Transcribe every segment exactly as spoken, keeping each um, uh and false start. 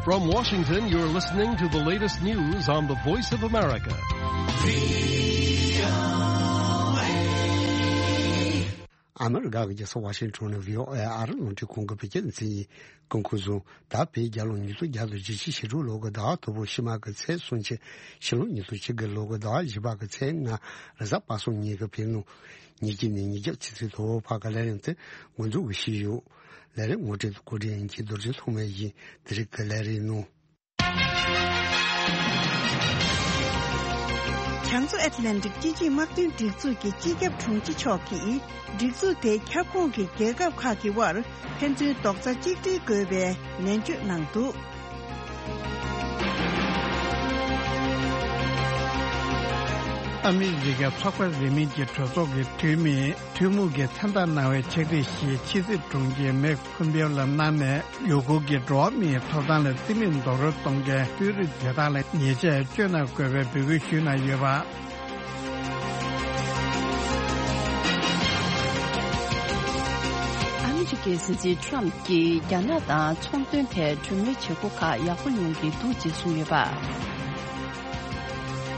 From Washington, you're listening to the latest news on the Voice of America. ཨ་མི་རི་ཀ་གི་རྒྱལ་ས་ཝ་ཤིང་ཊོན་ནས་བྷི་ཨོ་ཨེ་ཨ་རི་རླུང་འཕྲིན་ཁང་གི་བོད་སྐད་སྡེ་ཚན་ཡིན། སྐུ་ཁམས་བཟང་། ད་བོད་རྒྱལ་ལོ་ཉིས་སྟོང་བརྒྱ་དང་བཞི་བཅུ་ཞེ་དྲུག་ལོ་གི་ཟླ་བ་དང་པོ་ཕྱི་མ་གི་ཚེས་གསུམ་ཕྱི་ཕྱི་ལོ་ཉིས་སྟོང་བཅུ་དགུ་ལོ་གི་ཟླ་བ་བཞི་པ་གི་ཚེས་ལྔ་རེས་གཟའ་པ་སངས་ཉིན་གྱི་བོད་ལུང་ཉིས་བརྒྱ་ནས་ཉིས་བརྒྱ་ཕྱི་ཚེས་དང་པོ་བར་གྱི་ལས་རིམ་དེ་འགོ་འཛུགས་ཞུས་ཡོད། ལས་རིམ་ངོ་སྤྲོད་དང་གོ་སྒྲིག་ཡིན་གྱི་རྡོ་རྗེ་ཐོགས་མེད་ཡིན། དེ་རིང་གི་ལས་རིམ་ནང་། བྱང་མཚོ་ཨེཊ་ལན་ཊིག་སྤྱི་སྤྱོད་དམག་དོན་སྒྲིག་འཛུགས་ཀྱི་སྤྱི་ཁྱབ་དྲུང་ཆེ་མཆོག་གིས་སྒྲིག་འཛུགས་དེའི་ཁྱབ་ཁོངས་ཀྱི་རྒྱལ་ཁབ་ཁག་གི་དབར་ཕན་ཚུན་རྡོག་རྩ་གཅིག་སྒྲིལ་དགོས་པའི་ནན་བརྗོད་གནང་འདུག། ཨ་མི་རི་ཀའི་ཚོགས་པ་རིས་མེད་ཀྱི་གྲོས་ཚོགས་ཀྱི་འཐུས་མིས་འཐུས་མི་གིས་མཚན་རྟགས་གནང་བའི་ཕྱག་བྲིས་ཤིག་ཕྱི་སྲིད་དྲུང་ཆེ་མེག་ཕོམ་པེའོ་ལ་གནང་ནས། ཡུ་གུར་གྱི་འགྲོ་བ་མིའི་ཐོབ་ཐང་ལ་རྩིས་མེད་རྡོག་རོལ་གཏོང་མཁན་དཔོན་རིགས་དེ་དག་ལ་ཉེས་ཆད་གཅོད་གནང་དགོས་པའི་འབོད་སྐུལ་ཞུས་གནང་ཡོད་པ། ཨ་མི་རི་ཀའི་སྲིད་འཛིན་ཁྲོམ་གྱིས་རྒྱ་ནག་དང་ཚོང་དོན་ཐད་གྲོས་མོལ་བྱེད་སྒོ་ཁག་ཡག་པོ་ཡོང་གི་འདུག་ཅེས་གསུངས་ཡོད་པ།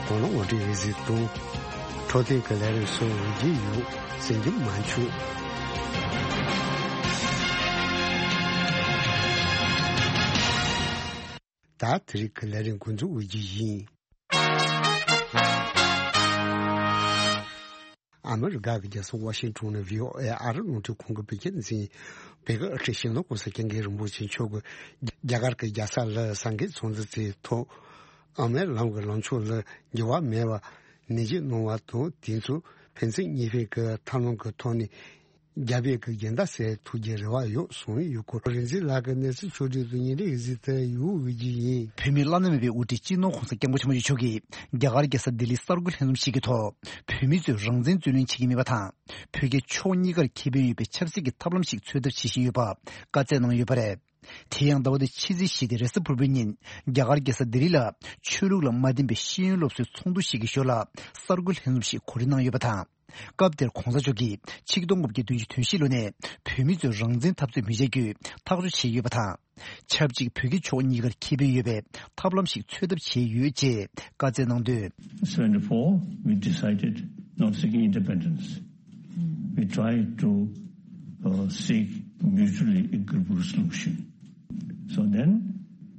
གོ་ལ་ངོ་སྤྲོད་རེ་ཟིག་དང་། འཕྲོད་བསྟེན་གྱི་ལས་རིམ་སོགས་འོས་བསྡུ་ཡོད། ཟིན་རྒྱུ་མ་འཆུག། ད་དེ་རིང་གི་ལས་རིམ་འགོ་འཛུགས་འོས་བསྡུ་ཡིན། ཨ་མི་རི་ཀ་གི་རྒྱལ་ས་ཝ་ཤིང་ཊོན་ནས་བྷི་ཨོ་ཨེ་ཨ་རི་རླུང་འཕྲིན་ཁང་གི་བོད་སྐད་འཛིན། བོད་ཀྱི་ཨ་ཁྲིད་ཤིང་ལོ་གོང་ས་སྐྱབས་མགོན་རིན་པོ་ཆེ་མཆོག་གིས་རྒྱ་གར་གྱི་རྒྱལ་ས་ལ་སངས་རྒྱས་ཚོགས་འདུ་བཙུགས་ཐོག། དབུ་མའི་ལམ་གྱི་ལངས་ཕྱོགས་ལ་འགྱུར་བ་མེད་པ། ནན་གྱིས་གནང་བ་དང་། དེ་ཚོ་ཕན་ཚུན་གཉིས་ཕན་གྱི་ཐབས་ལམ་གྱི་ཐོག་ནས་རྒྱ་བོད་ཀྱི་འགལ་ཟླ་སེལ་ཐུབ་རྒྱུའི་རེ་བ་ཡོད་གསུངས་ཡོད་སྐོར། རིག་འཛིན་ལགས་ཀྱི་གནས་ཚུལ་ཕྱོགས་བསྒྲིགས་དང་སྙན་སྒྲོན་གཟིགས་ཏེ་ཡོད་འོས་བསྡུ་ཡིན། བོད་མིའི་བླ་ན་མེད་པའི་དབུ་ཁྲིད་སྤྱི་ནོར་༧གོང་ས་༧སྐྱབས་མགོན་ཆེན་པོ་མཆོག་གིས་རྒྱ་གར་རྒྱལ་ས་ལྡི་ལིའི་གསར་འགོད་ལྷན་འཛོམས་ཤིག་གི་ཐོག། བོད་མི་ཚོས་རང་བཙན་རྩོད་ལེན་བྱེད་ཀྱི་མེད་པ་དང་། བོད་རྒྱ་ཕྱོགས་གཉིས་ཀར་ཁེ་ཕན་ཡོད་པའི་ཆབ་སྲིད་ཀྱི་ཐབས་ལམ་ཞིག་འཚོལ་ཐབས་བྱེད་བཞིན་ཡོད་པ་བཀའ་སྩལ་གནང་ཡོད་པ་རེད། དེ་ཡང་ཟླ་བ་འདིའི་ཕྱི་ཚེས་བཞི་སྟེ་རེས་གཟའ་ཕུར་བུའི་ཉིན། རྒྱ་གར་རྒྱལ་ས་ལྡི་ལི་ལ་ཆོས་ལུགས་ལ་མ་བརྟེན་པའི་ཤེས་ཡོན་སློབ་གསོའི་ཚོགས་འདུ་ཞིག་གི་ཞོར་ལ་གསར་འགོད་ལྷན་འཛོམས་ཤིག་གོ་སྒྲིག་གནང་ཡོད་པ་དང་། སྐབས་དེར་༧གོང་ས་མཆོག་གིས་ཆིག་སྟོང་དགུ་བརྒྱ་བདུན་ཅུ་དོན་བཞི་ལོ་ནས་བོད་མི་ཚོས་རང་བཙན་འཐབ་རྩོད་མི་བྱེད་རྒྱུའི་ཐག་གཅོད་བྱས་ཡོད་པ་དང་། ཆབས་ཅིག་བོད་རྒྱ་ཕྱོགས་གཉིས་ཀར་ཁེ་ཕན་ཡོད་པའི་ཐབས་ལམ་ཞིག་འཚོལ་ཐབས་བྱས་ཡོད་ཅེས་བཀའ་སྩལ་གནང་དོན། Seventy-four, we decided not seeking independence. We tried to uh, seek mutually agreeable solution. So then,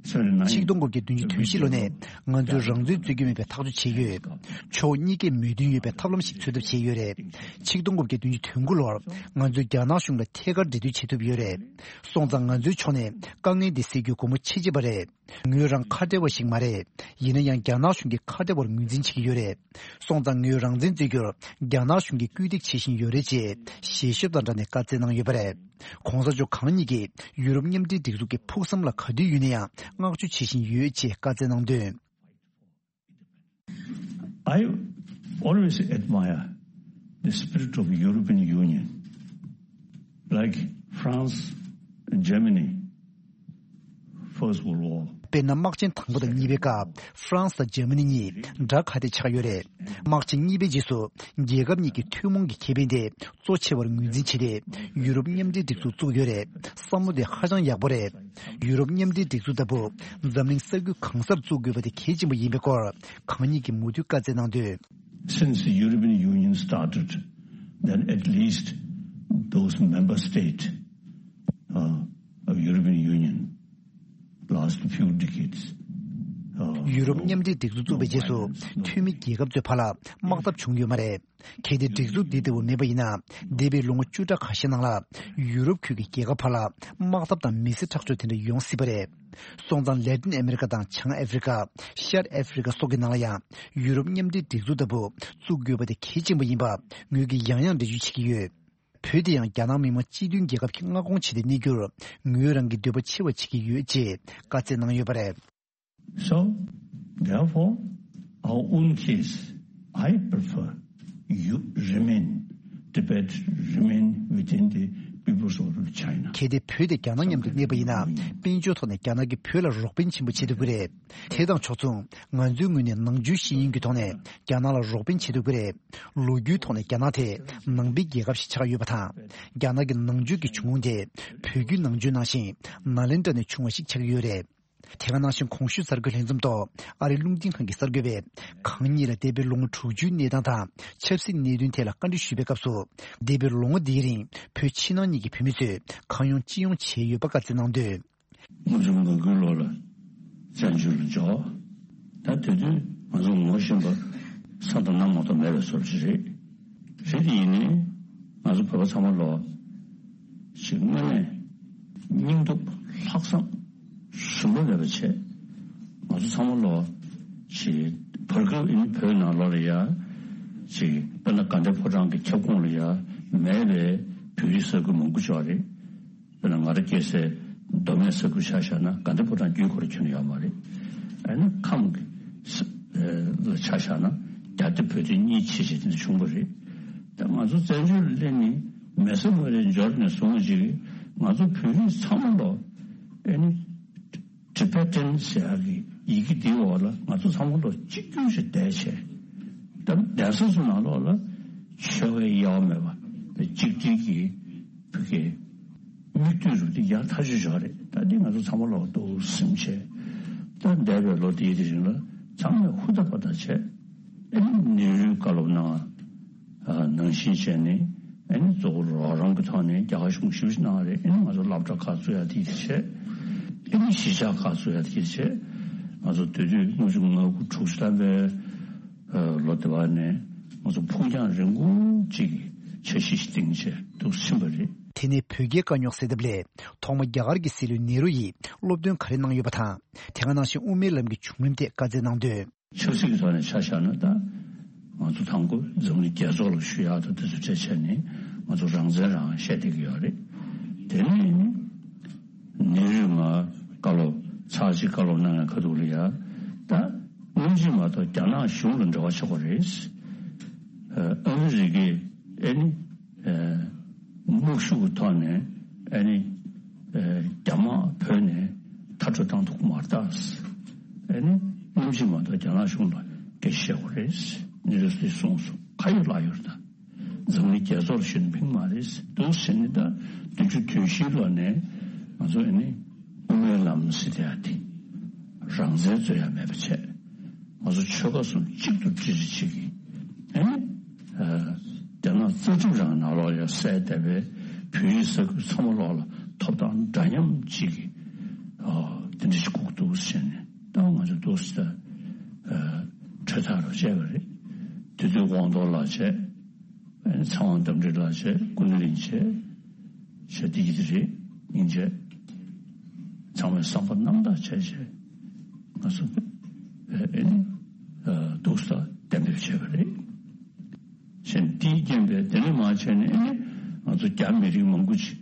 seventy-nine, ཆིག་སྟོང་དགུ་བརྒྱ་བདུན་ཅུ་དོན་བཞི་ལོ་ནས་ང་ཚོས་རང་བཙན་རྩོད་ཀྱི་མེད་པའི་ཐག་གཅོད་བྱས་ཡོད། ཕྱོགས་གཉིས་ཀས་མོས་མཐུན་ཡོད་པའི་ཐབས་ལམ་ཞིག་འཚོལ་ཐབས་བྱས་ཡོད་རེད། ཆིག་སྟོང་དགུ་བརྒྱ་བདུན་ཅུ་དོན་དགུ་ལོར་ང་ཚོས་རྒྱ་ནག་གཞུང་ལ་ཐད་ཀར་འབྲེལ་མཐུད་བྱེད་ཐུབ་ཡོད་རེད། སོང་ཙང་ང་ཚོའི་ཕྱོགས་ནས་དཀའ་ངལ་འདི་སེལ་རྒྱུའི་སྒོ་མོ་ཕྱེ་ཕྱེས་པ་རེད། ངོས་རང་ཁ་བྲལ་བ་ཞིག་མ་རེད། ཡིན་ན་ཡང་རྒྱ་ནག་གཞུང་གིས་ཁ་བྲལ་བར་ངོས་འཛིན་བྱེད་ཀྱི་ཡོད་རེད། སོང་ཙང་ངོས་རང་བཙན་རྩོད་རྒྱུར་རྒྱ་ནག་གཞུང་གིས་སྐུལ་འདེད་བྱེད་བཞིན་ཡོད་རེད་ཅེས་ཞལ་ཤོབ་དང་སྦྲགས་ནས་བཀའ་སྩལ་གནང་ཡོད་པ་རེད། ༧གོང་ས་མཆོག་གང་ཉིད་ཀྱིས་ཡུ་རོབ་མཉམ་འབྲེལ་སྒྲིག་འཛུགས་ཀྱི་ཕུགས་བསམ་ལ་ག་དུས་ཡོད་ན་ཡང་བསྔགས་བརྗོད་བྱེད་བཞིན་ཡོད་ཅེས་བཀའ་སྩལ་གནང་དོན། I always admire the spirit of European Union, like France and Germany, First World War. དཔེར་ན། དམག་ཆེན་དང་པོ་དང་གཉིས་པའི་སྐབས་ཧྥ་རན་སི་དང་འཇར་མ་ནི་གཉིས་དགྲ་ཁ་གཏད་ཆགས་ཡོད་རེད། དམག་ཆེན་གཉིས་པའི་རྗེས་སུ་རྒྱལ་ཁབ་གཉིས་ཀྱི་ཐུན་མོང་གི་ཁེ་ཕན་དེ་གཙོ་ཆེ་བར་ངོས་འཛིན་བྱས་ཏེ། ཡུ་རོབ་མཉམ་འབྲེལ་སྒྲིག་འཛུགས་བཙུགས་ཡོད་རེད། བསམ་བློ་དེ་ཧ་ཅང་ཡག་པོ་རེད། ཡུ་རོབ་མཉམ་འབྲེལ་སྒྲིག་འཛུགས་ལྟ་བུ་འཛམ་གླིང་ས་ཁུལ་གང་སར་བཙུགས་དགོས་པ་དེ་གལ་ཆེན་པོ་ཡིན་པའི་སྐོར་གང་ཉིད་ཀྱིས་མུ་མཐུད་བཀའ་སྩལ་གནང་དོན། Since the European Union started, then at least those member states uh, of European Union last few decades. Uh, ཡུ་རོབ་མཉམ་འབྲེལ་སྒྲིག་འཛུགས་བཙུགས་པའི་རྗེས་སུ་འཐུས་མི་རྒྱལ་ཁབ་ཚོའི་བར་ལ་དམག་འཐབ་བྱུང་ཡོད་མ་རེད། གལ་ཏེ་སྒྲིག་འཛུགས་འདི་ལྟ་བུ་མེད་པ་ཡིན་ན། འདས་པའི་ལོ་ངོ་བཅུ་ཕྲག་ཁ་ཤས་ནང་ལ་ཡུ་རོབ་ཁུལ་གྱི་རྒྱལ་ཁབ་བར་ལ་དམག་འཐབ་དང་མི་སེར་ཁྲག་སྦྱོར་དེ་འདྲ་ཡོང་སྲིད་པ་རེད། སོང་ཙང་ལེ་ཏིན་ཨ་མེ་རི་ཀ་དང་བྱང་ཨ་ཧྥེ་རི་ཀ། ཤར་ཨ་ཧྥེ་རི་ཀ་སོགས་ཀྱི་ནང་ལ་ཡང་ཡུ་རོབ་མཉམ་འབྲེལ་སྒྲིག་འཛུགས་ལྟ་བུ་བཙུགས་དགོས་པ་དེ་གལ་ཆེན་པོ་ཡིན་པ་ངོས་ཀྱིས་ཡང་ཡང་འགྲེལ་བརྗོད་བྱེད་ཀྱི་ཡོད། བོད་དེ་ཡང་རྒྱ་ནག་མི་དམངས་སྤྱི་མཐུན་རྒྱལ་ཁབ་ཀྱི་མངའ་ཁོངས་ཆེད་དུ་གནས་རྒྱུར་ངོས་རང་གི་འདོད་པ་ཆེ་བ་བྱེད་ཀྱི་ཡོད་ཅེས་བཀའ་སྩལ་གནང་ཡོད་པ་རེད། So, therefore, our own case, I prefer you remain, Tibet remain within the People's Republic of China. གལ་ཏེ་བོད་དེ་རྒྱ་ནག་མཉམ་དུ་གནས་པ་ཡིན་ན། དཔལ་འབྱོར་ཐོག་ནས་རྒྱ་ནག་གིས་བོད་ལ་རོགས་ཕན་ཆེན་པོ་བྱེད་ཐུབ་ཀྱི་རེད། དེ་དང་ཕྱོགས་མཚུངས་ང་ཚོའི་ངོས་ནས་ནང་ཆོས་ཤེས་ཡོན་གྱི་ཐོག་ནས་རྒྱ་ནག་ལ་རོགས་ཕན་བྱེད་ཐུབ་ཀྱི་རེད། ལོ་རྒྱུས་ཐོག་ནས་རྒྱ་ནག་དེ་ནང་པའི་རྒྱལ་ཁབ་ཞིག་ཆགས་ཡོད་པ་དང་། རྒྱ་ནག་གི་ནང་ཆོས་ཀྱི་བྱུང་ཁུངས་དེ་བོད་བརྒྱུད་ནང་ཆོས་ནང་བཞིན་ནཱ་ལེནྡྲ་ནས་བྱུང་བ་ཞིག་ཆགས་ཀྱི་ཡོད་རེད། དེ་ག་ནང་བཞིན་གོང་ཞུས་གསར་འགོད་ལྷན་འཛོམས་ཐོག་ཨ་རིའི་རླུང་འཕྲིན་ཁང་གི་གསར་འགོད་པས་གང་ཉིད་ལ་འདས་པའི་ལོ་ངོ་དྲུག་ཅུའི་གནས་སྟངས་དང་ཆབ་སྲིད་གནད་དོན་ཐད་ལ་བཀའ་འདྲི་ཞུས་པའི་སྐབས་སུ། འདས་པའི་ལོ་ངོ་འདིའི་རིང་བོད་ཕྱི་ནང་གཉིས་ཀྱི་བོད་མི་ཚོས་གང་ཡོང་ཅི་ཡོང་བྱས་ཡོད་པ་བཀའ་སྩལ་གནང་དོན། ལྔ་བཅུ་ང་དགུའི་ལོ་ལ་བཙན་བྱོལ་ལ་འབྱོར། ད་དེ་དུས་ང་ཚོ་ངོ་ཤེས་པ་ས་དང་གནམ་མ་གཏོགས་མེད་པའི་བཟོ་འདྲ་ཞིག་རེད། རེད་དེ་ཡིན་ནའི་ང་ཚོ་བོད་པ་ཚང་མ་ལོ་ཞིག་དངོས་གནས་སྙིང་སྟོབས་ལྷག་བསམ་ཟུར་པ་མེད་པ་བྱས། ང་ཚོ་ཚང་མ་ལོ་ཞིག་བར་སྐབས་ཨིན་བོད་ནང་ལོགས་ལ་ཡ་ཞིག་དཔེར་ན་དགའ་ལྡན་ཕོ་བྲང་གི་ཁྱབ་ཁོངས་ལ་ཡ་མེད་པའི་བོད་རིགས་ས་ཁུལ་མང་པོ་ཅིག་རེད། དཔེར་ན་ང་རང་སྐྱེས་སའི་མདོ་སྨད་ས་ཁུལ་ཆ་བཞག་ན་དགའ་ལྡན་ཕོ་བྲང་བརྒྱུད་ཁོ་རང་ཁྱོན་ནས་ཡོད་མ་རེད། ཨ་ནི་ཁམས་ཀྱི་ས་ལ་ཆ་བཞག་ན་རྒྱ་སྡེ་བོད་སྡེ་གཉིས་ཕྱེ་བྱས་དེ་འདྲ་བྱུང་བ་རེད། ད་ང་ཚོ་བཙན་བྱོལ་ལ་སླེབས་ནས་མེ་སོ་མུ་རའི་འབྱོར་ནས་བཟུང་ཅིག་ང་ཚོ་བོད་རིགས་ཚང་མ་ལོ་ཨ་ནི་ཊི་བེ་ཊན་ཟེར་ཡག་གི་ཡི་གེ་འདིའི་འོག་ལ་ང་ཚོ་ཚང་མ་ལོ་གཅིག་གྱུར་ཞིག་བསྡད་བྱས། ད་གདན་ས་ཚོ་ནང་ལོགས་ལ་ཆོལ་ཁའི་དབྱེ་བ་མེད་པ་གཅིག་སྒྲིལ་གྱི་བོད་ཀྱི་མིག་ལྟོས་རུ་དེ་ཡག་ཐག་ཆོད་ཆོག་རེད། ད་འདི་ང་ཚོ་ཚང་མ་ལོག་འདུག་སེམས་བྱས། ད་འདས་པའི་ལོ་དེའི་དེ་རིང་ལ་ཚང་མས་ཧུར་ཐག་པ་ཐག་བྱས། ཨེ་ནི་ནེ་རུས་བཀའ་སློབ་གནང་བ་ནང་བཞིན་བྱས་ནས་ཨེ་ནི་གཙོ་བོ་རོགས་རམ་གྱི་ཐོག་ནས་རྒྱ་གར་གཞུང་ཞིབ་གནང་བ་རེད། ཨེ་ནི་ང་ཚོ་སློབ་གྲྭ་ཁག་བཙུགས་ཡ་དེ་དེ་བྱས། ཨེ་ནི་གཞིས་ཆགས་ཁག་བཙུགས་ཡ་དེ་དེ་བྱས། ང་ཚོ་དེ་དུས་ལྔ་བཅུ་ང་དགུ་དྲུག་ཅུ་ཐམ་པའི་ལོ་དེ་བ་ནས་ང་ཚོ་ཕུགས་རྒྱང་རིང་པོ་ཅིག་གི་འཆར་གཞི་ཞིག་བཏིང་བྱས་འདུག་ཕྱིན་པ་རེད། དེ་ནས་བོད་རྒྱའི་དཀའ་རྙོག་སེལ་ཐབས་སླད་ཐོག་མ་རྒྱ་གར་གྱི་སྲིད་བློན་ནེ་རུ་ཡིས་སློབ་སྟོན་ག་རེ་གནང་ཡོད་པ་དང་། དེ་ག་ནང་བཞིན་དབུ་མའི་ལམ་གྱི་བྱུང་རིམ་ཐད་བཀའ་སྩལ་གནང་དོན། ཆབ་སྲིད་ཀྱི་ཐོག་ནས་ཆ་བཞག་ན་ད་ང་ཚོ་དང་པོ་འཛམ་གླིང་རྒྱལ་ཚོགས་ལ་ཞུ་ཡག་དང་དེ་ཚོ་བྱས་བྱས་ནས་ང་ཚོ་རང་བཙན་རང་བཤད་བསྡད་ཀྱི་ཡོད་རེད། དེ་ནས་ནེ་རུས་ང་བཀའ་སློབ་ཚར་གཅིག་བཀའ་སློབ་གནང་ཡག་ཁ་ཐུག་ལ་ཡ་ད་དངོས་གཞི་མ་གཏོགས་རྒྱ་ནག་གཞུང་ལ་འབྲེལ་བ་ཆགས་པ་རེད། ཨ་མི་རི་ཀས་ཨེ་ནི། དམག་ཤུགས་ཀྱི་ཐོག་ནས་ཨ་ནི་རྒྱ་དམག་བོད་ནས་མཐར་སྐྲོད་བཏང་ཐུབ་ཀྱི་མ་རེད་ད། ཨ་ནི་གནམ་གཤིས་མ་གཏོགས་རྒྱ་ནག་གཞུང་ལ་སྐད་ཆ་བཤད་དགོས་རེད། ནེ་རུས་གསུངས་སོང་། ག་ཡོད་ལ་ཡོད་ད། འཛམ་གླིང་རྒྱལ་ཚོགས་ལ་ཞུས་ན་ཕན་མ་རེད་འདུག་ཟེར་ནས་ད་བདུན་ཅུ་དོན་བཞིའི་ལོ་ནས་ང་ཚོ་ཨ་ནི་དབུ་མའི་ལམ་ཟེར་དེ་ཡ་དེ་རང་བཙན་རྩོད་ཡ་མེད་པ་བྱས། ང་ཚོ་ཆོལ་ཁ་གསུམ་གཅིག་ཏུ་སྒྲིལ་རེ་བྱེད་ཀྱི། ཨེ་ནི། རྒྱ་ནག་རྩ་ཁྲིམས་རང་ནང་ལོགས་ཡ་གསལ་བསྡད་པའི་བོད་ཡིག་ས་ཁུལ་ཚང་མ་ལོགས་ལ་ཐོབ་ཐང་འདྲ་མཉམ་གཅིག་གི། དེ་འདྲ་ཞིག་དགོས་འདུག་ཟེར་ནས་ད་ང་ཚོ་འདུག་ཟེར། གྲོས་ཐག་རུ་བཅད་པ་རེད། དེ་དུས་དབང་ཐོག་ལགས་བྱས། ཨེ་ནི་ཚེ་དབང་རྟ་མགྲིན་ལགས་བྱས། སྐུ་ན་རིན་བྱས། བྱས་དེ་ཡིན་དེ་རེད། སྙིང་རྗེ། ཚང་མས་བསམ་པ་རྣམ་དག་བྱས་བྱས་ང་ཚོ་ཨེ་ནི་འདུག་ས་གཏན་འབེབས་བྱས་པ་རེད། བྱས་ནས་དེའི་རྐྱེན་པས་དེ་ནས་མར་བྱས་ནས་ཨེ་ནི་ང་ཚོ་རྒྱ་མི་རིགས་མང་པོ་ཅིག་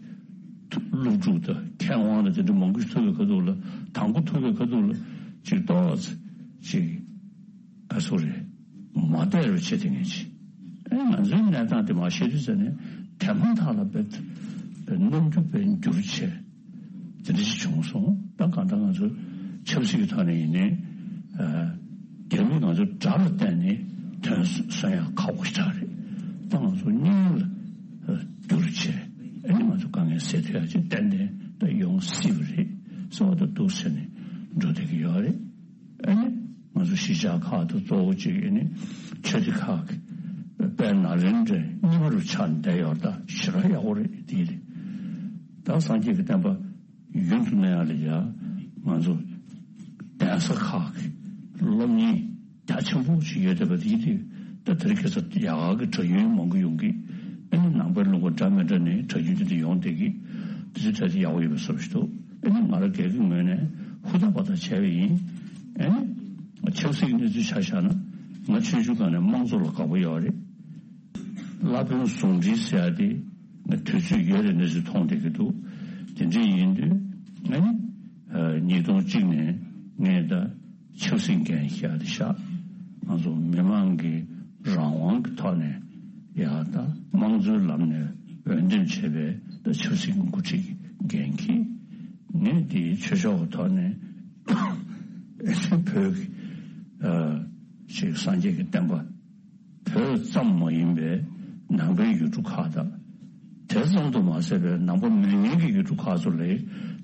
སློབ་ཕྲུག་དང་མཁས་དབང་དང་དེ་འདྲ་མང་པོ་ཞིག་ཐུག་པའི་ཁ་ཐུག་ལ་དང་པོ་ཐུག་པའི་ཁ་ཐུག་ལ་ཅིག་ཏོག་ཙམ་ཅིག་ག་ཚོད་རེད། མ་བདེ་རུ་བྱེད་དེ་ངེས་ཅི། ཨེ་ང་ཚོའི་གནས་སྟངས་དེ་མ་ཤེས་དུས་ཟེར་ནས་དེ་མ་ཐག་ལ་བེད་རྣམ་འགྱུར་བེད་འགྱུར་བྱས་དེ་འདྲ་ཞིག་བྱུང་སོང་། ད་གང་ལྟར་ང་ཚོ་ཆབ་སྲིད་ཀྱི་ཐོག་ནས་ཡིན་ནའི་རྒྱ་མིས་ང་ཚོ་དགྲ་ལ་བརྟེན་ནས་དོན་སོན་ཡག་ཁག་པོ་ཞིག་རེད། ད་ང་ཚོ་གཉིས་ལ་འགྱུར་བྱས་ཨེ་ནི་ང་ཚོ་དཀའ་ངལ་སེལ་ཐུབ་ཡག་ཅིག་ཏན་ཏན་ད་ཡོང་སྲིད་པ་རེད་ཟེར་བ་ད་འདུག་ཟེར་ནས་འགྲོ་བསྡད་ཀྱི་ཡོད་རེད། ཨ་ནི་ང་ཚོ་གཞིས་ཆགས་ཁག་ཏུ་གཙོ་བོ་གཅིག་ཨ་ནི་ཆོས་སྡེ་ཁག་གི་དཔལ་ནཱ་ལེནྡྲའི་རྙིང་པ་རུ་ཆགས་ནས་བསྡད་ཡོད་རེད། ད་ཞེ་དྲག་ཡག་པོ་རེད་དེ་རེད། ད་སངས་རྒྱས་ཀྱི་བསྟན་པ་ཡུན་དུ་གནས་ཡག་ལ་ཡ་ང་ཚོ་གདན་ས་ཁག་གི་སློབ་གཉེར་རྒྱ་ཆེན་པོ་ཞིག་ཡོད་བསྡད་པ་དེ་དེ་ད་དེ་རིང་ཁ་སང་ཡག་གི་གྲྭ་རྒྱུན་མང་པོ་ཡོང་གི། ཨ་ནི་ནང་པའི་ལུང་པ་འདྲ་མི་འདྲ་ནས་གྲྭ་རྒྱུན་དེ་འདྲ་ཡོང་བསྡད་ཀྱི། དེ་ཚོ་ད་ཆ་ཡག་པོ་ཡོད་པའི་བཟོ་ཞིག་འདུག་ཨ་ནི་ང་རང་སྒེར་གྱི་ངོས་ནས་ཧུར་ཐག་པ་ཐག་བྱས་པ་ཡིན། ཨ་ནི་ཆབ་སྲིད་ཀྱི་གནས་ཚུལ་ཆ་བཞག་ན་ང་ཆོས་ཞུ་སྒང་ནས་དམངས་གཙོ་ལ་དགའ་པོ་ཡོད་རེད། བླ་དཔོན་ཟུང་འབྲེལ་ཟེར་ཡ་དེ་ང་དུས་ཚོད་ཡོད་རེད་གནས་ཚུལ་མཐོང་བསྡད་ཀྱི་འདུག་དེ་འདྲ་ཡིན་དུས་ཨ་ནི་ཉིས་སྟོང་གཅིག་ནས་ངས་ད་ཆབ་སྲིད་འགན་བཞེས་ཏེ་བཞག་ང་ཚོ་མི་མང་གི་རང་དབང་གི་ཐོག་ནས་ཡག་ད་དམངས་གཙོའི་ལམ་ནས་འོས་འདེམས་བྱས་པའི་ད་ཆབ་སྲིད་ཀྱི་འགོ་ཁྲིད་ཀྱི་འགན་འཁྱེར། ངས་འདིའི་ཆོས་ཕྱོགས་ཀྱི་ཐོག་ནས་བོད་ཀྱི་ཅིག་སངས་རྒྱས་ཀྱི་བསྟན་པ་བོད་ཙམ་མ་ཡིན་པའི་ནང་པའི་ཡུལ་གྲུ་ཁག་དང་། དེ་ཙམ་དུ་མ་ཟད་པའི་ནང་པ་མེད་མཁན་གྱི་ཡུལ་གྲུ་ཁག་ཚོ་ལ་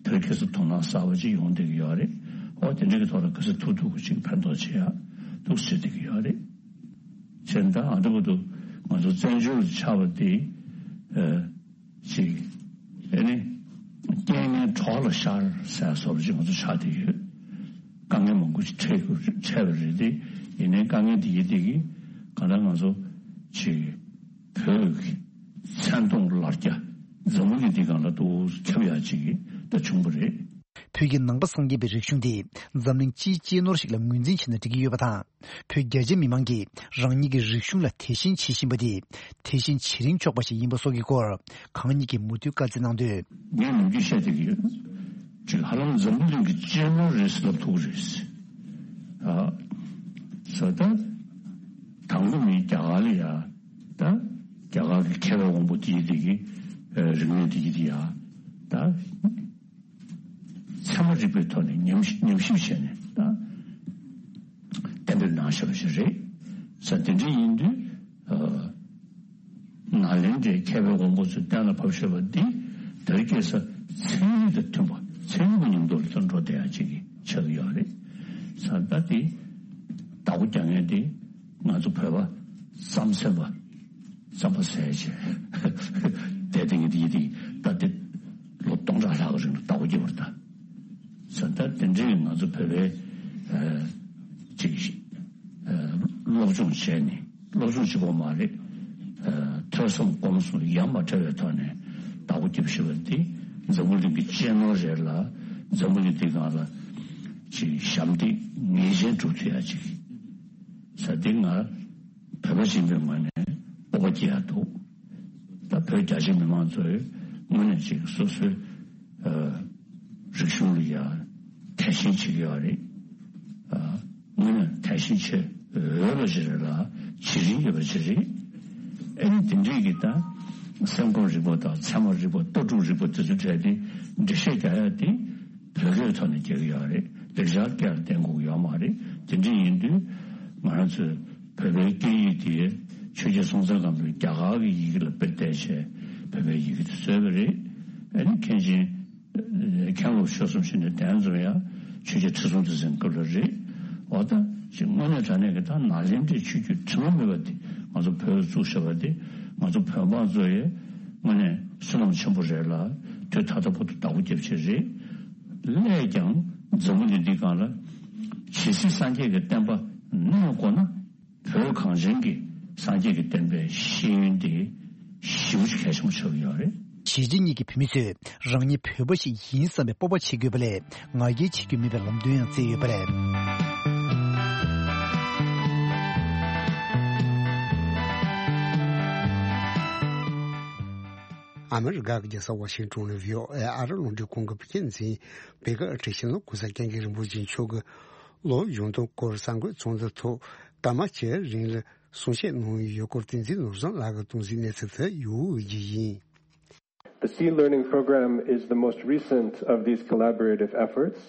དེར་ཁ་སང་དོ་སྣང་གསར་པ་ཅིག་ཡོང་བསྡད་ཀྱི་ཡོད་རེད། དེ་འདྲ་གི་ཐོག་ལ་ག་ཚོད་ཐུབ་ཐུབ་ཀྱི་ཅིག་ཕན་ཐོགས་བྱེད་ཡ་འདུག་ཟེར་བསྡད་ཀྱི་ཡོད་རེད། བྱས་ཙང་ཨ་འདྲ་པོ་འདུག་ང་ཚོ་བཙན་བྱོལ་དུ་ཆགས་པ་དེ་ཨ་ཅིག་ཨ་ནི་རྐྱེན་ངན་གྲོགས་ལ་ཤར་ཟེར་བཟོ་འདྲ་ཅིག་ང་ཚོ་ཆགས་བསྡད་ཡོད། དཀའ་ངལ་མང་པོ་ཅིག་འཕྲད་དགོས་འཕྲད་པ་རེད་དེ། ཡིན་ནའི་དཀའ་ངལ་དེ་ཡི་དེ་གི་གང་ལྟར་ང་ཚོ་ཅིག་བོད་ཀྱི་མཚན་མཐོང་ལར་རྒྱ་འཛམ་བུ་གླིང་འདི་སྒང་ལ་ཏོག་ཙམ་ཁྱབ་ཡག་ཅིག་ད་བྱུང་བ་རེད། བོད་ཀྱི་ནང་པ་སངས་རྒྱས་པའི་རིག་གཞུང་དེ་འཛམ་གླིང་སྤྱིའི་གཅེས་ནོར་ཞིག་ལ་ངོས་འཛིན་བྱས་ན་འགྲིག་གི་ཡོད་པ་དང་། བོད་རྒྱ་ཆེ་མི་མང་གིས་རང་ཉིད་ཀྱི་རིག་གཞུང་ལ་དད་ཞེན་བྱེད་བཞིན་པ་དེ་དད་ཞེན་བྱེད་རིན་ཆོག་པ་ཞིག་ཡིན་པ་སོགས་ཀྱི་སྐོར་གང་ཉིད་ཀྱིས་མུ་མཐུད་བཀའ་སྩལ་གནང་དོན། ངས་ནམ་རྒྱུན་བཤད་བསྡད་ཀྱི་ཡོད། ཅིག་ཧ་ལམ་འཛམ་བུ་གླིང་གི་གཅེས་ནོར་རེད་ཟེར་ལབ་ཐུབ་ཀྱི་རེད། ཨ། ས་ད་དང་པོ་མིན་རྒྱ་གར་ལ་ཡ། ད་རྒྱ་གར་གྱི་མཁས་པའི་དབང་པོ་དེ་ཡི་དེ་གི་རིག་གནས་དེ་ཡི་དེ་ཡ། ད། ཚད་མ་རིག་པའི་ཐོག་ནས་ཉམས་ཉམས་ཞིབ་བྱས་ནས་ད་གཏན་འབེབས་གནང་བཞག་པ་ཞིག་རེད། ས་དེ་འདྲ་ཡིན་དུས་ཨ་ནཱ་ལེནྡྲའི་མཁས་པའི་དབང་པོ་ཚོས་གཏན་ལ་ཕབ་བཞག་པ་འདི་དེ་རིང་ཁ་སང་ཚན་རིག་དང་མཐུན་པ་ཚན་རིག་གི་ཉམས་རྟོགས་ལ་འགྲོ་བསྡད་ཡག་ཅིག་ཆགས་ཀྱི་ཡོད་རེད། ས་ད་དེ་བདག་པོ་རྒྱག་མཁན་དེ་ང་ཚོ་བོད་པ་རྩམ་ཟན་པ། རྩམ་པ་ཟས་བྱས། དེ་དེ་ངས་དེ་ཡི་དེ་ད་དེ་ལོ་སྟོང་ཕྲག་ལྷག་གི་རིང་ལ་བདག་པོ་རྒྱབ་པ་རེད་ད། ས་ད་དེ་འདྲའི་ང་ཚོ་བོད་པའི་ཨ་ཅིག་ཨ་སློབ་སྦྱོང་བྱས་ནས་སློབ་སྦྱོང་གཅིག་པོ་མ་རེད། ཨ་ཐོས་བསམ་སྒོམ་གསུམ་ཡ་མ་བྲལ་བའི་ཐོག་ནས་བདག་པོ་རྒྱབ་ཤེས་པ་འདི་འཛམ་བུ་གླིང་གི་གཅེས་ནོར་རེད་ལ། འཛམ་བུ་གླིང་འདི་སྒང་ལ་ཅིག་ཞབས་འདེགས་ངེས་ཅན་སྒྲུབ་ཐུབ་ཡ་ཅིག་ས་འདི་ང་བོད་པ་ཡིན་པའི་ངོས་ནས་སྤོབས་པ་སྐྱེ་ཡ་འདུག་ད་བོད་རྒྱ་ཆེ་མི་མང་ཚོས་དངོས་གནས་ཅིག་སོ་སོའི་ཨ་རིག་གཞུང་ལ་ཡ་དད་ཞེན་བྱེད་ཀྱི་ཡོད་རེད། ཨ་དངོས་གནས་དད་ཞེན་བྱེད་འོས་པ་ཞིག་རེད་ལ་བྱེད་རིན་ཡོད་པ་ཞིག་རེད། ཨ་ནི་དེ་འདྲས་ཀྱི་ད་སེམས་ཁམས་རིག་པ་དང་ཚད་མ་རིག་པ་ལྟ་གྲུབ་རིག་པ་དེ་ཚོ་གྲས་དེ་འགྲེལ་བཤད་རྒྱག་ཡ་དེ་བོད་སྐད་ཐོག་ནས་རྒྱག་གི་ཡོད་རེད། ལེགས་སྦྱར་སྐད་ལ་བརྟེན་དགོས་ཀྱི་ཡོད་མ་རེད། དེ་འདྲས་ཡིན་དུས་ང་རང་ཚོའི་བོད་པའི་སྐད་ཡིག་དེ་ཆོས་རྒྱལ་སྲོང་བཙན་སྒམ་པོས་རྒྱ་གར་གྱི་ཡི་གེ་ལ་དཔེ་བལྟས་བྱས་བོད་པའི་ཡི་གེ་དེ་བཟོས་པ་རེད། ཨ་ནི་མཁན་ཆེན་མཁན་སློབ་ཆོས་གསུམ་ཞིག་ནས་གདན་འཛོམས་ཡ་ཆོས་རྒྱལ་ཁྲི་སྲོང་ལྡེ་བཙན་སྐབས་ལ་རེད། འོ་ད་ཅིག་དངོས་གནས་དྲང་གནས་ཀྱི་ད་ནཱ་ལེནྡྲའི་ཆོས་བརྒྱུད་དྲི་མ་མེད་པ་དེ་ང་ཚོ་བོད་ལ་བཙུགས་བཞག་པ་དེ་ང་ཚོ་བོད་འབངས་ཚོ་ཡི་དངོས་གནས་བསོད་ནམས་ཆེན་པོ་རེད་ལ་དུས་ད་ལྟ་བར་དུ་བདག་པོ་རྒྱབ་ཆེད་རེད། སླད་ཀྱང་འཛམ་བུ་གླིང་འདི་སྒང་ལ་ཇི་སྲིད་སངས་རྒྱས་ཀྱི་བསྟན་པ་གནས་དགོས་ན། བོད་གངས་ཅན་གྱི་སངས་རྒྱས་ཀྱི་བསྟན་པའི་ཤེས་ཡོན་དེ་ཞེ་པོ་ཅིག་གལ་ཆེན་པོ་ཆགས་ཀྱི་ཡོད་རེད། གཞིས་བྱེས་གཉིས་ཀྱི་བོད་མི་ཚོས་རང་ཉིད་བོད་པ་ཞིག་ཡིན་བསམ་པའི་སྤོབས་པ་བྱེད་དགོས་པ་ལས་ང་རྒྱལ་བྱེད་རྒྱུ་མེད་པའི་ལམ་སྟོན་ཡང་བསྩལ་ཡོད་པ་རེད། ཨ་མི་རི་ཀ་གི་རྒྱལ་ས་ཝ་ཤིང་ཊོན་ནས་བྷི་ཨོ་ཨེ་ཨ་རི་རླུང་འཕྲིན་ཁང་གི་བོད་སྐད་འཛིན་པེ་ཀར་བཀྲ་ཤིས་ལ་གོང་ས་སྐྱབས་མགོན་རིན་པོ་ཆེ་མཆོག་གིས་ལོ་གཞོན་དོན་སྐོར་གསར་འགོད་ཚོགས་འདུ་ཐོག་སྐར་མ་བཅུའི་རིང་ལ་གསུང་བཤད་གནང་ཡོད་སྐོར་བསྟན་འཛིན་ནོར་བཟང་ལགས་ཀྱིས་གཏོང་གཟིགས་གནས་ཚུལ་དེ་ཡོད་རྒྱུ་ཡིན། The Sea Learning Program is the most recent of these collaborative efforts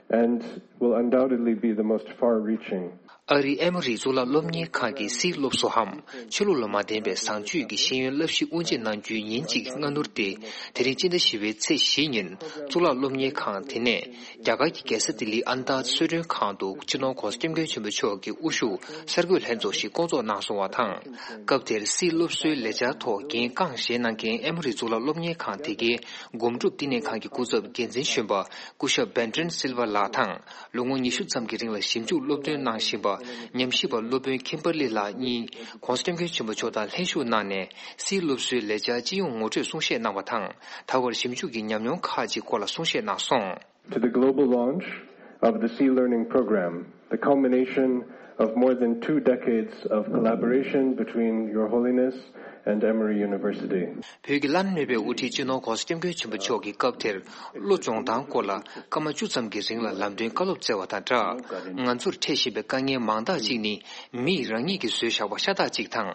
and will undoubtedly be the most far-reaching. ཨ་རིའི་ཨེ་མོ་རི་གཙུག་ལག་སློབ་གཉེར་ཁང་གི་སིའི་སློབ་གསོའམ་ཆོས་ལུགས་ལ་མ་བརྟེན་པའི་བཟང་སྤྱོད་ཀྱི་ཤེས་ཡོན་བསླབ་གཞི་དབུ་འབྱེད་གནང་རྒྱུའི་ཉིན་གཅིག་སྔ་སྣུར་དེ་དེ་རིང་སྤྱི་ཟླ་བཞི་པའི་ཚེས་བཞི་ཉིན་གཙུག་ལག་སློབ་གཉེར་ཁང་དེ་ནས་རྒྱ་གར་གྱི་རྒྱལ་ས་ལྡི་ལིའི་ཨ་མདའ་གསོལ་མགྲོན་ཁང་དུ་སྤྱི་ནོར་༧གོང་ས་༧སྐྱབས་མགོན་ཆེན་པོ་མཆོག་གི་དབུ་བཞུགས་གསར་འགོད་ལྷན་ཚོགས་ཤིག་བསྐོང་ཚོགས་གནང་སོང་བ་དང་། སྐབས་དེར་སིའི་སློབ་གསོའི་ལས་འཆར་ཐོག་འགན་རྐང་བཞེས་གནང་མཁན་ཨེ་མོ་རི་གཙུག་ལག་སློབ་གཉེར་ཁང་དེ་གའི་སྒོམ་སྒྲུབ་བསྟི་གནས་ཁང་གི་སྐུ་ཚབ་འགན་འཛིན་གཞོན་པ་སྐུ་ཞབས་Benton Silva་ལགས་དང་། ལོ་ངོ་ཉི་ཤུ་ཙམ་གྱི་རིང་ལ་ཞིབ་འཇུག་སློབ་སྟོན་གནང་བཞིན་པ་ཉམས་ཞིབ་པ་སློབ་དཔོན་ཁིམ་པར་ལི་ལགས་གཉིས་༧གོང་ས་༧སྐྱབས་མགོན་ཆེན་པོ་མཆོག་དང་ལྷན་ཞུགས་གནང་ནས་སིའི་སློབ་གསོའི་ལས་འཆར་སྤྱི་ཡོངས་ངོ་སྤྲོད་གསུང་བཤད་གནང་བ་དང་། ད་བར་ཞིབ་འཇུག་གི་ཉམས་མྱོང་ཁག་ཅིག་སྐོར་ལ་གསུང་བཤད་གནང་སོང་། To the global launch of the Sea Learning Program, the culmination of more than two decades of collaboration between Your Holiness and Emory University. བོད་ཀྱི་བླ་ན་མེད་པའི་དབུ་ཁྲིད་སྤྱི་ནོར་༧གོང་ས་༧སྐྱབས་མགོན་ཆེན་པོ་མཆོག་གིས་སྐབས་དེར་བློ་སྦྱོང་སྟངས་སྐོར་ལ་སྐར་མ་བཅུ་ཙམ་གྱི་རིང་ལ་ལམ་སྟོན་བཀའ་སློབ་སྩལ་བ་དང་སྦྲགས། ང་ཚོར་འཕྲད་བཞིན་པའི་དཀའ་ངལ་མང་དག་ཅིག་ནི་མིས་རང་ཉིད་ཀྱིས་བཟོས་བཞག་པ་ཤ་སྟག་ཅིག་དང་།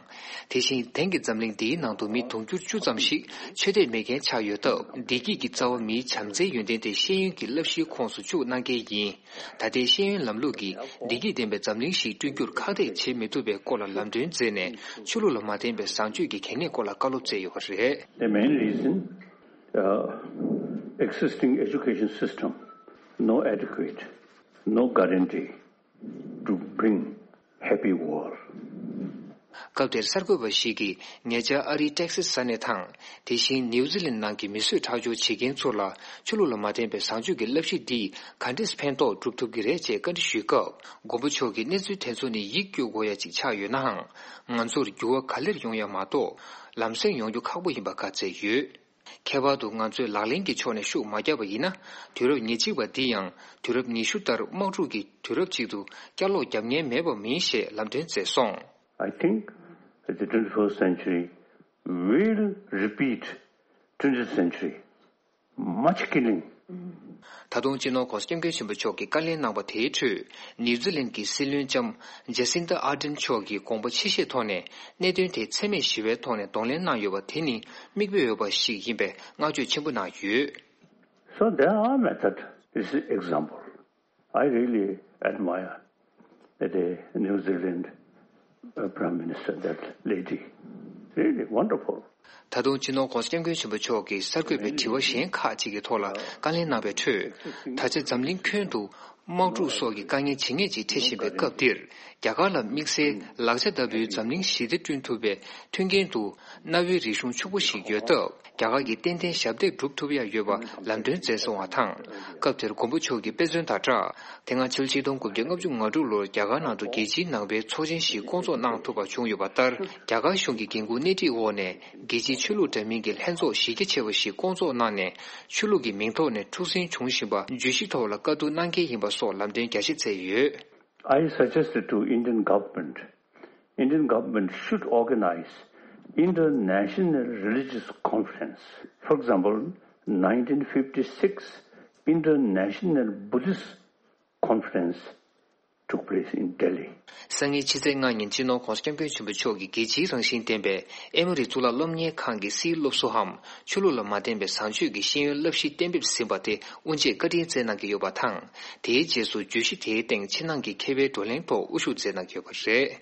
དེ་བཞིན་དེང་གི་འཛམ་གླིང་འདིའི་ནང་དུ་མི་དུང་ཕྱུར་བཅུ་ཙམ་ཞིག་ཆོས་དད་མེད་མཁན་ཆགས་ཡོད་སྟབས། བདེ་སྐྱིད་ཀྱི་རྩ་བ་མིའི་བྱམས་བརྩེའི་ཡོན་ཏན་དེ་ཤེས་ཡོན་གྱི་བསླབ་གཞིའི་ཁོངས་སུ་བཅུག་གནང་མཁན་ཡིན། ད་ལྟའི་ཤེས་ཡོན་ལམ་ལུགས་ཀྱིས་བདེ་སྐྱིད་ལྡན་པའི་འཛམ་གླིང་ཞིག་བསྐྲུན་རྒྱུར་ཁག་ཐེག་བྱེད་མི་ཐུབ་པའི་སྐོར་ལ་ལམ་སྟོན་མཛད་ནས་ཆོས་ལུགས་ལ་མ་བརྟེན་པའི་བཟང་སྤྱོད་ཀྱི་གལ་གནད་སྐོར་ལ་བཀའ་སློབ་སྩལ་ཡོད་པ་རེད། The main reason, uh, existing education system, no adequate No guarantee to bring happy war. སྐབས་དེར་གསར་འགོད་པ་ཞིག་གིས་ཉེ་ཆར་ཨ་རིའི་ཏེག་སི་ས་གནས་དང་། དེ་བཞིན་ནིའུ་ཛི་ལན་ནང་གི་མི་གསོད་ཁྲག་སྦྱོར་བྱེད་མཁན་ཚོ་ལ་ཆོས་ལུགས་ལ་མ་བརྟེན་པའི་བཟང་སྤྱོད་ཀྱི་བསླབ་གཞི་འདིས་ག་འདྲས་ཕན་ཐོགས་སྒྲུབ་ཐུབ་ཀྱི་རེད་ཅེས་བཀའ་འདྲི་ཞུས་སྐབས། མགོན་པོ་མཆོག་གིས་གནས་ཚུལ་དེ་ཚོ་ནི་ཡིད་སྐྱོ་དགོས་ཡ་ཅིག་ཆགས་ཡོད་ནའང་། ང་ཚོར་འགྱུར་བ་ག་ལེར་ཡོང་ཡ་མ་གཏོགས་ལམ་སེང་ཡོང་རྒྱུ་ཁག་པོ་ཡིན་པ་བཀའ་སྩལ་ཡོད། ཁྱད་པར་དུ་ང་ཚོས་ལག་ལེན་གྱི་ཕྱོགས་ནས་ཤུགས་མ་བརྒྱབ་པ་ཡིན་ན། དུས་རབས་ཉེར་གཅིག་པ་འདི་ཡང་དུས་རབས་ཉི་ཤུ་ལྟར་དམག་འཁྲུག་གི་དུས་རབས་ཅིག་ཏུ་བསྐྱར་ལོག་རྒྱབ་ཉེན་མེད་པ་མིན་ཞེས་ལམ་སྟོན་མཛད་སོང་། I think the twenty-first century will repeat twentieth century. Much killing. ད་དུང་སྤྱི་ནོར་༸གོང་ས་༸སྐྱབས་མགོན་ཆེན་པོ་མཆོག་གིས་བཀའ་ལན་གནང་པ་དེའི་ཁྲོད། ནིའུ་ཛི་ལན་གྱི་སྲིད་བློན་ལྕམ་ཇེ་སིན་ཏ་ཨར་ཌེན་མཆོག་གིས་དགོངས་པ་ཆེ་བཞེས་ཐོག་ནས་གནད་དོན་དེ་འཚེ་མེད་ཞི་བའི་ཐོག་ནས་གདོང་ལེན་གནང་ཡོད་པ་དེ་ནི་མིག་དཔེ་འོས་པ་ཞིག་ཡིན་པའི་བསྔགས་བརྗོད་ཆེན་པོ་གནང་ཡོད། So there are method. This is example. I really admire the New Zealand uh, Prime Minister, that lady. Really wonderful. ད་དུང་སྤྱི་ནོར་༸གོང་ས་༸སྐྱབས་མགོན་ཆེན་པོ་མཆོག་གིས་གསར་འགོད་པའི་དྲི་བ་གཞན་ཁག་ཅིག་གི་ཐོག་ལ་བཀའ་ལན་གནང་བའི་ཁྲོད། ད་ཆ་འཛམ་གླིང་ཁྱོན་དུ་དམག་འཁྲུག་སོགས་ཀྱི་དཀའ་ངལ་ཇེ་ངེས་ཅིག་འཕྲད་བཞིན་པའི་སྐབས་འདིར། རྒྱ་གར་ལ་དམིགས་བསལ་ལག་ཆ་ལྟ་བུའི་འཛམ་གླིང་ཞི་བདེ་བསྐྲུན་ཐུབ་པའི་མཐུན་རྐྱེན་དུ་གནའ་བོའི་རིག་གཞུང་ཕྱུག་པོ་ཞིག་ཡོད་སྟབས། རྒྱ་གར་གྱིས་ཏན་ཏན་ཞབས་འདེགས་སྒྲུབ་ཐུབ་ཡ་ཡོད་པ་ལམ་སྟོན་མཛད་སོང་བ་དང་། སྐབས་དེར་མགོན་པོ་མཆོག་གིས་དཔེ་མཚོན་དང་སྦྲགས། དེ་སྔ་ཕྱི་ལོ་ཆིག་སྟོང་དགུ་བརྒྱ་ལྔ་བཅུ་ང་དྲུག་ལོར་རྒྱ་གར་ནང་དུ་རྒྱལ་སྤྱིའི་ནང་པའི་ཚོགས་ཆེན་ཞིག་བསྐོང་ཚོགས་གནང་ཐུབ་པ་བྱུང་ཡོད་པ་ལྟར། རྒྱ་གར་གཞུང་གི་འགན་འཁུར་སྣེ་ཁྲིད་འོག་ནས་རྒྱལ་སྤྱིའི་ཆོས་ལུགས་འདྲ་མིན་གྱི་ལྷན་ཚོགས་གཞི་རྒྱ་ཆེ་བ་ཞིག་བསྐོང་ཚོགས་གནང་ནས། ཆོས་ལུགས་ཀྱི་མིང་ཐོག་ནས་འཁྲུག་ཟིང་བྱུང་བཞིན་པ་བརྗོད་གཞི་ཐོག་ལ་བཀའ་བསྡུར་གནང་གལ་ཡིན་པ་སོགས་ལམ་སྟོན་རྒྱ་ཆེ་མཛད་ཡོད། I suggested to Indian government, Indian government should organize international religious conference. For example, nineteen fifty-six International Buddhist Conference took place in Delhi. སང་ཉིན་ཕྱི་ཚེས་ལྔ་ཉིན་སྤྱི་ནོར་༸གོང་ས་༸སྐྱབས་མགོན་ཆེན་པོ་མཆོག་གིས་རྒྱལ་སྤྱིའི་རང་བཞིན་ལྡན་པའི་ཨེ་མོ་རི་གཙུག་ལག་སློབ་གཉེར་ཁང་གི་སིལ་སློབ་གསོ་འམ་ཆོས་ལུགས་ལ་མ་བརྟེན་པའི་བཟང་སྤྱོད་ཀྱི་ཤེས་ཡོན་བསླབ་གཞི་གཏན་འབེབས་ཟིན་པ་དེ་དབུ་འབྱེད་བཀའ་དྲིན་སྩལ་གནང་གི་ཡོད་པ་དང་། དེའི་རྗེས་སུ་བརྗོད་གཞི་དེའི་སྟེང་ཕྱི་ནང་གི་མཁས་པའི་བགྲོ་གླེང་ཐོག་དབུ་བཞུགས་མཛད་གནང་གི་ཡོད་པ་རེད།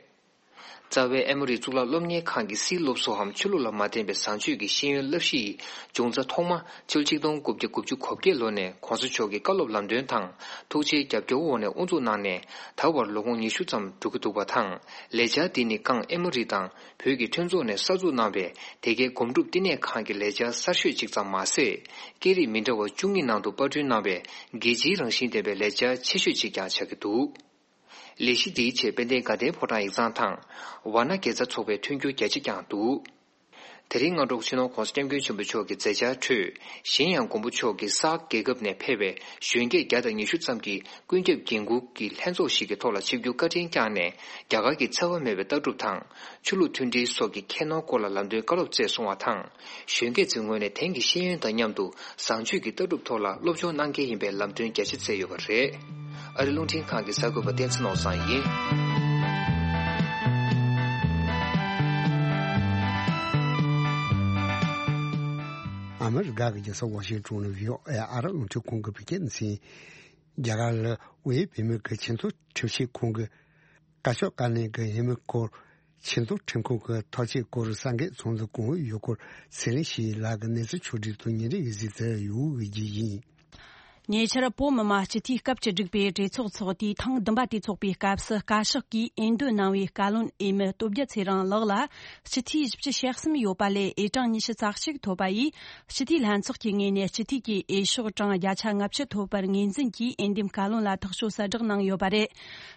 རྩ་བའི་ཨེ་མོ་རི་གཙུག་ལག་སློབ་གཉེར་ཁང་གི་སིལ་སློབ་གསོའམ་ཆོས་ལུགས་ལ་མ་བརྟེན་པའི་བཟང་སྤྱོད་ཀྱི་ཤེས་ཡོན་བསླབ་གཞི་ཡི་འབྱུང་རྩ་ཐོག་མ་ཕྱི་ལོ་ཆིག་སྟོང་དགུ་བརྒྱ་དགུ་བཅུ་གོ་བརྒྱད་ལོ་ནས་༸གོང་ས་མཆོག་གི་བཀའ་སློབ་ལམ་སྟོན་དང་ཐུགས་རྗེའི་རྒྱབ་སྐྱོར་འོག་ནས་དབུ་འཛུགས་གནང་ནས་ད་བར་ལོ་ངོ་ཉི་ཤུ་ཙམ་འགྲོ་གི་འདུག་པ་དང་། ལས་འཆར་འདི་ནི་ཀང་ཨེ་མོ་རི་དང་བོད་ཀྱི་མཐུན་ཚོགས་ནས་གསར་འཛུགས་གནང་བའི་དེ་གའི་སྒོམ་སྒྲུབ་བསྟི་གནས་ཁང་གི་ལས་འཆར་གསར་ཤོས་ཅིག་ཙམ་མ་ཟད། སྐད་རིགས་མི་འདྲ་བ་བཅུ་གཉིས་ནང་དུ་པར་སྐྲུན་གནང་བའི་རྒྱལ་སྤྱིའི་རང་བཞིན་ལྡན་པའི་ལས་འཆར་ཆེ་ཤོས་ཅིག་ཀྱང་ཆགས་ཀྱི་འདུག་ལས་གཞི་འདིའི་ཆེད་དཔལ་ལྡན་དགའ་ལྡན་ཕོ་བྲང་ཡིག་ཚང་དང་། ཝཱ་ཎ་དགེ་རྩ་ཚོགས་པའི་མཐུན་འགྱུར་རྒྱ་ཆེ་བསྐྱངས་འདུག་དེ་རིང་སྔ་དྲོ་སྤྱི་ནོར་༸གོང་ས་༸སྐྱབས་མགོན་ཆེན་པོ་མཆོག་གི་མཛད་འཆར་ཁྲོད། གཞན་ཡང་མགོན་པོ་མཆོག་གིས་ས་ཨག་རྒྱལ་ཁབ་ནས་ཕེབས་པའི་གཞོན་སྐྱེས་བརྒྱ་དང་ཉི་ཤུ་ཙམ་གྱི་ཀུན་ཁྱབ་འགན་འཁུར་གྱི་ལྷན་ཚོགས་ཤིག་གི་ཐོག་ལ་ཆིབས་བསྒྱུར་བཀའ་དྲིན་བསྐྱངས་ནས། རྒྱ་གར་གྱི་འཚེ་བ་མེད་པའི་ལྟ་གྲུབ་དང་། ཆོས་ལུགས་མཐུན་སྒྲིལ་སོགས་ཀྱི་ཁྱད་ནོར་སྐོར་ལ་ལམ་སྟོན་བཀའ་སློབ་སྩལ་སོང་བ་དང་། གཞོན་སྐྱེས་ཚོའི་ངོས་ནས་དེང་གི་ཤེས་ཡོན་དང་མཉམ་དུ་བཟང་སྤྱོད་ཀྱི་ལྟ་གྲུབ་ཐོག་ལ་སློབ་སྦྱོང་གནང་གལ་ཡིན་པའི་ལམ་སྟོན་རྒྱ་ཆེ་མཛད་ཡོད་པ་རེད། ཨ་རི་རླུང་འཕྲིན་ཁང་གི་གསར་འགོད་པ་བསྟན་འཛིན་ནོར་བཟང་ཡིན། ཨ་མི་རི་ཀ་གི་རྒྱལ་ས་ཝ་ཤིང་ཊོན་ནས་བྷི་ཨོ་ཨེ་ཨ་རི་རླུང་འཕྲིན་ཁང་གི་བོད་སྐད་སྡེ་ཚན། རྒྱ་གར་ལ་དབུས་བོད་མིའི་ཆེད་དོན་ཁྲིམས་ཞིབ་ཁང་གི་བཀའ་ཤོག་བཀའ་ལན་གྱི་ཡིན་མིན་སྐོར། ཆེད་དོན་ཁྲིམས་ཁང་གི་ཐག་གཅོད་སྐོར་གསར་འགོད་ཚོགས་འདུ་གང་ཡོད་སྐོར་ཚེ་རིང་ཞིག་ལགས་ཀྱིས་གནས་ཚུལ་ཕྱོགས་སྒྲིག་དང་ཉིན་རེའི་གཟིགས་ཚུལ་ཡོད་རྒྱུ་ཡིན། ཉེ་ཆར་བོད་མི་མང་སྤྱི་འཐུས་སྐབས་བཅུ་དྲུག་པའི་གྲོས་ཚོགས་འཚོགས་དུས་ཐེངས་བདུན་པ་དེ་འཚོགས་པའི་སྐབས་སུ་བཀའ་ཤག་གིས་འོས་འདེམས་གནང་བའི་བཀའ་བློན་འོས་མི་སྟོབས་རྒྱལ་ཚེ་རིང་ལགས་ལ་སྤྱི་འཐུས་བཞི་བཅུ་ཞེ་གསུམ་ཡོད་པ་ལས་འོས་གྲངས་ཉི་ཤུ་རྩ་གཅིག་ཐོབ་པ་ཡིས། སྤྱི་འཐུས་ལྷན་ཚོགས་ཀྱི་ངོས་ནས་སྤྱི་འཐུས་ཀྱི་འོས་ཤོག་གྲངས་བརྒྱ་ཆ་ལྔ་བཅུ་ཐོབ་པར་ངོས་འཛིན་གྱིས་འོས་འདེམས་བཀའ་བློན་ལ་ཐག་གཅོད་གསལ་བསྒྲགས་གནང་ཡོད་པ་རེད།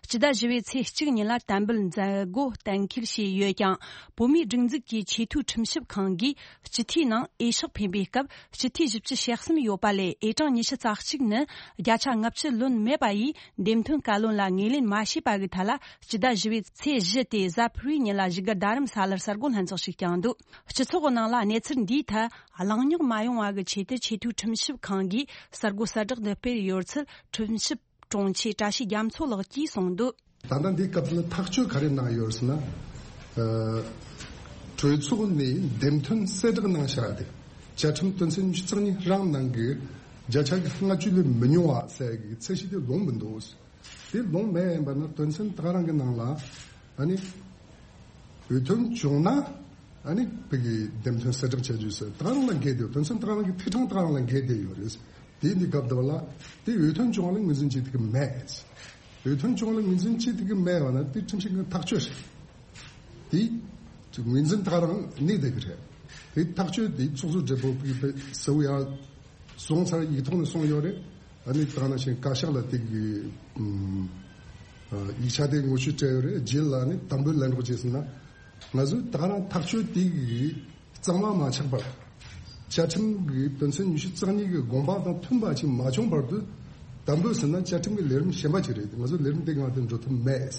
སྤྱི་ཟླ་བཞི་པའི་ཚེས་གཅིག་ཉིན་ལ་དམ་འབུལ་མཛད་སྒོ་གཏན་འཁེལ་བྱས་ཡོད་ཀྱང་། བོད་མིའི་སྒྲིག་འཛུགས་ཀྱི་ཆེས་མཐོའི་ཁྲིམས་ཞིབ་ཁང་གིས་སྤྱི་འཐུས་ནང་འོས་ཤོག་འཕེན་པའི་སྐབས། སྤྱི་འཐུས་བཞི་བཅུ་ཞེ་གསུམ་ཡོད་པ་ལས་འོས་གྲངས་ཉི་ཤུ་རྩ་གཅིག་ནི་བརྒྱ་ཆ་ལྔ་བཅུ་ལོན་མེད་པ་ཡིས། འདེམས་ཐོན་བཀའ་བློན་ལ་ངོས་ལེན་མ་བྱས་པ་གི་ཐད་ལ། སྤྱི་ཟླ་བཞི་པའི་ཚེས་བཞི་སྟེ་གཟའ་ཕུར་བུའི་ཉིན་ལ་བཞུགས་སྒར་རྡ་རམ་ས་ལར་གསར་འགོད་ལྷན་ཚོགས་ཤིག་བསྐྱངས་འདུག་སྤྱི་ཚོགས་ནང་ལ་གནས་ཚུལ་འདིའི་ཐད་གླེང་རྙོག་མ་ཡོང་བ་གི་ཆེད་དུ་ཆེས་མཐོའི་ཁྲིམས་ཞིབ་ཁང་གིས་གསར་འགོད་གསལ་བསྒྲགས་འདི་སྤེལ་ཡོད་ཚུལ་ཁྲིམས་ཞིབ་དྲུང་ཆེ་བཀྲ་ཤིས་རྒྱ་མཚོ་ལགས་ཀྱིས་གསུངས་འདུག་ད་ལྟ་འདིའི་སྐབས་ལ་ཐག་གཅོད་ག་རེ་གནང་ཡོད་ཟེར་ན། ཨ། གྲོས་ཚོགས་ནས་འདེམས་ཐོན་གསལ་བསྒྲགས་གནང་བཞག་སྟེ། བཅའ་ཁྲིམས་དོན་ཚན་ཉི་ཤུ་རྩ་གཉིས་རང་ནང་གི་བརྒྱ་ཆ་གི་ལྔ་བཅུ་ལས་མི་ཉུང་བ་ཟེར་གི་ཚད་གཞི་དེ་ལོངས་མི་འདུག་དེ་ལོངས་མེད་ཡིན་པ་ན་དོན་ཚན་ད་ག་རང་གི་ནང་ལ་ཨ་ནི་འོས་ཐོན་བྱུང་ན་ཨ་ནི་བོད་ཀྱི་འདེམས་ཐོན་གསལ་བསྒྲགས་བྱ་རྒྱུ་ཟེར་ད་ག་རང་ལ་འགལ་བསྡད་ཡོད། དོན་ཚན་ད་ག་རང་གི་ཐད་གྲངས་ད་ག་རང་ལ་འགལ་བསྡད་ཡོད་རེད། དེ་འདི་སྐབས་དུ་བ་ལ་དེ་འོས་ཐོན་བྱུང་བ་ལ་ངོས་འཛིན་བྱེད་ཐུབ་ཀྱི་མེད། འོས་ཐོན་བྱུང་བ་ལ་ངོས་འཛིན་བྱེད་ཐུབ་ཀྱི་མེད་བ་ན་དེ་ཁྲིམས་ཞིབ་ཀྱི་ཐག་གཅོད་རེད། དེ་ངོས་འཛིན་ད་རང་གནས་བསྡད་ཀྱི་རེད། དེ་ཐག་གཅོད་དེ་ཚོགས་གཙོ་སྦྲེལ་པོ་གིས་གསལ་བོ་ཡང་སོང་ཚར། ཡིག་ཐོག་ནས་སོང་ཡོད་རེད། ཨ་ནི་ད་ནང་བཞིན་བཀའ་ཤག་ལ་དེ་གི་ཨུམ་ཨ་ཡིག་ཆ་དེ་ངོ་སྤྲོད་སྤྲད་ཡོད་རེད། རྗེས་ལ་ནི་དམ་འབུལ་ལན་སྒྲོག་བྱས་ཟིན་ན། ང་ཚོས་ད་རང་ཐག་གཅོད་དེ་གི་གཙང་མ་མ་ཆགས་པར། བཅའ་ཁྲིམས་ཀྱི་དོན་ཚན་ཉི་ཤུ་རྩ་གཉིས་ཀྱི་དགོངས་པ་དང་མཐུན་པ་ཞིག་མ་བྱུང་བར་དུ། དམ་འབུལ་ཟིན་ན་བཅའ་ཁྲིམས་ཀྱི་ལས་རིམ་གཞན་པ་ཞིག་རེད། ང་ཚོ་ལས་རིམ་དེ་སྒང་དུ་འགྲོ་ཐུབ་མེད།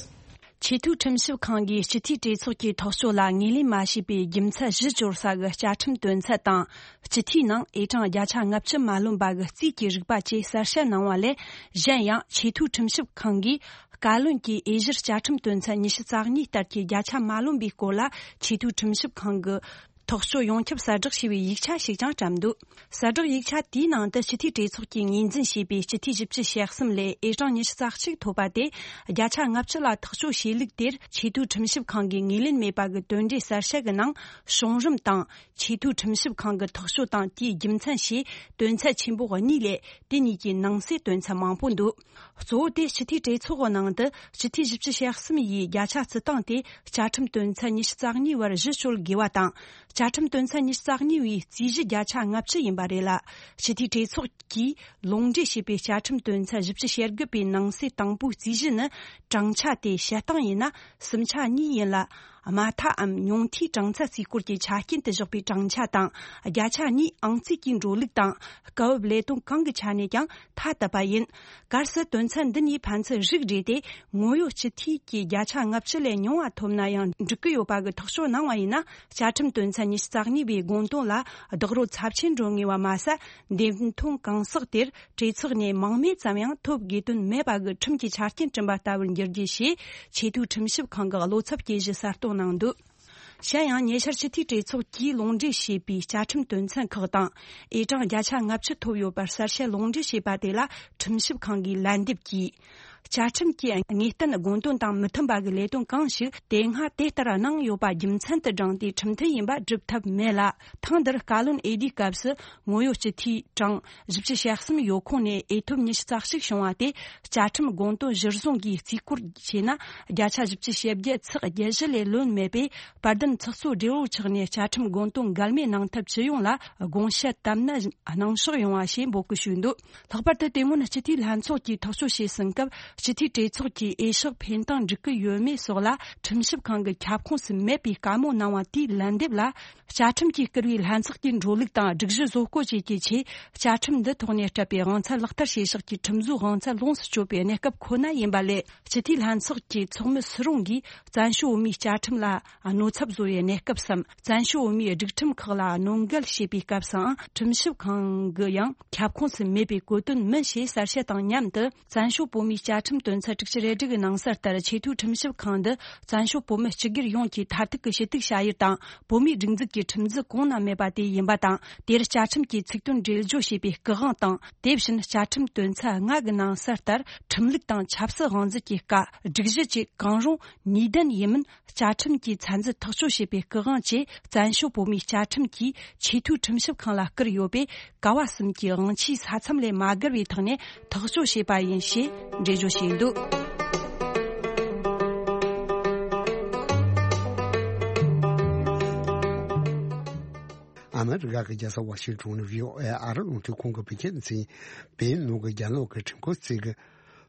ཆེས་མཐོའི་ཁྲིམས་ཞིབ་ཁང་གིས་སྤྱི་འཐུས་གྲོས་ཚོགས་ཀྱི་ཐག་གཅོད་ལ་ངོས་ལེན་མ་བྱས་པའི་རྒྱུ་མཚན་གཞི་བཅོལ་ས་གི་བཅའ་ཁྲིམས་དོན་ཚན་དང་། སྤྱི་འཐུས་ནང་ཨེ་གྲངས་བརྒྱ་ཆ་ལྔ་བཅུ་མ་ལོན་པ་གི་རྩིས་ཀྱི་རིག་པ་བཅས་གསལ་བཤད་གནང་བ་ལས། གཞན་ཡང་ཆེས་མཐོའི་ཁྲིམས་ཞིབ་ཁང་གིས་བཀའ་བློན་གྱི་དབྱེ་གཞིར་བཅའ་ཁྲིམས་དོན་ཚན་ཉི་ཤུ་རྩ་གཉིས་ལྟར་གྱི་བརྒྱ་ཆ་མ་ལོན་པའི་སྐོར་ལ་ཆེས་མཐོའི་ཁྲིམས་ཞིབ་ཁང་གི་ཐག་གཅོད་ཡོངས་ཁྱབ་གསལ་བསྒྲགས་བྱས་པའི་ཡིག་ཆ་ཞིག་ཀྱང་བཀྲམ་འདུག་གསལ་བསྒྲགས་ཡིག་ཆ་དེའི་ནང་དུ་སྤྱི་འཐུས་གྲོས་ཚོགས་ཀྱིས་ངོས་འཛིན་བྱས་པའི་སྤྱི་འཐུས་བཞི་བཅུ་ཞེ་གསུམ་ལས་ཨེ་གྲངས་ཉི་ཤུ་རྩ་གཅིག་ཐོབ་པ་དེ། བརྒྱ་ཆ་ལྔ་བཅུ་ལ་ཐག་གཅོད་བྱས་ལུགས་དེར་ཆེས་མཐོའི་ཁྲིམས་ཞིབ་ཁང་གིས་ངོས་ལེན་མེད་པ་གི་དོན་འགྲེལ་གསལ་བཤད་ཀྱི་ནང་། བྱུང་རིམ་དང་ཆེས་མཐོའི་ཁྲིམས་ཞིབ་ཁང་གི་ཐག་གཅོད་དང་དེའི་རྒྱུ་མཚན་ཞེས་དོན་ཚན་ཆེན་པོ་གཉིས་ལས། དེ་གཉིས་ཀྱི་ནང་གསེས་དོན་ཚན་མང་པོ་འདུག་གཙོ་བོ་དེ་སྤྱི་འཐུས་གྲོས་ཚོགས་ཀྱི་ནང་དུ་སྤྱི་འཐུས་བཞི་བཅུ་ཞེ་གསུམ་ཡིས་བརྒྱ་ཆ་བརྩི་སྟངས་དེ་བཅའ་ཁྲིམས་དོན་ཚན་ཉི་ཤུ་རྩ་གཉིས་བར་གཞི་བཅོལ་དགོས་པ་དང་། བཅའ་ཁྲིམས་དོན་ཚན་ཉི་ཤུ་རྩ་གཉིས་པའི་རྩིས་གཞི་བརྒྱ་ཆ་ལྔ་བཅུ་ཡིན་པ་རེད་ལ། སྤྱི་འཐུས་གྲོས་ཚོགས་ཀྱིས་ལུང་འདྲེན་བྱས་པའི་བཅའ་ཁྲིམས་དོན་ཚན་བཞི་བཅུ་ཞེ་དགུ་པའི་ནང་གསེས་དང་པོའི་རྩིས་གཞི་ནི། གྲངས་ཆ་དེ་བཤད་སྟངས་ཡིན་ན་སུམ་ཆ་གཉིས་ཡིན་ལ། དམའ་མཐའམ་ཉུང་མཐའི་གྲངས་ཚད་རྩིས་སྐོར་གྱི་ཆ་རྐྱེན་དུ་བཞག་པའི་གྲངས་ཆ་དང་། བརྒྱ་ཆ་གཉིས་ཨང་རྩིས་ཀྱིས་འགྲོ་ལུགས་དང་། སྐབས་བབ་ལས་དོན་གང་གི་ཆ་ནས་ཀྱང་ཐ་དད་པ་ཡིན། གལ་སྲིད་དོན་ཚན་འདི་གཉིས་ཕན་ཚུན་རིགས་འགྲེ་སྟེ། ངོ་ཡོད་སྤྱི་འཐུས་ཀྱིས་བརྒྱ་ཆ་ལྔ་བཅུ་ལས་ཉུང་བ་ཐོབ་ན་ཡང་འགྲིག་གི་ཡོད་པ་གི་ཐག་གཅོད་གནང་བ་ཡིན་ན། བཅའ་ཁྲིམས་དོན་ཚན་ཉི་ཤུ་རྩ་གཉིས་པའི་དགོངས་དོན་ལ་རྡོག་རོལ་ཚབས་ཆེན་འགྲོ་ངེས་པ་མ་ཟད། འདེམས་ཐོན་གང་ཟག་དེར་གྲོས་ཚོགས་ནས་མིང་མེད་ཙམ་ཡང་ཐོབ་དགོས་དོན་མེད་པ་གི་ཁྲིམས་ཀྱི་ཆ་རྐྱེན་བསྐྲུན་པ་ལྟ་བུར་འགྱུར་རྒྱུ་ཞེས་ཆེས་མཐོའི་ཁྲིམས་ཞིབ་ཁང་གི་བློ་འཚབ་སྐྱེ་གཞི་གསལ་སྟོན་གནང་འདུག་གཞན་ཡང་ཉེ་ཆར་སྤྱི་འཐུས་གྲོས་ཚོགས་ཀྱིས་ལུང་འདྲེན་བྱས་པའི་བཅའ་ཁྲིམས་དོན་ཚན་ཁག་དང་། ཨེ་གྲངས་བརྒྱ་ཆ་ལྔ་བཅུ་ཐོབ་ཡོད་པར་གསལ་བཤད་ལུང་འདྲེན་བྱས་པ་དེ་ལ་ཁྲིམས་ཞིབ་ཁང་གིས་ལན་འདེབས་ཀྱིས། བཅའ་ཁྲིམས་ཀྱི་དངོས་བསྟན་དགོངས་དོན་དང་མི་མཐུན་པ་གི་ལས་དོན་གང་ཞིག་དེ་སྔ་དེ་ལྟར་གནང་ཡོད་པ་རྒྱུ་མཚན་དུ་བགྲངས་ཏེ་ཁྲིམས་མཐུན་ཡིན་པ་སྒྲུབ་ཐབས་མེད་ལ། ཐེངས་འདིར་བཀའ་བློན་འོས་བསྡུའི་སྐབས་སུ་ངོ་ཡོད་སྤྱི་འཐུས་གྲངས་བཞི་བཅུ་ཞེ་གསུམ་ཡོད་ཁོངས་ནས་འོས་ཐོབ་ཉི་ཤུ་རྩ་གཅིག་བྱུང་བ་དེ། བཅའ་ཁྲིམས་དགོངས་དོན་གཞིར་བཟུང་གིས་རྩིས་སྐོར་བྱས་ན། བརྒྱ་ཆ་བཞི་བཅུ་ཞེ་བརྒྱད་ཚེག་བརྒྱད་བཞི་ལས་ལོན་མེད་པས། དཔལ་ལྡན་ཚོགས་གཙོ་སྦྲེལ་པོ་ཆགས་ནས་བཅའ་ཁྲིམས་དགོངས་དོན་འགལ་མེད་གནང་ཐབས་ཇི་ཡོང་ལ་དགོངས་བཤད་དམ་ནན་གནང་ཕྱོགས་ཡོང་བ་ཞེས་འབོད་སྐུལ་ཞུས་འདུག་ལྷག་པར་དུ་དེ་སྔོན་སྤྱི་འཐུས་ལྷན་ཚོགས་ཀྱིས་ཐག་གཅོད་བྱས་ཟིན་སྐབས། སྤྱི་འཐུས་གྲོས་ཚོགས་ཀྱིས་འོས་ཤོག་འཕེན་སྟངས་འགྲིག་གི་ཡོད་མེད་སོགས་ལ་ཁྲིམས་ཞིབ་ཁང་གི་ཁྱབ་ཁོངས་སུ་མེད་པའི་བཀའ་མོལ་གནང་བ་དེའི་ལན་འདེབས་ལ། བཅའ་ཁྲིམས་ཀྱིས་བསྐུར་བའི་ལྷན་ཚོགས་ཀྱི་འགྲོ་ལུགས་དང་སྒྲིག་གཞི་བཟོ་བཀོད་བཅས་ཀྱི་ཆེད། བཅའ་ཁྲིམས་འདི་ཐོག་ནས་སྤྲད་པའི་དབང་ཚད་ལག་བསྟར་བྱེད་ཕྱོགས་ཀྱི་ཁྲིམས་བཟོའི་དབང་ཚད་ལོངས་སུ་སྤྱོད་པའི་གནས་སྐབས་ཁོ་ན་ཡིན་པ་ལས། སྤྱི་འཐུས་ལྷན་ཚོགས་ཀྱི་ཚོགས་མི་སུ་རུང་གིས་བཙན་བྱོལ་བོད་མིའི་བཅའ་ཁྲིམས་ལ་གནོད་ཚབས་བཟོ་བའི་གནས་སྐབས་སམ། བཙན་བྱོལ་བོད་མིའི་སྒྲིག་ཁྲིམས་ཁག་ལ་གནོད་འགེལ་བྱེད་པའི་སྐབས་སུའང་ཁྲིམས་ཞིབ་ཁང་གི་ཡང་ཁྱབ་ཁོངས་སུ་མེད་པའི་གོ་དོན་མིན་ཞེས་གསལ་བཤད་དང་མཉམ་དུ། བཙན་བྱོལ་བོད་མིའི་བཅའ་ཁྲིམས་དོན་ཚན་དྲུག་ཅུ་རེ་དྲུག་གི་ནང་གསལ་ལྟར། ཆེས་མཐོའི་ཁྲིམས་ཞིབ་ཁང་འདི་བཙན་བྱོལ་བོད་མི་སྤྱི་སྒེར་ཡོངས་ཀྱི་མཐར་ཐུག་གི་ཞུ་གཏུག་བྱ་ཡུལ་དང་། བོད་མིའི་སྒྲིག་འཛུགས་ཀྱི་ཁྲིམས་འཛིན་གོང་ན་མེད་པ་དེ་ཡིན་པ་དང་། དེར་བཅའ་ཁྲིམས་ཀྱི་ཚིག་དོན་འགྲེལ་བརྗོད་བྱེད་པའི་སྐུ་དབང་དང་། དེ་བཞིན་བཅའ་ཁྲིམས་དོན་ཚན་ལྔ་གི་ནང་གསལ་ལྟར། ཁྲིམས་ལུགས་དང་ཆབ་སྲིད་དབང་འཛིན་གྱི་བཀའ། སྒྲིག་གཞི་བཅས་གང་རུང་ནུས་ལྡན་ཡིན་མིན། བཅའ་ཁྲིམས་ཀྱི་ཚད་འཛིན་ཐག་གཅོད་བྱེད་པའི་སྐུ་དབང་བཅས། བཙན་བྱོལ་བོད་མིའི་བཅའ་ཁྲིམས་ཀྱིས་ཆེས་མཐོའི་ཁྲིམས་ཞིབ་ཁང་ལ་བསྐུར་ཡོད་པས། ཀ་བ་གསུམ་གྱི་དབང་ཆའི་ས་མཚམས་ལས་མ་བརྒལ་བའི་ཐོག་ནས་ཐག་གཅོད་བྱས་པ་ཡིན་ཞེས་འགྲེལ་བརྗོད་བྱས་འདུག་ཨ་མི་རི་ཀ་གི་རྒྱལ་ས་ཝ་ཤིང་ཊོན་ནས་བྷི་ཨོ་ཨེ་ཨ་རི་རླུང་འཕྲིན་ཁང་གི་བོད་སྐད་སྡེ་ཚན། བོད་ནང་གི་རྒྱ་ནག་གི་ཁྲིམས་ཁང་གཅིག་གི།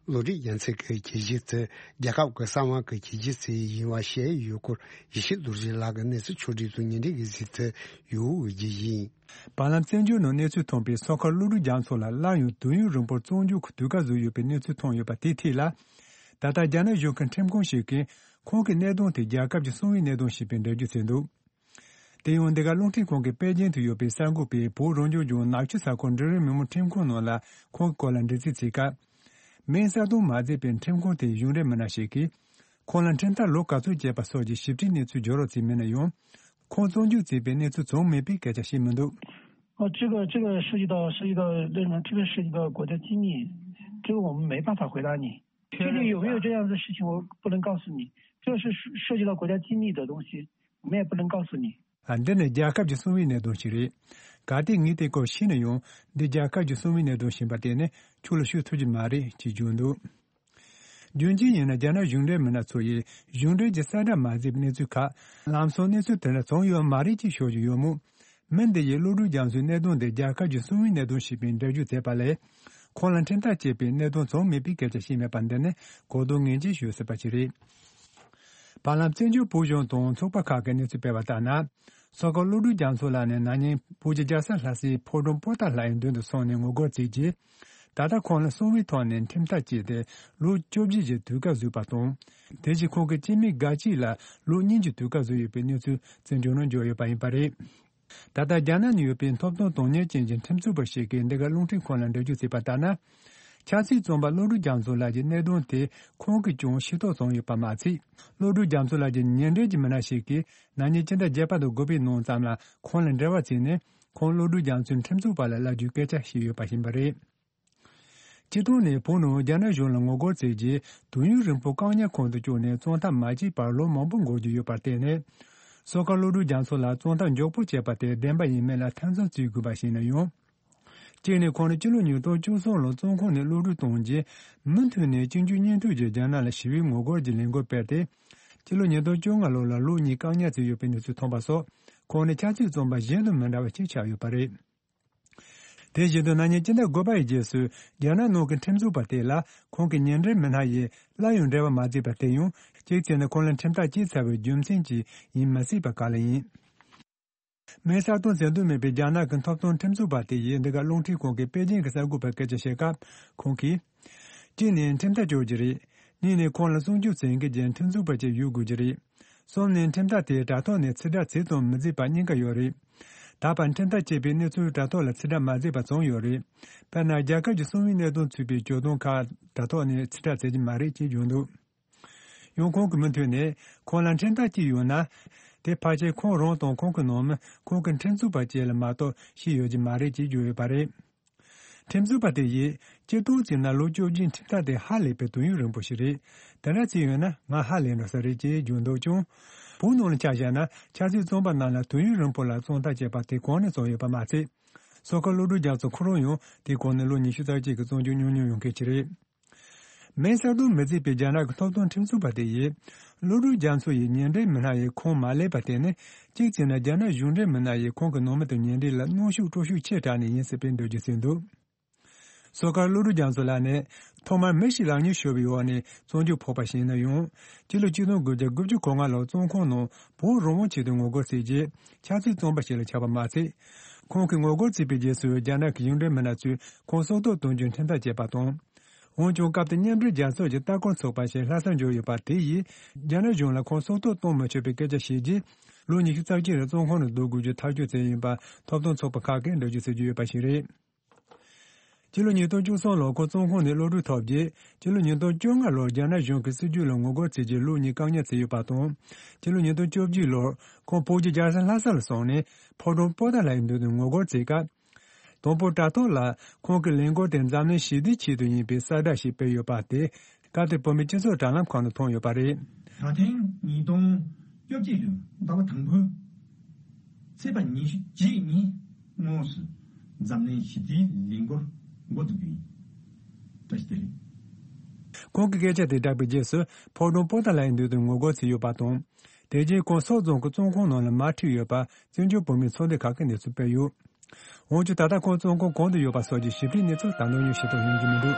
བློ་རིག་རྒྱལ་མཚན་གྱི་གྱོད་གཞི་དེ་རྒྱལ་ཁབ་ཀྱི་གསང་བ་གི་གྱོད་གཞི་ཞིག་ཡིན་པ་བཤད་ཡོད་སྐོར། ཡེ་ཤེས་རྡོ་རྗེ་ལགས་ཀྱིས་གནས་ཚུལ་ཕྱོགས་སྒྲིག་དང་ཉེ་འབྲེལ་གྱི་གཟིགས་ཚུལ་ཡོད་པའི་རྒྱུ་ཡིན། བར་ལམ་བཙན་བྱོལ་ནང་གནས་ཚུལ་ཐོན་པའི་སོ་ཁ་ཀླུ་སྒྲུབ་རྒྱ་མཚོ་ལ་སླར་ཡང་དུས་ཡུན་རིང་པོར་བཙོན་འཇུག་གི་དུས་བཀག་བཟོས་ཡོད་པའི་གནས་ཚུལ་ཐོན་ཡོད་པ་དེའི་ཐད་ལ། ད་ལྟ་རྒྱ་ནག་གཞུང་གི་ཁྲིམས་ཁང་ཞིག་གིས་ཁོང་གི་གནད་དོན་དེ་རྒྱལ་ཁབ་ཀྱི་གསང་བའི་གནད་དོན་ཞེས་པའི་འགྲེལ་བརྗོད་བྱས་འདུག་དེ་ཡང་འདི་ག་རླུང་འཕྲིན་ཁང་གི་པེ་ཅིན་དུ་ཡོད་པའི་གསར་འགོད་པས་བོད་རང་སྐྱོང་ལྗོངས་ནག་ཆུ་ས་ཁུལ་འབྲིང་རིམ་མི་དམངས་ཁྲིམས་ཁང་ནང་ལ་ཁོང་གི་སྐོར་ལ་འདྲི་རྩད་བྱས་སྐབས། མིང་གསལ་སྟོན་མ་མཛད་པའི་ཁྲིམས་ཁང་དེའི་གཞུང་འབྲེལ་མི་སྣ་ཞིག་གིས། ཁོང་ལ་ཁྲིམས་ཐག་ལོ་ག་ཚོད་བཅད་པ་སོགས་ཀྱི་ཞིབ་ཕྲའི་གནས་ཚུལ་བརྗོད་རོགས་ཅེས་མི་སྣ་ཡང་། ཁོང་བཙོན་འཇུག་བྱས་པའི་གནས་ཚུལ་ཙམ་མིན་པའི་སྐད་ཆ་བཤད་མི་འདུག་ཨ，这个，这个涉及到，涉及到，这个，这个涉及到国家机密，这个我们没办法回答你。具体有没有这样的事情，我不能告诉你，这是涉及到国家机密的东西，我们也不能告诉你。 ཨ། འདི་ནི་རྒྱལ་ཁབ་ཀྱི་གསང་བའི་གནད་དོན་ཞིག་རེད། ག་དེ་ངས་དེ་སྐོར་ཤེས་ན་ཡང་འདི་རྒྱལ་ཁབ་ཀྱི་གསང་བའི་གནད་དོན་ཡིན་པར་བརྟེན་ནས་ཁྱོད་ལ་ཞུ་ཐུབ་ཀྱི་མ་རེད་ཅེས་བརྗོད་འདུག་རྒྱུ་མཚན་ཡིན་ན་རྒྱ་ནག་གཞུང་འབྲེལ་མི་སྣ་ཚོ་ཡིས་གཞུང་འབྲེལ་གྱི་གསལ་བསྒྲགས་མ་མཛད་པའི་གནས་ཚུལ་ཁག་ལམ་སང་གནས་ཚུལ་དེ་འདྲ་བྱུང་ཡོད་མ་རེད་ཅེས་ཤོད་ཀྱི་ཡོད་མོད། མི་འདི་ཡིས་གློག་རྡུལ་རྒྱ་མཚོའི་གནད་དོན་དེ་རྒྱལ་ཁབ་ཀྱི་གསང་བའི་གནད་དོན་ཞེས་པའི་འགྲེལ་བརྗོད་མཛད་པ་ལས། ཁོང་ལ་ཁྲིམས་ཐག་བཅད་པའི་གནད་དོན་བྱུང་མེད་པའི་སྐད་ཆ་བཤད་མེད་པ་འདི་ནི་གོ་བསྡུར་ངེས་ཅན་ཞུ་སྲིད་པ་ཞིག་རེད། བར་ལམ་བཙན་བྱོལ་བོད་གཞུང་དང་ཚོགས་པ་ཁག་གིས་གནས་ཚུལ་སྤེལ་བ་ལྟར་ན། སོ་ཁ་གློག་རྡུལ་རྒྱ་མཚོ་ལགས་ནི་ན་ནིང་བོད་ཀྱི་རྒྱལ་ས་ལྷ་སའི་ཕོ་བྲང་པོ་ཏཱ་ལ་ཡི་མདུན་དུ་སོང་ནས་ངོ་རྒོལ་བྱས་རྗེས། ད་ལྟ་ཁོང་ལ་གསང་བའི་ཐོག་ནས་ཁྲིམས་ཐག་བཅད་དེ་ལོ་བཅོ་བརྒྱད་ཀྱི་དུས་བཀག་བཟོས་པ་དང་། དེ་བཞིན་ཁོང་གི་སྐྱེ་དམན་དགའ་སྐྱིད་ལ་ལོ་གཉིས་ཀྱི་དུས་བཀག་བཟོས་ཡོད་པའི་གནས་ཚུལ་བཙན་བྱོལ་ནང་འབྱོར་ཡོད་པ་ཡིན་པ་རེད། ད་ལྟ་རྒྱ་ནག་ནང་ཡོད་པའི་ཐོབ་ཐང་དོན་གཉེར་ཅན་གྱི་ཁྲིམས་རྩོད་པ་ཞིག་གིས་འདི་ག་རླུང་འཕྲིན་ཁང་ལ་འགྲེལ་བརྗོད་བྱས་པ་ལྟར་ན། ཆབ་སྲིད་བཙོན་པ་གློག་རྡུལ་རྒྱ་མཚོ་ལགས་ཀྱི་གནད་དོན་དེ་ཁོང་གིས་ཀྱང་ཤེས་རྟོགས་བྱུང་ཡོད་པ་མ་ཚད། གློག་རྡུལ་རྒྱ་མཚོ་ལགས་ཀྱི་ཉེ་འབྲེལ་གྱི་མི་སྣ་ཞིག་གིས་ན་ནིང་སྤྱི་ཟླ་བརྒྱད་པ་དང་དགུ་པའི་ནང་ཙམ་ལ་ཁོང་ལ་འབྲེལ་བ་བྱས་ནས་ཁོང་གློག་རྡུལ་རྒྱ་མཚོའི་ཁྲིམས་རྩོད་པ་ལ་བསླབ་རྒྱུའི་སྐད་ཆ་བཤད་ཡོད་པ་ཡིན་པ་རེད། སྤྱིར་བཏང་ནས་བོད་ནང་རྒྱ་ནག་གཞུང་ལ་ངོ་རྒོལ་བྱས་རྗེས་དུས་ཡུན་རིང་པོ་བཀག་ཉར་ཁང་དུ་བཅུག་ནས་བཙོན་ཐབས་མ་བྱས་པར་ལོ་མང་པོ་འགོར་རྒྱུ་ཡོད་པར་བརྟེན་ནས། སོ་ཁ་གློག་རྡུལ་རྒྱ་མཚོ་ལགས་བཙོན་ཐབས་མགྱོགས་པོ་བྱས་པ་དེ་བདེན་པ་ཡིན་མིན་ལ་ཐེ་ཚོམ་བྱེད་དགོས་པ་ཞིག་ཡིན་ན་ཡང་། གཅིག་ནས་ཁོང་ནི་སྤྱི་ལོ་ཉིས་སྟོང་བཅུ་གསུམ་ལོར་བཙོན་ཁང་ནས་གློད་གྲོལ་བཏང་རྗེས་མུ་མཐུད་ནས་གཅིག་མཇུག་གཉིས་མཐུད་ཀྱིས་རྒྱ་ནག་ལ་ཞི་བའི་ངོ་རྒོལ་གྱི་ལས་འགུལ་སྤེལ་ཏེ། སྤྱི་ལོ་ཉིས་སྟོང་བཅོ་ལྔ་ལོ་ལ་ལོ་གཉིས་བཀག་ཉར་བྱས་ཡོད་པའི་གནས་ཚུལ་ཐོན་པ་སོགས་ཁོང་ནི་ཆབ་སྲིད་བཙོན་པ་གཞན་དང་མི་འདྲ་བ་ཞིག་ཆགས་ཡོད་པ་རེད། དེ་བཞིན་དུ་ན་ནིང་སྤྱི་ཟླ་དགུ་པ་ཡི་རྗེས་སུ་རྒྱ་ནག་ནང་གི་ཁྲིམས་རྩོད་པ་དེ་ལ་ཁོང་གི་ཉེ་འབྲེལ་མི་སྣ་ཡིས་སླར་ཡང་འབྲེལ་བ་མ་བྱས་པ་དེ་ཡང་གཅིག་བྱས་ན་ཁོང་ལ་ཁྲིམས་ཐག་བཅད་ཚར་བའི་རྒྱུ་མཚན་གྱིས་ཡིན་མི་སྲིད་པ་ག་ལ་ཡིན། མེ་གསར་གཏོད་མཛད་འདོད་མེད་པའི་རྒྱ་ནག་གི་ཐོབ་ཐང་ཁྲིམས་རྩོད་པ་དེ་ཡིས་འདི་ག་རླུང་འཕྲིན་ཁང་གི་པེ་ཅིང་གི་གསར་འགོད་པར་སྐད་ཆ་བཤད་སྐབས་ཁོང་གིས། གཅིག་ནས་ཁྲིམས་ཐག་གཅོད་རྒྱུ་རེད། གཉིས་ནས་ཁོང་ལ་སྲུང་སྐྱོབ་བྱེད་མཁན་གྱི་ཁྲིམས་རྩོད་པ་ཅིག་ཡོད་དགོས་རྒྱུ་རེད། གསུམ་ནས་ཁྲིམས་ཐག་དེ་དྲ་ཐོག་ནས་ཕྱིར་བསྒྲགས་བྱས་དང་མི་བྱས་པ་གཉིས་ཀ་ཡོད་རེད། ད་བར་ཁྲིམས་ཐག་བཅད་པའི་གནས་ཚུལ་དྲ་ཐོག་ལ་ཕྱིར་བསྒྲགས་མ་བྱས་པ་བྱུང་ཡོད་རེད། དཔེར་ན་རྒྱལ་ཁབ་ཀྱི་གསང་བའི་གནད་དོན་ཚུད་པའི་བརྗོད་དོན་ཁག་དྲ་ཐོག་ནས་ཕྱིར་བསྒྲགས་བྱེད་ཀྱི་མ་རེད་ཅེས་བརྗོད་འདུག་ཡང་ཁོང་གིས་མུ་མཐུད་ནས་ཁོང་ལ་ཁྲིམས་ཐག་བཅད་ཡོད་ན། དེ་ཕལ་ཆེར་ཁོང་རང་དང་ཁོང་གི་ནང་མི་ཁོང་གི་ཁྲིམས་རྩོད་པ་བཅས་ལ་མ་གཏོགས་ཤེས་ཡོད་ཀྱི་མ་རེད་ཅེས་བརྗོད་ཡོད་པ་རེད། ཁྲིམས་རྩོད་པ་དེ་ཡིས་སྤྱིར་བཏང་བྱས་ན་ལོ་བཅོ་བརྒྱད་ཁྲིམས་ཐག་དེ་ཧ་ལས་པའི་དུས་ཡུན་རིང་པོ་ཞིག་རེད། དེ་འདྲ་བྱས་ཡོད་ན་ང་ཧ་ལས་འགྲོ་ས་རེད་ཅེས་བརྗོད་འདུག་ཀྱང་། བོད་ནང་ལ་ཆ་བཞག་ན་ཆབ་སྲིད་བཙོན་པ་རྣམས་ལ་དུས་ཡུན་རིང་པོ་ལ་བཙོན་ཐག་བཅད་པ་དེ་གང་ནས་བྱུང་ཡོད་པ་མ་ཚད། སོ་ཁ་གློག་རྡུལ་རྒྱ་མཚོ་ཁོ་རང་ཡང་དེའི་གོང་ནས་ལོ་ཉི་ཤུ་རྩ་གཅིག་གི་བཙོན་འཇུག་མྱོང་མྱོང་ཡོང་མཁན་ཞིག་རེད། མེ་གསར་གཏོད་མི་བྱེད་པའི་རྒྱ་ནག་གི་ཐོབ་ཐང་ཁྲིམས་རྩོད་པ་དེ་ཡིས། གློག་རྡུལ་རྒྱ་མཚོ་ཡི་ཉེ་འབྲེལ་མི་སྣ་ཡིས་ཁོང་མ་བསླེབས་པར་བརྟེན་ནས་གཅིག་བྱས་ན་རྒྱ་ནག་གཞུང་འབྲེལ་མི་སྣ་ཡིས་ཁོང་གི་ནང་མི་དང་ཉེ་འབྲེལ་ལ་གནོན་ཤུགས་སྤྲོད་ཤུགས་ཆེ་དྲགས་ནས་ཡིན་སྲིད་པའི་འགྲེལ་བརྗོད་བྱས་འདུག་སོ་ཁ་གློག་རྡུལ་རྒྱ་མཚོ་ལགས་ནི་ཐོག་མར་མི་ཞིག་ལག་གཉིས་ཤོར་བའི་འོག་ནས་བཙོན་འཇུག་ཕོག་པ་ཞིག་ཡིན་ན་ཡང་། སྤྱི་ལོ་ཆིག་སྟོང་དགུ་བརྒྱ་དགུ་བཅུ་གོ་ལྔ་ལོར་བཙོན་ཁང་ནང་བོད་རང་དབང་ཆེད་དུ་ངོ་རྒོལ་བྱས་རྗེས་ཆབ་སྲིད་བཙོན་པ་ཞིག་ལ་ཆགས་པ་མ་ཚད། ཁོང་གིས་ངོ་རྒོལ་བྱས་པའི་རྗེས་སུ་རྒྱ་ནག་གི་གཞུང་འབྲེལ་མི་སྣ་ཚོས་ཁོང་སྲོག་ཐོག་གཏོང་རྒྱུའི་ཁྲིམས་ཐག་བཅད་པ་དང་། འོན་ཀྱང་སྐབས་དེར་མཉམ་འབྲེལ་རྒྱལ་ཚོགས་ཀྱི་ལྟ་སྐོར་ཚོགས་པ་ཞིག་ལྷ་སར་འབྱོར་ཡོད་པ་དེ་ཡིས་རྒྱ་ནག་གཞུང་ལ་ཁོང་སྲོག་ཐོག་གཏོང་མི་ཆོག་པའི་སྐད་ཆ་བཤད་རྗེས། ལོ་ཉི་ཤུ་རྩ་གཅིག་རིང་བཙོན་ཁང་ནང་སྡོད་དགོས་རྒྱུ་ཐག་གཅོད་བྱས་ཡིན་པ་ཐོབ་ཐང་ཚོགས་པ་ཁག་གིས་འགྲེལ་བརྗོད་བྱེད་ཀྱི་ཡོད་པ་ཞིག་རེད། སྤྱི་ལོ་ཉིས་སྟོང་བཅུ་གསུམ་ལོར་ཁོང་བཙོན་ཁང་ནས་གློད་གྲོལ་ཐོབ་རྗེས། སྤྱི་ལོ་ཉིས་སྟོང་བཅོ་ལྔ་ལོར་རྒྱ་ནག་གཞུང་གི་སྲིད་བྱུས་ལ་ངོ་རྒོལ་བྱས་རྗེས་ལོ་གཉིས་བཀག་ཉར་བྱས་ཡོད་པ་དང་། སྤྱི་ལོ་ཉིས་སྟོང་བཅོ་བརྒྱད་ལོར་ཁོང་བོད་ཀྱི་རྒྱལ་ས་ལྷ་ས་ལ་སོང་ནས་ཕོ་བྲང་པོ་ཏཱ་ལའི་མདུན་དུ་ངོ་རྒོལ་བྱས་སྐབས། དང་པོ་དྲ་ཐོག་ལ་ཁོང་གི་ལས་འགུལ་དེ་འཛམ་གླིང་ཞི་བདེའི་ཆེད་དུ་ཡིན་པའི་གསལ་བསྒྲགས་ཤིག་སྤེལ་ཡོད་པ་དེ། སྐབས་དེར་བོད་མིའི་སྤྱི་ཚོགས་དྲ་ལམ་ཁག་ནང་མཐོང་ཡོད་པ་རེད། ད་ཐེངས་ཉིས་སྟོང་བཅོ་བརྒྱད་ལོའི་ཟླ་བ་དང་པོའི་ཚེས་པ་ཉི་ཤུ་རྗེས་ཉིན་དངོས་སུ་འཛམ་གླིང་ཞི་བདེའི་ལས་འགུལ་འགོ་འཛུགས་རྒྱུ་ཡིན། བཀྲ་ཤིས་བདེ་ལེགས། ཁོང་གི་སྐད་ཆ་དེ་བསྒྲགས་པའི་རྗེས་སུ་ཕོ་བྲང་པོ་ཏཱ་ལའི་མདུན་དུ་ངོ་རྒོལ་བྱས་ཡོད་པ་དང་། དེ་རྗེས་ཁོང་སོག་རྫོང་གི་བཙོན་ཁང་ནང་ལ་མར་ཁྲིད་ཡོད་པ་བཙན་བྱོལ་བོད་མིའི་ཚོགས་སྡེ་ཁག་གིས་གནས་ཚུལ་སྤེལ་ཡོད། འོན་ཀྱང་ད་ལྟ་ཁོང་བཙོན་ཁང་གང་དུ་ཡོད་པ་སོགས་ཀྱི་ཞིབ་ཕྲའི་གནས་ཚུལ་ད་དུང་ཡང་ཤེས་རྟོགས་ཡོང་རྒྱུ་མི་འདུག་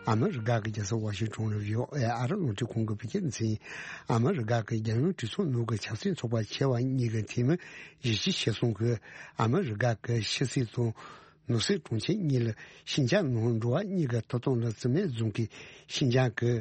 ཨ་མི་རི་ཀ་གི་རྒྱལ་ས་ཝ་ཤིང་ཊོན་ལ་ཡོད། ཨ་རི་རླུང་འཕྲིན་ཁང་གི་བོད་སྐད་སྡེ་ཚན། ཨ་མི་རི་ཀ་གི་རྒྱལ་ཡོངས་གྲོས་ཚོགས་ནང་གི་ཆབ་སྲིད་ཚོགས་པ་ཆེ་བ་གཉིས་ཀྱི་འཐུས་མི་བཞི་བཅུ་ཞེ་གསུམ་གྱིས་ཨ་མི་རི་ཀ་གི་ཕྱི་སྲིད་དང་ནང་སྲིད་དྲུང་ཆེ་གཉིས་ལ་ཤིན་ཅང་ནང་འགྲོ་བ་གཉིས་ཀྱི་ཐོབ་ཐང་ལ་བརྩི་མེད་བཟུང་གིས་ཤིན་ཅང་གི་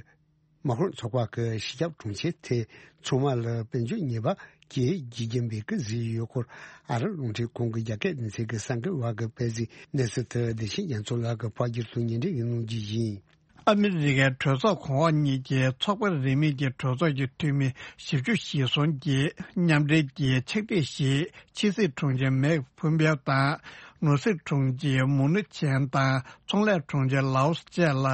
དམག་དཔོན་ཚོགས་པ་གི་སྤྱི་ཁྱབ་དྲུང་ཆེ་དེ་ཚང་མ་ལ་དཔལ་འབྱོར་ཉེས་པ་གྱིས་བརྗེ་བགྱིས་པའི་སྐུལ་གཟིགས་ཡོད་སྐོར་ཨ་རི་རླུང་འཕྲིན་ཁང་གི་རྒྱ་སྐད་སྡེ་ཚན་གྱི་གསར་འགོད་པ་གིས་སྤེལ་གཟིགས་གནས་ཚུལ་དེ་བདེ་ཆེན་རྒྱ་མཚོ་ལགས་ཀྱིས་ཕབ་བསྒྱུར་དང་སྙན་སྒྲོན་ཡིན་གནང་རྒྱུ་ཡིན། ཨ་མི་རི་ཀའི་གྲོས་ཚོགས་གོང་འོག་གཉིས་ཀྱི་ཚོགས་པ་རིས་མེད་ཀྱི་གྲོས་ཚོགས་ཀྱི་འཐུས་མི་བཞི་བཅུ་ཞེ་གསུམ་གྱིས་མཉམ་འབྲེལ་གྱི་ཕྱག་བྲིས་ཤིག་ཕྱི་སྲིད་དྲུང་ཆེ་མེག་ཕུམ་པེའོ་དང་ ནོར་སྲིད་དྲུང་ཆེ་མུ་ནུ་ཆན་དང་ཚོང་ལས་དྲུང་ཆེ་ལའོ་སི་བཅས་ལ་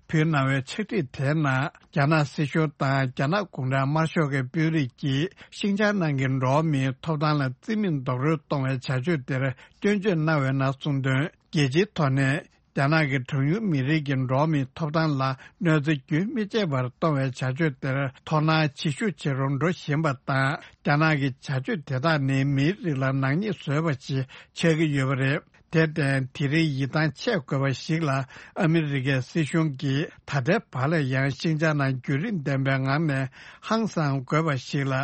ཕུལ་གནང་བའི་ཕྱག་བྲིས་དེའི་ནང་། རྒྱ་ནག་སྲིད་གཞུང་དང་རྒྱ་ནག་གུང་ཁྲན་དམར་ཤོག་གི་དཔོན་རིགས་ཀྱིས་ཤིན་ཅང་ནང་གི་འགྲོ་བ་མིའི་ཐོབ་ཐང་ལ་བརྩི་མེད་རྡོག་རོལ་གཏོང་བའི་བྱ་སྤྱོད་དེར་སྐྱོན་བརྗོད་གནང་བའི་ནང་གསུངས་དོན། རྒྱལ་སྤྱིའི་ཐོག་ནས་རྒྱ་ནག་གི་གྲངས་ཉུང་མི་རིགས་ཀྱི་འགྲོ་བ་མིའི་ཐོབ་ཐང་ལ་གནོད་འཚེ་རྒྱུན་མི་ཆད་པར་གཏོང་བའི་བྱ་སྤྱོད་དེར་དོ་སྣང་ཇེ་ཤུགས་ཇེ་རུ་འགྲོ་བཞིན་པ་དང་། རྒྱ་ནག་གི་བྱ་སྤྱོད་དེ་དག་ནི་མིའི་རིགས་ལ་ནག་ཉེས་བཟོས་པ་ཞིག་ཆགས་ཀྱི་ཡོད་པ་རེད། དེར་བརྟེན། དེ་རིང་ཡིད་ཐང་ཆད་དགོས་པ་ཞིག་ལ། ཨ་མི་རི་ཀའི་སྲིད་གཞུང་གིས་ད་ལྟའི་བར་ལ་ཡང་ཤིན་ཅང་ནང་བརྒྱུད་རིམ་ལྡན་པའི་ངང་ནས་ཧང་སང་དགོས་པ་ཞིག་ལ།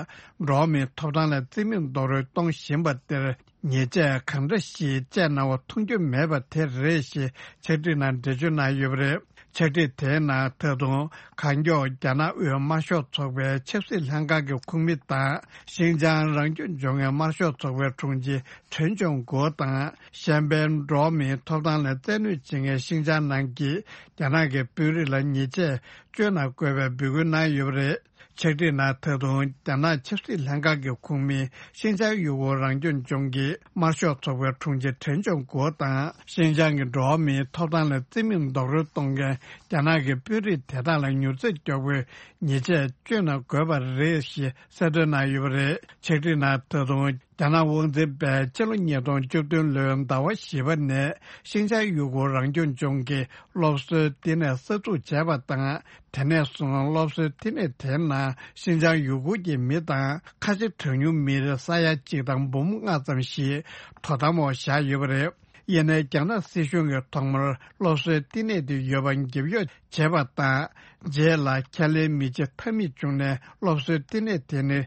འགྲོ་བ་མིའི་ཐོབ་ཐང་ལ་བརྩི་མེད་རྡོག་རོལ་གཏོང་བཞིན་པ་དེར། ཉེས་ཆད་གང་འདྲ་ཞིག་བཅད་གནང་བ་མཐོང་རྒྱུ་མེད་པ་དེ་རེད་ཞེས་ཕྱག་བྲིས་ནང་འགྲེལ་བརྗོད་གནང་ཡོད་པ་རེད། ཕྱག་བྲིས་དེའི་ནང་ད་དུང་གང་མགྱོགས་རྒྱ་ནག་དབུས་དམར་ཤོག་ཚོགས་པའི་ཆབ་སྲིད་ལྷན་ཁང་གི་ཁོངས་མི་དང་། ཤིན་ཅང་རང་སྐྱོང་ལྗོངས་ཀྱི་དམར་ཤོག་ཚོགས་པའི་དྲུང་ཆེ་ཁྲེན་ཅུང་གོ་དང་། གཞན་ཕན་འགྲོ་བ་མིའི་ཐོབ་ཐང་ལ་བཙན་གནོད་བྱེད་མཁན་ཤིན་ཅང་ནང་གི་རྒྱ་ནག་གི་དཔོན་རིགས་ལ་ཉེས་ཆད་གཅོད་གནང་དགོས་པའི་འབོད་སྐུལ་གནང་ཡོད་པ་རེད། ཕྱག་བྲིས་ནང་ད་དུང་རྒྱ་ནག་ཆབ་སྲིད་ལྷན་ཁང་གི་ཁོངས་མི་ཤིན་ཅང་ཡུ་གུར་རང་སྐྱོང་ལྗོངས་ཀྱི་དམར་ཤོག་ཚོགས་པའི་དྲུང་ཆེ་ཁྲེན་ཅུང་གོ་དང་། ཤིན་ཅང་གི་འགྲོ་བ་མིའི་ཐོབ་ཐང་ལ་བརྩི་མེད་རྡོག་རོལ་གཏོང་མཁན་རྒྱ་ནག་གི་དཔོན་རིགས་དེ་དག་ལ་མྱུར་ཚད་མགྱོགས་པོའི་ཉེས་ཆད་གཅོད་གནང་དགོས་པ་རེད་ཞེས་གསལ་སྟོན་གནང་ཡོད་པ་རེད། ཕྱག་བྲིས་ནང་ད་དུང་། རྒྱ་ནག་དབང་འཛིན་པས་སྤྱི་ལོ་ཉིས་སྟོང་བཅུ་བདུན་ལོའི་ཟླ་བ་བཞི་པ་ནས་ཤིན་ཅང་ཡུ་གུར་རང་སྐྱོང་ལྗོངས་ཀྱི་སློབ་གསོའི་བསྟི་གནས་གསར་འཛུགས་བྱས་པ་དང་། དེ་ནས་བཟུང་སློབ་གསོའི་བསྟི་གནས་དེའི་ནང་ཤིན་ཅང་ཡུ་གུར་གྱི་མི་དང་ཁ་ཆེ་གྲངས་ཉུང་མི་རིགས་ས་ཡ་གཅིག་དང་འབུམ་ལྔ་ཙམ་ཞིག་དོ་དམ་འོག་བཞག་ཡོད་པ་རེད། ཡིན་ནའི་རྒྱ་ནག་སྲིད་གཞུང་གིས་ཐོག་མར་སློབ་གསོའི་བསྟི་གནས་དེ་ཡོད་པ་འགེབས་གཡོག་བྱས་པ་དང་། རྗེས་ལ་ཁས་ལེན་མི་བྱེད་ཐབས་མེད་བྱུང་ནས་སློབ་གསོའི་བསྟི་གནས་དེ་ནི།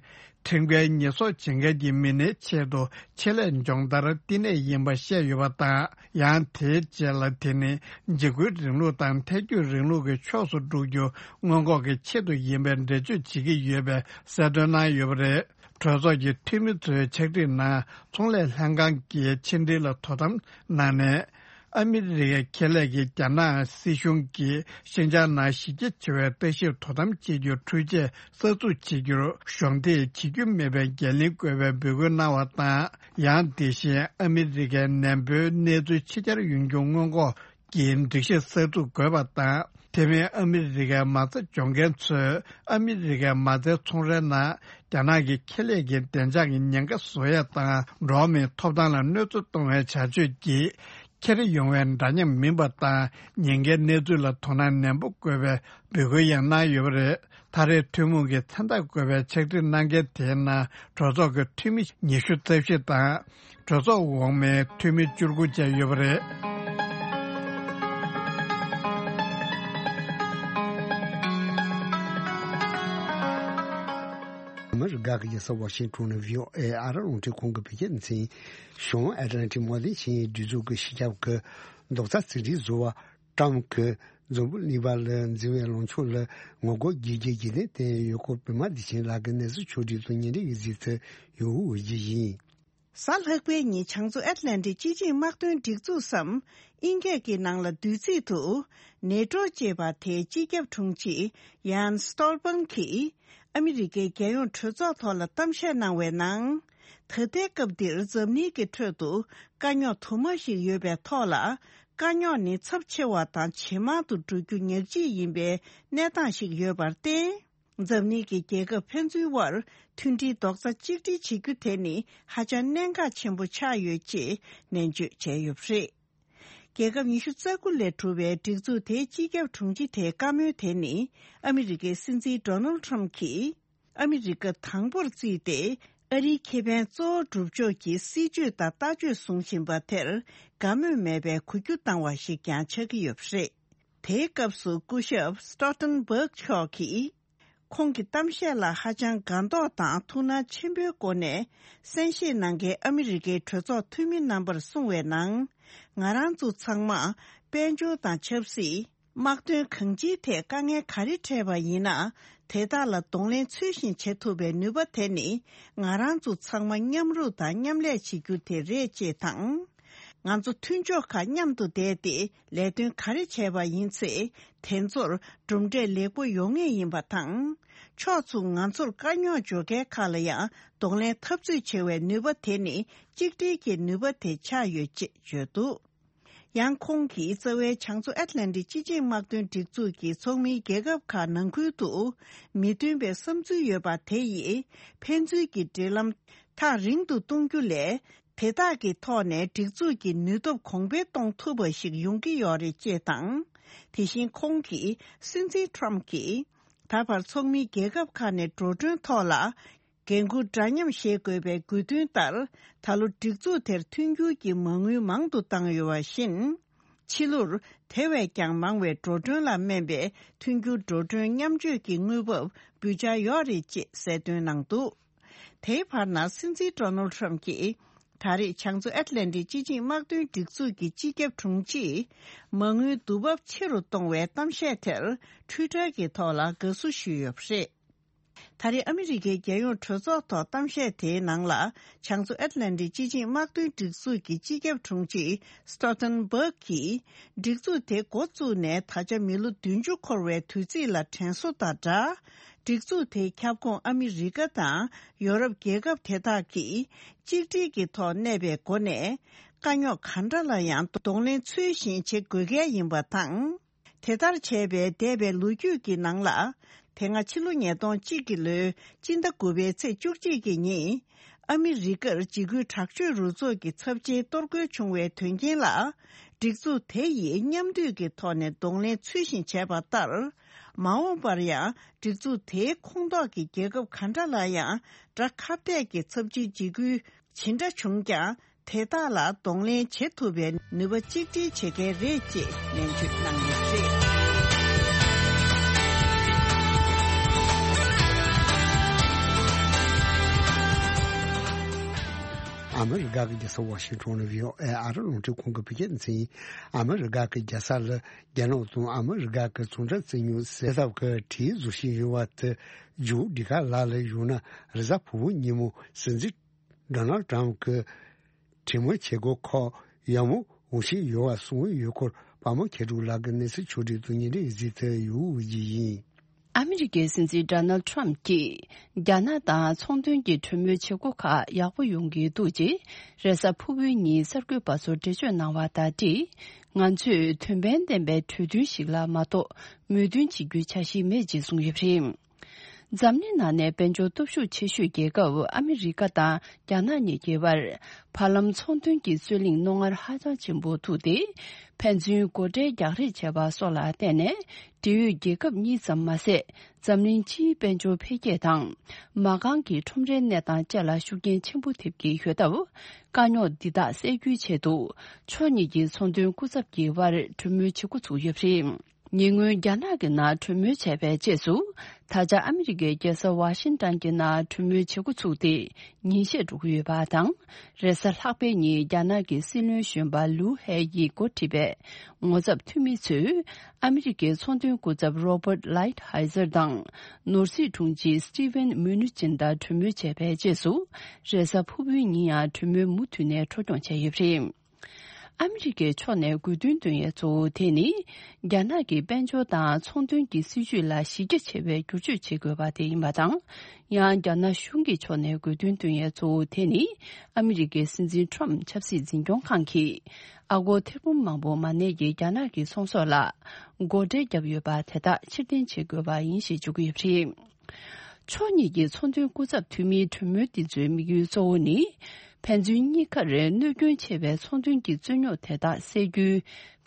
ཁྲིམས་འགལ་ཉེས་གསོག་བྱེད་མཁན་གྱི་མི་སྣའི་ཆེད་དུ་ཆེད་ལས་སྦྱོང་བརྡར་བསྟི་གནས་ཡིན་པ་བཤད་ཡོད་པ་དང་། ཡང་དེའི་རྗེས་ལ་དེ་ནི་འཇིགས་སྐུལ་རིང་ལུགས་དང་ཐལ་འགྱུར་རིང་ལུགས་ཀྱི་ཕྱོགས་སུ་འགྲོ་རྒྱུ་སྔོན་འགོག་གི་ཆེད་དུ་ཡིན་པའི་འགྲེལ་བརྗོད་བྱེད་ཀྱི་ཡོད་པའི་གསལ་སྟོན་གནང་ཡོད་པ་རེད། གྲོས་ཚོགས་ཀྱི་འཐུས་མི་ཚོའི་ཕྱག་བྲིས་ནང་ཚོང་ལས་ལྷན་ཁང་གི་ཕྱི་འབྲེལ་ལ་དོ་དམ་གནང་ནས། ཨ་མི་རི་ཀའི་ཁེ་ལས་ཀྱིས་རྒྱ་ནག་སྲིད་གཞུང་གིས་ཤིན་ཅང་ནང་གཞི་རྒྱ་ཆེ་བའི་ལྟ་ཞིབ་དོ་དམ་བྱེད་རྒྱུར་འཕྲུལ་ཆས་གསར་འཛུགས་བྱེད་རྒྱུར་གཞོགས་འདེགས་བྱེད་རྒྱུ་མེད་པའི་འགན་ལེན་དགོས་པའི་འབོད་སྐུལ་གནང་བ་དང་། ཡང་དེ་བཞིན་ཨ་མི་རི་ཀའི་ནན་པོའི་གནས་ཚུལ་ཕྱི་གྱར་ཡོང་རྒྱུ་སྔོན་འགོག་གི་སྒྲིག་གཞི་གསར་འཛུགས་དགོས་པ་དང་། དེ་མིན་ཨ་མི་རི་ཀའི་མ་རྩ་འཇོག་མཁན་ཚོས་ཨ་མི་རི་ཀའི་མ་རྩའི་ཚོང་རའི་ནང་རྒྱ་ནག་གི་ཁེ་ལས་ཀྱི་བདེ་འཇགས་ཀྱི་ཉེན་ཁ་བཟོ་ཡ་དང་། འགྲོ་བ་མིའི་ཐོབ་ཐང་ལ་གནོད་འཚེ་གཏོང་བའི་བྱ་སྤྱོད་ཀྱིས་འཁྱེར་ཡོང་བའི་འདྲ་མཉམ་མིན་པ་དང་། ཉེན་ཁའི་གནས་ཚུལ་ལ་དོ་སྣང་ནན་པོ་དགོས་པའི་འབོད་སྐུལ་ཡང་གནང་ཡོད་པ་རེད། ད་རེས་ཐུན་མོང་གི་མཚན་རྟགས་བཀོད་པའི་ཕྱག་བྲིས་གནང་མཁན་དེའི་ནང་གྲོས་ཚོགས་ཀྱི་འཐུས་མི་ཉི་ཤུ་རྩ་བཞི་དང་། གྲོས་ཚོགས་འོག་མའི་འཐུས་མི་བཅུ་དགུ་བཅས་ཡོད་པ་རེད། མི་རིགས་དགའ་སྐྱིད་ཀྱི་ས་ཝ་ཤིང་ཊོན་ནས་བྷི་ཨོ་ཨེ་ཨ་རི་རླུང་འཕྲིན་ཁང་གི་བོད་སྐད་སྡེ་ཚན། གཞུང་ཨེ་ཊ་ལན་ཊིག་དམག་དོན་ཆིངས་ཡིག་སྒྲིག་འཛུགས་ཀྱི་སྤྱི་ཁྱབ་ཀྱི་རྡོག་རྩ་གཅིག་སྒྲིལ་བཟོ་བ་ཀྲམ་གྱིས་འཛམ་བུ་གླིང་པ་ལ་འཛིན་པའི་ལངས་ཕྱོགས་ལ་ངོ་རྒོལ་རྒྱས་རྒྱས་ཀྱི་ལན་བསྟན་ཡོད་སྐོར། པད་མ་བདེ་ཆེན་ལགས་ཀྱིས་གནས་ཚུལ་ཕྱོགས་སྒྲིག་དང་སྙན་སྒྲོན་ཡིག་གཟིགས་ཚུལ་ཡོད་འོ་བརྗོད་ཡིན། གཟའ་ལྷག་པའི་ཉིན་བྱང་མཚོ་ཨེཊ་ལན་ཊིག་སྤྱི་ཆིངས་དམག་དོན་སྒྲིག་འཛུགས་སམ་དབྱིན་སྐད་ཀྱི་ནང་ལ་བསྡུས་ཚིག་ཏུ་ནེ་ཊོ་ཅེས་པ་དེའི་སྤྱི་ཁྱབ་དྲུང་ཆེ་ཡཱན་སི་ཊོལ་པང་གིས་ཨ་མི་རི་ཀའི་རྒྱལ་ཡོངས་གྲོས་ཚོགས་ཐོག་ལ་གཏམ་བཤད་གནང་བའི་ནང་། ད་ལྟའི་སྐབས་འདིར་འཛམ་གླིང་གི་ཁྲོད་དུ་དཀའ་རྙོག་དུ་མ་ཞིག་ཡོད་པའི་ཐོག་ལ། དཀའ་རྙོག་ནི་ཚབས་ཆེ་བ་དང་ཇེ་མང་དུ་འགྲོ་རྒྱུ་ཉག་གཅིག་ཡིན་པའི་གནས་སྟངས་ཤིག་ཡོད་པར་བརྟེན། འཛམ་གླིང་གི་རྒྱལ་ཁབ་ཕན་ཚུན་དབར་མཐུན་སྒྲིལ་རྡོག་རྩ་གཅིག་སྒྲིལ་བྱེད་རྒྱུ་དེ་ནི་ཧ་ཅང་གནད་འགག་ཆེན་པོ་ཆགས་ཡོད་ཅེས་ནན་བརྗོད་བྱས་ཡོད་པ་རེད། རྒྱལ་ཁབ་ཉི་ཤུ་རྩ་དགུ་ལས་གྲུབ་པའི་སྒྲིག་འཛུགས་དེའི་སྤྱི་ཁྱབ་དྲུང་ཆེ་དེའི་བཀའ་མོལ་དེ་ནི་ཨ་མི་རི་ཀའི་སྲིད་འཛིན་ཌོ་ནལ་ཊམ་གྱིས་ཨ་མི་རི་ཀ་དང་པོར་བརྩིས་ཏེ་ཨ་རིའི་ཁེ་ཕན་གཙོ་བོར་སྒྲུབ་ཕྱོགས་ཀྱི་སྲིད་བྱུས་དང་ལྟ་སྤྱོད་བཟུང་བཞིན་པ་དེར་དགའ་མོས་མེད་པའི་གུས་བརྒྱུད་བཏང་བ་ཞིག་ཀྱང་ཆགས་ཀྱི་ཡོད་པ་རེད། དེའི་སྐབས་སུ་སྐུ་ཞབས་སི་ཊོལ་ཊེན་བྷག་མཆོག་གིས། ཁོང་གི་གཏམ་བཤད་ལ་ཧ་ཅང་དགའ་མདོག་དང་ཐུགས་སྣང་ཆེན་པོའི་སྒོ་ནས་གསན་བཞེས་གནང་མཁན་ཨ་མི་རི་ཀའི་གྲོས་ཚོགས་འཐུས་མི་རྣམ་པར་གསུངས་པའི་ནང་། ང་རང་ཚོ་ཚང་མ་དཔལ་འབྱོར་དང་ཆབ་སྲིད། དམག་དོན་གང་ཅིའི་ཐད་དཀའ་ངལ་ག་རེ་འཕྲད་པ་ཡིན་ན། དེ་དག་ལ་གདོང་ལེན་ཚུལ་བཞིན་བྱེད་ཐུབ་པའི་ནུས་པ་དེ་ནི་ང་རང་ཚོ་ཚང་མ་མཉམ་རུབ་དང་མཉམ་ལས་བྱེད་རྒྱུ་དེ་རེད་ཅེས་དང་། ང་ཚོ་མཐུན་ཕྱོགས་ཁག་མཉམ་དུ་བསྡད་དེ་ལས་དོན་ག་རེ་བྱས་པ་ཡིན་ཚེ། དེ་ཚོར་གྲུབ་འབྲས་ལེགས་པོ་ཡོང་ངེས་ཡིན་པ་དང་། ཕྱོགས་མཚུངས་ང་ཚོར་དཀའ་རྙོག་འཇོག་མཁན་ཁག་ལ་ཡང་གདོང་ལེན་འཐབ་རྩོད་བྱེད་པའི་ནུས་པ་དེ་ནི་གཅིག་སྒྲིལ་གྱི་ནུས་པ་དེ་ཆགས་ཡོད་ཅེས་བརྗོད་འདུག། ཡང་ཁོང་གིས་རྩ་བའི་བྱང་མཚོ་ཨེཊ་ལན་ཊིག་སྤྱི་ཆིངས་དམག་དོན་སྒྲིག་འཛུགས་ཀྱི་ཚོགས་མིའི་རྒྱལ་ཁབ་ཁག་ནང་ཁུལ་དུ་མི་མཐུན་པའི་བསམ་ཚུལ་ཡོད་པ་དེ་ཡིས་ཕན་ཚུན་གྱི་འབྲེལ་ལམ་ཐག་རིང་དུ་གཏོང་རྒྱུ་ལས། དེ་དག་གི་ཐོག་ནས་སྒྲིག་འཛུགས་ཀྱི་ནུས་སྟོབས་གོང་འཕེལ་གཏོང་ཐུབ་པ་ཞིག་ཡོང་གི་ཡོད་རེད་ཅེས་དང་། དེ་བཞིན་ཁོང་གིས་སྲིད་འཛིན་ཊམ་གྱིས་ད་བར་ཚོགས་མིའི་རྒྱལ་ཁབ་ཁག་ནས་འགྲོ་གྲོན་ཐོག་ལ་འགན་འཁུར་འདྲ་མཉམ་བཞེས་དགོས་པའི་དགོས་འདུན་ལྟར། ད་ལོ་སྒྲིག་འཛུགས་དེར་མཐུན་འགྱུར་གྱི་མ་དངུལ་མང་དུ་བཏང་ཡོད་པ་བཞིན། ཕྱི་ལོར་དེ་བས་ཀྱང་མང་བའི་འགྲོ་གྲོན་ལ་སྨན་པའི་མཐུན་འགྱུར་འགྲོ་གྲོན་མཉམ་སྤྱོད་ཀྱི་དངུལ་འབབ་འབུལ་འཆར་ཡོད་རེད་ཅེས་གསལ་སྟོན་གནང་འདུག། དེའི་བར་ན་སྲིད་འཛིན་ཌོ་ནལ་ཌི་ཊམ་གྱིས་ད་རེས་བྱང་མཚོ་ཨེཊ་ལན་ཊིག་སྤྱི་ཆིངས་དམག་དོན་སྒྲིག་འཛུགས་ཀྱི་སྤྱི་ཁྱབ་དྲུང་ཆེས་མ་དངུལ་བསྡུ་འབབ་ཆེ་རུ་གཏོང་བའི་གཏམ་བཤད་དེར་ཊུའི་ཊར་གྱི་ཐོག་ལ་དགའ་བསུ་ཞུས་ཡོད་པ་རེད། ད་རེས་ཨ་མི་རི་ཀའི་རྒྱལ་ཡོངས་གྲོས་ཚོགས་ཐོག་གཏམ་བཤད་དེའི་ནང་ལ་བྱང་མཚོ་ཨེཊ་ལན་ཊིག་སྤྱི་ཆིངས་དམག་དོན་སྒྲིག་འཛུགས་ཀྱི་སྤྱི་ཁྱབ་དྲུང་ཆེ་སི་ཊོལ་ཊེན་བྷག་གིས་སྒྲིག་འཛུགས་དེ་འགོ་བཙུགས་ནས་ད་ཆ་མི་ལོ་བདུན་ཅུ་འཁོར་བའི་དུས་ཚིགས་ལ་དྲན་གསོ་དང་སྦྲགས། སྒྲིག་འཛུགས་དེའི་ཁྱབ་ཁོངས་ཨ་མི་རི་ཀ་དང་ཡོ་རོབ་རྒྱལ་ཁབ་དེ་དག་གིས་གཅིག་སྒྲིལ་གྱི་ཐོག་གནས་པའི་སྒོ་ནས་དཀའ་རྙོག་ག་འདྲ་ལ་ཡང་གདོང་ལེན་ཚུལ་བཞིན་བྱེད་དགོས་གལ་ཡིན་པ་དང་། དེ་ལྟར་བྱས་པས་འདས་པའི་ལོ་རྒྱུས་ཀྱི་ནང་ལ། དེ་སྔ་ཕྱི་ལོ་ཉིས་སྟོང་གཅིག་གི་ལོའི་སྤྱི་ཟླ་དགུ་པའི་ཚེས་བཅུ་གཅིག་གི་ཉིན། ཨ་མི་རི་ཀར་འཇིགས་སྐུལ་དྲག་སྤྱོད་རུ་ཚོགས་ཀྱི་ཚབས་ཆེའི་གཏོར་རྒོལ་བྱུང་བའི་དོན་རྐྱེན་ལ། སྒྲིག་འཛུགས་དེ་ཡིས་མཉམ་འདུས་ཀྱི་ཐོག་ནས་གདོང་ལེན་ཚུལ་བཞིན་བྱས་པ་ལྟར། མ་འོངས་པར་ཡང་སྒྲིག་འཛུགས་དེའི་ཁོངས་གཏོགས་ཀྱི་རྒྱལ་ཁབ་ག་འདྲ་ལ་ཡང་དགྲ་ཁ་གཏད་ཀྱི་ཚབས་ཆེའི་འཇིགས་སྐུལ་ཇི་འདྲ་བྱུང་ཀྱང་། དེ་དག་ལ་གདོང་ལེན་བྱེད་ཐུབ་པའི་ནུས་པ་གཅིག་སྒྲིལ་བྱེད་མཁན་རེད་ཅེས་ནན་བརྗོད་གནང་ཡོད་པ་རེད། ཨ་མི་རི་ཀ་གི་རྒྱལ་ས་ཝ་ཤིང་ཊོན་ནས་བྷི་ཨོ་ཨེ་ཨ་རི་རླུང་འཕྲིན་ཁང་གི་བོད་སྐད་སྡེ་ཚན་ཡིན། ཨ་མི་རི་ཀ་གི་རྒྱལ་ས་ལ་རྒྱ་ནག་དང་ཨ་མི་རི་ཀ་གི་ཚོང་འབྲེལ་བཙན་ཉུང་སེལ་ཐབས་ཀྱི་གྲོས་བཟོ་བཞིན་ཡོད་པ་དེ་མཇུག་སྒྲིལ་ག་ལ་ལ་ཡོང་ན། རེས་གཟའ་ཕུར་བུ་ཉིན་མོ་སྲིད་འཛིན་ཌོ་ནལ་ཊམ་གྱིས་གྲོས་མོལ་བྱེད་སྒོ་ཁག་ཡག་མོ་འོང་བཞིན་ཡོད་པ་གསུངས་ཡོད་སྐོར་དཔལ་མོ་མཁས་གྲུབ་ལགས་ཀྱིས་གནས་ཚུལ་ཕྱོགས་སྒྲིག་ཏུ་ཉིན་རེའི་གཟིགས་ཏེ་ཡོད་པ་ཞིག་ཡིན། ཨ་མི་རི་ཀའི་སྲིད་འཛིན་ཌོ་ནལ་ཊམ་གྱིས་རྒྱ་ནག་དང་ཚོང་དོན་གྱི་གྲོས་མོལ་བྱེད་སྒོ་ཁག་ཡག་པོ་ཡོང་གི་འདུག་ཅེས་རེས་གཟའ་ཕུར་བུའི་ཉིན་གསར་འགོད་པ་ཚོར་འགྲེལ་བརྗོད་གནང་བ་དང་འབྲེལ། ང་ཚོས་དོན་ཕན་ལྡན་པའི་གྲོས་མཐུན་ཞིག་ལ་མ་གཏོགས་མོས་མཐུན་བྱེད་རྒྱུའི་འཆར་གཞི་མེད་ཅེས་གསུངས་ཡོད་པ་རེད། འཛམ་གླིང་ནང་ནས་དཔལ་འབྱོར་སྟོབས་ཤུགས་ཆེ་ཤོས་རྒྱལ་ཁབ་ཨ་མི་རི་ཀ་དང་རྒྱ་ནག་གཉིས་ཀྱི་བར་བར་ལམ་ཚོང་དོན་གྱི་རྩོད་གླེང་རྣོ་ངར་ཧ་ཅང་ཆེན་པོ་ཐུག་སྟེ། ཕན་ཚུན་སྒོ་ཁྲལ་རྒྱག་རེས་བྱས་པ་སོགས་ལ་བརྟེན་ནས། འབྲེལ་ཡོད་རྒྱལ་ཁབ་གཉིས་ཙམ་མ་ཟད། འཛམ་གླིང་སྤྱིའི་དཔལ་འབྱོར་འཕེལ་རྒྱས་དང་། མ་རྐང་གི་ཁྲོམ་རའི་གནས་སྟངས་བཅས་ལ་ཤུགས་རྐྱེན་ཆེན་པོ་ཐེབས་ཀྱི་ཡོད་སྟབས། དཀའ་རྙོག་འདི་དག་སེལ་རྒྱུའི་ཆེད་དུ། ཕྱོགས་གཉིས་ཀྱི་ཚོང་དོན་སྐུ་ཚབ་ཀྱི་དབར་གྲོས་མོལ་བྱེད་འགོ་ཚུགས་ཡོད་པ་རེད། ཉེ་སྔོན་རྒྱ་ནག་གི་ནང་གྲོས་མོལ་བྱས་པའི་རྗེས་སུ། ད་ཆ་ཨ་མི་རི་ཀའི་རྒྱལ་ས་ཝ་ཤིང་ཏན་གྱི་ནང་གྲོས་མོལ་བྱེད་འགོ་ཚུགས་ཏེ་ཉིན་ཤས་འགྲོ་གི་ཡོད་པ་དང་། རེས་གཟའ་ལྷག་པའི་ཉིན་རྒྱ་ནག་གི་སྲིད་བློན་གཞོན་པ་ལུའུ་ཧེ་ཡིས་འགོ་ཁྲིད་པའི་ངོ་ཚབ་འཐུས་མི་ཚོས་ཨ་མི་རི་ཀའི་ཚོང་དོན་སྐུ་ཚབ་རོ་བར་ལའིཊ་ཧའི་ཛར་དང་ནོར་སྲིད་དྲུང་ཆེ་སི་ཊི་ཝེན་མུ་ནུ་ཅིན་དང་གྲོས་མོལ་བྱས་པའི་རྗེས་སུ། རེས་གཟའ་ཕུར་བུའི་ཉིན་ཡང་གྲོས་མོལ་མུ་མཐུད་ནས་འཕྲོ་སྐྱོང་བྱས་ཡོད་པ་རེད། ཨ་མི་རི་ཀའི་ཕྱོགས་ནས་དགོས་འདུན་འདོན་ཡས་གཙོ་བོ་དེ་ནི། རྒྱ་ནག་གི་དཔལ་འབྱོར་དང་ཚོང་དོན་གྱི་སྲིད་ཇུས་ལ་གཞི་རྒྱ་ཆེ་བའི་བསྒྱུར་བཅོས་བྱེད་དགོས་པ་དེ་ཡིན་པ་དང་། ཡང་རྒྱ་ནག་གཞུང་གི་ཕྱོགས་ནས་དགོས་འདུན་འདོན་ཡས་གཙོ་བོ་དེ་ནི། ཨ་མི་རི་ཀའི་སྲིད་འཛིན་ཊམ་ཆབ་སྲིད་འཛིན་སྐྱོང་ཁང་གིས། ཨ་སྒོར་ཐེར་འབུམ་མང་པོ་མ་གནས་ཀྱི་རྒྱ་ནག་གི་ཚོང་ཟོག་ལ། སྒོ་ཁྲལ་བརྒྱབ་ཡོད་པ་དེ་དག་ཕྱིར་འཐེན་བྱེད་དགོས་པ་ཡིན་ཞེས་བརྗོད་ཀྱི་ཡོད་པ་རེད། ཕྱོགས་གཉིས་ཀྱི་ཚོང་དོན་སྐུ་ཚབ་འཐུས་མིའི་གྲོས་མོལ་འདི་ཚོའི་དམིགས་ཡུལ་གཙོ་བོ་ནི། ཕན་ཚུན་གཉིས་ཀར་གནོད་སྐྱོན་ཆེ་བའི་ཚོང་དོན་གྱི་རྩོད་རྙོག་དེ་དག་སེལ་རྒྱུའི་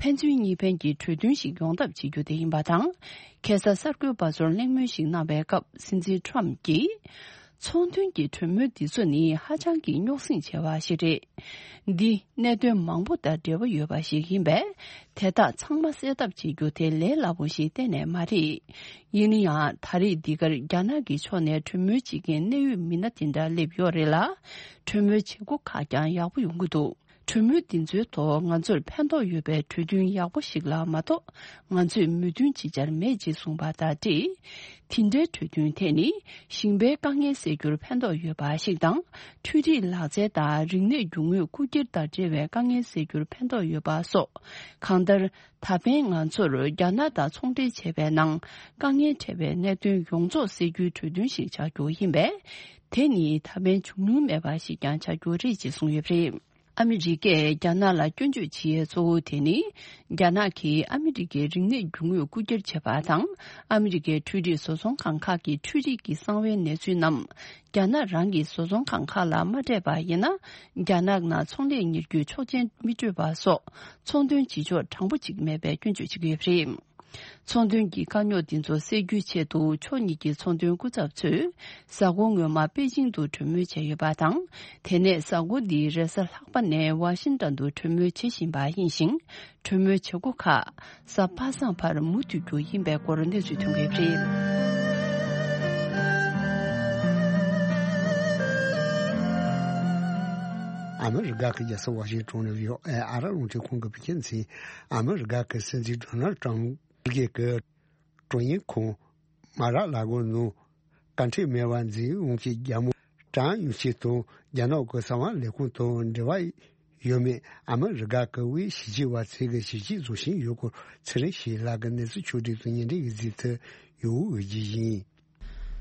ཕན་ཚུན་གཉིས་ཕན་གྱི་གྲོས་མཐུན་ཞིག་ཡོང་ཐབས་བྱེད་རྒྱུ་དེ་ཡིན་པ་དང་། ཁ་སང་གསར་འགོད་པ་ཚོར་གླེང་མོལ་ཞིག་གནང་བའི་སྐབས་སྲིད་འཛིན་ཊམ་གྱིས། ཚོང་དོན་གྱི་གྲོས་མོལ་འདི་ཚོ་ནི་ཧ་ཅང་གི་རྙོག་ཟིང་ཆེ་བ་ཞིག་རེད། འདི་གནད་དོན་མང་པོ་དང་འབྲེལ་བ་ཡོད་པ་ཞིག་ཡིན་པས། དེ་དག་ཚང་མ་སེལ་ཐབས་བྱེད་རྒྱུ་དེ་ལས་སླ་པོ་ཞིག་གཏན་ནས་མ་རེད། ཡིན་ན་ཡང་ད་རེས་འདི་གར་རྒྱ་ནག་གི་ཕྱོགས་ནས་གྲོས་མོལ་བྱེད་མཁན་གནད་ཡོད་མི་སྣ་དེ་འདྲ་སླེབས་ཡོད་རེད་ལ། གྲོས་མོལ་བྱེད་སྒོ་ཁག་ཀྱང་ཡག་པོ་ཡོང་གི་འདུག། གྲོས་མོལ་འདི་ཚོའི་ཐོག་ང་ཚོར་ཕན་ཐོགས་ཡོད་པའི་གྲོས་མཐུན་ཡག་པོ་ཞིག་ལ་མ་གཏོགས། ང་ཚོས་མོས་མཐུན་ཅི་བྱར་མེད་ཅེས་གསུངས་པ་དང་འབྲེལ། དེ་འདྲའི་གྲོས་མཐུན་དེ་ནི་ཞིང་པའི་དཀའ་ངལ་སེལ་རྒྱུར་ཕན་ཐོགས་ཡོད་པ་ཞིག་དང་། འཕྲུལ་རིག་ལག་རྩལ་དང་རིག་གནས་རྒྱུ་དངོས་རྐུ་འཁྱེར་དང་འབྲེལ་བའི་དཀའ་ངལ་སེལ་རྒྱུར་ཕན་ཐོགས་ཡོད་པ་སོགས། གང་ལྟར། ད་ཕན་ང་ཚོར་རྒྱ་ནག་དང་ཚོང་འབྲེལ་བྱས་པའི་ནང་དཀའ་ངལ་འཕྲད་པའི་གནད་དོན་ཡོངས་རྫོགས་སེལ་རྒྱུའི་གྲོས་མཐུན་ཞིག་ཆགས་རྒྱུ་ཡིན་པས། དེ་ནི་ད་ཕན་འབྱུང་མྱོང་མེད་པ་ཞིག་ཀྱང་ཆགས་རྒྱུ་རེད་ཅེས་གསུངས་ཡོད་པ་རེད། ཨ་མི་རི་ཀས་རྒྱ་ནག་ལ་སྐྱོན་བརྗོད་བྱེད་ཡས་གཙོ་བོ་དེ་ནི། རྒྱ་ནག་གིས་ཨ་མི་རི་ཀའི་རིག་གནས་རྒྱུ་དངོས་རྐུ་འཁྱེར་བྱས་པ་དང་། ཨ་མི་རི་ཀའི་འཕྲུལ་རིག་བཟོ་ཚོང་ཁང་ཁག་གི་འཕྲུལ་རིག་གི་གསང་བའི་གནས་ཚུལ་རྣམས། རྒྱ་ནག་རང་གི་བཟོ་ཚོང་ཁང་ཁག་ལ་མ་སྤྲད་པ་ཡིན་ན། རྒྱ་ནག་ནང་ཚོང་ལས་གཉེར་རྒྱུའི་ཆོག་མཆན་མི་སྤྲོད་པ་སོགས། ཚོང་དོན་བྱེད་ཕྱོགས་དྲང་པོ་གཅིག་མེད་པའི་སྐྱོན་བརྗོད་བྱེད་ཀྱི་ཡོད་པ་རེད། ཚོང་དོན་གྱི་དཀའ་རྙོག་འདི་ཚོ་སེལ་རྒྱུའི་ཆེད་དུ་ཕྱོགས་གཉིས་ཀྱི་ཚོང་དོན་སྐུ་ཚབ་ཚོས་གཟའ་འཁོར་སྔོན་མ་པེ་ཅིང་དུ་གྲོས་མོལ་བྱས་ཡོད་པ་དང་། དེ་ནས་གཟའ་འཁོར་འདིའི་རེས་གཟའ་ལྷག་པ་ནས་ཝ་ཤིང་ཏོན་དུ་གྲོས་མོལ་བྱེད་བཞིན་པ་ཡིན་ཞིང་། གྲོས་མོལ་བྱེད་སྒོ་ཁག་གཟའ་པ་སངས་བར་མུ་མཐུད་རྒྱུ་ཡིན་པའི་སྐོར་གནས་ཚུལ་ཐོན་གྱི་ཡོད་པ་རེད། ཨ་མི་རི་ཀ་གི་རྒྱལ་ས་ཝ་ཤིང་ཏོན་ནས་ཡོད་ཨ་ར་རླུང་འཕྲིན་ཁང་གི་བོད་སྐད་མཚན། ཨ་མི་རི་ཀ་གི་སྲིད་འཛིན་ཌོ་ནལ་ཏྲམ་ཕུད་རྒྱལ་གྱི་ཀྲུང་དབྱང་ཁོངས་མ་ར་ལ་གོ་ནང་བཀའ་ཁྲིམས་མེད་པར་འཛིན་ཡོང་གི་རྒྱ་མོ་ཀྲང་ཡུང་ཆིན་དང་རྒྱ་ནག་གི་གསང་བ་ལས་ཁུངས་དང་འབྲེལ་བ་ཡོད་མེད་ཨ་མི་རི་ཀ་གི་དབུས་ཞི་བདེ་བ་ཚོས་གི་ཞིབ་དཔྱད་བཟོ་བཞིན་ཡོད་སྐོར་ཚེ་རིང་ཞིག་ལགས་ཀྱི་གནས་ཚུལ་ཕྱོགས་སྒྲིག་དང་ཉིན་རེ་ཡི་གཟིགས་ཚུལ་ཡོད་འོས་ཀྱི་ཡིན།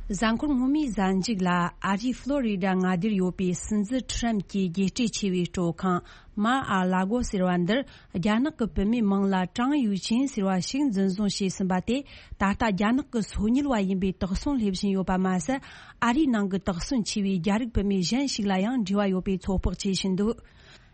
གཟའ་འཁོར་སྔོན་མའི་གཟའ་མཇུག་ལ་ཨ་རིའི་ཕློ་རི་ཌ་མངའ་སྡེར་ཡོད་པའི་སྲིད་འཛིན་ཁྲི་རམ་གྱི་རྒྱལ་སྤྱིའི་ཆེ་བའི་སྤྲོ་ཁང་མ་ཨ་ལ་གོ་ཟེར་བ་འདིར། རྒྱ་ནག་གི་བུད་མེད་མིང་ལ་ཀྲང་ཡུའུ་ཅིན་ཟེར་བ་ཞིག་འཛིན་བཟུང་བྱས་ཟིན་པ་དེ། ད་ལྟ་རྒྱ་ནག་གི་སོ་ཉུལ་བ་ཡིན་པའི་དོགས་ཟོན་སླེབས་བཞིན་ཡོད་པ་མ་ཟད། ཨ་རིའི་ནང་གི་དོགས་ཟོན་ཆེ་བའི་རྒྱ་རིགས་བུད་མེད་གཞན་ཞིག་ལ་ཡང་འབྲེལ་བ་ཡོད་པའི་ཚོད་དཔག་བྱེད་བཞིན་འདུག་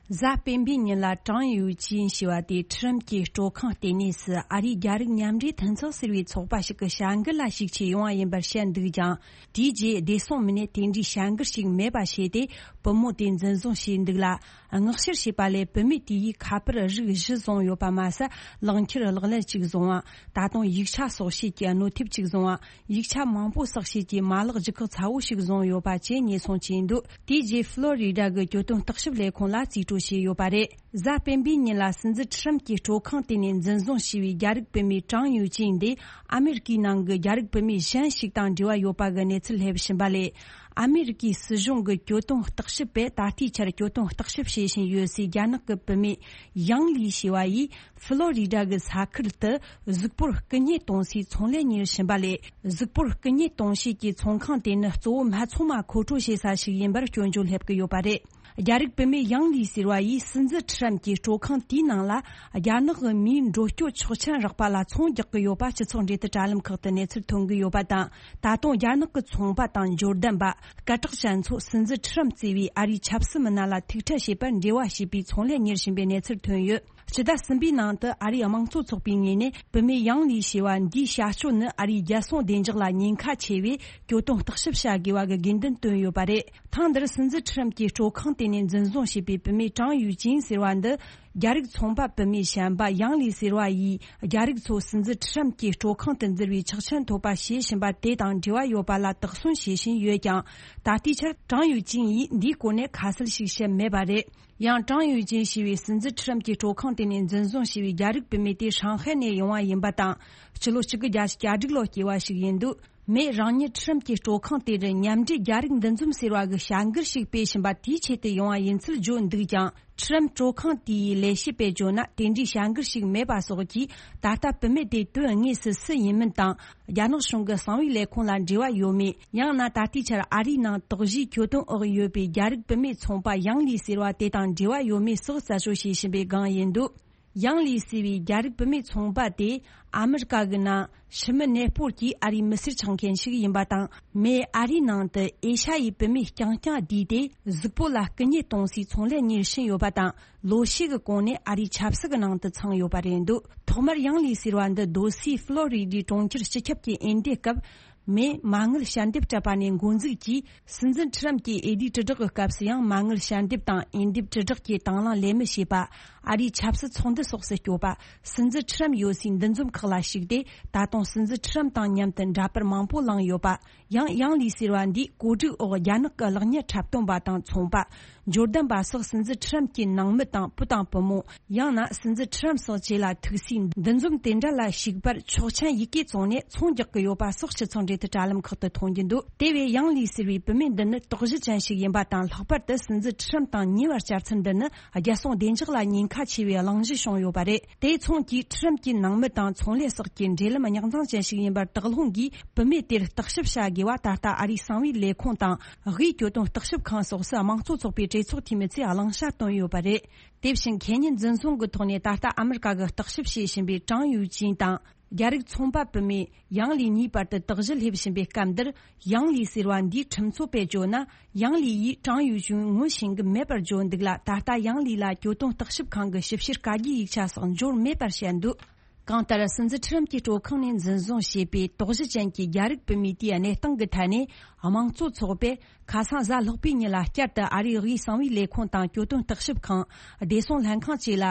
གཟའ་སྤེན་པའི་ཉིན་ལ་ཀྲང་ཡུའུ་ཅིན་ཞེས་པ་དེ་ཁྲི་རམ་གྱི་སྤྲོ་ཁང་ལྟེ་གནས་སུ་ཨ་རིའི་རྒྱ་རིགས་མཉམ་འབྲེལ་མཐུན་ཚོགས་ཟེར་བའི་ཚོགས་པ་ཞིག་གི་བྱ་འགུལ་ལ་ཞུགས་ཆེད་ཡོང་བ་ཡིན་པར་བཤད་འདུག་ཀྱང་། དེའི་རྗེས་བདེ་སྲུང་མི་སྣས་དེ་འདྲའི་བྱ་འགུལ་ཞིག་མེད་པ་བྱས་ཏེ། བུ་མོ་དེ་འཛིན་བཟུང་བྱས་འདུག་ལ། མངགས་བཤེར་བྱས་པ་ལས་བུད་མེད་དེ་ཡིས་ཁ་པར་རིགས་བཞི་བཟུང་ཡོད་པ་མ་ཟད། ལག་འཁྱེར་ཀློག་ཀླད་གཅིག་བཟུང་བ། ད་དུང་ཡིག་ཆ་སོགས་བྱེད་ཀྱི་གནོད་ཐེབས་གཅིག་བཟུང་བ། ཡིག་ཆ་མང་པོ་བསགས་བྱེད་ཀྱི་མ་ལག་ལྗིད་ཁོག་ཚ་བོ་ཞིག་བཟུང་ཡོད་པ་བཅས་ཉེས་སོང་བྱས་འདུག་དེའི་རྗེས་ཕློ་རི་ཌ་གི་གྱོད་དོན་བརྟག་ཞིབ་ལས་ཁུངས་ལ་རྩིས་སྤྲོད་བྱས་ཡོད་པ་རེད། གཟའ་སྤེན་པའི་ཉིན་ལ་སྲིད་འཛིན་ཁྲི་རམ་གྱི་སྤྲོ་ཁང་དེ་ནས་འཛིན་བཟུང་བྱས་པའི་རྒྱ་རིགས་བུད་མེད་ཀྲང་ཡུའུ་ཅིན་དེ་ཨ་མེ་རི་ཀའི་ནང་གི་རྒྱ་རིགས་བུད་མེད་གཞན་ཞིག་དང་འབྲེལ་བ་ཡོད་པ་གི་གནས་ཚུལ་སླེབས་བཞིན་པ་ལས། ཨ་མེ་རི་ཀའི་སྲིད་གཞུང་གི་གྱོད་དོན་བརྟག་ཞིབ་པས་ད་ལྟའི་ཆར་གྱོད་དོན་བརྟག་ཞིབ་བྱེད་བཞིན་ཡོད་སའི་རྒྱ་ནག་གི་བུད་མེད་ཡང་ལི་ཞེས་པ་ཡིས་ཕི་ལོ་རི་ཌ་གི་ས་ཁུལ་དུ་གཟུགས་པོར་རྐུ་མཉེས་གཏོང་སའི་ཚོང་ལས་གཉེར་བཞིན་པ་ལས། གཟུགས་པོར་རྐུ་མཉེས་གཏོང་བྱེད་ཀྱི་ཚོང་ཁང་དེ་ནི་གཙོ་བོ་སྨད་འཚོང་མ་མཁོ་སྤྲོད་བྱེད་ས་ཞིག་ཡིན་པར་སྐྱོན་བརྗོད་སླེབས་ཀྱི་ཡོད་པ་རེད། རྒྱ་རིགས་བུད་མེད་ཡང་ལི་ཟེར་བ་ཡིས་སྲིད་འཛིན་ཁྲི་རམ་གྱི་སྤྲོ་ཁང་དེའི་ནང་ལ་རྒྱ་ནག་གི་མིའི་འགྲོ་སྐྱོད་ཆོག་མཆན་རག་པ་ལ་ཚོང་རྒྱག་གི་ཡོད་པ་སྤྱི་ཚོགས་འབྲེལ་མཐུད་དྲ་ལམ་ཁག་ཏུ་གནས་ཚུལ་ཐོན་གྱི་ཡོད་པ་དང་། ད་དུང་རྒྱ་ནག་གི་ཚོང་པ་དང་འབྱོར་ལྡན་པ། སྐད་གྲགས་ཅན་ཚོ་སྲིད་འཛིན་ཁྲི་རམ་གཙོས་པའི་ཨ་རིའི་ཆབ་སྲིད་མི་སྣ་ལ་ཐུག་འཕྲད་བྱེད་པར་འབྲེལ་བ་བྱས་པའི་ཚོང་ལས་གཉེར་བཞིན་པའི་གནས་ཚུལ་ཐོན་ཡོད། ཕྱི་ཟླ་གསུམ་པའི་ནང་དུ་ཨ་རིའི་དམངས་གཙོ་ཚོགས་པའི་ངོས་ནས་བུད་མེད་ཡང་ལི་ཞེས་པ་འདིའི་བྱ་སྤྱོད་ནི་ཨ་རིའི་རྒྱལ་སྲུང་བདེ་འཇགས་ལ་ཉེན་ཁ་ཆེ་བས་གྱོད་དོན་བརྟག་ཞིབ་བྱ་དགོས་པ་གི་དགོས་འདུན་བཏོན་ཡོད་པ་རེད། ཐེངས་འདིར་སྲིད་འཛིན་ཁྲི་རམ་གྱི་སྤྲོ་ཁང་དེ་ནས་འཛིན་བཟུང་བྱས་པའི་བུད་མེད་ཀྲང་ཡུའུ་ཅིན་ཟེར་བ་འདི། རྒྱ་རིགས་ཚོང་པ་བུད་མེད་གཞན་པ་ཡང་ལི་ཟེར་བ་ཡིས་རྒྱ་རིགས་ཚོ་སྲིད་འཛིན་ཁྲི་རམ་གྱི་སྤྲོ་ཁང་དུ་འཛུལ་བའི་ཆོག་མཆན་ཐོབ་པ་བྱེད་བཞིན་པ་དེ་དང་འབྲེལ་བ་ཡོད་པ་ལ་དོགས་ཟོན་བྱེད་བཞིན་ཡོད་ཀྱང་། ད་ལྟའི་ཆར་ཀྲང་ཡུའུ་ཅིན་ཡིས་འདིའི་སྐོར་ནས་ཁ་གསལ་ཞིག་བཤད་མེད་པ་རེད། ཡང་ཀྲང་ཡུའུ་ཅིན་ཞེས་པའི་སྲིད་འཛིན་ཁྲི་རམ་གྱི་སྤྲོ་ཁང་དེ་ནས་འཛིན་བཟུང་བྱས་པའི་རྒྱ་རིགས་བུད་མེད་དེ་ཧྲང་ཧའེ་ནས་ཡོང་བ་ཡིན་པ་དང་། སྤྱི་ལོ་གཅིག་དགུ་བརྒྱད་ཅུ་གྱ་དྲུག་ལོར་སྐྱེས་པ་ཞིག་ཡིན་འདུག་མས་རང་ཉིད་ཁྲི་རམ་གྱི་སྤྲོ་ཁང་དེ་རུ་མཉམ་འབྲེལ་རྒྱ་རིགས་འདུ་འཛོམས་ཟེར་བ་གི་བྱ་འགུལ་ཞིག་སྤེལ་བཞིན་པ་དེའི་ཆེད་དུ་ཡོང་བ་ཡིན་ཚུལ་བརྗོད་འདུག་ཀྱང་། ཁྲི་རམ་སྤྲོ་ཁང་དེའི་ལས་བྱེད་པས་བརྗོད་ན། དེ་འདྲའི་བྱ་འགུལ་ཞིག་མེད་པ་སོགས་ཀྱིས། ད་ལྟ་བུད་མེད་དེ་དོན་དངོས་སུ་སུ་ཡིན་མིན་དང་། རྒྱ་ནག་གཞུང་གི་གསང་བའི་ལས་ཁུངས་ལ་འབྲེལ་བ་ཡོད་མེད། ཡང་ན་ད་ལྟའི་ཆར་ཨ་རིའི་ནང་དོགས་གཞིའི་གྱོད་དོན་འོག་ཡོད་པའི་རྒྱ་རིགས་བུད་མེད་ཚོང་པ་ཡང་ལི་ཟེར་བ་དེ་དང་འབྲེལ་བ་ཡོད་མེད་སོགས་རྩད་གཅོད་བྱེད་བཞིན་པའི་སྒང་ཡིན་འདུག་ཡང་ལི་ཟེར་བའི་རྒྱ་རིགས་བུད་མེད་ཚོང་པ་དེ་ཨ་མི་རི་ཀ་གི་ནང་ཕྱི་མི་གནས་སྤོར་གྱིས་ཨ་རིའི་མི་སེར་ཆགས་མཁན་ཞིག་ཡིན་པ་དང་། མས་ཨ་རིའི་ནང་དུ་ཨེ་ཤ་ཡའི་བུད་མེད་རྐྱང་རྐྱང་བསྡུས་ཏེ་གཟུགས་པོ་ལ་རྐུ་མཉེས་གཏོང་སའི་ཚོང་ལས་གཉེར་བཞིན་ཡོད་པ་དང་། ལོ་ཤས་ཀྱི་གོང་ནས་ཨ་རིའི་ཆབ་སྲིད་ཀྱི་ནང་དུ་ཚང་ཡོད་པ་རེད་འདུག་ཐོག་མར་ཡང་ལི་ཟེར་བ་འདི་སྡོད་སའི་ཕློ་རི་ཌའི་གྲོང་ཁྱེར་སྤྱི་ཁྱབ་ཀྱི་འོས་འདེམས་སྐབས། མས་མ་དངུལ་ཞལ་འདེབས་སྤྲད་པ་ནས་འགོ་འཛུགས་ཀྱིས། སྲིད་འཛིན་ཁྲི་རམ་གྱི་འོས་བསྡུའི་དྲིལ་བསྒྲགས་ཀྱི་སྐབས་སུ་ཡང་མ་དངུལ་ཞལ་འདེབས་དང་འོས་འདེམས་དྲིལ་བསྒྲགས་ཀྱི་དང་བླངས་ལས་མི་བྱེད་པ། ཨ་རིའི་ཆབ་སྲིད་ཚོགས་འདུ་སོགས་སུ་སྐྱོད་པ། སྲིད་འཛིན་ཁྲི་རམ་ཡོད་སའི་འདུ་འཛོམས་ཁག་ལ་ཞུགས་ཏེ། ད་དུང་སྲིད་འཛིན་ཁྲི་རམ་དང་མཉམ་དུ་འདྲ་པར་མང་པོ་བླངས་ཡོད་པ། ཡང་ཡང་ལི་ཟེར་བ་འདིས་གོ་སྒྲིག་འོག་རྒྱ་ནག་གི་གློག་བརྙན་འཁྲབ་སྟོན་པ་དང་ཚོང་པ། འབྱོར་ལྡན་པ་སོགས་སྲིད་འཛིན་ཁྲི་རམ་གྱི་ནང་མི་དང་བུ་དང་བུ་མོ། ཡང་ན་སྲིད་འཛིན་ཁྲི་རམ་སོགས་བཅས་ལ་ཐུག་སའི་འདུ་འཛོམས་དེ་འདྲ་ལ་ཞུགས་པར་ཆོག་མཆན་ཡི་གེ་བཙོངས་ནས་ཚོང་རྒྱག་གི་ཡོད་པ་སོགས་སྤྱི་ཚོགས་འབྲེལ་མཐུད་དྲ་ལམ་ཁག་ཏུ་མཐོང་རྒྱུ་འདུག་དེ་བས་ཡང་ལི་ཟེར་བའི་བུད་མེད་འདི་ནི་དོགས་གཞི་ཅན་ཞིག་ཡིན་པ་དང་། ལྷག་པར་དུ་སྲིད་འཛིན་ཁྲི་རམ་དང་ཉེ་བར་བཅར་ཚུལ་འདི་ནི་རྒྱལ་སྲུང་བདེ་འཇགས་ལ་ཉེན་ཁ་ཆེ་བའི་གླེང་གཞི་བྱུང་ཡོད་པ་རེད། དེ་མཚུངས་ཀྱིས་ཁྲི་རམ་གྱི་ནང་མི་དང་ཚོང་ལས་སོགས་ཀྱི་འབྲེལ་ལམ་རྙོག་འཛིང་ཅན་ཞིག་ཡིན་པར་དོགས་སློང་གིས་བུད་མེད་དེར་བརྟག་ཞིབ་བྱ་དགོས་པ། ད་ལྟ་ཨ་རིའི་གསང་བའི་ལས་ཁུངས་དང་། དབུས་གྱོད་དོན་བརྟག་ཞིབ་ཁང་སོགས་སུ་དམངས་གཙོ་ཚོགས་པའི་གྲོས་ཚོགས་འཐུས་མི་ཚོས་གླེང་བྱ་བཏོན་ཡོད་པ་རེད། དེ་བཞིན་ཁེ་ཉིན་འཛིན་བཟུང་གི་ཐོག་ནས་ད་ལྟ་ཨ་མི་རི་ཀ་གི་བརྟག་ཞིབ་བྱེད་བཞིན་པའི་ཀྲང་ཡུའུ་ཅིན་དང་། རྒྱ་རིགས་ཚོང་པ་བུད་མེད་ཡང་ལི་གཉིས་བར་དུ་དོགས་གཞི་སླེབས་བཞིན་པའི་སྐབས་འདིར། ཡང་ལི་ཟེར་བ་འདིའི་ཁྲིམས་རྩོད་པས་བརྗོད་ན། ཡང་ལི་ཡིས་ཀྲང་ཡུའུ་ཅིན་ངོ་ཤེས་ཀྱི་མེད་པར་བརྗོད་འདུག་ལ། ད་ལྟ་ཡང་ལི་ལ་གྱོད་དོན་བརྟག་ཞིབ་ཁང་གི་ཞིབ་བཤེར་བཀའ་རྒྱའི་ཡིག་ཆ་སོགས་འབྱོར་མེད་པར་བཤད་འདུག་གང་ལྟར། སྲིད་འཛིན་ཁྲི་རམ་གྱི་སྤྲོ་ཁང་ནས་འཛིན་བཟུང་བྱས་པའི་དོགས་གཞི་ཅན་གྱི་རྒྱ་རིགས་བུད་མེད་དེའི་གནས་སྟངས་ཀྱི་ཐད་ནས། དམངས་གཙོ་ཚོགས་པས་ཁ་སང་གཟའ་ལྷག་པའི་ཉིན་ལ་བསྐྱར་དུ་ཨ་རིའི་དབུས་གསང་བའི་ལས་ཁུངས་དང་། གྱོད་དོན་བརྟག་ཞིབ་ཁང་། བདེ་སྲུང་ལྷན་ཁང་བཅས་ལ།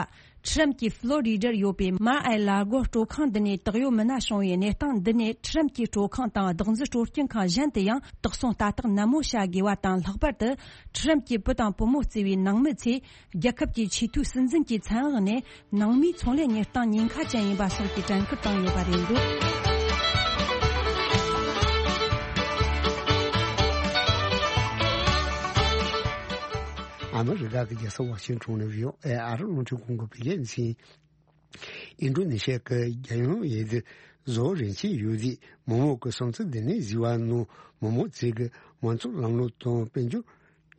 ཁྲི་རམ་གྱི་ཕློ་རི་ཌར་ཡོད་པའི་མར་ཨེ་ལར་གོ་སྤྲོ་ཁང་འདི་ནས་དོགས་ཡོད་མི་སྣ་བྱུང་བའི་གནས་སྟངས་འདི་ནས། ཁྲི་རམ་གྱི་སྤྲོ་ཁང་དང་བདག་འཛིན་སྤྲོ་སྐྱིད་ཁང་གཞན་དུ་ཡང་དོགས་ཟོན་ལྟ་རྟོག་ནན་མོ་བྱ་དགོས་པ་དང་། ལྷག་པར་དུ་ཁྲི་རམ་གྱི་བུ་དང་བུ་མོ་གཙོས་པའི་ནང་མི་ཚོས། རྒྱལ་ཁབ་ཀྱི་ཆེས་མཐོའི་སྲིད་འཛིན་གྱི་མཚན་འོག་ནས་ནང་མིའི་ཚོང་ལས་གཉེར་སྟངས་ཉེན་ཁ་ཅན་ཡིན་པ་སོགས་ཀྱི་དྲན་སྐུལ་བཏང་ཡོད་པ་རེད་འདུག་ཨ་མི་རི་ཀ་གི་རྒྱལ་ས་ཝ་ཤིང་ཊོན་ནས་བྷི་ཨོ་ཨེ་ཨ་རི་རླུང་འཕྲིན་ཁང་གི་བོད་སྐད་སྡེ་ཚན། ཨིན་ཌོ་ནེ་ཤི་ཡ་གི་རྒྱལ་ཡོངས་འོས་བསྡུ་བཟོ་བོ་རིན་ཆེན་ཡོད་ཚད་མི་མང་གི་སུམ་ཚུགས་འདི་ནས་གཟིགས་པ་ནང་མི་མང་ཚོས་ཀྱི་མང་གཙོའི་ལམ་ལུགས་དང་དཔལ་འབྱོར་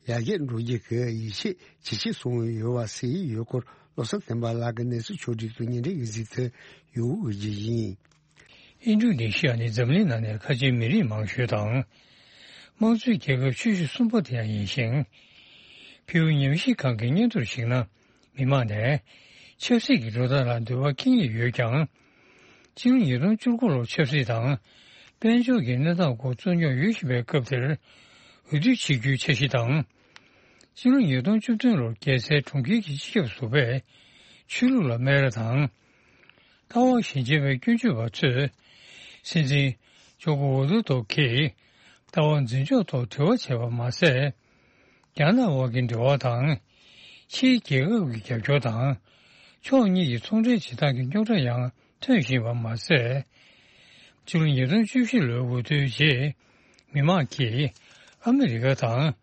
ཡར་རྒྱས་འགྲོ་རྒྱུ་གི་ཡིད་ཆེས་ཇེ་ཆེར་སོང་ཡོད་པ་གསལ་ཡོད་སྐོར། བློ་བཟང་བསྟན་པ་ལགས་ཀྱིས་གནས་ཚུལ་ཕྱོགས་བསྒྲིགས་དང་སྙན་སྒྲོན་གྱི་གཟིགས་ཚུལ་ཡོང་འོས་ཀྱི་ཡིན། ཨིན་ཌོ་ནེ་ཤི་ཡ་ནི་འཛམ་གླིང་ནང་ནས་ཁ་ཆེའི་མི་རིགས་མང་ཤོས་དང་། དམངས་གཙོའི་རྒྱལ་ཁབ་ཆེ་ཤོས་གསུམ་པ་དེ་ཡང་ཡིན་ཞིང་། ཕུའུ་ཉམས་ཞིབ་ཁང་གི་སྙན་ཐོར་གཞིགས་ན། མི་མང་ནས་ཆབ་སྲིད་ཀྱི་འགྲོ་སྟངས་ལ་འདོད་པ་སྐྱེ་ངེས་ཡོད་ཀྱང་། སྤྱི་ལོ་ཉིས་སྟོང་བཅུ་དགུ་ལོར་ཆབ་སྲིད་དང་། དཔལ་འབྱོར་གྱི་གནས་སྟངས་སྐོར་རྩོད་རྙོག་ཡོད་བཞིན་པའི་སྐབས་དེར། འོས་བསྡུ་བྱེད་རྒྱུའི་འཆར་གཞི་དང་། སྤྱི་ལོ་ཉིས་སྟོང་བཅུ་བདུན་ལོར་རྒྱལ་སའི་གྲོང་ཁྱེར་གྱི་སྤྱི་ཁྱབ་ཟུར་པས་ཆོས་ལུགས་ལ་སྨད་ར་དང་། ལྟ་བ་ཞན་ཆེ་བའི་སྐྱོན་བརྗོད་པ་ཚོས་སྲིད་འཛིན་ཇོ་ཀོ་ཝི་ཌོ་ཌོ་གིས་ལྟ་བ་འཛིན་ཕྱོགས་ཐོག་དྲི་བ་བྱས་པ་མ་ཟད། རྒྱ་ནག་དབར་གྱི་འབྲེལ་བ་དང་། ཕྱིའི་རྒྱལ་ཁབ་ཀྱི་རྒྱབ་སྐྱོར་དང་། ཕྱོགས་གཉིས་ཀྱི་ཚོང་འབྲེལ་བྱེད་སྟངས་ཀྱི་རྙོག་དྲ་ཡང་ཐོན་བཞིན་པ་མ་ཟད། ཕྱི་ལོ་ཉིས་སྟོང་བཅུ་བཞི་ལོའི་འོས་བསྡུའི་རྗེས། མི་མང་གིས་ཨ་མི་རི་ཀ་དང་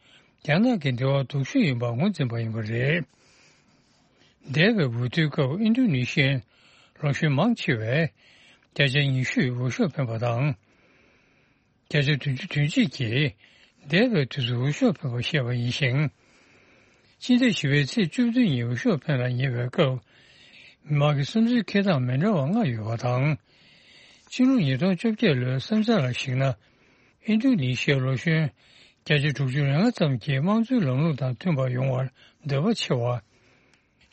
རྒྱ་ནག་གི་འབྲེལ་བ་སྡུག་ཤོས་ཡིན་པ་ངོས་འཛིན་པ་ཡིན་པ་རེད། འདས་པའི་འོས་བསྡུའི་སྐབས་ཨིན་ཌོ་ནེ་ཤི་ཡའི་ལོ་གཞོན་མང་ཆེ་བས་བརྒྱ་ཆ་ཉི་ཤུས་འོས་ཤོག་འཕེན་པ་དང་། བརྒྱ་ཆ་བདུན་ཅུ་དོན་གཅིག་གིས་འདས་པའི་དུས་སུ་འོས་ཤོག་འཕེན་པ་བཤད་པ་ཡིན་ཞིང་། སྤྱི་ཟླ་བཞི་པའི་ཚེས་བཅུ་བདུན་ཉིན་འོས་ཤོག་འཕེན་ལ་ཉེ་བའི་སྐབས། མི་མང་གི་བསམ་ཚུལ་འཁྱེར་སྟངས་མི་འདྲ་བ་ལྔ་ཡོད་པ་དང་། ཕྱི་ལོ་ཉིས་སྟོང་བཅོ་བརྒྱད་ལོའི་བསམ་འཆར་ལ་གཞིགས་ན། ཨིན་ཌོ་ནེ་ཤི་ཡའི་ལོ་གཞོན་བརྒྱ་ཆ་དྲུག་ཅུ་རེ་ལྔ་ཙམ་གྱིས་དམངས་གཙོའི་ལམ་ལུགས་དང་མཐུན་པ་ཡོང་བར་འདོད་པ་ཆེ་བ།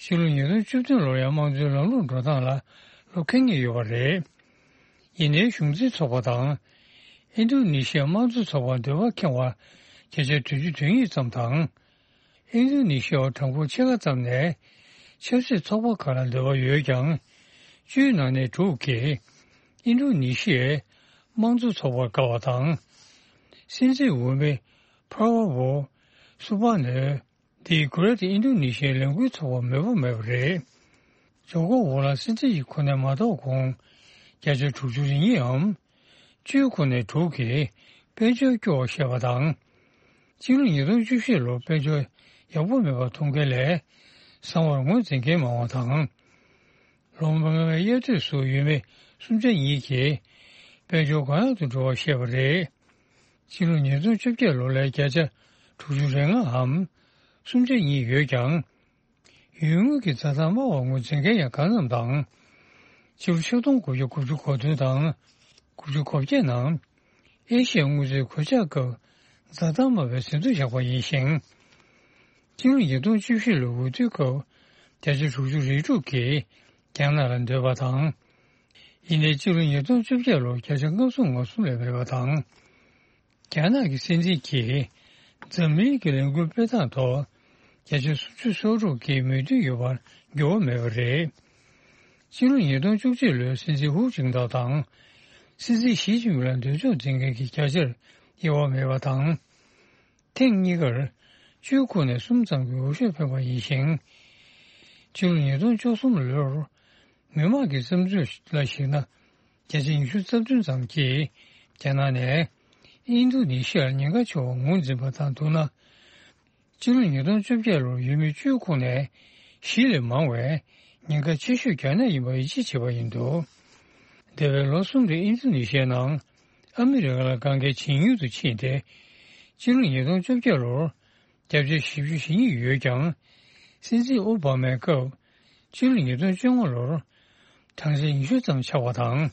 ཕྱི་ལོ་ཉིས་སྟོང་བཅུ་བདུན་ལོར་ཡང་དམངས་གཙོའི་ལམ་ལུགས་འགྲོ་སྟངས་ལ་བློ་འཁེལ་ངེས་ཡོད་པ་རེད། ཡིན་ནའི་གཞུང་འཛིན་ཚོགས་པ་དང་། ཨིན་ཌོ་ནེ་ཤི་ཡའི་དམངས་གཙོ་ཚོགས་པར་འདོད་པ་ཁེངས་པ་བརྒྱ་ཆ་བདུན་ཅུ་དོན་གཉིས་ཙམ་དང་། ཨིན་ཌོ་ནེ་ཤི་ཡའི་གྲངས་འབོར་ཕྱེད་ཀ་ཙམ་ནས་ཆབ་སྲིད་ཚོགས་པ་ཁག་ལ་འདོད་པ་ཡོད་ཀྱང་། བཅུའི་ནང་ནས་དྲུག་གིས་ཨིན་ཌོ་ནེ་ཤི་ཡའི་དམངས་གཙོ་ཚོགས་པར་དགའ་བ་དང་། སྲིད་འཛིན་འོས་མི་པ་ར་བོ་སུ་བྷ་ནོ། འདིས་Greater Indonesia ལས་འགུལ་ཚོགས་པར་མོས་པ་མེད་པ་རེད། ཇོ་ཀོ་ཝི་ཌོ་སྲིད་འཛིན་གྱི་གོ་གནས་མ་ཐོབ་གོང་། བརྒྱ་ཆ་དྲུག་ཅུ་རེ་གཉིས་འམ། བཅུའི་ཁོངས་ནས་དྲུག་གིས་དཔལ་འབྱོར་སྐྱོ་བར་བཤད་པ་དང་། སྤྱི་ལོ་ཉིས་སྟོང་བཅུ་བཞི་ལོར་དཔལ་འབྱོར་ཡག་པོ་མེད་པ་མཐོང་མཁན་ལས། བཟང་བར་ངོས་འཛིན་མཁན་མང་བ་དང་། ལོ་མང་བའི་དབྱར་དུས་སུ་ཡུལ་མི་སུམ་ཆ་གཉིས་ཀྱིས་དཔལ་འབྱོར་གང་ཡག་ཏུ་འགྲོ་བར་བཤད་པ་རེད། ཕྱི་ལོ་ཉིས་སྟོང་བཅོ་བརྒྱད་ལོ་ལ་བརྒྱ་ཆ་དྲུག་ཅུ་རེ་ལྔའམ་སུམ་ཆ་གཉིས་ཡོད་ཀྱང་། ཡུལ་དངོས་ཀྱི་འཛའ་ཐང་དམའ་བར་ངོས་འཛིན་མཁན་ཡང་གང་འཚམ་དང་། ཕྱི་ལོ་ཆིག་སྟོང་དགུ་བརྒྱ་དགུ་བཅུ་གོ་བདུན་དང་དགུ་བཅུ་གོ་བརྒྱད་ནང་ཨེ་ཤི་ཡའི་དངུལ་རྩའི་གོད་ཆག་སྐབས་འཛའ་ཐང་དམའ་བའི་ཟིན་ཐོ་བཞག་པ་ཡིན་ཞིང་། ཕྱི་ལོ་ཉིས་སྟོང་བཅུ་བཞི་ལོའི་འོས་བསྡུའི་སྐབས་བརྒྱ་ཆ་དྲུག་ཅུ་རེ་དྲུག་གིས་རྒྱ་ནག་ལ་འདོད་པ་དང་། ཡིན་ནའི་ཕྱི་ལོ་ཉིས་སྟོང་བཅོ་བརྒྱད་ལོར་བརྒྱ་ཆ་ལྔ་བཅུ་ང་གསུམ་ལས་མེད་པ་དང་། རྒྱ་ནག་གི་སྲིད་འཛིན་གྱིས་འཛམ་གླིང་གི་ལས་འགུལ་སྤེལ་སྟངས་ཐོག་བརྒྱ་ཆ་སུམ་ཅུ་སོ་དྲུག་གིས་མོས་མཐུན་ཡོད་པར་འགྱུར་བ་མེད་པ་རེད། ཕྱི་ལོ་ཉིས་སྟོང་བཅུ་གཅིག་ལོའི་སྲིད་འཛིན་ཧུའུ་ཅིན་ཐའོ་དང་། སྲིད་འཛིན་ཞི་ཅིན་ཕིང་ལ་འདོད་ཕྱོགས་འཛིན་མཁན་གྱི་བརྒྱ་ཆར་དབྱེ་བ་མེད་པ་དང་། ཐེངས་གཉིས་ཀར་བཅུའི་ཁོངས་ནས་གསུམ་ཙམ་གྱི་འོས་ཤོག་ཐོན་པ་ཡིན་ཞིང་། ཕྱི་ལོ་ཉིས་སྟོང་བཅུ་གསུམ་ལོར། མི་མང་གི་བསམ་ཚུལ་ལ་གཞིགས་ན། བརྒྱ་ཆ་ཉི་ཤུ་རྩ་བདུན་ཙམ་གྱིས་རྒྱ་ནག་ནས་ཨིན་རྡུ་ནི་ཤི་ཡར་ཉེན་ཁ་ཆེ་བ་ངོས་འཛིན་པ་དང་བསྡུར་ན། ཕྱི་ལོ་ཉིས་སྟོང་བཅོ་བརྒྱད་ལོར་ཡུལ་མི་བཅུའི་ཁོངས་ནས་བཞི་ལས་མང་བས་ཉེན་ཁ་ཆེ་ཤོས་རྒྱ་ནག་ཡིན་པ་ཡིད་ཆེས་བྱས་པ་ཡིན་འདུག་འདས་པའི་ལོ་གསུམ་རིང་ཨིན་རྡུ་ནི་ཤི་ཡའི་ནང་ཨ་མི་རི་ཀ་ལ་དཀའ་ངལ་ཇེ་ཉུང་དུ་ཕྱིན་ཏེ། ཕྱི་ལོ་ཉིས་སྟོང་བཅོ་བརྒྱད་ལོར། བརྒྱ་ཆ་བཞི་བཅུ་ཞེ་གཉིས་ཡོད་ཀྱང་། སྲིད་འཛིན་ཨོ་བྷ་མའི་སྐབས། ཕྱི་ལོ་ཉིས་སྟོང་བཅོ་ལྔ་ལོར། གྲངས་ཆ་ཉི་ཤུ་ཙམ་ཆགས་པ་དང་།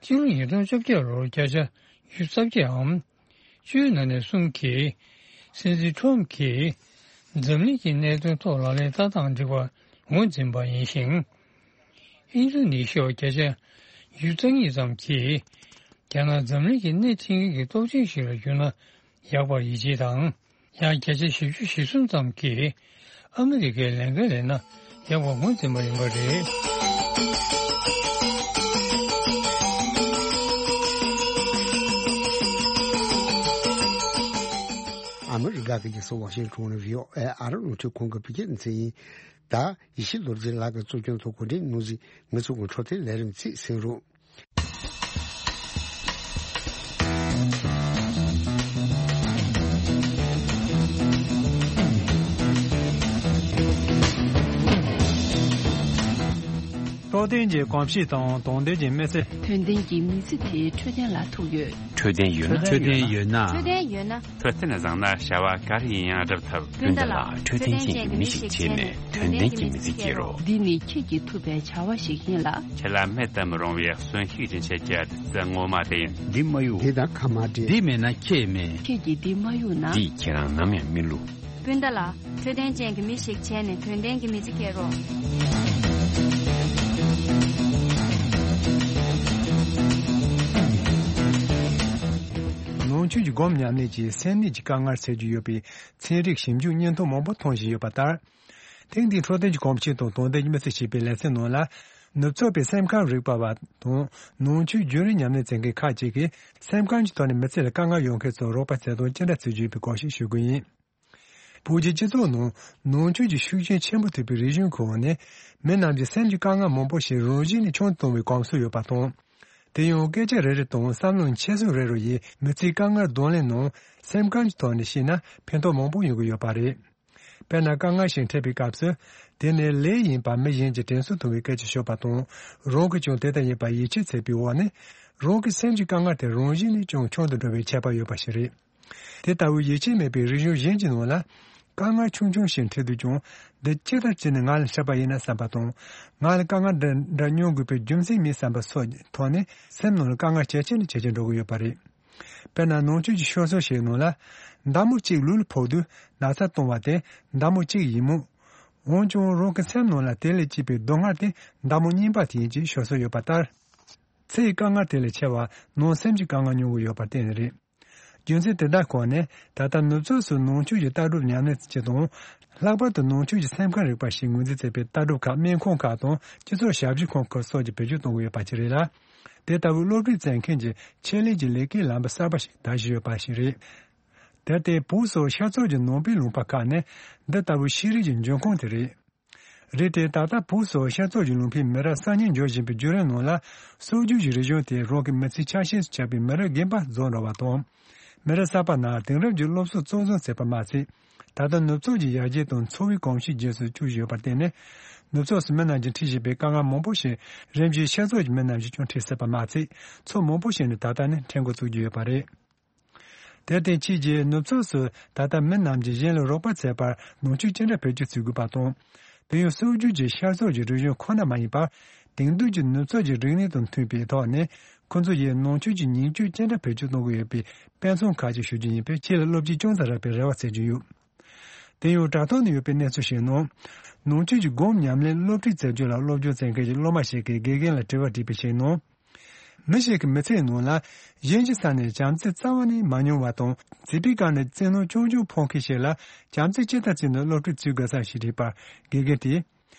ཕྱི་ལོ་ཉིས་སྟོང་བཅོ་བརྒྱད་ལོར་བརྒྱ་ཆ་ཉི་ཤུ་རྩ་བརྒྱད་འམ། བཅུའི་ནང་ནས་གསུམ་གྱིས། སྲིད་འཛིན་ཁྲོམ་གྱིས། འཛམ་གླིང་གི་གནད་དོན་ཐོག་ལག་ལེན་བསྟར་སྟངས་འགྲིག་པ་ངོས་འཛིན་པ་ཡིན་ཞིང་། ཨིན་རྡུ་ནི་ཤི་ཡ་བརྒྱ་ཆ་ཉི་ཤུ་རྩ་གཉིས་ཙམ་གྱིས། རྒྱ་ནག་འཛམ་གླིང་གི་སྣེ་ཁྲིད་མཁན་གྱི་སྟོབས་ཆེན་ཞིག་ལ་གྱུར་ན་ཡག་པར་ཡིད་ཆེས་དང་། ཡང་བརྒྱ་ཆ་བཞི་བཅུ་ཞེ་གསུམ་ཙམ་གྱིས་ཨ་མི་རི་ཀའི་ལས་འགན་ལེན་ན་ཡག་པར་ངོས་འཛིན་པ་ཡིན་པ་རེད། ཨ་མི་རི་ཀ་གི་རྒྱལ་ས་ཝ་ཤིང་ཊོན་ནས་བྷི་ཨོ་ཨེ་ཨ་རི་རླུང་འཕྲིན་ཁང་གི་བོད་སྐད་སྡེ་ཚན་ཡིན། ད་ཡེ་ཤེས་རྡོ་རྗེ་ལགས་ཀྱིས་གཙོ་སྐྱོང་དང་གོ་སྒྲིག་གནང་མཛད་ངེད་ཚོ་གི་འཕྲོད་བསྟེན་ལས་རིམ་ཚིག་གསན་རོགས། འཕྲོད་བསྟེན་གྱི་གོམས་གཤིས་དང་དོན་ལྡན་གྱི་མི་ཚེ། དོན་ལྡན་གྱི་མི་ཚེ་དེ་འཕྲོད་བསྟེན་ལ་ཐུག་ཡོད། འཕྲོད་བསྟེན་ཡོད་ན། འཕྲོད་བསྟེན་ཡོད་ན། འཕྲོད་བསྟེན་བཟང་ན་བྱ་བ་ག་རེ་ཡིན་ཡང་སྒྲུབ་ཐུབ། སྤུན་ཟླ་ལགས། འཕྲོད་བསྟེན་ཅན་གྱི་མི་ཞིག་བྱས་ནས་དོན་ལྡན་གྱི་མི་ཚེ་སྐྱེལ་རོགས། འདི་ནི་ཁྱེད་ཀྱིས་ཐུབ་པའི་བྱ་བ་ཞིག་ཡིན་ལ། ཁྱེད་ལ་མེད་དུ་མི་རུང་བའི་གསོན་ཤུགས་ཀྱི་ཆེད་ཀྱི་བདུད་རྩི་ངོ་མ་དེ་ཡིན། འདི་མ་གཡུག་འདི་དང་ཁ་མ་འབྲལ། འདི་མེད་ན་ཁྱེད་མེད། ཁྱེད་ཀྱིས་འདི་མ་གཡུག་ན། འདིས་ཁྱེད་རང་ནམ་ཡང་མི་བསླུ། སྤུན་ཟླ་ལགས། འཕྲོད་བསྟེན་ཅན་གྱི་མི་ཞིག་བྱས་ནས་དོན་ལྡན་གྱི་མི་ཚེ་སྐྱེལ་རོགས། ནང་ཆོས་ཀྱི་སྒོམ་ཉམས་ལེན་གྱིས་སེམས་ནད་ཀྱི་དཀའ་ངལ་སེལ་རྒྱུ་ཡོད་པའི་ཚན་རིག་ཞིབ་འཇུག་སྙན་ཐོ་མང་པོ་མཐོང་བཞིན་ཡོད་པ་ལྟར། ཐེངས་འདིའི་འཕྲོད་བསྟེན་གྱི་གོམས་གཤིས་དང་དོན་ལྡན་གྱི་མི་ཚེ་ཞེས་པའི་ལེ་ཚན་ནང་ལ། ནུབ་ཕྱོགས་པའི་སེམས་ཁམས་རིག་པ་བ་དང་ནང་ཆོས་རྒྱུན་རིང་ཉམས་ལེན་མཛད་མཁན་ཁག་ཅིག་གིས་སེམས་ཁམས་ཀྱི་ཐོག་ནས་མི་ཚེ་ལ་དཀའ་ངལ་ཡོང་མཁན་ཚོར་རོགས་པ་བྱེད་སྟངས་ཅི་འདྲ་བརྩི་རྒྱུ་ཡིན་པའི་སྐོར་ཞིག་ཞུ་གི་ཡིན། བོད་ཀྱི་སྤྱི་ཚོགས་ནང་ནང་ཆོས་ཀྱི་ཤུགས་རྐྱེན་ཆེན་པོ་ཐེབས་པའི་རིག་གཞུང་གི་འོག་ནས་མི་རྣམས་ཀྱི་སེམས་ཀྱི་དཀའ་ངལ་མང་པོ་ཞིག་རང་བཞིན་ནས་ཆུང་དུ་གཏོང་བའི་གོམས་སྲོལ་ཡོད་པ་དང་། དེ་ཡང་སྐད་ཆ་རེ་རེ་དང་བསམ་བློ་འཁྱེར་སོ་རེ་རེ་ཡིས་མི་ཚེའི་དཀའ་ངལ་གདོང་ལེན་ནང་སེམས་ཁམས་ཀྱི་ཐོག་ནས་བཤད་ན་ཕན་ཐོགས་མང་པོ་ཡོང་གི་ཡོད་པ་རེད། དཔེར་ན་དཀའ་ངལ་ཞིག་འཕྲད་པའི་སྐབས་སུ། དེ་ནི་ལས་ཡིན་པ་མི་གཞན་གྱིས་དྲན་གསོ་ཐུབ་པའི་སྐད་ཆ་ཤོད་པ་དང་། རང་གིས་ཀྱང་དེ་ལྟར་ཡིན་པ་ཡིད་ཆེས་བྱེད་པའི་འོག་ནས། རང་གི་སེམས་ཀྱི་དཀའ་ངལ་དེ་རང་བཞིན་ནས་ཀྱང་ཆུང་དུ་འགྲོ་བའི་ཁྱད་པར་ཡོད་པ་ཞིག་རེད། དེ་ལྟ་བུའི་ཡིད་ཆེས་མེད་པའི་རིག་གཞུང་གཞན་གྱི་ནང་ལ། དཀའ་ངལ་ཆུང་ཆུང་ཞིག་འཕྲད་དུས་ཀྱང་། འདི་ཅི་ལྟར་བྱས་ནས་ང་ལ་འཕྲད་པ་ཡིན་ན་བསམ་པ་དང་། ང་ལ་དཀའ་ངལ་འདི་འདྲ་མྱོང་དགོས་པའི་རྒྱུ་མཚན་མེད་བསམ་པ་སོགས་ཀྱི་ཐོག་ནས་སེམས་ནང་ལ་དཀའ་ངལ་ཇེ་ཆེ་ནས་ཇེ་ཆེར་འགྲོ་གི་ཡོད་པ་རེད། དཔེར་ན་ནང་ཆོས་ཀྱི་ཤོད་སྲོལ་ཞིག་ནང་ལ། མདའ་མོ་གཅིག་ལུས་ལ་ཕོག་དུས་ན་ཚ་གཏོང་བ་དེ་མདའ་མོ་གཅིག་ཡིན་མོད། འོན་ཀྱང་རང་གི་སེམས་ནང་ལ་དེ་ལས་སྐྱེས་པའི་སྡུག་བསྔལ་དེ་མདའ་མོ་རྙིང་པ་དེ་ཡིན་ཅེས་ཤོད་སྲོལ་ཡོད་པ་ལྟར། ཚེ་ཡི་དཀའ་ངལ་དེ་ལས་ཆེ་བ་ནང་སེམས་ཀྱི་དཀའ་ངལ་མྱོང་གི་ཡོད་པར་བརྟེན་ནས་རེད། རྒྱུ་མཚན་དེ་དག་ཁོ་ནས་ད་ལྟ་ནུབ་ཕྱོགས་སུ་ནང་ཆོས་ཀྱི་ལྟ་གྲུབ་ཉམས་ལེན་བྱེད་སྟངས། ལྷག་པར་དུ་ནང་ཆོས་ཀྱི་སེམས་ཁམས་རིག་པ་ཞེས་ངོས་འཛིན་མཛད་པའི་ལྟ་གྲུབ་ཁག་སྨན་ཁང་ཁག་དང་སྤྱི་ཚོགས་ཞབས་ཞུ་ཁང་ཁག་སོགས་ཀྱིས་བེད་སྤྱོད་གཏོང་གི་ཡོད་པ་ཅིག་རེད་ལ། དེ་ལྟ་བུའི་སློབ་ཁྲིད་མཛད་མཁན་གྱི་ཆེད་ལས་ཀྱི་ལས་ཀའི་ལམ་བུ་གསར་པ་ཞིག་དར་བཞིན་ཡོད་པ་ཞིག་རེད། དེར་བརྟེན་བོད་སོགས་ཤར་ཕྱོགས་ཀྱི་ནང་པའི་ལུང་པ་ཁག་ནས་འདི་ལྟ་བུའི་ཤེས་རིག་གི་འབྱུང་ཁུངས་དེ་རེད། རེད་དེ་ད་ལྟ་བོད་སོགས་ཤར་ཕྱོགས་ཀྱི་ལུང་པའི་མི་རབས་གསར་རྙིང་འབྱོར་བཞིན་པའི་བརྒྱུད་རིམ་ནང་ལ་སྲོལ་རྒྱུན་གྱི་རིག་གཞུང་དེ་རང་གི་མི་ཚེའི་ཆ་ཤས་སུ་ཆགས་པའི་མི་རབས་རྒན་པ་རྫོགས་འགྲོ་བ་དང་། མི་རབས་གསར་པ་རྣམས་དེང་རབས་ཀྱི་སློབ་གསོ་གཙོར་བཟུང་བྱས་པ་མ་ཚད། ད་ལྟ་ནུབ་ཕྱོགས་ཀྱི་ཡར་རྒྱས་དང་འཚོ་བའི་གོམས་གཤིས་རྗེས་སུ་བཅུག་བཞིན་ཡོད་པར་བརྟེན་ནས། ནུབ་ཕྱོགས་སུ་མི་རྣམས་ཀྱིས་འཁྲིད་བཞིན་པའི་དཀའ་ངལ་མང་པོ་ཞིག་རིམ་བཞིན་ཤར་ཕྱོགས་ཀྱི་མི་རྣམས་ཀྱིས་ཀྱང་འཁྲིད་སྲིད་པ་མ་ཚད། ཕྱོགས་མང་པོ་ཞིག་ནས་ད་ལྟ་ནས་འཁྲིད་འགོ་བཙུགས་ཀྱི་ཡོད་པ་རེད། དེར་བརྟེན་ཕྱིས་ཀྱི་ནུབ་ཕྱོགས་སུ་ད་ལྟ་མི་རྣམས་ཀྱིས་གཞན་ལ་རོགས་པ་བྱེད་པར་ནང་ཆོས་ཅི་འདྲ་བེད་སྤྱོད་བྱེད་དགོས་པ་དང་། དེ་ཡང་སྲོལ་རྒྱུན་གྱི་ཤར་ཕྱོགས་ཀྱི་རིག་གཞུང་ཁོ་ན་མ་ཡིན་པར། དེང་དུས་ཀྱི་ནུབ་ཕྱོགས་ཀྱི་རིག་གནས་དང་མཐུན་པའི་ཐོག་ནས་ཁོ་ཚོ་ཡིས་ནང་ཆོས་ཀྱི་ཉིང་བཅུད་ཅི་འདྲ་བེད་སྤྱོད་གཏོང་དགོས་ཡོད་པའི་དཔེ་མཚོན་ཁག་ཅིག་ཞུ་རྒྱུ་ཡིན་པས་ཁྱེད་ལ་བློ་སྐྱེད་ཅུང་ཙམ་རག་པའི་རེ་བ་བྱེད་ཀྱི་ཡོད། དེ་ཡང་དྲ་ཐོག་ནས་ཡོད་པའི་གནས་ཚུལ་ཞིག་ནང་། ནང་ཆོས་ཀྱི་སྒོམ་ཉམས་ལེན་སློབ་ཁྲིད་མཛད་རྒྱུ་ལ་སློབ་སྦྱོང་བྱེད་མཁན་གྱི་སློབ་མ་ཞིག་གིས་དགེ་རྒན་ལ་དྲི་བ་དྲིས་པའི་ཞིག་ནང་། མི་ཞིག་གི་མི་ཚེའི་ནང་ལ་གཞན་གྱི་ས་ནས་བྱམས་བརྩེ་རྩ་བ་ནས་མ་མྱོང་བ་དང་། བྱིས་པའི་སྐབས་ནས་བཙན་གནོན་རྐྱང་རྐྱང་ཕོག་མཁན་ཞིག་ལ་བྱམས་བརྩེ་ཇི་ལྟར་བྱས་ནས་སློབ་ཁྲིད་བྱེད་དགོས་སམ་ཞེས་དྲིས་པར། དགེ་རྒན་དེས།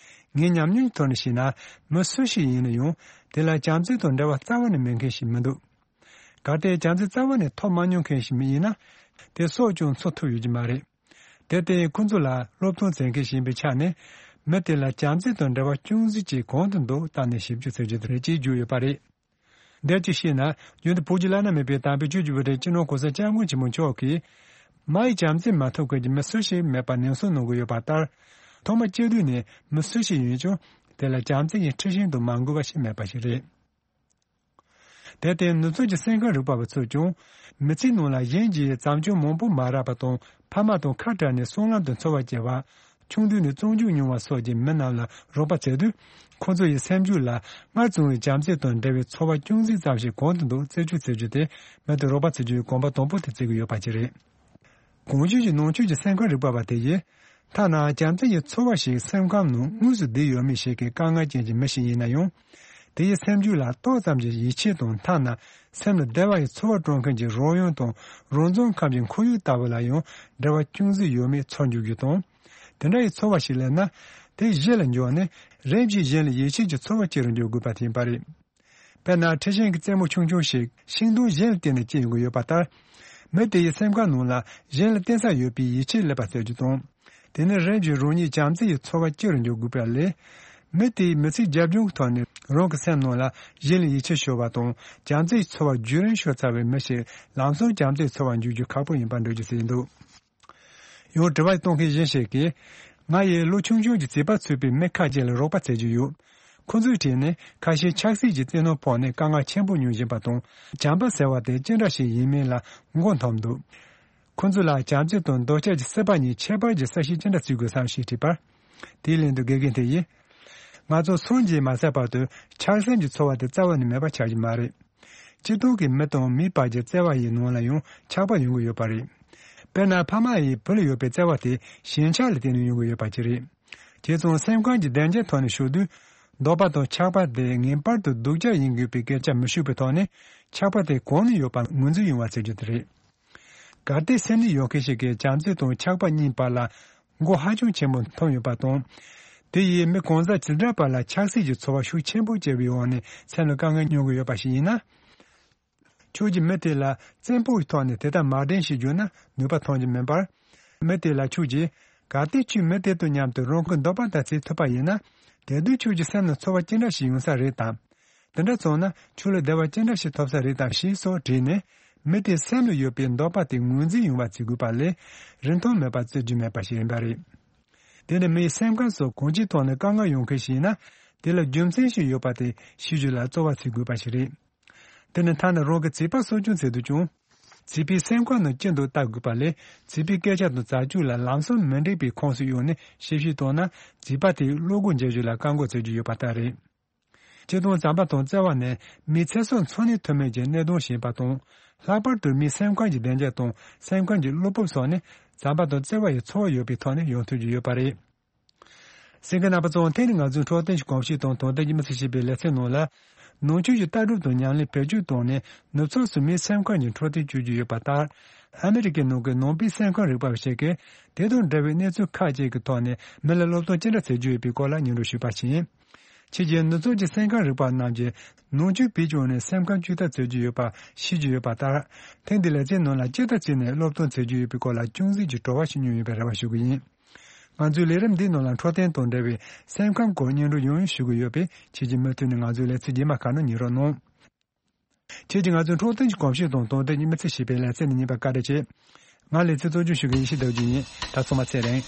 ངའི་ཉམས་མྱོང་གི་ཐོག་ནས་བཤད་ན། མི་སུ་ཞིག་ཡིན་ན་ཡང་དེ་ལ་བྱམས་བརྩེ་དང་འབྲེལ་བ་རྩ་བ་ནས་མེད་མཁན་ཞིག་མི་འདུག་གལ་ཏེ་བྱམས་བརྩེ་རྩ་བ་ནས་ཐོབ་མ་མྱོང་མཁན་ཞིག་མི་ཡིན་ན། དེ་སྲོག་ཀྱང་འཚོ་ཐུབ་ཡོད་ཀྱི་མ་རེད། དེར་བརྟེན་ཁོ་ཚོ་ལ་སློབ་སྟོན་མཛད་མཁན་ཞིག་ཡིན་པའི་ཆ་ནས། མི་དེ་ལ་བྱམས་བརྩེ་དང་འབྲེལ་བ་ཅུང་ཟད་ཅིག་གང་དུ་འདུག་བལྟས་ནས་ཞིབ་འཇུག་བྱེད་རྒྱུ་དེ་རེད་ཅེས་བརྗོད་ཡོད་པ་རེད། འདིར་ཅིག་བཤད་ན། རྒྱུན་དུ་བོད་ཀྱི་བླ་ན་མེད་པའི་དམ་པའི་ཆོས་ཀྱི་དབུ་ཁྲིད་སྤྱི་ནོར་གོང་ས་སྐྱབས་མགོན་ཆེན་པོ་མཆོག་གིས། མ་ཡི་བྱམས་བརྩེ་མ་ཐོབ་མཁན་གྱི་མི་སུ་ཞིག་མེད་པར་ནན་གསུང་གནང་གི་ཡོད་པ་ལྟར། ཐོག་མ་སྐྱེས་དུས་ནས་མི་སུ་ཞིག་ཡིན་ཀྱང་། དེ་ལ་བྱམས་བརྩེ་ཡི་མཁྲེགས་ཤིང་དུ་མ་འགུལ་བ་ཞིག་མེད་པ་ཞིག་རེད། དེར་བརྟེན་ནུབ་ཕྱོགས་ཀྱི་སེམས་ཁམས་རིག་པ་བ་ཚོས་ཀྱང་། མི་ཚེའི་ནང་ལ་གཞན་གྱིས་བྱམས་སྐྱོང་མང་པོ་མ་རག་པ་དང་། ཕ་མ་དང་ཁ་བྲལ་ནས་སྲང་ལམ་དུ་འཚོ་བ་སྐྱེལ་བ། ཆུང་དུས་ནས་བཙོན་འཇུག་མྱོང་བ་སོགས་ཀྱི་མི་རྣམས་ལ་རོགས་པ་བྱེད་དུས། ཁོ་ཚོ་ཡི་སེམས་རྒྱུད་ལ་སྔར་བྱུང་བའི་བྱམས་བརྩེ་དང་འབྲེལ་བའི་ཚོར་བ་ཅུང་ཟད་ཙམ་ཞིག་གང་དུ་འདུག་རྩད་གཅོད་བྱེད་རྒྱུ་དེ། མི་དེར་རོགས་པ་བྱེད་རྒྱུའི་གོམ་པ་དང་པོ་དེ་བརྩི་གི་ཡོད་པ་ཅིག་རེད། གོང་ཞུས་ཀྱི་ནང་ཆོས་ཀྱི་སེམས་ཁམས་རིག་པ་བ་དེ་ཡིས། ཐ་ན་བྱམས་བརྩེ་ཡི་ཚོར་བ་ཞིག་སེམས་ཁམས་ནང་དངོས་སུ་བསྡུས་ཡོད་མེད་ཞིག་གི་དཀའ་ངལ་ཅན་གྱི་མི་ཞིག་ཡིན་ན་ཡང་། དེ་ཡི་སེམས་རྒྱུད་ལ་ཏོག་ཙམ་གྱི་ཡིད་ཆེས་དང་། ཐ་ན་སེམས་ལ་བདེ་བ་ཡི་ཚོར་བ་སྤྲོད་མཁན་གྱི་རོལ་དབྱང་དང་རང་རྫོང་ཁམས་ཀྱི་ཁོར་ཡུག་ལྟ་བུ་ལ་ཡང་འབྲེལ་བ་ཅུང་ཟད་ཡོད་མེད་ཚོར་འགྱུར་རྒྱུ་དང་། དེ་འདྲ་ཡི་ཚོར་བ་ཞིག་སླེབས་ན། དེ་གཞི་ལ་འགྱུར་ནས་རིམ་གྱིས་གཞན་ལ་ཡིད་ཆེས་ཀྱི་ཚོར་བ་སྐྱེ་རུ་འགྱུར་དགོས་པ་དེ་ཡིན་པ་རེད། དཔེར་ན། ཁྲི་ཤིང་གི་རྩེ་མོ་ཆུང་ཆུང་ཞིག་ཤིང་སྡོང་གཞན་ལ་བརྟེན་ནས་སྐྱེ་ཡོང་གི་ཡོད་པ་ལྟར། མི་དེ་ཡི་སེམས་ཁམས་ནང་ལ་གཞན་ལ་བརྟེན་ས་ཡོད་པའི་ཡིད་ཆེས་སླེབས་པ་བྱ་རྒྱུ་དང་། དེ་ནི་རིམ་བཞིན་རང་ཉིད་བྱམས་བརྩེ་ཡི་ཚོར་བ་སྐྱེ་རུ་འགྱུར་དགོས་པ་ལས། མི་དེའི་མི་ཚེའི་རྒྱབ་ལྗོངས་ཀྱི་ཐོག་ནས་རང་གི་སེམས་ནང་ལ་གཞན་ལ་ཡིད་ཆེས་ཤོར་བ་དང་། བྱམས་བརྩེའི་ཚོར་བ་རྒྱུན་རིང་ཤོར་ཚར་བའི་མི་ཞིག་ལམ་སང་བྱམས་བརྩེའི་ཚོར་བ་འཇུག་རྒྱུ་ཁག་པོ་ཡིན་པར་འགྲེལ་བརྗོད་བྱས་འདུག་ཡང་དྲི་བ་གཏོང་མཁན་གཞན་ཞིག་གིས། ང་ཡིས་ལོ་ཆུང་ཆུང་གི་བྱིས་པ་ཚུད་པའི་མི་ཁ་ཅིག་ལ་རོགས་པ་བྱེད་ཀྱི་ཡོད། ཁོ་ཚོའི་གྲས་ནས་ཁ་ཤས་ཆབ་སྲིད་ཀྱི་བཙན་གནོན་ཕོག་ནས་དཀའ་ངལ་ཆེན་པོ་མྱོང་བཞིན་པ་དང་། བྱམས་པ་ཟེར་བ་དེ་ཅི་འདྲ་ཞིག་ཡིན་མིན་ལ་མགོ་འཐོམས་འདུག་ཁོ་ཚོ་ལ་བྱམས་བརྩེ་དང་འདོད་ཆགས་ཀྱི་སྲེད་པ་གཉིས་ཁྱད་པར་གྱི་གསལ་བཤད་ཅི་འདྲ་བྱེད་དགོས་སམ་ཞེས་དྲིས་པར། དེའི་ལན་དུ་དགེ་རྒན་དེ་ཡིས། ང་ཚོ་སངས་རྒྱས་མ་ཟིན་བར་དུ་ཆགས་སེམས་ཀྱི་ཚོར་བ་དེ་རྩ་བ་ནས་མེད་པ་ཆགས་ཀྱི་མ་རེད། སྤྱིར་བཏང་གི་མི་དང་མིའི་བར་གྱི་བརྩེ་བ་ཡི་ནང་ལ་ཡང་ཆགས་པ་ཡོང་གི་ཡོད་པ་རེད། དཔེར་ན། ཕ་མ་ཡིས་བུ་ལ་ཡོད་པའི་བརྩེ་བ་དེ་ཞེན་ཆགས་ལ་བརྟེན་ནས་ཡོང་གི་ཡོད་པ་ཅིག་རེད། བྱས་ཙང་སེམས་ཁམས་ཀྱི་བདེ་འཇགས་ཐོག་ནས་ཞུགས་དུས། འདོད་པ་དང་ཆགས་པ་དེ་ངེས་པར་དུ་སྡུག་ཅག་ཡིན་དགོས་པའི་སྐད་ཆ་མི་ཤོད་པའི་ཐོག་ནས། ཆགས་པ་དེ་གང་ནས་ཡོད་པ་ངོས་འཛིན་ཡོང་བ་བྱེད་རྒྱུ་དེ་རེད། གལ་ཏེ་སེམས་ནད་ཡོད་མཁན་ཞིག་གིས་བྱམས་བརྩེ་དང་ཆགས་པ་གཉིས་བར་ལ་མགོ་ཧ་ཅང་ཆེན་པོ་འཐོམས་ཡོད་པ་དང་། དེ་ཡིས་མི་གང་ཟག་ཇི་འདྲ་བར་ལ་ཆགས་སྲེད་ཀྱི་ཚོར་བ་ཤུགས་ཆེན་པོ་སྐྱེ་བའི་འོག་ནས་སེམས་ལ་དཀའ་ངལ་མྱོང་གི་ཡོད་པ་ཞིག་ཡིན་ན། ཁྱོད་ཀྱིས་མི་དེ་ལ་བཙན་པོའི་ཐོག་ནས་དེ་ལྟར་མ་དྲན་ཞེས་བརྗོད་ན་ནུས་པ་ཐོན་གྱི་མིན་པར། མི་དེ་ལ་ཁྱོད་ཀྱིས། གལ་ཏེ་ཁྱོད་མི་དེ་དང་མཉམ་དུ་རང་གི་འདོད་པ་ལྟར་བྱེད་ཐུབ་པ་ཡིན་ན། དེ་དུས་ཁྱོད་ཀྱི་སེམས་ནང་ཚོར་བ་ཅི་འདྲ་ཞིག་ཡོང་ས་རེད་དམ། དེ་འདྲ་སོང་ན་ཁྱོད་ལ་བདེ་བ་ཅི་འདྲ་ཞིག་ཐོབ་ས་རེད་དམ་ཞེས་སོགས་དྲིས་ནས། མི་དེའི་སེམས་ལ་ཡོད་པའི་འདོད་པ་དེ་ངོས་འཛིན་ཡོང་བ་བྱེད་དགོས་པ་ལས། རིན་ཐང་མེད་པ་བརྩི་རྒྱུ་མེད་པ་ཞིག་ཡིན་པ་རེད། དེ་ནི་མིའི་སེམས་ཁམས་སོགས་གང་ཅིའི་ཐོག་ནས་དཀའ་ངལ་ཡོང་མཁན་ཞིག་ཡིན་ན། དེ་ལ་རྒྱུ་མཚན་ཞིག་ཡོད་པ་དེ་ཤེས་རྒྱུ་ལ་རྩོལ་བ་བྱེད་དགོས་པ་ཞིག་རེད། དེ་ནི་ཐ་ན་རང་གི་བྱིས་པ་གསོ་སྐྱོང་བྱེད་དུས་ཀྱང་། བྱིས་པའི་སེམས་ཁམས་ནང་ཅི་འདུག་བལྟ་དགོས་པ་ལས། བྱིས་པའི་སྐད་ཆ་དང་བྱ་སྤྱོད་ལ་ལམ་སང་མི་འགྲིག་པའི་ཁོངས་སུ་གཡུགས་ནས་ཞིབ་བཤེར་བཏང་ན། བྱིས་པ་དེས་བློ་སྒོ་འབྱེད་རྒྱུ་ལ་བཀག་འགོག་བྱེད་རྒྱུ་ཡོད་པ་ལྟར་རེད། སྤྱིར་བཏང་བྱམས་པ་དང་བརྩེ་བ་ནི་མིའི་ཚེ་སྲོག་འཚོ་གནས་ཐུབ་མིན་གྱི་གནད་དོན་ཞིག་ཡིན་པ་དང་། ལྷག་པར་དུ་མིའི་སེམས་ཁམས་ཀྱི་བདེ་འཇགས་དང་སེམས་ཁམས་ཀྱི་བློ་སྤོབས་སོགས་ནི་བྱམས་པ་དང་བརྩེ་བ་ཡི་ཚོར་བ་ཡོད་པའི་ཐོག་ནས་ཡོང་ཐུབ་ཀྱི་ཡོད་པ་རེད། གསན་མཁན་རྣམ་པ་ཚོ། དེ་ནི་ང་ཚོའི་འཕྲོད་བསྟེན་གྱི་གོམས་གཤིས་དང་དོན་ལྡན་གྱི་མི་ཚེ་ཞེས་པའི་ལེ་ཚན་ནང་ལ། ནང་ཆོས་ཀྱི་ལྟ་གྲུབ་དང་ཉམས་ལེན་བེད་སྤྱོད་བཏང་ནས་ནུབ་ཕྱོགས་སུ་མིའི་སེམས་ཁམས་ཀྱི་འཕྲོད་བསྟེན་བྱེད་ཀྱི་ཡོད་པ་ལྟར། ཨ་མི་རི་ཀའི་ནང་གི་ནང་པའི་སེམས་ཁམས་རིག་པ་བ་ཞིག་གིས་དེ་དང་འབྲེལ་བའི་གནས་ཚུལ་ཁག་ཅིག་གི་ཐོག་ནས་མི་ལ་སློབ་སྟོན་ཅི་འདྲ་བྱེད་རྒྱུ་ཡོད་པའི་སྐོར་ལ་སྙན་སྒྲོན་ཞུས་པ་ཡིན། ཕྱིས་རྒྱལ་ནུབ་ཕྱོགས་ཀྱི་སེམས་ཁམས་རིག་པ་རྣམས་ཀྱིས་ནང་ཆོས་བེད་སྤྱོད་ནས་སེམས་ཁམས་བཅོས་ཐབས་བྱེད་ཀྱི་ཡོད་པ་ཤེས་ཀྱི་ཡོད་པ་ལྟར། ཐེངས་འདིའི་ལེ་ཚན་ནང་ལ་ཅི་ལྟར་བྱས་ནས་སློབ་སྟོན་བྱེད་ཀྱི་ཡོད་པའི་སྐོར་ལ་ཅུང་ཟད་ཀྱི་བྲོ་བ་ཞིག་མྱོང་ཡོད་པའི་རེ་བ་ཞུ་གི་ཡིན། ང་ཚོའི་ལས་རིམ་འདིའི་ནང་ལ་འཕྲོད་བསྟེན་དང་འབྲེལ་བའི་སེམས་ཁམས་སྐོར་སྙན་སྒྲོན་ཡང་ཡང་ཞུ་གི་ཡོད་པས། ཁྱེད་ཀྱིས་མུ་མཐུད་ནས་ང་ཚོའི་ལེ་ཚན་རྗེས་མ་ཁག་ནང་ཉན་རོགས་གནང་། ཁྱེད་ཀྱིས་ང་ཚོའི་འཕྲོད་བསྟེན་གྱི་གོམས་གཤིས་དང་དོན་ལྡན་གྱི་མི་ཚེ་ཞེས་པའི་ལེ་ཚན་ནང་ཉན་པར་བཀའ་དྲིན་ཆེ། ང་ལེ་ཚན་གཙོ་སྐྱོང་ཞུ་མཁན་ཡེ་ཤེས་ཟླ་བ་བརྒྱུད་ཡིན། ད་ཚང་མ་ཚེ་རིང་།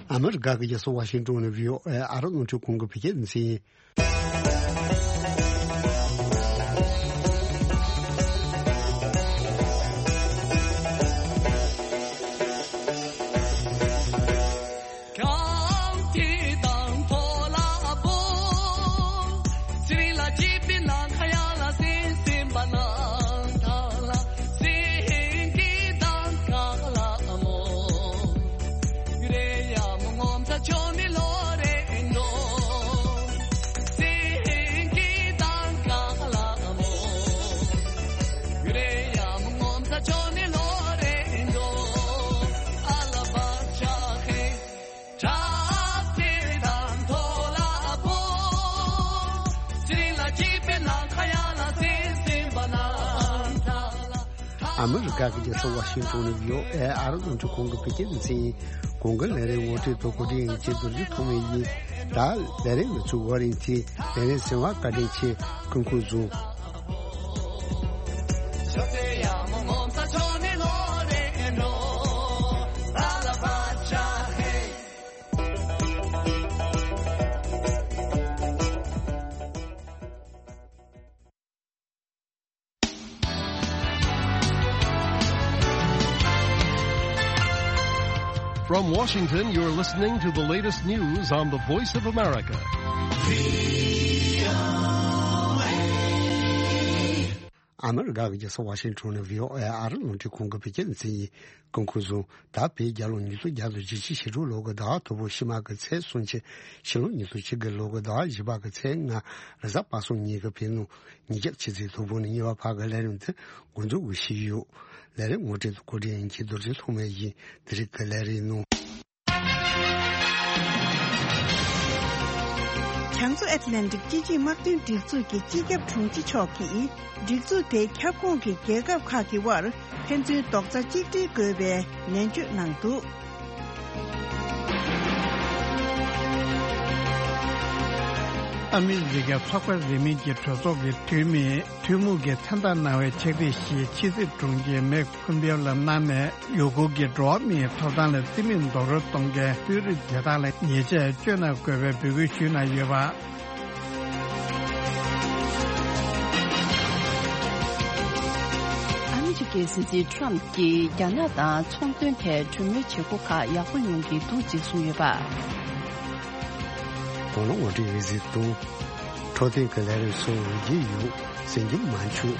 ཨ་མི་རི་ཀ་གི་རྒྱལ་ས་ཝ་ཤིང་ཏོན་ནས་བྷི་ཨོ་ཨེ་ཨ་རབ་རླུང་འཕྲིན་ཁང་གི་བོད་སྐད་སྡེ་ཚན་ཡིན། ཨ་མི་རི་ཀ་གི་རྒྱལ་ས་ཝ་ཤིང་ཊོན་ནས་བྷི་ཨོ་ཨེ་ཨ་རི་རླུང་འཕྲིན་ཁང་གི་བོད་སྐད་སྡེ་ཚན་ཡིན། གོང་གི་ལས་རིམ་ངོ་སྤྲོད་དང་གོ་སྒྲིག་ཡིན་གྱི་རྡོ་རྗེ་ཐོགས་མེད་ཡིན། ད་ལས་རིམ་མི་ཚུགས་བར་ཡིན་ཚེ་ལས་རིམ་གསན་པར་བཀའ་དྲིན་ཆེ། སྐུ་ཁམས་བཟང་། From Washington, you're listening to the latest news on the Voice of America. ཨ་མི་རི་ཀ་གི་རྒྱལ་ས་ཝ་ཤིང་ཊོན་ནས་བྷི་ཨོ་ཨེ་ཨ་རི་རླུང་འཕྲིན་ཁང་གི་བོད་སྐད་སྡེ་ཚན་ཡིན། སྐུ་ཁམས་བཟང་། ད་བོད་རྒྱལ་ལོ་ཉིས་སྟོང་བརྒྱ་དང་བཞི་བཅུ་ཞེ་དྲུག་ལོ་གི་ཟླ་བ་དང་པོ་ཕྱི་མ་གི་ཚེས་སུམ་ཅུ། ཕྱི་ལོ་ཉིས་སྟོང་བཅུ་དགུ་ལོ་གི་ཟླ་བ་བཞི་པ་གི་ཚེས་ལྔ། རེས་གཟའ་པ་སངས་ཉིན་གྱི་བོད་ནང་ཉིན་རྒྱབ་ཆུ་ཚོད་དང་པོ་ནས་ཉི་མ་བར་གྱི་ལས་རིམ་དེ་འགོ་འཛུགས་ཞུས་ཡོད། ལས་རིམ་ངོ་སྤྲོད་དང་གོ་སྒྲིག་ཡིན་གྱི་རྡོ་རྗེ་ཐོགས་མེད་ཡིན། དེ་རིང་གི་ལས་རིམ་ནང་། བྱང་མཚོ་ཨེཊ་ལན་ཊིག་སྤྱི་ཆིངས་དམག་དོན་སྒྲིག་འཛུགས་ཀྱི་སྤྱི་ཁྱབ་དྲུང་ཆེ་མཆོག་གིས། སྒྲིག་འཛུགས་དེའི་ཁྱབ་ཁོངས་ཀྱི་རྒྱལ་ཁབ་ཁག་གི་དབར་ཕན་ཚུན་རྡོག་རྩ་གཅིག་སྒྲིལ་དགོས་པའི་ནན་བརྗོད་གནང་འདུག། ཨ་མི་རི་ཀའི་ཚོགས་པ་རིས་མེད་ཀྱི་གྲོས་ཚོགས་ཀྱི་འཐུས་མིས་ཐུན་མོང་གི་མཚན་རྟགས་གནང་བའི་ཕྱག་དེབ་ཞིག་ཕྱི་སྲིད་དྲུང་ཆེ་མེག་ཕུམ་པེའོ་ལ་གནང་ནས། ཡུ་གུར་གྱི་འགྲོ་བ་མིའི་ཐོབ་ཐང་ལ་རྩིས་མེད་རྡོག་རོལ་གཏོང་མཁན་དཔོན་རིགས་དེ་དག་ལ་ཉེས་ཆད་གཅོད་གནང་དགོས་པའི་འབོད་སྐུལ་ཞུས་གནང་ཡོད་པ། ཨ་མི་རི་ཀའི་སྲིད་འཛིན་ཁྲོམ་གྱིས་རྒྱ་ནག་དང་ཚོང་དོན་ཐད་གྲོས་མོལ་བྱེད་སྒོ་ཁག་ཡག་པོ་ཡོང་གི་འདུག་ཅེས་གསུངས་ཡོད་པ། དོ་སྣང་ངོ་སྤྲོད་ཡོད་ཟེར་དང་། འཕྲོད་བསྟེན་གྱི་ལས་རིམ་སོགས་འོས་བརྒྱུད་ཡོད་ཟེར་རྒྱུ་མ་འཆུག།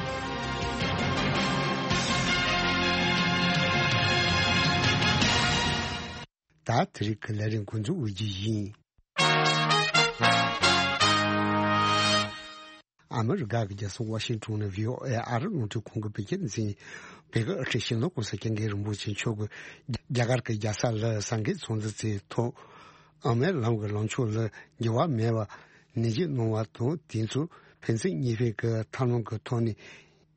ད་དེ་རིང་གི་ལས་རིམ་འགོ་འཛུགས་འོས་བརྒྱུད་ཡིན། ཨ་མི་རི་ཀ་གི་རྒྱལ་ས་ཝ་ཤིང་ཊོན་ནས་བྷི་ཨོ་ཨེ་ཨ་རི་རླུང་འཕྲིན་ཁང་གི་བོད་སྐད་སྡེ་ཚན། བོད་ཀྱི་དབུ་ཁྲིད་སྤྱི་ནོར་༸གོང་ས་༸སྐྱབས་མགོན་རིན་པོ་ཆེ་མཆོག་གིས་རྒྱ་གར་གྱི་རྒྱལ་ས་ལ་སངས་རྒྱས་ཚོགས་འདུ་དེའི་ཐོག་དབུ་མའི་ལམ་གྱི་ལངས་ཕྱོགས་ལ་འགྱུར་བ་མེད་པར་ནན་བརྗོད་གནང་བ་དང་། དེ་ཚོ་ཕན་ཚུན་གཉིས་ཕན་གྱི་ཐབས་ལམ་གྱི་ཐོག་ནས་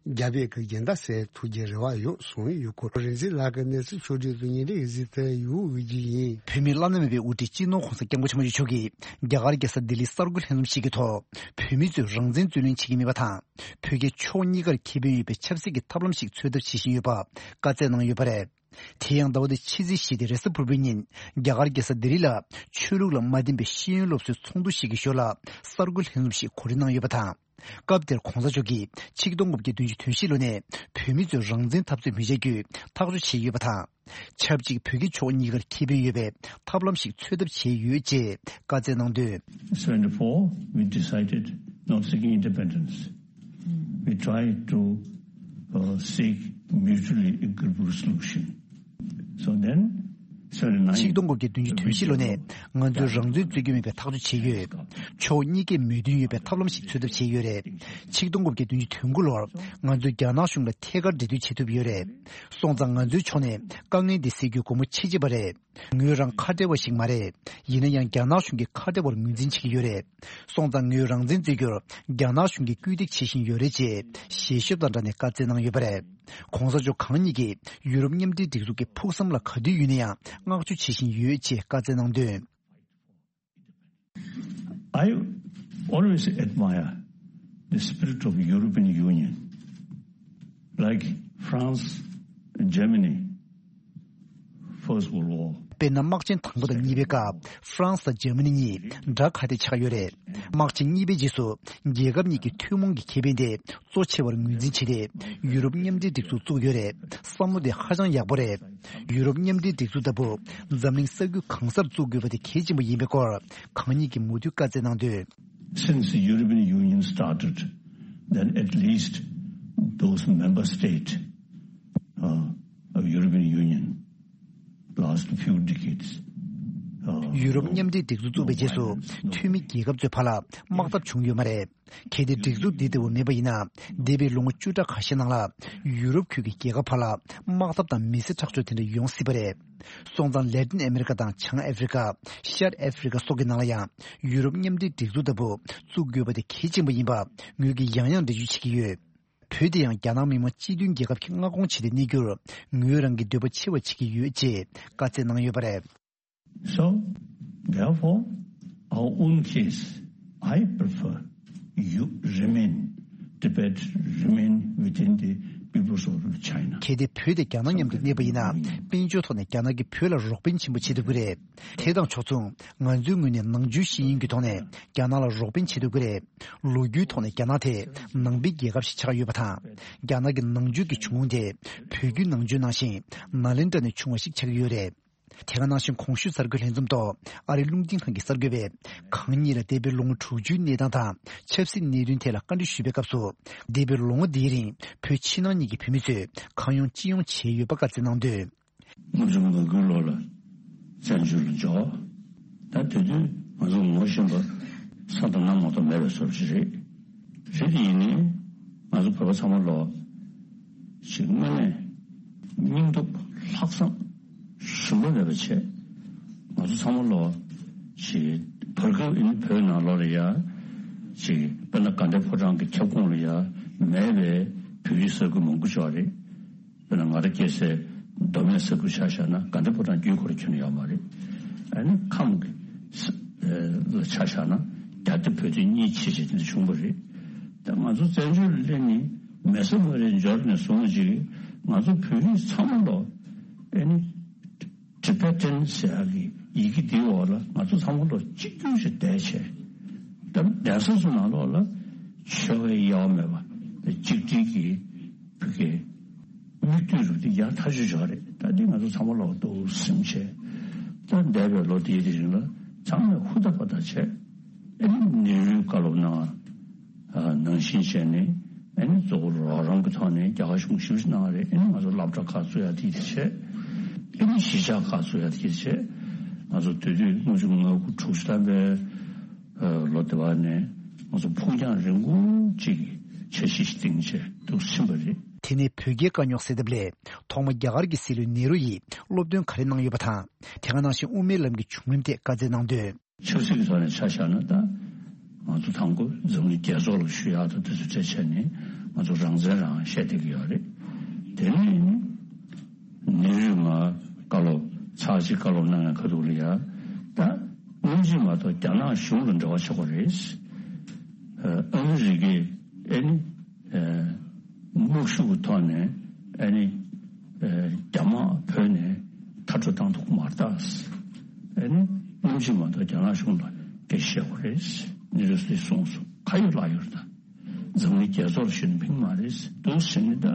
རྒྱ་བོད་ཀྱི་རྒྱལ་ཟླ་གསལ་ཐུབ་རྒྱུའི་རེ་བ་ཡོད་གསུངས་ཡོད་སྐོར། རིག་འཛིན་ལགས་ཀྱི་གནས་ཚུལ་ཕྱོགས་བསྒྲིགས་དང་སྙན་སྒྲོན་ཡོད་ཟེར་དུ་ཡོད་འོས་བརྒྱུད་ཡིན། བོད་མིའི་བླ་ན་མེད་པའི་དབུ་ཁྲིད་སྤྱི་ནོར་༸གོང་ས་༸སྐྱབས་མགོན་ཆེན་པོ་མཆོག་གིས་རྒྱ་གར་རྒྱལ་ས་ལྡི་ལིའི་གསར་འགོད་ལྷན་འཛོམས་ཤིག་གི་ཐོག་བོད་མི་ཚོས་རང་བཙན་རྩོད་ལེན་བྱེད་ཀྱི་མེད་པ་དང་། བོད་རྒྱ་ཕྱོགས་གཉིས་ཀར་ཁེ་ཕན་ཡོད་པའི་ཆབ་སྲིད་ཀྱི་ཐབས་ལམ་ཞིག་འཚོལ་ཐབས་བྱེད་བཞིན་ཡོད་པ་བཀའ་སྩལ་གནང་ཡོད་པ་རེད། དེ་ཡང་ཟླ་བ་འདིའི་ཕྱི་ཚེས་བཞི་སྟེ་རེས་གཟའ་ཕུར་བུའི་ཉིན། རྒྱ་གར་རྒྱལ་ས་ལྡི་ལི་ལ་ཆོས་ལུགས་ལ་མ་བརྟེན་པའི་ཤེས་ཡོན་སློབ་གསོའི་ཚོགས་འདུ་ཞིག་གི་ཞོར་ལ་གསར་འགོད་ལྷན་འཛོམས་ཤིག་གོ་སྒྲིག་གནང་ཡོད་པ་དང་། སྐབས་དེར་༸གོང་ས་མཆོག་གིས་ཆིག་སྟོང་དགུ་བརྒྱ་བདུན་ཅུ་དོན་བཞི་ལོ་ནས་བོད་མི་ཚོས་རང་བཙན་འཐབ་རྩོད་མི་བྱ་རྒྱུའི་ཐག་གཅོད་བྱས་ཡོད་པ་དང་། ཆབས་ཅིག་བོད་རྒྱ་ཕྱོགས་གཉིས་ཀར་ཁེ་ཕན་ཡོད་པའི་ཐབས་ལམ་ཞིག་འཚོལ་ཐབས་བྱས་ཡོད་ཅེས་བཀའ་སྩལ་གནང་དོན། Seventy-four, we decided not seeking independence. We tried to uh, seek mutually agreeable solution. So then, seventy-nine, ཆིག་སྟོང་དགུ་བརྒྱ་བདུན་ཅུ་དོན་བཞི་ལོ་ནས་ང་ཚོས་རང་བཙན་རྩོད་རྒྱུ་མེད་པའི་ཐག་གཅོད་བྱས་ཡོད། ཕྱོགས་གཉིས་ཀས་མོས་མཐུན་ཡོད་པའི་ཐབས་ལམ་ཞིག་འཚོལ་ཐབས་བྱས་ཡོད་རེད། ཆིག་སྟོང་དགུ་བརྒྱ་བདུན་ཅུ་དོན་དགུ་ལོར་ང་ཚོས་རྒྱ་ནག་གཞུང་ལ་ཐད་ཀར་འབྲེལ་མཐུད་བྱེད་ཐུབ་ཡོད་རེད། སོང་ཙང་ང་ཚོའི་ཕྱོགས་ནས་དཀའ་ངལ་འདི་སེལ་རྒྱུ་སྒོ་མོ་ཕྱེ་བྱས་པ་རེད། ངོས་རང་ཁ་བྲལ་བ་ཞིག་མ་རེད། ཡིན་ན་ཡང་རྒྱ་ནག་གཞུང་གིས་ཁ་བྲལ་བར་ངོས་འཛིན་བྱེད་ཀྱི་ཡོད་རེད། སོང་ཙང་ངོས་རང་བཙན་རྩོད་རྒྱུར་རྒྱ་ནག་གཞུང་གིས་སྐུལ་འདེད་བྱེད་བཞིན་ཡོད་རེད་ཅེས་ཞལ་ཤོབ་དང་སྦྲགས་ནས་བཀའ་སྩལ་གནང་ཡོད་པ་རེད། ༸གོང་ས་མཆོག་གང་ཉིད་ཀྱིས་ཡུ་རོབ་མཉམ་འབྲེལ་སྒྲིག་འཛུགས་ཀྱི་ཕུགས་བསམ་ལ་ག་དུས་ཡོད་ན་ཡང་བསྔགས་བརྗོད་བྱེད་བཞིན་ཡོད་ཅེས་བཀའ་སྩལ་གནང་དོན། I always admire the spirit of European Union, like France and Germany, First World War. དཔེར་ན། དམག་ཆེན་དང་པོ་དང་གཉིས་པའི་སྐབས་ཧྥ་རན་སི་དང་འཇར་མ་ནི་གཉིས་དགྲ་ཁ་གཏད་ཆགས་ཡོད་རེད། དམག་ཆེན་གཉིས་པའི་རྗེས་སུ་རྒྱལ་ཁབ་གཉིས་ཀྱི་ཐུན་མོང་གི་ཁེ་ཕན་དེ་གཙོ་ཆེ་བར་ངོས་འཛིན་བྱས་ཏེ། ཡུ་རོབ་མཉམ་འབྲེལ་སྒྲིག་འཛུགས་བཙུགས་ཡོད་རེད། བསམ་བློ་དེ་ཧ་ཅང་ཡག་པོ་རེད། ཡུ་རོབ་མཉམ་འབྲེལ་སྒྲིག་འཛུགས་ལྟ་བུ་འཛམ་གླིང་ས་ཁུལ་གང་སར་བཙུགས་དགོས་པ་དེ་གལ་ཆེན་པོ་ཡིན་པའི་སྐོར་གང་ཉིད་ཀྱིས་མུ་མཐུད་བཀའ་སྩལ་གནང་དོན། Since the European Union started, then at least those member states uh, of European Union last few decades, uh, ཡུ་རོབ་མཉམ་འབྲེལ་སྒྲིག་འཛུགས་བཙུགས་པའི་རྗེས་སུ་འཐུས་མི་རྒྱལ་ཁབ་ཚོའི་བར་ལ་དམག་འཐབ་བྱུང་ཡོད་མ་རེད། གལ་ཏེ་སྒྲིག་འཛུགས་འདི་ལྟ་བུ་མེད་པ་ཡིན་ན། འདས་པའི་ལོ་ངོ་བཅུ་ཕྲག་ཁ་ཤས་ནང་ལ་ཡུ་རོབ་ཁུལ་གྱི་རྒྱལ་ཁབ་བར་ལ་དམག་འཐབ་དང་མི་སེར་ཁྲག་སྦྱོར་དེ་འདྲ་ཡོང་སྲིད་པ་རེད། སོང་ཙང་། ལེ་ཏིན་ཨ་མེ་རི་ཀ་དང་བྱང་ཨ་ཧྥི་རི་ཀ། ཤར་ཨ་ཧྥི་རི་ཀ་སོགས་ཀྱི་ནང་ལ་ཡང་ཡུ་རོབ་མཉམ་འབྲེལ་སྒྲིག་འཛུགས་ལྟ་བུ་བཙུགས་དགོས་པ་དེ་གལ་ཆེན་པོ་ཡིན་པ་ངོས་ཀྱིས་ཡང་ཡང་འགྲེལ་བརྗོད་བྱེད་ཀྱི་ཡོད། བོད་དེ་ཡང་རྒྱ་ནག་མི་དམངས་སྤྱི་མཐུན་རྒྱལ་ཁབ་ཀྱིས་མངའ་ཁོངས་བྱས་ཏེ་གནས་རྒྱུར་ངོས་རང་གི་འདོད་པ་ཆེ་བ་བྱེད་ཀྱི་ཡོད་ཅེས་བཀའ་སྩལ་གནང་ཡོད་པ་རེད། So, therefore, our own case, I prefer you remain, Tibet remain within the People's Republic of China. གལ་ཏེ་བོད་དེ་རྒྱ་ནག་མཉམ་དུ་གནས་པ་ཡིན་ན། དཔལ་འབྱོར་ཐོག་ནས་རྒྱ་ནག་གིས་བོད་ལ་རོགས་ཕན་ཆེན་པོ་བྱེད་ཐུབ་ཀྱི་རེད། དེ་དང་ཕྱོགས་མཚུངས། ང་ཚོའི་ངོས་ནས་ནང་ཆོས་ཤེས་ཡོན་གྱི་ཐོག་ནས་རྒྱ་ནག་ལ་རོགས་ཕན་བྱེད་ཐུབ་ཀྱི་རེད། ལོ་རྒྱུས་ཐོག་ནས་རྒྱ་ནག་དེ་ནང་པའི་རྒྱལ་ཁབ་ཞིག་ཆགས་ཡོད་པ་དང་། རྒྱ་ནག་གི་ནང་ཆོས་ཀྱི་བྱུང་ཁུངས་དེ་བོད་བརྒྱུད་ནང་ཆོས་ནང་བཞིན་ནཱ་ལེནྡྲ་ནས་བྱུང་བ་ཞིག་ཆགས་ཀྱི་ཡོད་རེད། དེ་ག་ནང་བཞིན་གོང་ཞུས་གསར་འགོད་ལྷན་འཛོམས་ཐོག་ཨ་རིའི་རླུང་འཕྲིན་ཁང་གི་གསར་འགོད་པས། གང་ཉིད་ལ་འདས་པའི་ལོ་ངོ་དྲུག་ཅུའི་གནས་སྟངས་དང་ཆབ་སྲིད་གནད་དོན་ཐད་ལ་བཀའ་འདྲི་ཞུས་པའི་སྐབས་སུ། འདས་པའི་ལོ་ངོ་འདིའི་རིང་བོད་ཕྱི་ནང་གཉིས་ཀྱི་བོད་མི་ཚོས་གང་ཡོང་ཅི་ཡོང་བྱས་ཡོད་པ་བཀའ་སྩལ་གནང་དོན། སྔོན་བྱུང་ང་དགུའི་ལོ་ལ་བཙན་བྱོལ་ལ་འབྱོར། ད་དེ་དུས་ང་ཚོ་ངོ་ཤེས་པ་ས་དང་གནམ་མ་གཏོགས་མེད་པའི་བཟོ་འདྲ་ཞིག་རེད། རེད་དེ་ཡིན་ནའི་ང་ཚོ་བོད་པ་ཚང་མ་ལོ་ཞིག་དངོས་གནས་སྙིང་སྟོབས་ལྷག་བསམ་ཞུམ་པ་མེད་པ་བྱས། ང་ཚོ་ཚང་མ་ལོ་ཞིག་བར་སྐབས་ཨིན་བོད་ནང་ལོགས་ལ་ཡ་ཞིག་དཔེར་ན་དགའ་ལྡན་ཕོ་བྲང་གི་ཁྱབ་ཁོངས་ལ་ཡ་མེད་པའི་བོད་ཡིག་ས་ཁུལ་མང་པོ་ཅིག་ཡོད་རེད། དཔེར་ན་ང་རང་སྐྱེས་སའི་མདོ་སྨད་ས་ཁུལ་ཆ་བཞག་ན་དགའ་ལྡན་ཕོ་བྲང་བརྒྱུད་ཁོ་རང་ཁྱོན་ནས་ཡོད་མ་རེད། ཨ་ནི་ཁམས་ཀྱི་ས་ལ་ཆ་བཞག་ན་རྒྱ་སྟོད་བོད་སྟོད་གཉིས་ཕྱེ་བྱས་དེ་འདྲ་བྱུང་བ་རེད། ད་ང་ཚོ་བཙན་བྱོལ་ལ་སླེབས་ནས་མེ་སོ་མ་རེ་འབྱོར་ནས་བཟུང་ཅིག་ང་ཚོ་བོད་རིགས་ཚང་མ་ལོ་ཨ་ནི་ཊི་བེ་ཊན་ཟེར་ཡག་གི་ཡི་གེ་འདིའི་འོག་ལ་ང་ཚོ་ཚང་མ་ལོ་གཅིག་གྱུར་ཞིག་བསྡད་བྱས། ད་གདན་ས་ཚོ་ནང་ལོགས་ལ་ཆོལ་ཁའི་དབྱེ་བ་མེད་པ་གཅིག་སྒྲིལ་གྱི་བོད་སྐད་མིག་ལྟོས་རུ་དེ་ཡག་ཐག་ཆོད་ཆགས་རེད། ད་འདི་ང་ཚོ་ཚང་མ་ལོག་འདུག་སེམས་ཆེ། ད་འདས་པའི་ལོ་དེའི་རིང་ལ་ཚང་མས་ཧུར་ཐག་པ་ཐག་བྱས། ཨ་ནི་ནེ་རུས་བཀའ་སློབ་གནང་། ནང་བཞིན་བྱས་ནས་ཨ་ནི་གཙོ་བོ་རོགས་རམ་གྱི་ཐོག་ནས་རྒྱ་གར་གཞུང་ཞེ་པོ་ཅིག་གནང་བ་རེད། ཨ་ནི་ང་ཚོ་སློབ་གྲྭ་ཁག་བཙུགས་ཡག་དེ་བྱས། ཨ་ནི་གཞིས་ཆགས་ཁག་བཙུགས་ཡག་དེ་བྱས། ང་ཚོ་དུས་དུས་དངུལ་ཆུ་ལྔ་དགུ་དྲུག་ཅུ་ཐམ་པའི་ལོ་དེ་བ་ནས་ང་ཚོ་ཕུགས་རྒྱང་རིང་པོ་ཅིག་གི་འཆར་གཞི་ཞིག་བཏིང་བྱས་འདུག་ཕྱིན་པ་རེད། དེ་ནས་བོད་རྒྱའི་དཀའ་རྙོག་སེལ་ཐབས་སླད་ཐོག་མ་རྒྱ་གར་གྱི་སྲིད་བློན་ནེ་རུ་ཡིས་སློབ་སྟོན་ག་རེ་གནང་ཡོད་པ་དང་། དེ་ག་ནང་བཞིན་དབུ་མའི་ལམ་གྱི་བྱུང་རིམ་ཐད་བཀའ་སྩལ་གནང་དོན། ཆབ་སྲིད་ཀྱི་ཐོག་ནས་ཆ་བཞག་ན་ད་ང་ཚོ་དང་པོ་འཛམ་གླིང་རྒྱལ་ཚོགས་ལ་ཞུ་ཡག་དང་དེ་ཚོ་བཅས་བྱས་ནས་ང་ཚོ་རང་བཙན་རང་བཤད་བསྡད་ཀྱི་ཡོད་རེད། དེ་ནས་ནེ་རུས་མར་བཀའ་སློབ་ཚར་གཅིག་བཀའ་སློབ་གནང་ཡག་ཁ་ཐུག་ལ་ཡ་ད་སྔོན་ཆད་མ་གཏོགས་རྒྱ་ནག་གཞུང་ལ་འབྲེལ་བ་ཆགས་པ་རེད། ཨ་མི་རི་ཀས་ཨ་ནི་དམག་ཤུགས་ཀྱི་ཐོག་ནས་ཨ་ནི་རྒྱ་དམག་བོད་ནས་མཐར་སྐྲོད་བཏང་ཐུབ་ཀྱི་མ་རེད་ད། ཨ་ནི་སྔོན་ཆད་མ་གཏོགས་རྒྱ་ནག་གཞུང་ལ་སྐད་ཆ་བཤད་དགོས་རེད། ནེ་རུས་གསུངས་སོང་། ཁ་ཡོད་ལག་ཡོད་རེད་ད། འཛམ་གླིང་རྒྱལ་ཚོགས་ལ་ཞུས་ན་ཕན་གྱི་མ་རེད་འདུག་ཟེར་ནས། ད་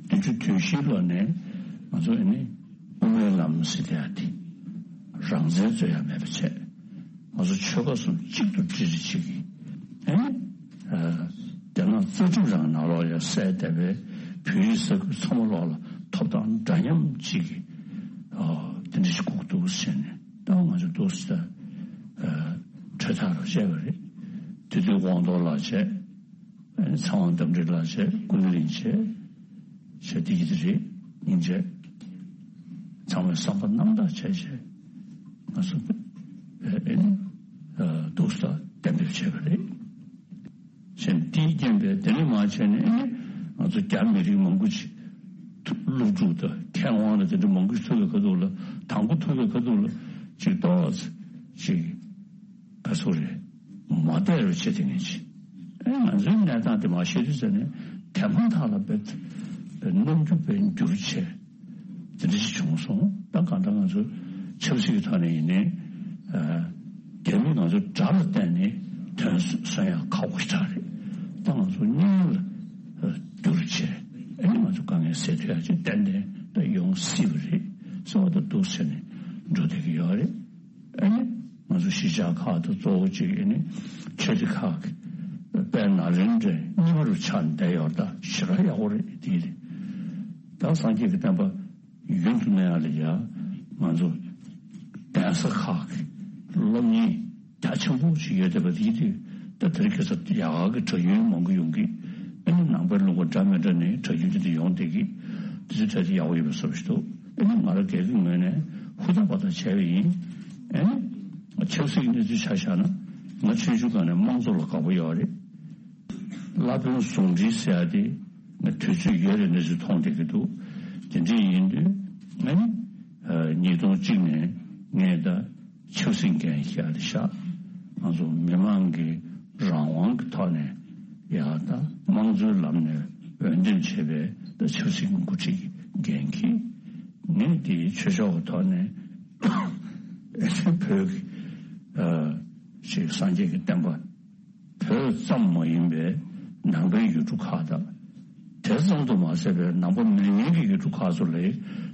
བདུན་ཅུ་དོན་བཞིའི་ལོ་ནས་ང་ཚོ་ཨ་ནི་དབུ་མའི་ལམ་ཟེར་དེ་ཡ་དེ་རང་བཙན་རྩོད་ཡ་མེད་པ་བྱས། ང་ཚོ་ཆོལ་ཁ་གསུམ་གཅིག་ཏུ་སྒྲིལ་རེ་བྱེད་ཀྱི། ཨ་ནི་རྒྱ་ནག་རྩ་ཁྲིམས་རང་ནང་ལོགས་ལ་གསལ་བསྡད་པའི་བོད་ཡིག་ས་ཁུལ་ཚང་མ་ལོགས་ལ་ཐོབ་ཐང་འདྲ་མཉམ་གཅིག་གི་དེ་འདྲ་ཞིག་དགོས་ཀྱི་འདུག་ཟེར་ནས། ད་ང་ཚོ་འདུག་ཟེར་གྲོས་ཐག་རུ་བཅད་པ་རེད། དེ་དུས་དབང་རྡོར་ལགས་བྱས། ཚེ་དབང་རྟ་མགྲིན་ལགས་བྱས། ཀུན་གླིང་བྱས། བྱས་དེ་ཡིན་རེད་སྙིང་རྗེ། ཚང་མས་བསམ་པ་རྣམ་དག་བྱས་བྱས་ང་ཚོ་ཨེ་ནི་འདུག་ས་གཏན་འབེབས་བྱས་པ་རེད། བྱས་དེའི་རྐྱེན་པས་དེ་ནས་མར་བྱས་ནས་ཨེ་ནི་ང་ཚོ་རྒྱ་མི་རིགས་མང་པོ་ཅིག་སློབ་ཕྲུག་དང་མཁས་དབང་ལ་དེ་འདྲ་མང་པོ་ཞིག་ཐུག་པའི་ཁ་ཐུག་ལ། དང་པོ་ཐུག་པའི་ཁ་ཐུག་ལ་ཅིག་ཏོག་ཙམ་ཅིག་ག་ཚོད་རེད། མ་བསྡད་རུ་བྱེད་དེ་ངེས་ཅི། ཨེ་ང་ཚོའི་གནས་སྟངས་དེ་མ་ཤེས་དུས་ཟེར་ནས་དེ་མ་ཐག་ལ་བེད་རྣམ་འགྱུར་བེད་འགྱུར་བྱས་དེ་འདྲ་ཞིག་བྱུང་སོང་། ད་གང་ལྟར་ང་ཚོ་ཆབ་སྲིད་ཀྱི་ཐོག་ནས་ཡིན་ནའི་རྒྱ་མིས་ང་ཚོ་དགྲ་ལ་བརྟེན་ནས་དོན་སོན་ཡག་ཁག་པོ་ཞིག་ཆགས་རེད། ད་ང་ཚོ་སྙིང་ལ་འགྱུར་བྱས་ཨེ་ནི་ང་ཚོ་དཀའ་ངལ་སེལ་ཐུབ་ཡག་ཅིག་ཏན་ཏན་ད་ཡོང་སྲིད་པ་རེད་ཟེར་བ་ད་འདུག་ཟེར་ནས་འགྲོ་བསྡད་ཀྱི་ཡོད་རེད། ཨེ་ནི་ང་ཚོ་གཞིས་ཆགས་ཁག་དང་གཙོ་བོ་གཅིག་ཨེ་ནི་ཆོས་སྡེ་ཁག་གི་དཔལ་ནཱ་ལེནྡྲའི་རྙིང་པ་རུ་ཆགས་བསྡད་ཡོད་ད་ཞེ་དྲག་ཡག་པོ་རེད། དེ་རེད། ད་སངས་རྒྱས་ཀྱི་བསྟན་པ་ཡུན་དུ་གནས་ཡག་ལ་ཡ་ང་ཚོ་གདན་ས་ཁག་གི་སློབ་གཉེར་རྒྱ་ཆེན་པོ་ཞིག་ཡོད་བསྡད་པ་དེ་དུས་ད་དེ་རིང་ཁ་སང་ཡག་གི་གྲྭ་རྒྱུན་མང་པོ་ཡོང་གི། ཨེ་ནི་ནང་པའི་ལུང་པ་འདྲ་མི་འདྲ་ནས་གྲྭ་རྒྱུན་དེ་འདྲ་ཡོང་བསྡད་ཀྱི། དེ་ཚོའི་གྲས་དེ་ཡག་པོ་ཡོད་པའི་བཟོ་ཞིག་འདུག་ཨེ་ནི་ང་རང་སྒེར་གྱི་ངོས་ནས་ཧུར་ཐག་པ་ཐག་བྱས་པ་ཡིན། ཨེ་ནི་ཆབ་སྲིད་ཀྱི་གནས་ཚུལ་ཆ་བཞག་ན་ང་ཆུང་ཆུང་སྒང་ནས་དམངས་གཙོ་ལ་དགའ་པོ་ཡོད་རེད། བླ་དཔོན་ཟུང་འབྲེལ་ཟེར་ཡ་དེ་ ང་དུས་ཚོད་ཡོད་རེད་འདྲ་ཞིག་མཐོང་བསྡད་ཀྱི་འདུག་དེ་འདྲ་ཡིན་དུས་ང་ནི་ཉིས་སྟོང་གཅིག་ནས་ངས་ད་ཆབ་སྲིད་འགན་བཞེས་རེད་ཤག་ང་ཚོ་མི་མང་གི་རང་དབང་གི་ཐོག་ནས་ཡ་ད་དམངས་གཙོའི་ལམ་ནས་འོས་འདེམས་བྱས་པའི་ད་ཆབ་སྲིད་ཀྱི་འགོ་ཁྲིད་ཀྱི་འགན་འཁྱེར། ངས་དེའི་ཆོས་ཕྱོགས་ཀྱི་ཐོག་ནས་བོད་ཀྱི་ཅིག་སངས་རྒྱས་ཀྱི་བསྟན་པ། བོད་ཙམ་མ་ཡིན་པའི་ནང་པའི་ཡུལ་གྲུ་ཁག་དང་། དེ་ཙམ་དུ་མ་ཟད་པའི་ནང་པ་མེད་མཁན་གྱི་ཡུལ་གྲུ་ཁག་ཚོ་ལ་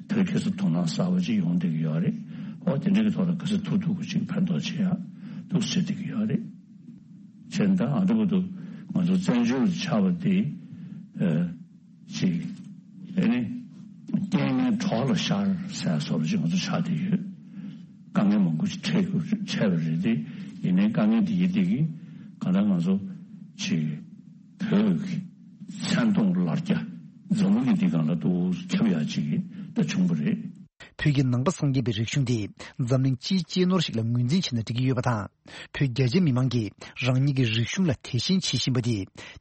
དེར་ཁ་སང་དོ་སྣང་གསར་པ་ཅིག་ཡོང་བསྡད་ཀྱི་ཡོད་རེད། འོ་དེ་འདྲ་གི་ཐོག་ལ་ག་ཚོད་ཐུབ་ཐུབ་ཀྱི་ཅིག་ཕན་ཐོགས་བྱེད་ཡ་འདུག་ཟེར་བསྡད་ཀྱི་ཡོད་རེད། བྱས་ཙང་ཨ་འདྲ་པོ་འདུག་ང་ཚོ་བཙན་བྱོལ་དུ་ཆགས་པ་དེ། ཅིག་ཨེ་ནི། རྐྱེན་ངན་གྲོགས་ལ་ཤར་ཟེར་སོགས་ཅིག་ང་ཚོ་ཆགས་བསྡད་ཡོད། དཀའ་ངལ་མང་པོ་ཞིག་འཕྲད་དགོས་འཕྲད་པ་རེད་དེ། ཡིན་ནའི་དཀའ་ངལ་དེ་ཡི་དེ་གིས་གང་ལྟར་ང་ཚོ་ཅིག་བོད་ཀྱི་མཚན་མཐོང་ལར་རྒྱ་འཛམ་བུ་གླིང་འདི་སྒང་ལ་ཏོག་ཙམ་ཁྱབ་ཡག་ཅིག་ད་བྱུང་བ་རེད། བོད་ཀྱི་ནང་པ་སངས་རྒྱས་པའི་རིག་གཞུང་དེ་འཛམ་གླིང་སྤྱིའི་གཅེས་ནོར་ཞིག་ལ་ངོས་འཛིན་བྱས་ན་འགྲིག་གི་ཡོད་པ་དང་། བོད་རྒྱ་ཆེ་མི་མང་གིས་རང་ཉིད་ཀྱི་རིག་གཞུང་ལ་དད་ཞེན་བྱེད་བཞིན་པ་དེ་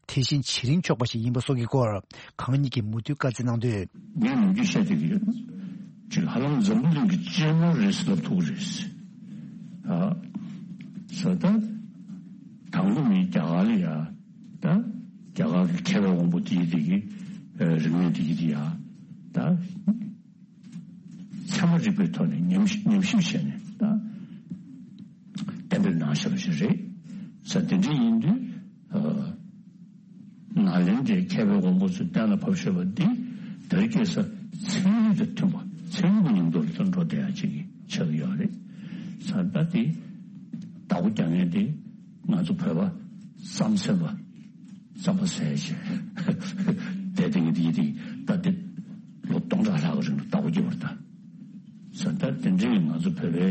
དེ་བཞིན་བྱེད་རིན་ཆོག་པ་ཞིག་ཡིན་པ་སོགས་ཀྱི་སྐོར་གང་ཉིད་ཀྱིས་མུ་མཐུད་བཀའ་སྩལ་གནང་དོན། ངས་ནམ་རྒྱུན་བཤད་བསྡད་ཀྱི་ཡོད། ཅིག་ཧ་ལམ་འཛམ་བུ་གླིང་གི་གཅེས་ནོར་རེད་ཟེར་ལབ་ཐུབ་ཀྱི་རེད། ཨ། ཟེར་ད། དང་པོ་ནི་རྒྱ་གར་ལ་ཡ། ད། རྒྱ་གར་གྱི་མཁས་པའི་དབང་པོ་དེ་ཡི་དེ་གི། རིག་གནས་དེ་ཡི་དེ་ཡ། ད། ཚད་མ་རིག་པའི་ཐོག་ནས་ཉམས་ཉམས་ཞིབ་བྱས་ནས་ད་གཏན་འབེབས་གནང་བཞག་པ་ཞིག་རེད། ས་དེ་འདྲ་ཡིན་དུས་ཨ། ནཱ་ལེནྡྲའི་མཁས་པའི་དབང་པོ་ཚོས་གཏན་ལ་ཕབ་བཞག་པ་འདི་དེར་སྐྱེས་ས་ཚན་རིག་དང་མཐུན་པ་ཚན་རིག་གི་ཉམས་རྟོགས་ལ་འགྲོ་བསྡད་ཡག་ཅིག་ཆགས་ཀྱི་ཡོད་རེད། ས་ད་དེ་བདག་པོ་རྒྱག་མཁན་དེ་ང་ཚོ་བོད་པ་རྩམ་ཟ་བ། རྩམ་པ་ཟས་བྱས། དེ་དེང་གི་དེ་ཡི་དེ་ད་དེ་ལོ་སྟོང་ཕྲག་ལྷག་གི་རིང་ལ་བདག་པོ་རྒྱབ་པ་རེད་ད། ས་ད་དེ་འདྲའི་ང་ཚོ་བོད་པའི་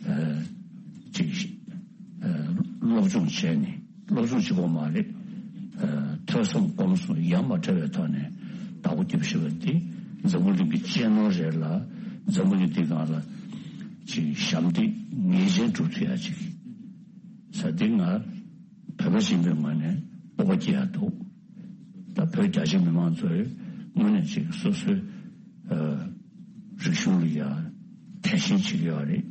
ཨ། ཅིག་ཨ། སློབ་སྦྱོང་བྱས་ནས་སློབ་སྦྱོང་གཅིག་པོ་མ་རེད། ཨ། ཐོས་བསམ་སྒོམ་གསུམ་ཡ་མ་བྲལ་བའི་ཐོག་ནས་བདག་པོ་རྒྱབ་ཤེས་པ་འདི་འཛམ་བུ་གླིང་གི་གཅེས་ནོར་རེད་ལ། འཛམ་བུ་གླིང་འདི་སྒང་ལ་ཅིག་ཞབས་འདེགས་ངེས་ཅན་སྒྲུབ་ཐུབ་ཡ་ཅིག་ས་འདི་ང་བོད་པ་ཡིན་པའི་ངོས་ནས་སྤོབས་པ་སྐྱེ་ཡ་འདུག་ད་བོད་རྒྱ་ཆེ་མི་མང་ཚོས་དངོས་གནས་ཅིག་སོ་སོའི་ཨ། རིག་གཞུང་ལ་ཡ་དད་ཞེན་བྱེད་ཀྱི་ཡོད་རེད།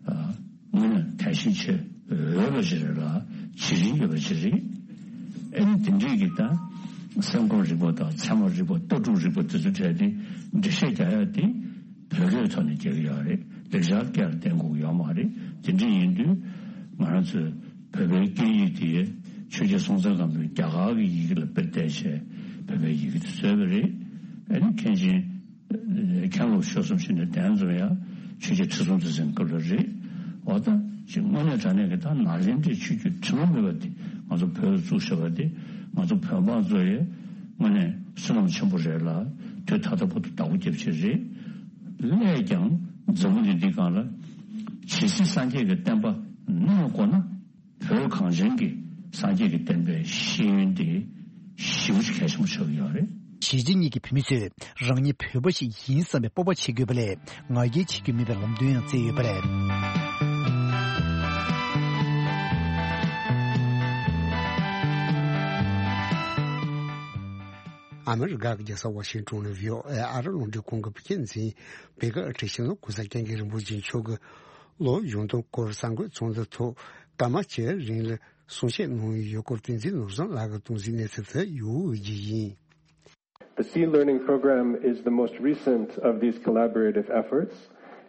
ཨ། དངོས་གནས་དད་ཞེན་བྱེད་འོས་པ་ཞིག་རེད་ལ་བྱེད་རིན་ཡོད་པ་ཞིག་རེད། ཨེ་ནི་དེ་འདྲས་ཀྱི་ད་སེམས་ཁམས་རིག་པ་དང་ཚད་མ་རིག་པ་ལྟ་གྲུབ་རིག་པ་དེ་ཚོ་གྲས་དེ་འགྲེལ་བཤད་རྒྱག་ཡ་དེ་བོད་སྐད་ཐོག་ནས་རྒྱག་གི་ཡོད་རེད། ལེགས་སྦྱར་སྐད་ལ་བརྟེན་དགོས་ཀྱི་ཡོད་མ་རེད། དེ་འདྲས་ཡིན་དུས་ང་རང་ཚོས་བོད་པའི་སྐད་ཡིག་དེ་ཆོས་རྒྱལ་སྲོང་བཙན་སྒམ་པོས་རྒྱ་གར་གྱི་ཡི་གེ་ལ་དཔེ་བལྟས་བྱས་བོད་པའི་ཡི་གེ་དེ་བཟོས་པ་རེད། ཨ་ནི་མཁན་ཆེན་མཁན་སློབ་ཆོས་གསུམ་ཞིག་ནས་གདན་འཛོམས་ཡ་ཆོས་རྒྱལ་ཁྲི་སྲོང་ལྡེ་བཙན་སྐབས་ལ་རེད། འོ་ད་ཅིག་དངོས་གནས་དྲང་གནས་ཀྱི་ད་ནཱ་ལེནྡྲའི་ཆོས་བརྒྱུད་དྲི་མ་མེད་པ་དེ་ང་ཚོ་བོད་ལ་བཙུགས་བཞག་པ་དེ་ང་ཚོ་བོད་འབངས་ཚོ་ཡི་དངོས་གནས་བསོད་ནམས་ཆེན་པོ་རེད་ལ་དུས་ད་ལྟ་བར་དུ་བདག་པོ་རྒྱབ་ཆེད་རེད། སླད་ཀྱང་འཛམ་བུ་གླིང་འདི་སྒང་ལ་ཇི་སྲིད་སངས་རྒྱས་ཀྱི་བསྟན་པ་གནས་དགོས་ན། བོད་གངས་ཅན་གྱི་སངས་རྒྱས་ཀྱི་བསྟན་པའི་ཤེས་ཡོན་དེ་ཞེ་པོ་ཅིག་གལ་ཆེན་པོ་ཆགས་ཀྱི་ཡོད་རེད། གཞིས་བྱེས་གཉིས་ཀྱི་བོད་མི་ཚོས་རང་ཉིད་བོད་པ་ཞིག་ཡིན་བསམ་པའི་སྤོབས་པ་བྱེད་དགོས་པ་ལས་ང་རྒྱལ་བྱེད་རྒྱུ་མེད་པའི་ལམ་སྟོན་ཡང་བསྩལ་ཡོད་པ་རེད། ཨ་མི་རི་ཀ་གི་རྒྱལ་ས་ཝ་ཤིང་ཏོན་ནས་བྷི་ཨོ་ཨེ་ཨ་རི་རླུང་འཕྲིན་ཁང་གི་བོད་སྐད་འཛིན་བོད་སྐད་ཨ་ཁྲིད་ཤེས་ནོར་གོང་ས་སྐྱབས་མགོན་རིན་པོ་ཆེ་མཆོག་གིས་ལོ་གཞོན་དོན་སྐོར་གསར་འགོད་ཚོགས་འདུ་ཐོག་སྐར་མ་བཅུའི་རིང་ལ་གསུང་བཤད་གནང་ཡོད་སྐོར་བསྟན་འཛིན་ནོར་བཟང་ལགས་ཀྱིས་གཏོང་གཟིགས་གནས་ཚུལ་དེ་ཡོད་ཀྱི་ཡིན། The Sea Learning Program is the most recent of these collaborative efforts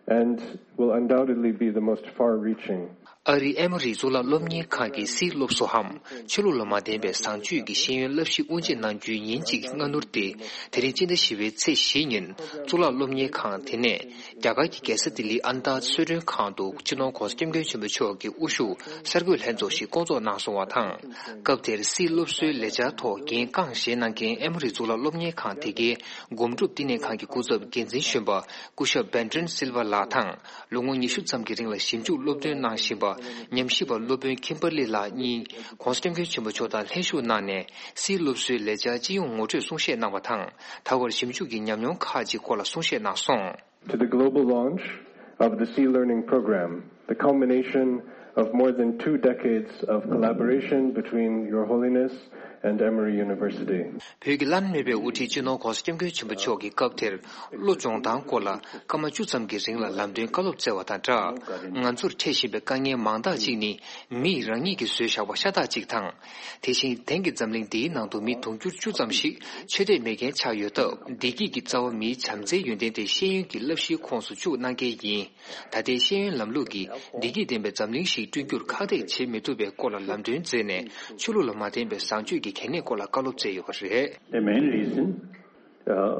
and will undoubtedly be the most far-reaching. ཨ་རིའི་ཨེ་མོ་རི་གཙུག་ལག་སློབ་གཉེར་ཁང་གི་སིའི་སློབ་གསོའམ་ཆོས་ལུགས་ལ་མ་བརྟེན་པའི་བཟང་སྤྱོད་ཀྱི་ཤེས་ཡོན་བསླབ་གཞི་དབུ་འབྱེད་གནང་རྒྱུའི་ཉིན་གཅིག་སྔ་སྣུར་ཏེ། དེ་རིང་སྤྱི་ཟླ་བཞི་པའི་ཚེས་བཞི་ཉིན་གཙུག་ལག་སློབ་གཉེར་ཁང་དེ་ནས། རྒྱ་གར་གྱི་རྒྱལ་ས་ལྡི་ལིའི་ཨན་ཏཱ་གསོལ་མགྲོན་ཁང་དུ་སྤྱི་ནོར་༧གོང་ས་༧སྐྱབས་མགོན་ཆེན་པོ་མཆོག་གི་དབུ་བཞུགས་གསར་འགོད་ལྷན་ཚོགས་ཤིག་བསྐོང་ཚོགས་གནང་སོང་བ་དང་། སྐབས་དེར་སིའི་སློབ་གསོའི་ལས་འཆར་ཐོག་འགན་རྐང་བཞེས་གནང་མཁན་ཨེ་མོ་རི་གཙུག་ལག་སློབ་གཉེར་ཁང་དེ་གའི་སྒོམ་སྒྲུབ་བསྟི་གནས་ཁང་གི་སྐུ་ཚབ་འགན་འཛིན་གཞོན་པ་སྐུ་ཞབས་བྷན་ཏྲན་སིལ་ཝ་ལགས་དང་། ལོ་ངོ་ཉི་ཤུ་ཙམ་གྱི་རིང་ལ་ཞིབ་འཇུག་སློབ་སྟོན་གནང་བཞིན་པ་ཉམས་ཞིབ་པ་སློབ་དཔོན་ཁིམ་པར་ལི་ལགས་གཉིས་༧གོང་ས་༧སྐྱབས་མགོན་ཆེན་པོ་མཆོག་དང་ལྷན་ཞུགས་གནང་ནས་སིའི་སློབ་གསོའི་ལས་འཆར་སྤྱི་ཡོངས་ངོ་སྤྲོད་གསུང་བཤད་གནང་བ་དང་། ད་བར་ཞིབ་འཇུག་གི་ཉམས་མྱོང་ཁག་ཅིག་སྐོར་ལ་གསུང་བཤད་གནང་སོང་། To the global launch of the Sea Learning Program, the culmination of more than two decades of collaboration between Your Holiness and Emory University. བོད་ཀྱི་བླ་ན་མེད་པའི་དབུ་ཁྲིད་སྤྱི་ནོར་༧གོང་ས་༧སྐྱབས་མགོན་ཆེན་པོ་མཆོག་གིས་སྐབས་དེར་བློ་སྦྱོང་སྟངས་སྐོར་ལ་སྐར་མ་བཅུ་ཙམ་གྱི་རིང་ལ་ལམ་སྟོན་བཀའ་སློབ་སྩལ་བ་དང་སྦྲགས། ང་ཚོར་འཕྲད་བཞིན་པའི་དཀའ་ངལ་མང་དག་ཅིག་ནི་མིས་རང་ཉིད་ཀྱིས་བཟོས་བཞག་པ་ཤ་སྟག་ཅིག་དང་། དེ་བཞིན་དེང་གི་འཛམ་གླིང་འདིའི་ནང་དུ་མི་དུང་ཕྱུར་བཅུ་ཙམ་ཞིག་ཆོས་དད་མེད་མཁན་ཆགས་ཡོད་སྟབས། བདེ་སྐྱིད་ཀྱི་རྩ་བ་མིའི་བྱམས་བརྩེའི་ཡོན་ཏན་དེ་ཤེས་ཡོན་གྱི་བསླབ་གཞིའི་ཁོངས་སུ་བཅུག་གནང་གལ་ཡིན། ད་ལྟའི་ཤེས་ཡོན་ལམ་ལུགས་ཀྱིས་བདེ་སྐྱིད་ལྡན་པའི་འཛམ་གླིང་ཞིག་བསྐྲུན་རྒྱུར་ཁག་ཐེག་བྱེད་མི་ཐུབ་པའི་སྐོར་ལ་ལམ་སྟོན་མཛད་ནས། ཆོས་ལུགས་ལ་མ་བརྟེན་པའི་བཟང་སྤྱོད་ཀྱི་གལ་གནད་སྐོར་ལ་བཀའ་སློབ་སྩལ་ཡོད་པ་རེད། The main reason, uh,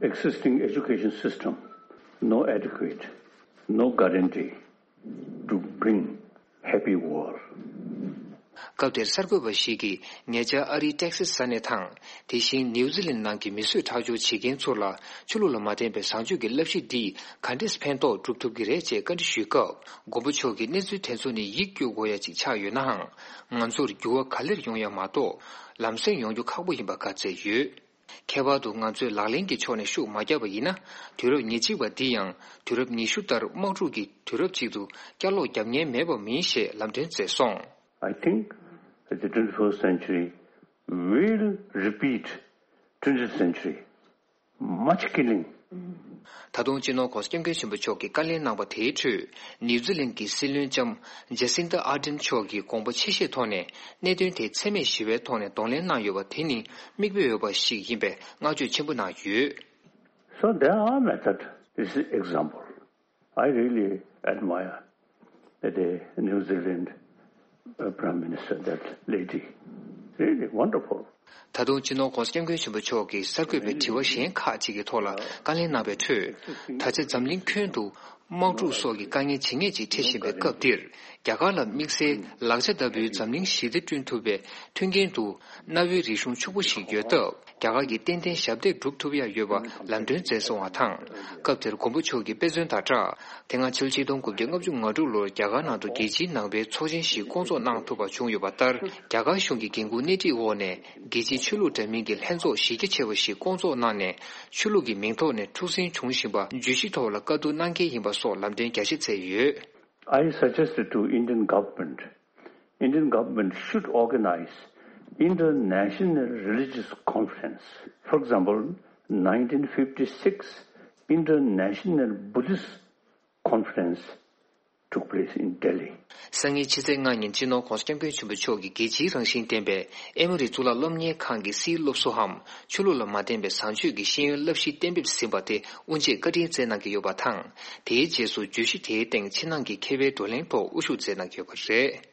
existing education system, no adequate, no guarantee to bring happy world. སྐབས་དེར་གསར་འགོད་པ་ཞིག་གིས་ཉེ་ཆར་ཨ་རིའི་ཏེག་སི་ས་གནས་དང་། དེ་བཞིན་ནིའུ་ཛི་ལན་ནང་གི་མི་གསོད་ཁྲག་སྦྱོར་བྱེད་མཁན་ཚོ་ལ་ཆོས་ལུགས་ལ་མ་བརྟེན་པའི་བཟང་སྤྱོད་ཀྱི་བསླབ་གཞི་འདིས་ག་འདྲས་ཕན་ཐོགས་སྒྲུབ་ཐུབ་ཀྱི་རེད་ཅེས་བཀའ་འདྲི་ཞུས་སྐབས། མགོན་པོ་མཆོག་གིས་གནས་ཚུལ་དེ་ཚོ་ནི་ཡིད་སྐྱོ་དགོས་ཡ་ཅིག་ཆགས་ཡོད་ནའང་། ང་ཚོར་འགྱུར་བ་ག་ལེར་ཡོང་ཡ་མ་གཏོགས། ལམ་སེང་ཡོང་རྒྱུ་ཁག་པོ་ཡིན་པ་བཀའ་སྩལ་ཡོད། ཁྱད་པར་དུ་ང་ཚོས་ལག་ལེན་གྱི་ཕྱོགས་ནས་ཤུགས་མ་བརྒྱབ་པ་ཡིན་ན། དུས་རབས་ཉེར་གཅིག་པ་འདི་ཡང་དུས་རབས་ཉི་ཤུ་ལྟར་དམག་འཁྲུག་གི་དུས་རབས་ཅིག་ཏུ་བསྐྱར་ལོག་རྒྱབ་ཉེན་མེད་པ་མིན་ཞེས་ལམ་སྟོན་མཛད་སོང་། I think the twenty-first century will repeat twentieth century. Much killing. ད་དུང་སྤྱི་ནོར་༧གོང་ས་༧སྐྱབས་མགོན་ཆེན་པོ་མཆོག་གིས་བཀའ་ལན་གནང་པ་དེའི་ཁྲོད། ནིའུ་ཛི་ལན་གྱི་སྲིད་བློན་ལྕམ་ཇེ་སིན་ཏ་ཨར་ཌེན་མཆོག་གིས་དགོངས་པ་ཆེ་བཞེས་ཐོག་ནས་གནད་དོན་དེ་འཚེ་མེད་ཞི་བའི་ཐོག་ནས་གདོང་ལེན་གནང་ཡོད་པ་དེ་ནི་མིག་དཔེ་འོས་པ་ཞིག་ཡིན་པའི་བསྔགས་བརྗོད་ཆེན་པོ་གནང་ཡོད། So there are method. This is example. I really admire the New Zealand uh, Prime Minister, that lady. Really wonderful. ད་དུང་སྤྱི་ནོར་༧གོང་ས་༧སྐྱབས་མགོན་ཆེན་པོ་མཆོག་གིས་གསར་འགོད་པའི་དྲི་བ་གཞན་ཁག་ཅིག་གི་ཐོག་ལ་བཀའ་ལན་གནང་བའི་ཁྲོད། ད་ཆ་འཛམ་གླིང་ཁྱོན་དུ་དམག་འཁྲུག་སོགས་ཀྱི་དཀའ་ངལ་ཇེ་ངེས་ཅིག་འཕྲད་བཞིན་པའི་སྐབས་འདིར། རྒྱ་གར་ལ་དམིགས་བསལ་ལག་ཆ་ལྟ་བུའི་འཛམ་གླིང་ཞི་བདེ་བསྐྲུན་ཐུབ་པའི་མཐུན་རྐྱེན་དུ་གནའ་བོའི་རིག་གཞུང་ཕྱུག་པོ་ཞིག་ཡོད་སྟབས། རྒྱ་གར་གྱིས་ཏན་ཏན་ཞབས་འདེགས་སྒྲུབ་ཐུབ་ཡ་ཡོད་པ་ལམ་སྟོན་མཛད་སོང་བ་དང་། སྐབས་དེར་མགོན་པོ་མཆོག་གིས་དཔེ་མཚོན་དང་སྦྲགས། དེ་སྔ་ཕྱི་ལོ་ཆིག་སྟོང་དགུ་བརྒྱ་ལྔ་བཅུ་ང་དྲུག་ལོར་རྒྱ་གར་ནང་དུ་རྒྱལ་སྤྱིའི་ནང་པའི་ཚོགས་ཆེན་ཞིག་བསྐོང་ཚོགས་གནང་ཐུབ་པ་བྱུང་ཡོད་པ་ལྟར། རྒྱ་གར་གཞུང་གི་འགན་འཁུར་སྣེ་ཁྲིད་འོག་ནས་རྒྱལ་སྤྱིའི་ཆོས་ལུགས་འདྲ་མིན་གྱི་ལྷན་ཚོགས་གཞི་རྒྱ་ཆེ་བ་ཞིག་བསྐོང་ཚོགས་གནང་ནས། ཆོས་ལུགས་ཀྱི་མིང་ཐོག་ནས་འཁྲུག་ཟིང་བྱུང་བཞིན་པ་བརྗོད་གཞི་ཐོག་ལ་བཀའ་བསྡུར་གནང་གལ་ཡིན་པ་སོགས་ལམ་སྟོན་རྒྱ་ཆེ་མཛད་ཡོད། I suggested to Indian government, Indian government should organize international religious conference. For example, nineteen fifty-six International Buddhist Conference took place in Delhi. སང་ཉིན་ཕྱི་ཚེས་ལྔ་ཉིན་སྤྱི་ནོར་༧གོང་ས་༧སྐྱབས་མགོན་ཆེན་པོ་མཆོག་གིས་རྒྱལ་སྤྱིའི་རང་བཞིན་ལྡན་པའི་ཨེ་མོ་རི་གཙུག་ལག་སློབ་གཉེར་ཁང་གི་སིལ་སློབ་གསོའམ་ཆོས་ལུགས་ལ་མ་བརྟེན་པའི་བཟང་སྤྱོད་ཀྱི་ཤེས་ཡོན་བསླབ་གཞི་གཏན་འབེབས་ཟིན་པ་དེ་དབུ་འབྱེད་བཀའ་དྲིན་སྩལ་གནང་གི་ཡོད་པ་དང་། དེའི་རྗེས་སུ་བརྗོད་གཞི་དེའི་སྟེང་ཕྱི་ནང་གི་མཁས་པའི་བགྲོ་གླེང་ཐོག་དབུ་བཞུགས་མཛད་གནང་གི་ཡོད་པ་རེད།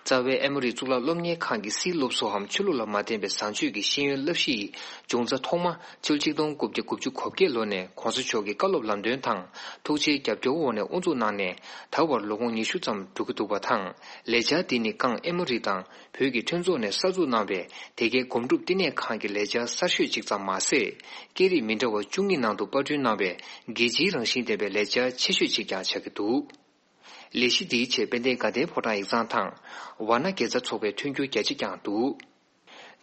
རྩ་བའི་ཨེ་མོ་རི་གཙུག་ལག་སློབ་གཉེར་ཁང་གི་སིལ་སློབ་གསོའམ་ཆོས་ལུགས་ལ་མ་བརྟེན་པའི་བཟང་སྤྱོད་ཀྱི་ཤེས་ཡོན་བསླབ་གཞི་ཡི་འབྱུང་རྩ་ཐོག་མ་ཕྱི་ལོ་ཆིག་སྟོང་དགུ་བརྒྱ་དགུ་བཅུ་གོ་བརྒྱད་ལོ་ནས་༧གོང་ས་མཆོག་གི་བཀའ་སློབ་ལམ་སྟོན་དང་ཐུགས་རྗེའི་རྒྱབ་སྐྱོར་འོག་ནས་དབུ་འཛུགས་གནང་ནས། ད་བར་ལོ་ངོ་ཉི་ཤུ་ཙམ་འགྲོ་གི་འདུག་པ་དང་། ལས་འཆར་འདི་ནི་སྒང་ཨེ་མོ་རི་དང་བོད་ཀྱི་མཐུན་ཚོགས་ནས་གསར་འཛུགས་གནང་བའི་དེ་གའི་སྒོམ་སྒྲུབ་བསྟི་གནས་ཁང་གི་ལས་འཆར་གསར་ཤོས་གཅིག་ཙམ་མ་ཟད། སྐད་རིགས་མི་འདྲ་བ་བཅུ་གཉིས་ནང་དུ་པར་སྐྲུན་གནང་བའི་རྒྱལ་སྤྱིའི་རང་བཞིན་ལྡན་པའི་ལས་འཆར་ཆེ་ཤོས་གཅིག་ཀྱང་ཆགས་ཀྱི་འདུག་ལས་གཞི་འདིའི་ཆེད་དཔལ་ལྡན་དགའ་ལྡན་ཕོ་བྲང་ཡིག་ཚང་དང་། ཝཱ་ཎ་དགེ་རྩ་ཚོགས་པའི་མཐུན་འགྱུར་རྒྱ་ཆེ་བསྐྱངས་འདུག་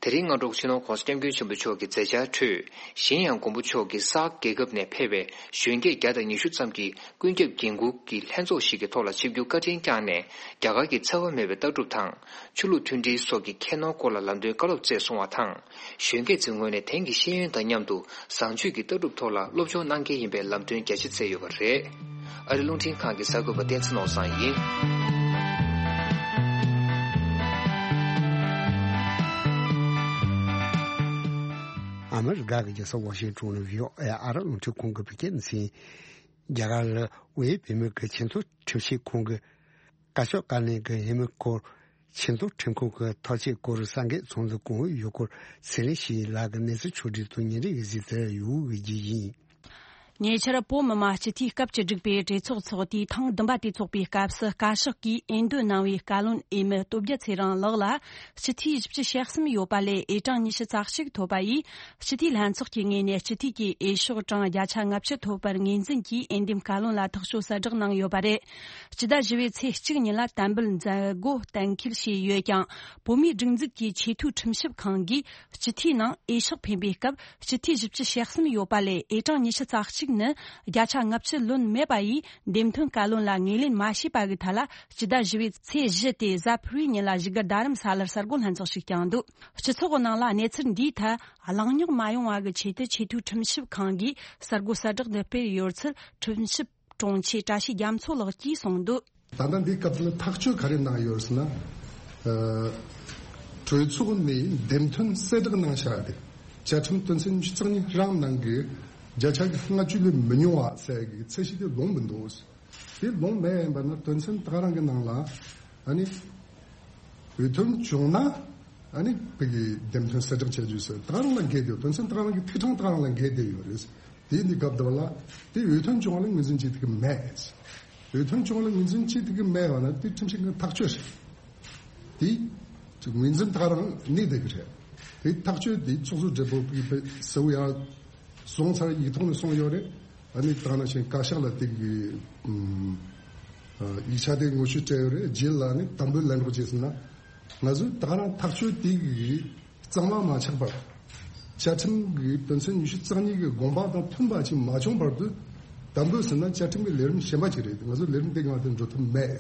དེ་རིང་སྔ་དྲོ་སྤྱི་ནོར་༧གོང་ས་༧སྐྱབས་མགོན་ཆེན་པོ་མཆོག་གི་མཛད་འཆར་ཁྲོད། གཞན་ཡང་མགོན་པོ་མཆོག་གིས་སཱག་རྒྱལ་ཁབ་ནས་ཕེབས་པའི་གཞོན་སྐྱེས་བརྒྱ་དང་ཉི་ཤུ་ཙམ་གྱི་ཀུན་ཁྱབ་འགན་འཁུར་གྱི་ལྷན་ཚོགས་ཤིག་གི་ཐོག་ལ་ཆིབས་བསྒྱུར་བཀའ་དྲིན་བསྐྱངས་ནས། རྒྱ་གར་གྱི་འཚེ་བ་མེད་པའི་ལྟ་གྲུབ་དང་། ཆོས་ལུགས་མཐུན་སྒྲིལ་སོགས་ཀྱི་ཁྱད་ནོར་སྐོར་ལ་ལམ་སྟོན་བཀའ་སློབ་སྩལ་སོང་བ་དང་། གཞོན་སྐྱེས་ཚོའི་ངོས་ནས་དེང་གི་ཤེས་ཡོན་དང་མཉམ་དུ་བཟང་སྤྱོད་ཀྱི་ལྟ་གྲུབ་ཐོག་ལ་སློབ་སྦྱོང་གནང་གལ་ཡིན་པའི་ལམ་སྟོན་རྒྱ་ཆེ་མཛད་ཡོད་པ་རེད། ཨ་རི་རླུང་འཕྲིན་ཁང་གི་གསར་འགོད་པ་བསྟན་འཛིན་ནོར་བཟང་ཡིན། ཨ་མི་རི་ཀ་གི་རྒྱལ་ས་ཝ་ཤིང་ཊོན་ནས་བྷི་ཨོ་ཨེ་ཨ་རི་རླུང་འཕྲིན་ཁང་གི་བོད་སྐད་སྡེ་ཚན། རྒྱ་གར་ལ་དབུས་བོད་མིའི་གི་ཆེས་མཐོའི་ཁྲིམས་ཞིབ་ཁང་གི་བཀའ་ཤོག་བཀའ་ལན་གྱི་འོས་མི་སྐོར། ཆེས་མཐོའི་ཁྲིམས་ཁང་གི་ཐག་གཅོད་སྐོར་གསར་འགོད་ཚོགས་འདུ་གོང་འོག་ཡུལ་སྐོར་ཚེ་རིང་ཞིག་ལགས་ཀྱིས་གནས་ཚུལ་ཕྱོགས་སྒྲིག་དང་ཉིན་རེའི་གཟིགས་ཚུལ་ཡོད་དགོས་ཀྱི་ཡིན། ཉེ་ཆར་བོད་མི་མང་སྤྱི་འཐུས་སྐབས་བཅུ་དྲུག་པའི་གྲོས་ཚོགས་འཚོགས་དུས་ཐེངས་བདུན་པ་དེ་འཚོགས་པའི་སྐབས་སུ་བཀའ་ཤག་གིས་འོས་འདེམས་གནང་བའི་བཀའ་བློན་འོས་མི་སྟོབས་རྒྱལ་ཚེ་རིང་ལགས་ལ་སྤྱི་འཐུས་བཞི་བཅུ་ཞེ་གསུམ་ཡོད་པ་ལས་འོས་གྲངས་ཉི་ཤུ་རྩ་གཅིག་ཐོབ་པ་ཡིས། སྤྱི་འཐུས་ལྷན་ཚོགས་ཀྱི་ངོས་ནས་སྤྱི་འཐུས་ཀྱི་འོས་ཤོག་གྲངས་བརྒྱ་ཆ་ལྔ་བཅུ་ཐོབ་པར་ངོས་འཛིན་གྱིས་འོས་འདེམས་བཀའ་བློན་ལ་ཐག་གཅོད་གསལ་བསྒྲགས་གནང་ཡོད་པ་རེད། སྤྱི་ཟླ་བཞི་པའི་ཚེས་གཅིག་ཉིན་ལ་དམ་འབུལ་མཛད་སྒོ་གཏན་འཁེལ་བྱས་ཡོད་ཀྱང་། བོད་མིའི་སྒྲིག་འཛུགས་ཀྱི་ཆེས་མཐོའི་ཁྲིམས་ཞིབ་ཁང་གིས་སྤྱི་འཐུས་ནང་འོས་ཤོག་འཕེན་པའི་སྐབས་སྤྱི་འཐུས་བཞི་བཅུ་ཞེ་གསུམ་ཡོད་པ་ལས་འོས་གྲངས་ཉི་ཤུ་རྩ་གཅིག་ནི་བརྒྱ་ཆ་ལྔ་བཅུ་ལོན་མེད་པ་ཡིས་འདེམས་ཐོན་བཀའ་བློན་ལ་ངོས་ལེན་མ་བྱས་པ་གི་ཐད་ལ་སྤྱི་ཟླ་བཞི་པའི་ཚེས་བཞི་སྟེ་གཟའ་ཕུར་བུའི་ཉིན་ལ་བཞུགས་སྒར་རྡ་རམ་ས་ལར་གསར་འགོད་ལྷན་ཚོགས་ཤིག་བསྐྱངས་འདུག་སྤྱི་ཚོགས་ཀྱི་ནང་ལ་གནས་ཚུལ་འདིའི་ཐད་གླེང་རྙོག་མ་ཡོང་བ་གི་ཆེད་དུ་ཆེས་མཐོའི་ཁྲིམས་ཞིབ་ཁང་གིས་གསར་འགོད་གསལ་བསྒྲགས་འདི་སྤེལ་ཡོད་ཚུལ་ཁྲིམས་ཞིབ་དྲུང་ཆེ་བཀྲ་ཤིས་རྒྱ་མཚོ་ལགས་ཀྱིས་གསུངས་འདུག་ད་ལྟ་འདིའི་སྐབས་སུ་ཐག་གཅོད་ག་རེ་གནང་ཡོད་ཟེར་ན། ཨ། གྲོས་ཚོགས་ནས་འདེམས་ཐོན་གསལ་བསྒྲགས་གནང་བཞག་སྟེ། བཅའ་ཁྲིམས་དོན་ཚན་ཉི་ཤུ་རྩ་གཉིས་རང་ནང་གི་བརྒྱ་ཆ་གི་ལྔ་བཅུ་ལས་མི་ཉུང་བ་ཟེར་གི་ཚད་གཞི་དེ་ལོངས་མི་འདུག་དེ་ལོངས་མེད་ཡིན་པ་ན་དོན་ཚན་ད་ག་རང་གི་ནང་ལ་ཨ་ནི་འོས་ཐོན་བྱུང་ན་ཨ་ནི་བོད་ཀྱི་འདེམས་ཐོན་གསལ་བསྒྲགས་བྱ་རྒྱུ་ཟེར་ད་ག་རང་ལ་འགལ་འདུག་དོན་ཚན་ད་ག་རང་གི་ཐིག་ཕྲེང་ད་ག་རང་ལ་འགལ་བསྡད་ཡོད་རེད། དེ་འདི་སྐབས་དེ་བ་ལ་དེ་འོས་ཐོན་བྱུང་བ་ལ་ངོས་འཛིན་བྱེད་ཐུབ་ཀྱི་མེད། འོས་ཐོན་བྱུང་བ་ལ་ངོས་འཛིན་བྱེད་ཐུབ་ཀྱི་མེད་བ་ན་དེ་ཁྲིམས་ཞིབ་ཁང་ཐག་གཅོད་རེད། དེ་ངོས་འཛིན་ད་ག་རང་གནས་བསྡད་ཀྱི་རེད། དེ་ཐག་གཅོད་དེ་ཚོགས་གཙོ་སྦྲེལ་པོ་གིས་གསལ་བོ་ཡང་སོང་ཚར། ཡིག་ཐོག་ནས་སོང་ཡོད་རེད། ཨ་ནི་ད་ནང་བཞིན་བཀའ་ཤག་ལ་དེ་གི་ཨ་ཡིག་ཆ་དེ་ངོ་བཤུས་སྤྲད་ཡོད་རེད། རྗེས་ལ་ནི་དམ་འབུལ་ལེན་རོགས་བྱས་ཟིན་ན། ང་ཚོས་ད་ག་རང་ཐག་གཅོད་དེ་གི་གཙང་མ་མ་ཆགས་པར། བཅའ་ཁྲིམས་ཀྱི་དོན་ཚན་ཉི་ཤུ་རྩ་གཉིས་ཀྱི་དགོངས་པ་དང་མཐུན་པ་ཞིག་མ་བྱུང་བར་དུ་དམ་འབུལ་ཟིན་ན་བཅའ་ཁྲིམས་ཀྱི་ལས་རིམ་གཞན་པ་ཅིག་རེད། ང་ཚོ་ལས་རིམ་དེ་སྒང་དུ་འགྲོ་ཐུབ་མེད།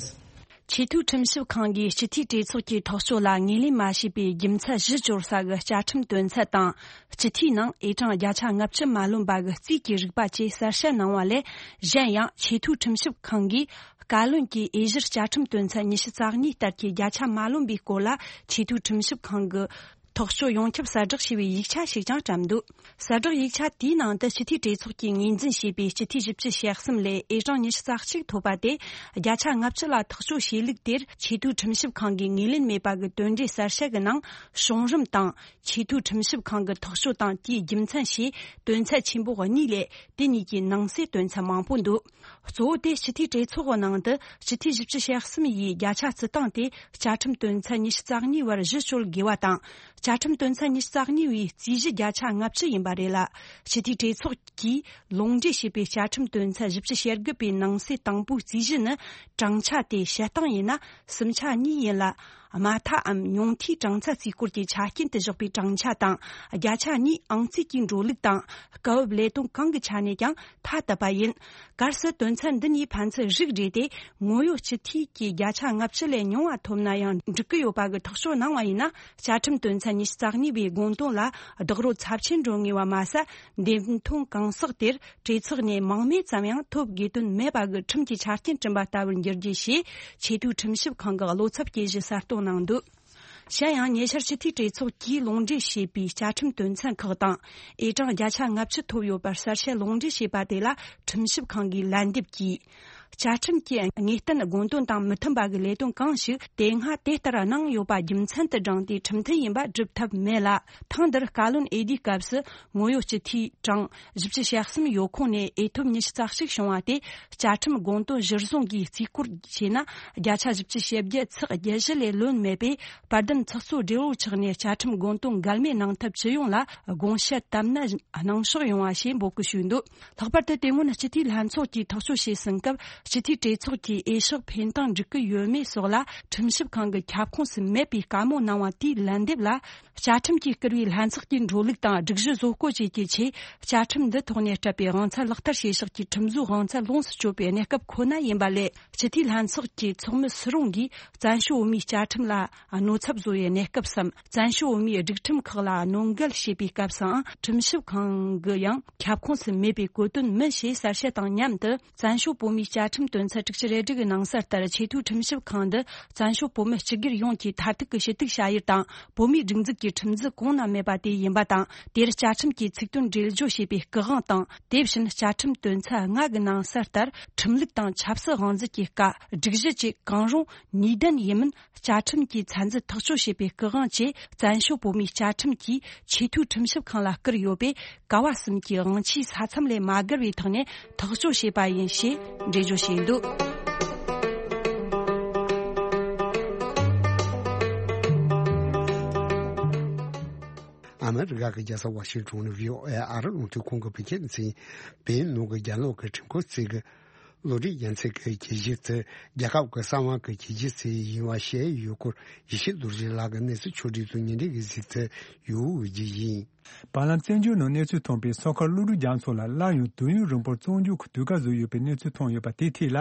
ཆེས་མཐོའི་ཁྲིམས་ཞིབ་ཁང་གིས་སྤྱི་འཐུས་གྲོས་ཚོགས་ཀྱི་ཐག་གཅོད་ལ་ངོས་ལེན་མ་བྱས་པའི་རྒྱུ་མཚན་གཞི་གཅོད་ས་གི་བཅའ་ཁྲིམས་དོན་ཚན་དང་། སྤྱི་འཐུས་ནང་ཨེ་གྲངས་བརྒྱ་ཆ་ལྔ་བཅུ་མ་ལོན་པ་གི་རྩིས་ཀྱི་རིག་པ་བཅས་གསལ་བཤད་གནང་བ་ལས། གཞན་ཡང་ཆེས་མཐོའི་ཁྲིམས་ཞིབ་ཁང་གིས་བཀའ་བློན་གྱིས་དབྱེ་གཞིར་བཅའ་ཁྲིམས་དོན་ཚན་ཉི་ཤུ་རྩ་གཉིས་ལྟར་གྱི་བརྒྱ་ཆ་མ་ལོན་པའི་སྐོར་ལ་ཆེས་མཐོའི་ཁྲིམས་ཞིབ་ཁང་གི་ཐག་གཅོད་ཡོངས་ཁྱབ་གསལ་བསྒྲགས་བྱས་པའི་ཡིག་ཆ་ཞིག་ཀྱང་བཀྲམ་འདུག་གསལ་བསྒྲགས་ཡིག་ཆ་དེའི་ནང་དུ་སྤྱི་འཐུས་གྲོས་ཚོགས་ཀྱིས་ངོས་འཛིན་བྱས་པའི་སྤྱི་འཐུས་བཞི་བཅུ་ཞེ་གསུམ་ལས་ཨེ་གྲངས་ཉི་ཤུ་རྩ་གཅིག་ཐོབ་པ་དེ་བརྒྱ་ཆ་ལྔ་བཅུ་ལ་ཐག་གཅོད་བྱས་ལུགས་དེར་ཆེས་མཐོའི་ཁྲིམས་ཞིབ་ཁང་གིས་ངོས་ལེན་མེད་པ་གི་དོན་འགྲེལ་གསལ་བཤད་ཀྱི་ནང་བྱུང་རིམ་དང་། ཆེས་མཐོའི་ཁྲིམས་ཞིབ་ཁང་གི་ཐག་གཅོད་དང་དེའི་རྒྱུ་མཚན་ཞེས་དོན་ཚན་ཆེན་པོ་གཉིས་ལས་དེ་གཉིས་ཀྱི་ནང་གསེས་དོན་ཚན་མང་པོ་འདུག་གཙོ་བོ་དེ་སྤྱི་འཐུས་གྲོས་ཚོགས་ཀྱི་ནང་དུ་སྤྱི་འཐུས་བཞི་བཅུ་ཞེ་གསུམ་ཡིས་བརྒྱ་ཆ་བརྩི་སྟངས་དེ་བཅའ་ཁྲིམས་དོན་ཚན་ཉི་ཤུ་རྩ་གཉིས་བར་གཞི་བཅོལ་དགོས་པ་དང་། བཅའ་ཁྲིམས་དོན་ཚན་ཉི་ཤུ་རྩ་གཉིས་པའི་རྩིས་གཞི་བརྒྱ་ཆ་ལྔ་བཅུ་ཡིན་པ་རེད་ལ། སྤྱི་འཐུས་གྲོས་ཚོགས་ཀྱིས་ལུང་འདྲེན་བྱས་པའི་བཅའ་ཁྲིམས་དོན་ཚན་བཞི་བཅུ་ཞེ་དགུ་པའི་ནང་གསེས་དང་པོའི་རྩིས་གཞི་ནི་གྲངས་ཆ་དེ་བཤད་སྟངས་ཡིན་ན་སུམ་ཆ་གཉིས་ཡིན་ལ། དམའ་མཐའམ་ཉུང་མཐའི་གྲངས་ཚད་རྩིས་སྐོར་གྱི་ཆ་རྐྱེན་དུ་བཞག་པའི་གྲངས་ཆ་དང་བརྒྱ་ཆ་གཉིས་ཨང་རྩིས་ཀྱི་འགྲོ་ལུགས་དང་སྐབས་བབ་ལས་དོན་གང་གི་ཆ་ནས་ཀྱང་ཐ་དད་པ་ཡིན། གལ་སྲིད་དོན་ཚན་འདི་གཉིས་ཕན་ཚུན་རིགས་འགྲེ་སྟེ་ངོ་ཡོད་སྤྱི་འཐུས་ཀྱིས་བརྒྱ་ཆ་ལྔ་བཅུ་ལས་ཉུང་བ་ཐོབ་ན་ཡང་འགྲིག་གི་ཡོད་པ་གི་ཐག་གཅོད་གནང་བ་ཡིན་ན། བཅའ་ཁྲིམས་དོན་ཚན་ཉི་ཤུ་རྩ་གཉིས་པའི་དགོངས་དོན་ལ་རྡོག་རོལ་ཚབས་ཆེན་འགྲོ་ངེས་པ་མ་ཟད། འདེམས་ཐོན་གང་ཟག་དེར་གྲོས་ཚོགས་ནས་མང་མོས་ཙམ་ཡང་ཐོབ་དགོས་དོན་མེད་པ་གི་ཁྲིམས་ཀྱི་ཆ་རྐྱེན་བསྐྲུན་པ་ལྟ་བུར་འགྱུར་རྒྱུ་ཞེས་ཆེས་མཐོའི་ཁྲིམས་ཞིབ་ཁང་གི་བློ་འཚབ་སྐྱེ་གཞི་གསལ་སྟོན་གནང་འདུག་གཞན་ཡང་ཉེ་ཆར་སྤྱི་འཐུས་གྲོས་ཚོགས་ཀྱིས་ལུང་འདྲེན་བྱས་པའི་བཅའ་ཁྲིམས་དོན་ཚན་ཁག་དང་། ཨེ་གྲངས་བརྒྱ་ཆ་ལྔ་བཅུ་ཐོབ་ཡོད་པར་གསལ་བཤད་ལུང་འདྲེན་བྱས་པ་དེ་ལ་ཁྲིམས་ཞིབ་ཁང་གིས་ལན་འདེབས་ཀྱིས། བཅའ་ཁྲིམས་ཀྱི་ངེས་གཏན་དགོངས་དོན་དང་མི་མཐུན་པ་གི་ལས་དོན་གང་ཞིག་དེ་སྔ་དེ་ལྟར་གནང་ཡོད་པ་རྒྱུ་མཚན་དུ་བགྲངས་ཏེ་ཁྲིམས་མཐུན་ཡིན་པ་སྒྲུབ་ཐབས་མེད་ལ། ཐེངས་འདིར་བཀའ་བློན་འོས་བསྡུའི་སྐབས་སུ་ངོ་ཡོད་སྤྱི་འཐུས་གྲངས་བཞི་བཅུ་ཞེ་གསུམ་ཡོད་ཁོངས་ནས་འོས་ཐོབ་ཉི་ཤུ་རྩ་གཅིག་བྱུང་བ་དེ་བཅའ་ཁྲིམས་དགོངས་དོན་གཞིར་བཟུང་གིས་རྩིས་སྐོར་བྱས་ན་བརྒྱ་ཆ་བཞི་བཅུ་ཞེ་བརྒྱད་ཚེག་བརྒྱད་བཞི་ལས་ལོན་མེད་པས། དཔལ་ལྡན་ཚོགས་གཙོ་སྦྲེལ་པོ་མཆོག་ནས་བཅའ་ཁྲིམས་དགོངས་དོན་འགལ་མེད་གནང་ཐབས་ཇི་ཡོང་ལ་དགོངས་བཞེས་བཏབ་ན་གནང་ཕྱོགས་ཡོང་བ་ཞེས་འབོད་སྐུལ་ཞུས་འདུག་ལྷག་པར་དུ་དེ་སྔོན་སྤྱི་འཐུས་ལྷན་ཚོགས་ཀྱིས་ཐག་གཅོད་བྱས་ཟིན་སྐབས་སྤྱི་འཐུས་གྲོས་ཚོགས་ཀྱིས་འོས་ཤོག་འཕེན་སྟངས་འགྲིག་གི་ཡོད་མེད་སོགས་ལ་ཁྲིམས་ཞིབ་ཁང་གི་ཁྱབ་ཁོངས་སུ་མེད་པའི་བཀའ་མོལ་གནང་བ་དེའི་ལན་འདེབས་ལ། བཅའ་ཁྲིམས་ཀྱིས་བསྐུར་བའི་ལྷན་ཚོགས་ཀྱི་འགྲོ་ལུགས་དང་སྒྲིག་གཞི་བཟོ་བཀོད་བཅས་ཀྱི་ཆེད་བཅའ་ཁྲིམས་འདི་ཐོག་ནས་སྤྲད་པའི་དབང་ཚད་ལག་བསྟར་བྱེད་ཕྱོགས་ཀྱི་ཁྲིམས་བཟོའི་དབང་ཚད་ལོངས་སུ་སྤྱོད་པའི་གནས་སྐབས་ཁོ་ན་ཡིན་པ་ལས། སྤྱི་འཐུས་ལྷན་ཚོགས་ཀྱི་ཚོགས་མི་སུ་རུང་གིས་བཙན་བྱོལ་བོད་མིའི་བཅའ་ཁྲིམས་ལ་གནོད་ཚབས་བཟོ་བའི་གནས་སྐབས་སམ། བཙན་བྱོལ་བོད་མིའི་སྒྲིག་ཁྲིམས་ཁག་ལ་གནོད་འགེལ་བྱེད་པའི་སྐབས་སུའང་ཁྲིམས་ཞིབ་ཁང་གི་ཡང་ཁྱབ་ཁོངས་སུ་མེད་པའི་གོ་དོན་མིན་ཞེས་གསལ་བཤད་དང་མཉམ་དུ། བཙན་བྱོལ་བོད་མིའི་བཅའ་ཁྲིམས་དོན་ཚན་དྲུག་ཅུ་རེ་དྲུག་གི་ནང་གསལ་ལྟར་ཆེས་མཐོའི་ཁྲིམས་ཞིབ་ཁང་འདི་བཙན་བྱོལ་བོད་མི་སྤྱི་སྒེར་ཡོངས་ཀྱི་མཐར་ཐུག་གི་ཞུ་གཏུག་བྱ་ཡུལ་དང་། བོད་མིའི་སྒྲིག་འཛུགས་ཀྱི་ཁྲིམས་འཛིན་གོང་ན་མེད་པ་དེ་ཡིན་པ་དང་། དེར་བཅའ་ཁྲིམས་ཀྱི་ཚིག་དོན་འགྲེལ་བརྗོད་བྱས་པའི་སྐུ་དབང་དང་། དེ་བཞིན་བཅའ་ཁྲིམས་དོན་ཚན་ལྔ་གི་ནང་གསལ་ལྟར་ཁྲིམས་ལུགས་དང་ཆབ་སྲིད་དབང་འཛིན་གྱི་བཀའ། སྒྲིག་གཞི་བཅས་གང་རུང་ནུས་ལྡན་ཡིན་མིན་བཅའ་ཁྲིམས་ཀྱི་ཚད་འཛིན་ཐག་གཅོད་བྱེད་པའི་སྐུ་དབང་བཅས་བཙན་བྱོལ་བོད་མིའི་བཅའ་ཁྲིམས་ཀྱིས་ཆེས་མཐོའི་ཁྲིམས་ཞིབ་ཁང་ལ་བསྐུར་ཡོད་པས། ཀ་བ་གསུམ་གྱི་དབང་ཆའི་ས་མཚམས་ལས་མ་བརྒལ་བའི་ཐོག་ནས་ཐག་གཅོད་བྱས་པ་ཡིན་ཞེས་འགྲེལ་བརྗོད་བྱས་འདུག་ཨ་མི་རི་ཀ་གི་རྒྱལ་ས་ཝ་ཤིང་ཊོན་ནས་བྷི་ཨོ་ཨེ་ཨ་རི་རླུང་འཕྲིན་ཁང་གི་བོད་སྐད་སྡེ་ཚན་པས་ནང་གི་རྒྱ་ནག་གི་ཁྲིམས་ཁང་གཅིག་གི་ བློ་གྲོས་རྒྱལ་མཚན་གྱི་ཁྱད་ཆོས་དེ་རྒྱལ་ཁབ་ཀྱི་གསང་བ་གི་ཁྱད་ཆོས་ཅིག་ཡིན་པ་བཤད་ཡོད་སྐོར་ཡེ་ཤེས་རྡོ་རྗེ་ལགས་ཀྱི་གནས་ཚུལ་ཕྱོགས་སྒྲིག་དང་ཉིན་རེ་གི་གཟིགས་ཚུལ་ཡོད་རྒྱུ་ཡིན། བར་ལམ་བཙན་བྱོལ་ནང་གནས་ཚུལ་ཐོན་པའི་སོ་ཁ་བློ་གྲོས་རྒྱ་མཚོ་ལགས་སླར་ཡང་དུས་ཡུན་རིང་པོར་བཙོན་འཇུག་གི་དུས་བཀག་བཟོས་ཡོད་པའི་གནས་ཚུལ་ཐོན་ཡོད་པ་དེའི་ཐད་ལ།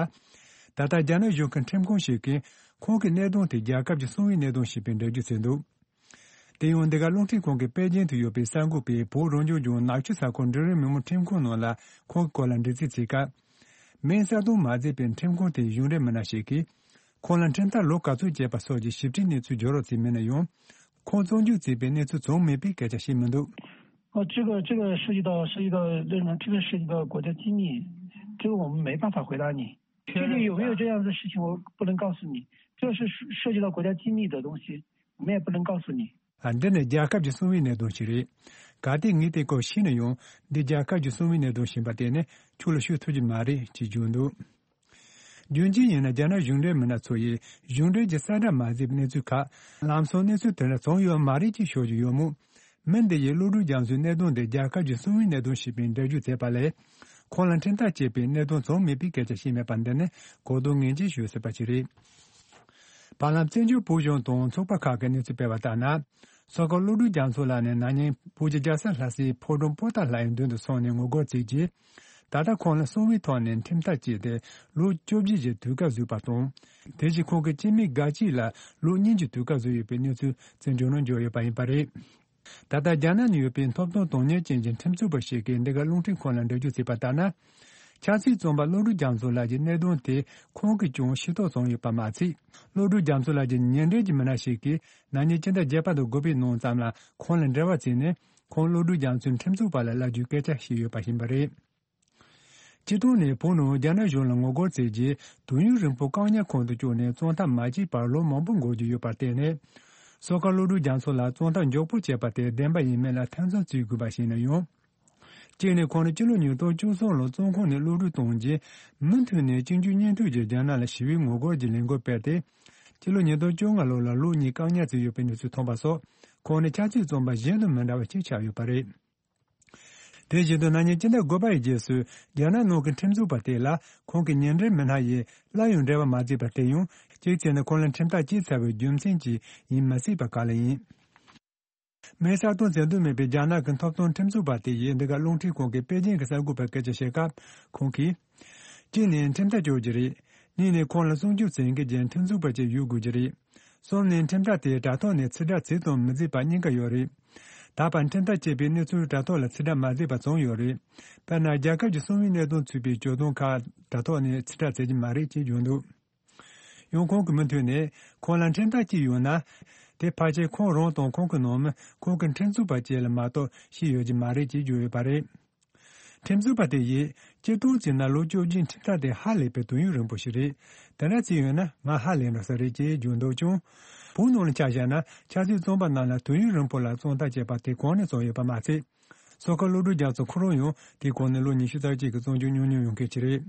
ད་ལྟ་རྒྱ་ནག་གཞུང་གི་ཁྲིམས་ཁང་ཞིག་གིས་ཁོང་གི་གནད་དོན་དེ་རྒྱལ་ཁབ་ཀྱི་གསང་བའི་གནད་དོན་ཞེས་པའི་འགྲེལ་བརྗོད་བྱས་འདུག་དེ་ཡང་འདི་ག་རླུང་འཕྲིན་ཁང་གིས་པེ་ཅིན་དུ་ཡོད་པའི་གསར་འགོད་པས་བོད་རང་སྐྱོང་ལྗོངས་ནག་ཆུ་ས་ཁུལ་འབྲིང་རིམ་མི་དམངས་ཁྲིམས་ཁང་ནང་ལ་ཁོང་གི་སྐོར་ལ་འདྲི་རྩད་བྱས་སྐབས། མིང་གསལ་སྟོན་མ་མཛད་པའི་ཁྲིམས་ཁང་དེའི་གཞུང་འབྲེལ་མི་སྣ་ཞིག་གིས། ཁོང་ལ་ཁྲིམས་ཐག་ལོ་ག་ཚོད་བཅད་པ་སོགས་ཀྱི་ཞིབ་ཕྲའི་གནས་ཚུལ་བརྗོད་རོགས་བྱས་མེད་ན་ཡང་། ཁོང་བཙོན་འཇུག་བྱས་པའི་གནས་ཚུལ་བྱུང་མེད་པའི་སྐད་ཆ་བཤད་མི་འདུག哦，这个这个涉及到涉及到那种这个涉及到国家机密，这个我们没办法回答你。确定有没有这样的事情，我不能告诉你。这是涉及到国家机密的东西，我们也不能告诉你。 ཨ། འདི་ནི་རྒྱལ་ཁབ་ཀྱི་གསང་བའི་གནད་དོན་ཞིག་རེད། གལ་ཏེ་ངས་དེ་སྐོར་ཤེས་ན་ཡང་འདི་རྒྱལ་ཁབ་ཀྱི་གསང་བའི་གནད་དོན་ཞིག་ཡིན་པ་དེ་ནི་ཁྱོད་ལ་ཤོད་ཐུབ་ཀྱི་མ་རེད་ཅེས་བརྗོད་འདུག་རྒྱུ་མཚན་ཡིན་ན་རྒྱ་ནག་གཞུང་འབྲེལ་མི་སྣ་ཚོ་ཡིས་གཞུང་འབྲེལ་གྱི་གསལ་བསྒྲགས་མ་མཛད་པའི་གནས་ཚུལ་ཁག་ལམ་སང་གནས་ཚུལ་དེ་འདྲ་བྱུང་ཡོད་མ་རེད་ཅེས་ཤོད་ཀྱི་ཡོད་མོད། མི་འདི་ཡིས་བློ་གྲོས་རྒྱ་མཚོའི་གནད་དོན་དེ་རྒྱལ་ཁབ་ཀྱི་གསང་བའི་གནད་དོན་ཞེས་པའི་འགྲེལ་བརྗོད་མཛད་པ་ལས། ཁོང་ལ་ཁྲིམས་ཐག་བཅད་པའི་གནད་དོན་བྱུང་མེད་པའི་སྐད་ཆ་བཤད་མེད་པ་འདི་ནི་གོ་བསྡུར་ངེས་ཅན་ཞིག་ཡོད་སྲིད་པ་ཞིག་རེད། བར་ལམ་བཙན་བྱོལ་བོད་གཞུང་དང་ཚོགས་པ་ཁག་གིས་གནས་ཚུལ་སྤེལ་བ་ལྟར་ན། སོ་ཁ་བློ་གྲོས་རྒྱ་མཚོ་ལགས་ནི་ན་ནིང་བོད་ཀྱི་རྒྱལ་ས་ལྷ་སའི་ཕོ་བྲང་པོ་ཏཱ་ལ་ཡི་མདུན་དུ་སོང་ནས་ངོ་རྒོལ་བྱས་རྗེས། ད་ལྟ་ཁོང་ལ་གསང་བའི་ཐོག་ནས་ཁྲིམས་ཐག་བཅད་དེ་ལོ་བཅོ་བརྒྱད་ཀྱི་དུས་བཀག་བཟོས་པ་དང་། དེ་བཞིན་ཁོང་གི་སྤྱི་མི་འགའ་ཅིག་ལ་ལོ་གཉིས་ཀྱི་དུས་བཀག་བཟོས་ཡོད་པའི་གནས་ཚུལ་བཙན་བྱོལ་ནང་འབྱོར་ཡོད་པ་ཡིན་པ་རེད། ད་ལྟ་རྒྱ་ནག་ནང་ཡོད་པའི་ཐོབ་ཐང་དོན་གཉེར་ཅན་གྱི་ཁྲིམས་རྩོད་པ་ཞིག་གིས་འདི་ག་རླུང་འཕྲིན་ཁང་ལ་འགྲེལ་བརྗོད་བྱས་པ་ལྟར་ན། ཆབ་སྲིད་བཙོན་པ་བློ་གྲོས་རྒྱ་མཚོ་ལགས་ཀྱི་གནད་དོན་དེ་ཁོང་གིས་ཀྱང་ཤེས་རྟོགས་བྱུང་ཡོད་པ་མ་ཚད། བློ་གྲོས་རྒྱ་མཚོ་ལགས་ཀྱི་ཉེ་འབྲེལ་གྱི་མི་སྣ་ཞིག་གིས་ན་ནིང་སྤྱི་ཟླ་བརྒྱད་པ་དང་དགུ་པའི་ནང་ཙམ་ལ་ཁོང་ལ་འབྲེལ་བ་བྱས་ནས་ཁོང་བློ་གྲོས་རྒྱ་མཚོའི་ཁྲིམས་རྩོད་པ་ལ་བསླབ་རྒྱུའི་སྐད་ཆ་བཤད་ཡོད་པ་ཡིན་པ་རེད། སྤྱིར་བཏང་ནས་བོད་ནང་རྒྱ་ནག་གཞུང་ལ་ངོ་རྒོལ་བྱས་རྗེས་དུས་ཡུན་རིང་པོ་བཀག་ཉར་ཁང་དུ་བཅུག་ནས་བཙོན་ཐག་མ་བཅད་པར་ལོ་མང་པོ་འགོར་རྒྱུ་ཡོད་པར་བརྟེན་ནས། སོ་ཁ་བློ་གྲོས་རྒྱ་མཚོ་ལ་བཙོན་ཐག་མགྱོགས་པོ་བཅད་པ་དེ་བདེན་པ་ཡིན་མིན་ལ་ཐེ་ཚོམ་བྱེད་དགོས་པ་ཞིག་ཡིན་ན་ཡང་། གཅིག་ནས་ཁོང་ནི་སྤྱི་ལོ་ཉིས་སྟོང་བཅུ་གསུམ་ལོར་བཙོན་ཁང་ནས་གློད་གྲོལ་བཏང་རྗེས་མུ་མཐུད་ནས་གཅིག་མཇུག་གཉིས་མཐུད་ཀྱིས་རྒྱ་ནག་ལ་ཞི་བའི་ངོ་རྒོལ་གྱི་ལས་འགུལ་སྤེལ་ཏེ། སྤྱི་ལོ་ཉིས་སྟོང་བཅོ་ལྔ་ལོ་ལ་ལོ་གཉིས་བཀག་ཉར་བྱས་ཡོད་པའི་གནས་ཚུལ་ཐོན་པ་སོགས་ཁོང་ནི་ཆབ་སྲིད་བཙོན་པ་གཞན་དང་མི་འདྲ་བ་ཞིག་ཆགས་ཡོད་པ་རེད། དེ་བཞིན་དུ་ན་ནིང་སྤྱི་ཟླ་དགུ་པ་ཡི་རྗེས་སུ་རྒྱ་ནག་ནང་གི་ཁྲིམས་རྩོད་པ་དེ་ལ་ཁོང་གི་ཉེ་འབྲེལ་མི་སྣ་ཡིས་སླར་ཡང་འབྲེལ་བ་མ་བྱས་པ་དེ་ཡང་གཅིག་བྱས་ན་ཁོང་ལ་ཁྲིམས་ཐག་བཅད་ཚར་བའི་རྒྱུ་མཚན་གྱིས་ཡིན་མི་སྲིད་པ་ག་ལ་ཡིན། མིང་གསལ་སྟོན་མཛད་འདོད་མེད་པའི་རྒྱ་ནག་གི་ཐོབ་ཐང་ཁྲིམས་རྩོད་པ་དེ་ཡིས་འདི་ག་རླུང་འཕྲིན་ཁང་གི་པེ་ཅིན་གྱི་གསར་འགོད་པར་སྐད་ཆ་བཤད་སྐབས་ཁོང་གིས། གཅིག་ནས་ཁྲིམས་ཐག་གཅོད་རྒྱུ་རེད། གཉིས་ནས་ཁོང་ལ་སྲུང་སྐྱོབ་བྱེད་མཁན་གྱི་ཁྲིམས་རྩོད་པ་ཅིག་ཡོད་དགོས་ཀྱི་རེད། གསུམ་ནས་ཁྲིམས་ཐག་དེ་དྲ་ཐོག་ནས་ཕྱིར་བསྒྲགས་བྱས་དང་མི་བྱས་པ་གཉིས་ཀ་ཡོད་རེད། ད་བར་ཁྲིམས་ཐག་བཅད་པའི་གནས་ཚུལ་དྲ་ཐོག་ལ་ཕྱིར་བསྒྲགས་མ་བྱས་པ་བྱུང་ཡོད་རེད། དཔེར་ན་རྒྱལ་ཁབ་ཀྱི་གསང་བའི་གནད་དོན་ཚུད་པའི་བརྗོད་དོན་ཁག་དྲ་ཐོག་ནས་ཕྱིར་བསྒྲགས་བྱེད་ཀྱི་མ་རེད་ཅེས་བརྗོད་འདུག་ཡང་ཁོང་གིས་མུ་མཐུད་ནས་ཁོང་ལ་ཁྲིམས་ཐག་བཅད་ཡོད་ན། དེ་ཕལ་ཆེར་ཁོང་རང་དང་ཁོང་གི་ནང་མི་ཁོང་གི་ཁྲིམས་རྩོད་པ་བཅས་ལ་མ་གཏོགས་ཤེས་ཡོད་ཀྱི་མ་རེད་ཅེས་བརྗོད་ཡོད་པ་རེད། ཁྲིམས་རྩོད་པ་དེ་ཡིས་སྤྱིར་བཏང་བྱས་ན་ལོ་བཅོ་བརྒྱད་ཁྲིམས་ཐག་དེ་ཧ་ལས་པའི་དུས་ཡུན་རིང་པོ་ཞིག་རེད། དེ་འདྲ་བྱས་ཡོད་ན་ང་ཧ་ལས་འགྲོ་ས་རེད་ཅེས་བརྗོད་འདུག་ཀྱང་། བོད་ནང་ལ་ཆ་བཞག་ན་ཆབ་སྲིད་བཙོན་པ་རྣམས་ལ་དུས་ཡུན་རིང་པོ་ལ་བཙོན་ཐག་བཅད་པ་དེ་གོང་ནས་བྱུང་ཡོད་པ་མ་ཚད། སོ་ཁ་བློ་གྲོས་རྒྱ་མཚོ་ཁོ་རང་ཡང་དེའི་གོང་ནས་ལོ་ཉི་ཤུ་རྩ་གཅིག་གི་བཙོན་འཇུག་མྱོང་མྱོང་ཡོང་མཁན་ཞིག་རེད།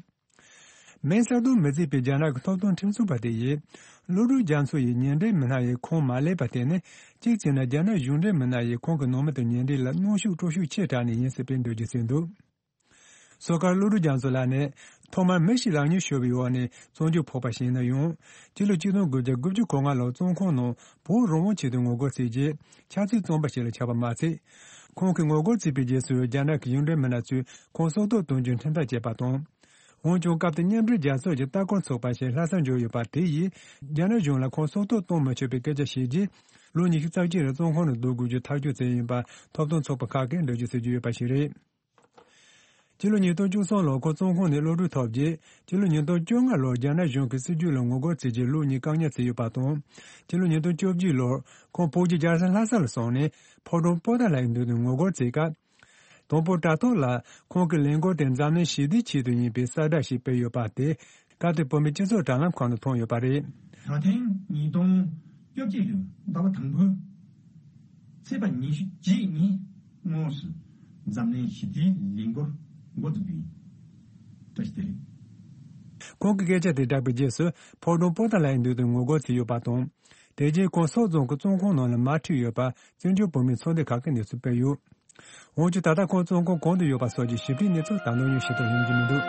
མིང་གསལ་སྟོན་མི་བྱེད་པའི་རྒྱ་ནག་གི་ཐོབ་ཐང་ཁྲིམས་རྩོད་པ་དེ་ཡིས། བློ་གྲོས་རྒྱ་མཚོ་ཡི་ཉེ་འབྲེལ་མི་སྣ་ཡིས་ཁོང་མ་གློད་པ་དེ་ནི། གཅིག་བྱས་ན་རྒྱ་ནག་གཞུང་འབྲེལ་མི་སྣ་ཡིས་ཁོང་གི་ནང་མི་དང་ཉེ་འབྲེལ་ལ་གནོན་ཤུགས་སྤྲོད་ཤུགས་ཆེ་དྲགས་ནས་ཡིན་སྲིད་པའི་འགྲེལ་བརྗོད་བྱས་འདུག་སོ་ཁ་བློ་གྲོས་རྒྱ་མཚོ་ལགས་ནི། ཐོག་མར་མི་ཞིག་ལག་གཉིས་ཤོར་བའི་འོག་ནས་བཙོན་འཇུག་ཕོག་པ་ཞིག་ཡིན་ན་ཡང་། སྤྱི་ལོ་གཅིག་སྟོང་དགུ་བརྒྱ་དགུ་བཅུ་གོ་ལྔ་ལོར་བཙོན་ཁང་ནང་བོད་རང་དབང་ཆེད་དུ་ངོ་རྒོལ་བྱས་རྗེས། ཆབ་སྲིད་བཙོན་པ་ཞིག་ལ་ཆགས་པ་མ་ཚད། ཁོང་གིས་ངོ་རྒོལ་བྱས་པའི་རྗེས་སུ་རྒྱ་ནག་གི་གཞུང་འབྲེལ་མི་སྣ་ཚོས་ཁོང་སྲོག་ཐོག་གཏོང་རྒྱུའི་ཁྲིམས་ཐག་བཅད་པ་དང་། འོན་ཀྱང་སྐབས་དེར་མཉམ་འབྲེལ་རྒྱལ་ཚོགས་ཀྱི་ལྟ་སྐོར་ཚོགས་པ་ཞིག་ལྷ་སར་འབྱོར་ཡོད་པ་དེ་ཡིས་རྒྱ་ནག་གཞུང་ལ་ཁོང་སྲོག་ཐོག་གཏོང་མི་ཆོག་པའི་སྐད་ཆ་བཤད་རྗེས། ལོ་ཉི་ཤུ་རྩ་གཅིག་རིང་བཙོན་ཁང་ནས་བསྡུ་དགོས་རྒྱུ་ཐག་གཅོད་བྱས་ཡིན་པ་ཐོབ་ཐང་ཚོགས་པ་ཁག་གིས་འགྲེལ་བརྗོད་བྱེད་ཀྱི་ཡོད་པ་ཞིག་རེད། སྤྱི་ལོ་ཉིས་སྟོང་བཅུ་གསུམ་ལོར་ཁོང་བཙོན་ཁང་ནས་གློད་གྲོལ་ཐོབ་རྗེས། སྤྱི་ལོ་ཉིས་སྟོང་བཅོ་ལྔ་ལོར་རྒྱ་ནག་གཞུང་གི་སྲིད་བྱུས་ལ་ངོ་རྒོལ་བྱས་རྗེས་ལོ་གཉིས་བཀག་ཉར་བྱས་ཡོད་པ་དང་། སྤྱི་ལོ་ཉིས་སྟོང་བཅོ་བརྒྱད་ལོར་ཁོང་བོད་ཀྱི་རྒྱལ་ས་ལྷ་ས་ལ་སོང་ནས་ཕོ་བྲང་པོ་ཏཱ་ལའི་མདུན་དུ་ངོ་རྒོལ་བྱས་སྐབས། དང་པོ་དྲ་ཐོག་ལ་ཁོང་གི་ལས་འགུལ་དེ་འཛམ་གླིང་ཞི་བདེའི་ཆེད་དུ་ཡིན་པའི་གསལ་བསྒྲགས་ཤིག་སྤེལ་ཡོད་པ་དེ། སྐབས་དེར་བོད་མིའི་སྤྱི་ཚོགས་དྲ་ལམ་ཁག་ནང་ཐོན་ཡོད་པ་རེད། ད་ཐེངས་ཉིས་སྟོང་བཅོ་གཅིག་ལོའི་ཟླ་བ་དང་པོའི་ཚེས་པ་ཉི་ཤུ་རྩ་གཉིས་ཉིན་དངོས་སུ་འཛམ་གླིང་ཞི་བདེའི་ལས་འགུལ་འགོ་འཛུགས་རྒྱུ་ཡིན། བཀྲ་ཤིས་བདེ་ལེགས། ཁོང་གིས་སྐད་ཆ་དེ་བསྒྲགས་པའི་རྗེས་སུ་ཕོ་བྲང་པོ་ཏཱ་ལའི་མདུན་དུ་ངོ་རྒོལ་བྱས་ཡོད་པ་དང་། དེ་རྗེས་ཁོང་སོག་རྫོང་གི་བཙོན་ཁང་ནང་ལ་མར་ཁྲིད་ཡོད་པ་བཙན་བྱོལ་བོད་མིའི་ཚོགས་སྡེ་ཁག་གིས་གནས་ཚུལ་སྤེལ་ཡོད། འོན་ཀྱང་ད་ལྟ་ཁོང་བཙོན་ཁང་གང་དུ་ཡོད་པ་སོགས་ཀྱི་ཞིབ་ཕྲའི་གནས་ཚུལ་ད་དུང་ཡང་ཤེས་རྟོགས་ཡོང་རྒྱུ་མི་འདུག་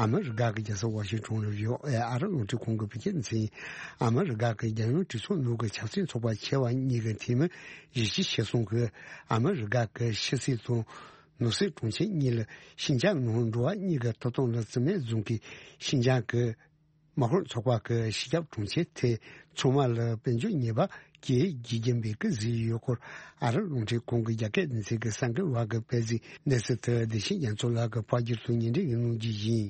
ཨ་མི་རི་ཀ་གི་རྒྱལ་ས་ཝ་ཤིང་ཊོན་ལ་ཡོད་ཨེ་ཨ་རི་རླུང་འཕྲིན་ཁང་གི་བོད་སྐད་སྡེ་ཚན། ཨ་མི་རི་ཀ་གི་རྒྱལ་ཡོངས་གྲོས་ཚོགས་ནང་གི་ཆབ་སྲིད་ཚོགས་པ་ཆེ་བ་གཉིས་ཀྱི་འཐུས་མི་བཞི་བཅུ་ཞེ་གསུམ་གྱིས་ཨ་མི་རི་ཀ་གི་ཕྱི་སྲིད་དང་ནང་སྲིད་དྲུང་ཆེ་གཉིས་ལ་ཤིན་ཅང་ནང་འགྲོ་བ་གཉིས་ཀྱི་ཐོབ་ཐང་ལ་བརྩི་མེད་བཟུང་གིས། ཤིན་ཅང་གི་དམག་དཔོན་ཚོགས་པ་གི་སྤྱི་ཁྱབ་དྲུང་ཆེ་དེ་ཚང་མ་ལ་དཔལ་འབྱོར་ཉེས་པ་གྱིས་བརྗེ་རྒྱུ་མེད་སྐད་བཟོས་ཡོད་སྐོར། ཨ་རི་རླུང་འཕྲིན་ཁང་གི་རྒྱ་སྐད་སྡེ་ཚན་གྱི་གསར་འགོད་པ་གིས་སྤེལ་གཟིགས་གནས་ཚུལ་དེ་བདེ་ཆེན་རྒྱ་མཚོ་ལགས་ཀྱིས་ཕབ་སྒྱུར་དང་སྙན་སྒྲོན་ཡང་གནང་རྒྱུ་ཡིན།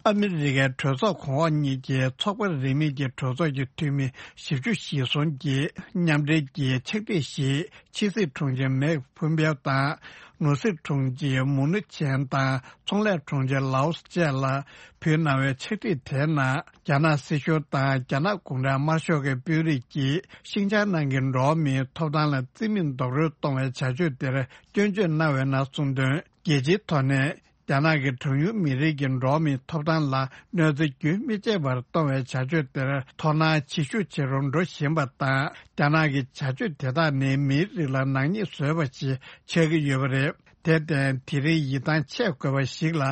ཨ་མི་རི་ཀའི་གྲོས་ཚོགས་གོང་འོག་གཉིས་ཀྱི་ཚོགས་པ་རིས་མེད་ཀྱི་གྲོས་ཚོགས་ཀྱི་འཐུས་མི་བཞི་བཅུ་ཞེ་གསུམ་གྱིས་མཉམ་འབྲེལ་གྱིས་ཕྱག་བྲིས་ཤིག་ཕྱི་སྲིད་དྲུང་ཆེ་མེག་ཕུམ་པེའོ་དང་། ནོར་སྲིད་དྲུང་ཆེ་མུ་ནུ་ཆན་དང་ཚོང་ལས་དྲུང་ཆེ་ལའོ་སི་བཅས་ལ་ཕུལ་གནང་བའི་ཕྱག་བྲིས་དེའི་ནང་། རྒྱ་ནག་སྲིད་གཞུང་དང་རྒྱ་ནག་གུང་ཁྲན་དམར་ཤོག་གི་དཔོན་རིགས་ཀྱིས་ཤིན་ཅང་ནང་གི་འགྲོ་བ་མིའི་ཐོབ་ཐང་ལ་བརྩི་མེད་རྡོག་རོལ་གཏོང་བའི་བྱ་སྤྱོད་དེར་སྐྱོན་བརྗོད་གནང་བའི་ནང་གསུངས་དོན། རྒྱལ་སྤྱིའི་ཐོག་ནས་རྒྱ་ནག་གི་གྲངས་ཉུང་མི་རིགས་ཀྱི་འགྲོ་བ་མིའི་ཐོབ་ཐང་ལ་གནོད་འཚེ་རྒྱུན་མི་ཆད་པར་གཏོང་བའི་བྱ་སྤྱོད་དེར་དོ་སྣང་ཇེ་ཤུགས་ཇེ་རུ་འགྲོ་བཞིན་པ་དང་། རྒྱ་ནག་གི་བྱ་སྤྱོད་དེ་དག་ནི་མིའི་རིགས་ལ་ནག་ཉེས་བཟོས་པ་ཞིག་ཆགས་ཀྱི་ཡོད་པ་རེད། དེར་བརྟེན། དེ་རིང་ཡིད་ཐང་ཆད་དགོས་པ་ཞིག་ལ་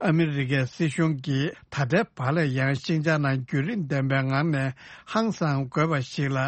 ཨ་མི་རི་ཀའི་སྲིད་གཞུང་གིས་ད་ལྟའི་བར་ལ་ཡང་ཤིན་ཅང་ནང་བརྒྱུད་རིམ་ལྡན་པའི་ངང་ནས་ཧང་སང་དགོས་པ་ཞིག་ལ་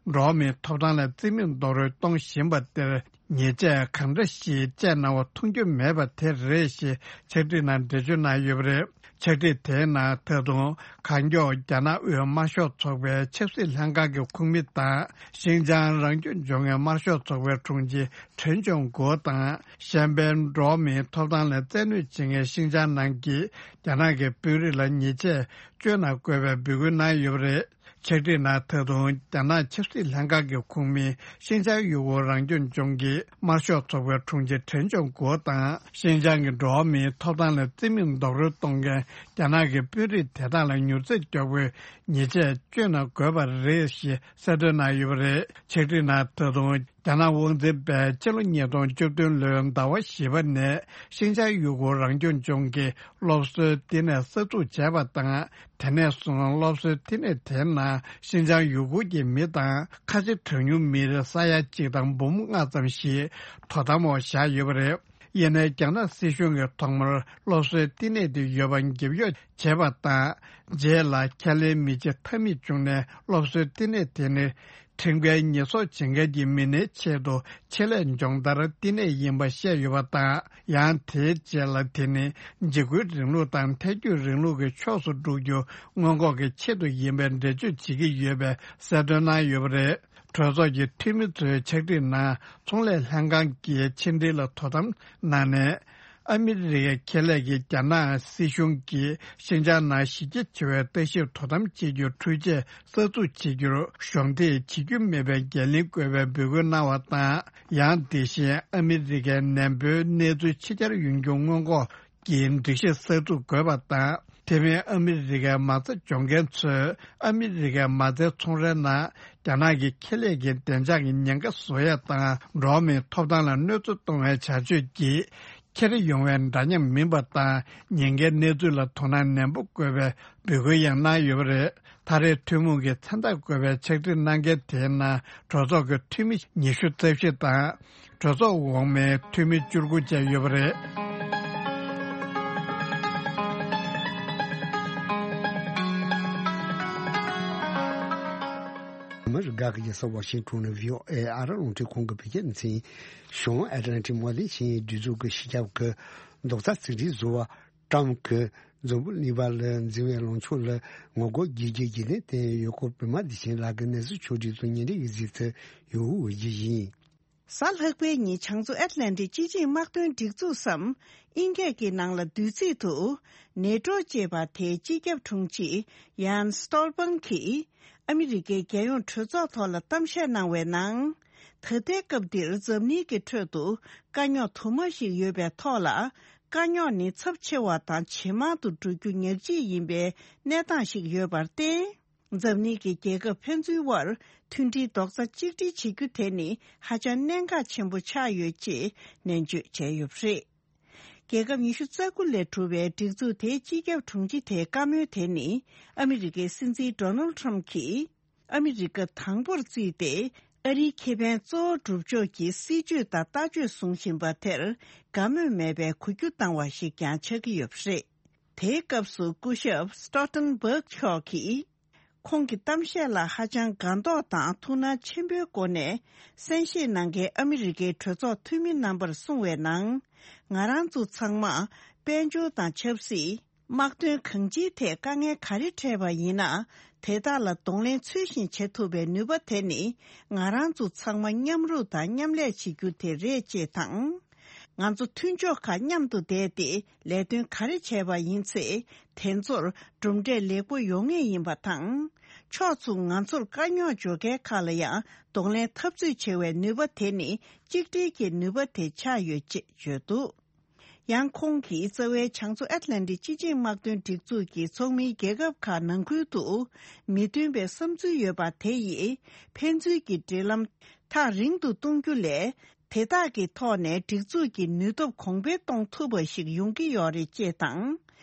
འགྲོ་བ་མིའི་ཐོབ་ཐང་ལ་བརྩི་མེད་རྡོག་རོལ་གཏོང་བཞིན་པ་དེར། ཉེས་ཆད་གང་འདྲ་ཞིག་བཅད་གནང་བ་མཐོང་རྒྱུ་མེད་པ་དེ་རེད་ཞེས་ཕྱག་བྲིས་ནང་འགྲེལ་བརྗོད་གནང་ཡོད་པ་རེད། ཕྱག་བྲིས་དེའི་ནང་ད་དུང་གང་མགྱོགས་རྒྱ་ནག་དབུས་དམར་ཤོག་ཚོགས་པའི་ཆབ་སྲིད་ལྷན་ཁང་གི་ཁོངས་མི་དང་། ཤིན་ཅང་རང་སྐྱོང་ལྗོངས་ཀྱི་དམར་ཤོག་ཚོགས་པའི་དྲུང་ཆེ་ཁྲེན་ཅོང་གོ་དང་། གཞན་ཕན་འགྲོ་བ་མིའི་ཐོབ་ཐང་ལ་བཙན་གནོད་བྱེད་མཁན་ཤིན་ཅང་ནང་གི་རྒྱ་ནག་གི་དཔོན་རིགས་ལ་ཉེས་ཆད་གཅོད་གནང་དགོས་པའི་འབོད་སྐུལ་གནང་ཡོད་པ་རེད། ཕྱག་བྲིས་ནང་ད་དུང་རྒྱ་ནག་ཆབ་སྲིད་ལྷན་ཁང་གི་ཁོངས་མི་ཤིན་ཅང་ཡུ་གུར་རང་སྐྱོང་ལྗོངས་ཀྱི་དམར་ཤོག་ཚོགས་པའི་དྲུང་ཆེ་ཁྲེན་ཅོང་གོ་དང་། ཤིན་ཅང་གི་འགྲོ་བ་མིའི་ཐོབ་ཐང་ལ་བརྩི་མེད་རྡོག་རོལ་གཏོང་མཁན་རྒྱ་ནག་གི་དཔོན་རིགས་དེ་དག་ལ་མྱུར་ཚད་མགྱོགས་པོས་ཉེས་ཆད་གཅོད་གནང་དགོས་པ་རེད་ཞེས་གསལ་སྟོན་གནང་ཡོད་པ་རེད། ཕྱག་བྲིས་ནང་ད་དུང་། རྒྱ་ནག་དབང་འཛིན་པས་ཕྱི་ལོ་ཉིས་སྟོང་བཅུ་བདུན་ལོའི་ཟླ་བ་བཞི་པ་ནས་ཤིན་ཅང་ཡུ་གུར་རང་སྐྱོང་ལྗོངས་ཀྱི་སློབ་གསོའི་བསྟི་གནས་གསར་འཛུགས་བྱས་པ་དང་། དེ་ནས་བཟུང་སློབ་གསོའི་བསྟི་གནས་དེའི་ནང་ཤིན་ཅང་ཡུ་གུར་གྱི་མི་དང་ཁ་ཆེ་གྲངས་ཉུང་མི་རིགས་ས་ཡ་གཅིག་དང་འབུམ་ལྔ་ཙམ་ཞིག་དོ་དམ་འོག་བཞག་ཡོད་པ་རེད། ཡིན་ནའི་རྒྱ་ནག་སྲིད་གཞུང་གིས་ཐོག་མར་སློབ་གསོའི་བསྟི་གནས་དེ་ཡོད་པ་འགེབས་གཡོག་བྱས་པ་དང་། རྗེས་ལ་ཁས་ལེན་མི་བྱེད་ཐབས་མེད་བྱུང་ནས་སློབ་གསོའི་བསྟི་གནས་དེ་ནི། ཁྲིམས་འགལ་ཉེས་གསོག་བྱེད་མཁན་གྱི་མི་སྣའི་ཆེད་དུ་ཆེད་ལས་སྦྱོང་བརྡར་བསྟི་གནས་ཡིན་པ་བཤད་ཡོད་པ་དང་། ཡང་དེའི་རྗེས་ལ་དེ་ནི་འཇིགས་སྐུལ་རིང་ལུགས་དང་ཐལ་འགྱུར་རིང་ལུགས་ཀྱི་ཕྱོགས་སུ་འགྲོ་རྒྱུ་སྔོན་འགོག་གི་ཆེད་དུ་ཡིན་པའི་འགྲེལ་བརྗོད་བྱེད་ཀྱི་ཡོད་པའི་གསལ་སྟོན་གནང་ཡོད་པ་རེད། གྲོས་ཚོགས་ཀྱི་འཐུས་མི་ཚོའི་ཕྱག་བྲིས་ནང་ཚོང་ལས་ལྷན་ཁང་གི་ཕྱི་འབྲེལ་ལ་དོ་དམ་གནང་ནས། ཨ་མི་རི་ཀའི་ཁེ་ལས་ཀྱིས་རྒྱ་ནག་སྲིད་གཞུང་གིས་ཤིན་ཅང་ནང་གཞི་རྒྱ་ཆེ་བའི་ལྟ་ཞིབ་དོ་དམ་བྱེད་རྒྱུར་འཕྲུལ་ཆས་གསར་འཛུགས་བྱེད་རྒྱུར་གཞོགས་འདེགས་བྱེད་རྒྱུ་མེད་པའི་འགན་ལེན་དགོས་པའི་འབོད་སྐུལ་གནང་བ་དང་། ཡང་དེ་བཞིན་ཨ་མི་རི་ཀའི་ནན་པོའི་གནས་ཚུལ་ཕྱི་གྱར་ཡོང་རྒྱུ་སྔོན་འགོག་གི་སྒྲིག་གཞི་གསར་འཛུགས་དགོས་པ་དང་། དེ་མིན་ཨ་མི་རི་ཀའི་མ་རྩ་འཇོག་མཁན་ཚོས་ཨ་མི་རི་ཀའི་མ་རྩའི་ཚོང་རའི་ནང་རྒྱ་ནག་གི་ཁེ་ལས་ཀྱི་བདེ་འཇགས་ཀྱི་ཉེན་ཁ་བཟོ་ཡ་དང་། འགྲོ་བ་མིའི་ཐོབ་ཐང་ལ་གནོད་འཚེ་གཏོང་བའི་བྱ་སྤྱོད་ཀྱིས་འཁྱེར་ཡོང་བའི་འདྲ་མཉམ་མིན་པ་དང་། ཉེན་ཁའི་གནས་ཚུལ་ལ་དོ་སྣང་ནན་པོ་དགོས་པའི་འབོད་སྐུལ་ཡང་གནང་ཡོད་པ་རེད། ད་རེས་ཐུན་མོང་གི་མཚན་རྟགས་བཀོད་པའི་ཕྱག་བྲིས་གནང་མཁན་དེའི་ནང་གྲོས་ཚོགས་ཀྱི་འཐུས་མི་ཉི་ཤུ་རྩ་བཞི་དང་། གྲོས་ཚོགས་འོག་མའི་འཐུས་མི་བཅུ་དགུ་བཅས་ཡོད་པ་རེད། ཨ་མི་རི་ཀ་གི་རྒྱལ་ས་ཝ་ཤིང་ཊོན་ནས་བྷི་ཨོ་ཨེ་ཨ་རི་རླུང་འཕྲིན་ཁང་གི་བོད་སྐད་སྡེ་ཚན། བྱང་ཨེཊ་ལན་ཊིག་དམག་དོན་ཆིངས་ཡིག་སྒྲིག་འཛུགས་ཀྱི་སྤྱི་ཁྱབ་ཀྱི་རྡོག་རྩ་གཅིག་སྒྲིལ་བཟོ་བ་ཀྲམ་གྱིས་འཛམ་བུ་གླིང་པ་ལ་འཛིན་པའི་ལངས་ཕྱོགས་ལ་ངོ་རྒོལ་རྒྱག་རྒྱུའི་རྒྱུན་ལྡན་བསྟན་ཡོད་སྐོར། པད་མ་བདེ་ཆེན་ལགས་ཀྱིས་གནས་ཚུལ་ཕྱོགས་སྒྲིག་དང་སྙན་སྒྲོན་ཡི་གཟིགས་ཚུལ་ཡོད་འོས་ཀྱི་ཡིན། གཟའ་ལྷག་པའི་ཉིན་བྱང་མཚོ་ཨེཊ་ལན་ཊིག་སྤྱི་ཆིངས་དམག་དོན་སྒྲིག་འཛུགས་སམ། དབྱིན་སྐད་ཀྱི་ནང་ལ་བསྡུས་ཚིག་ཏུ། ནེ་ཊོ་ཅེས་པ་དེའི་སྤྱི་ཁྱབ་དྲུང་ཆེ་ཡཱན་སི་ཊོལ་པན་གྱིས། ཨ་མི་རི་ཀའི་རྒྱལ་ཡོངས་གྲོས་ཚོགས་ཐོག་ལ་གཏམ་བཤད་གནང་བའི་ནང་། ད་ལྟའི་སྐབས་འདིར་འཛམ་གླིང་གི་ཁྲོད་དུ་དཀའ་རྙོག་དུ་མ་ཞིག་ཡོད་པའི་ཐོག་ལ། དཀའ་རྙོག་ནི་ཚབས་ཆེ་བ་དང་ཇེ་མང་དུ་འགྲོ་རྒྱུ་ཉག་གཅིག་ཡིན་པའི་གནས་སྟངས་ཤིག་ཡོད་པར་བརྟེན། འཛམ་གླིང་གི་རྒྱལ་ཁབ་ཕན་ཚུན་དབར་མཐུན་སྒྲིལ་རྡོག་རྩ་གཅིག་སྒྲིལ་བྱེད་རྒྱུ་དེ་ནི་ཧ་ཅང་གནད་འགག་ཆེན་པོ་ཆགས་ཡོད་ཅེས་ནན་བརྗོད་བྱས་ཡོད་པ་རེད། རྒྱལ་ཁབ་ཉི་ཤུ་རྩ་དགུ་ལས་གྲུབ་པའི་སྒྲིག་འཛུགས་དེའི་སྤྱི་ཁྱབ་དྲུང་ཆེ་དེའི་བཀའ་མོལ་དེ་ནི། ཨ་མི་རི་ཀའི་སྲིད་འཛིན་ཌོ་ནལ་ཊམ་གྱིས། ཨ་མི་རི་ཀ་དང་པོར་བརྩིས་ཏེ། ཨ་རིའི་ཁེ་ཕན་གཙོ་བོ་སྒྲུབ་ཕྱོགས་ཀྱི་སྲིད་ཇུས་དང་ལྟ་སྤྱོད་བཟུང་བཞིན་པ་དེར་དགའ་མོས་མེད་པའི་གུས་བརྒྱུད་བཏང་བ་ཞིག་ཀྱང་ཆགས་ཀྱི་ཡོད་པ་རེད། དེའི་སྐབས་སུ་སྐུ་ཞབས་སི་ཊོལ་ཊེན་བྷག་མཆོག་གིས། ཁོང་གི་གཏམ་བཤད་ལ་ཧ་ཅང་དགའ་མདོག་དང་ཐུགས་སྣང་ཆེན་པོའི་སྒོ་ནས་གསན་བཞེས་གནང་མཁན་ཨ་མི་རི་ཀའི་གྲོས་ཚོགས་འཐུས་མི་རྣམ་པར་གསུངས་པའི་ནང་། ང་རང་ཚོ་ཚང་མ་དཔལ་འབྱོར་དང་ཆབ་སྲིད། དམག་དོན་གང་ཅིའི་ཐད་དཀའ་ངལ་ག་རེ་འཕྲད་པ་ཡིན་ན། དེ་དག་ལ་གདོང་ལེན་ཚུལ་བཞིན་བྱེད་ཐུབ་པའི་ནུས་པ་དེ་ནི། ང་རང་ཚོ་ཚང་མ་མཉམ་རུབ་དང་མཉམ་ལས་བྱེད་རྒྱུ་དེ་རེད་ཅེས་དང་། ང་ཚོ་མཐུན་ཕྱོགས་ཁག་མཉམ་དུ་བསྡད་དེ་ལས་དོན་ག་རེ་བྱས་པ་ཡིན་ཚེ། དེ་ཚོར་གྲུབ་འབྲས་ལེགས་པོ་ཡོང་ངེས་ཡིན་པ་དང་། ཕྱོགས་མཚུངས་ང་ཚོར་དཀའ་རྙོག་འཇོག་མཁན་ཁག་ལ་ཡང་གདོང་ལེན་འཐབ་རྩོད་བྱེད་པའི་ནུས་པ་དེ་ནི་གཅིག་སྒྲིལ་གྱི་ནུས་པ་དེ་ཆགས་ཡོད་ཅེས་བརྗོད་འདུག་ཡང་ཁོང་གིས་རྩ་བའི་བྱང་མཚོ་ཨེཊ་ལན་ཊིག་སྤྱི་ཆིངས་དམག་དོན་སྒྲིག་འཛུགས་ཀྱི་ཚོགས་མིའི་རྒྱལ་ཁབ་ཁག་ནང་ཁུལ་དུ་མི་མཐུན་པའི་བསམ་ཚུལ་ཡོད་པ་དེ་ཡིས་ཕན་ཚུན་གྱི་འབྲེལ་ལམ་ཐག་རིང་དུ་གཏོང་རྒྱུ་ལས། དེ་དག་གི་ཐོག་ནས་སྒྲིག་འཛུགས་ཀྱི་ནུས་སྟོབས་གོང་འཕེལ་གཏོང་ཐུབ་པ་ཞིག་ཡོང་གི་ཡོད་རེད་ཅེས་དང་།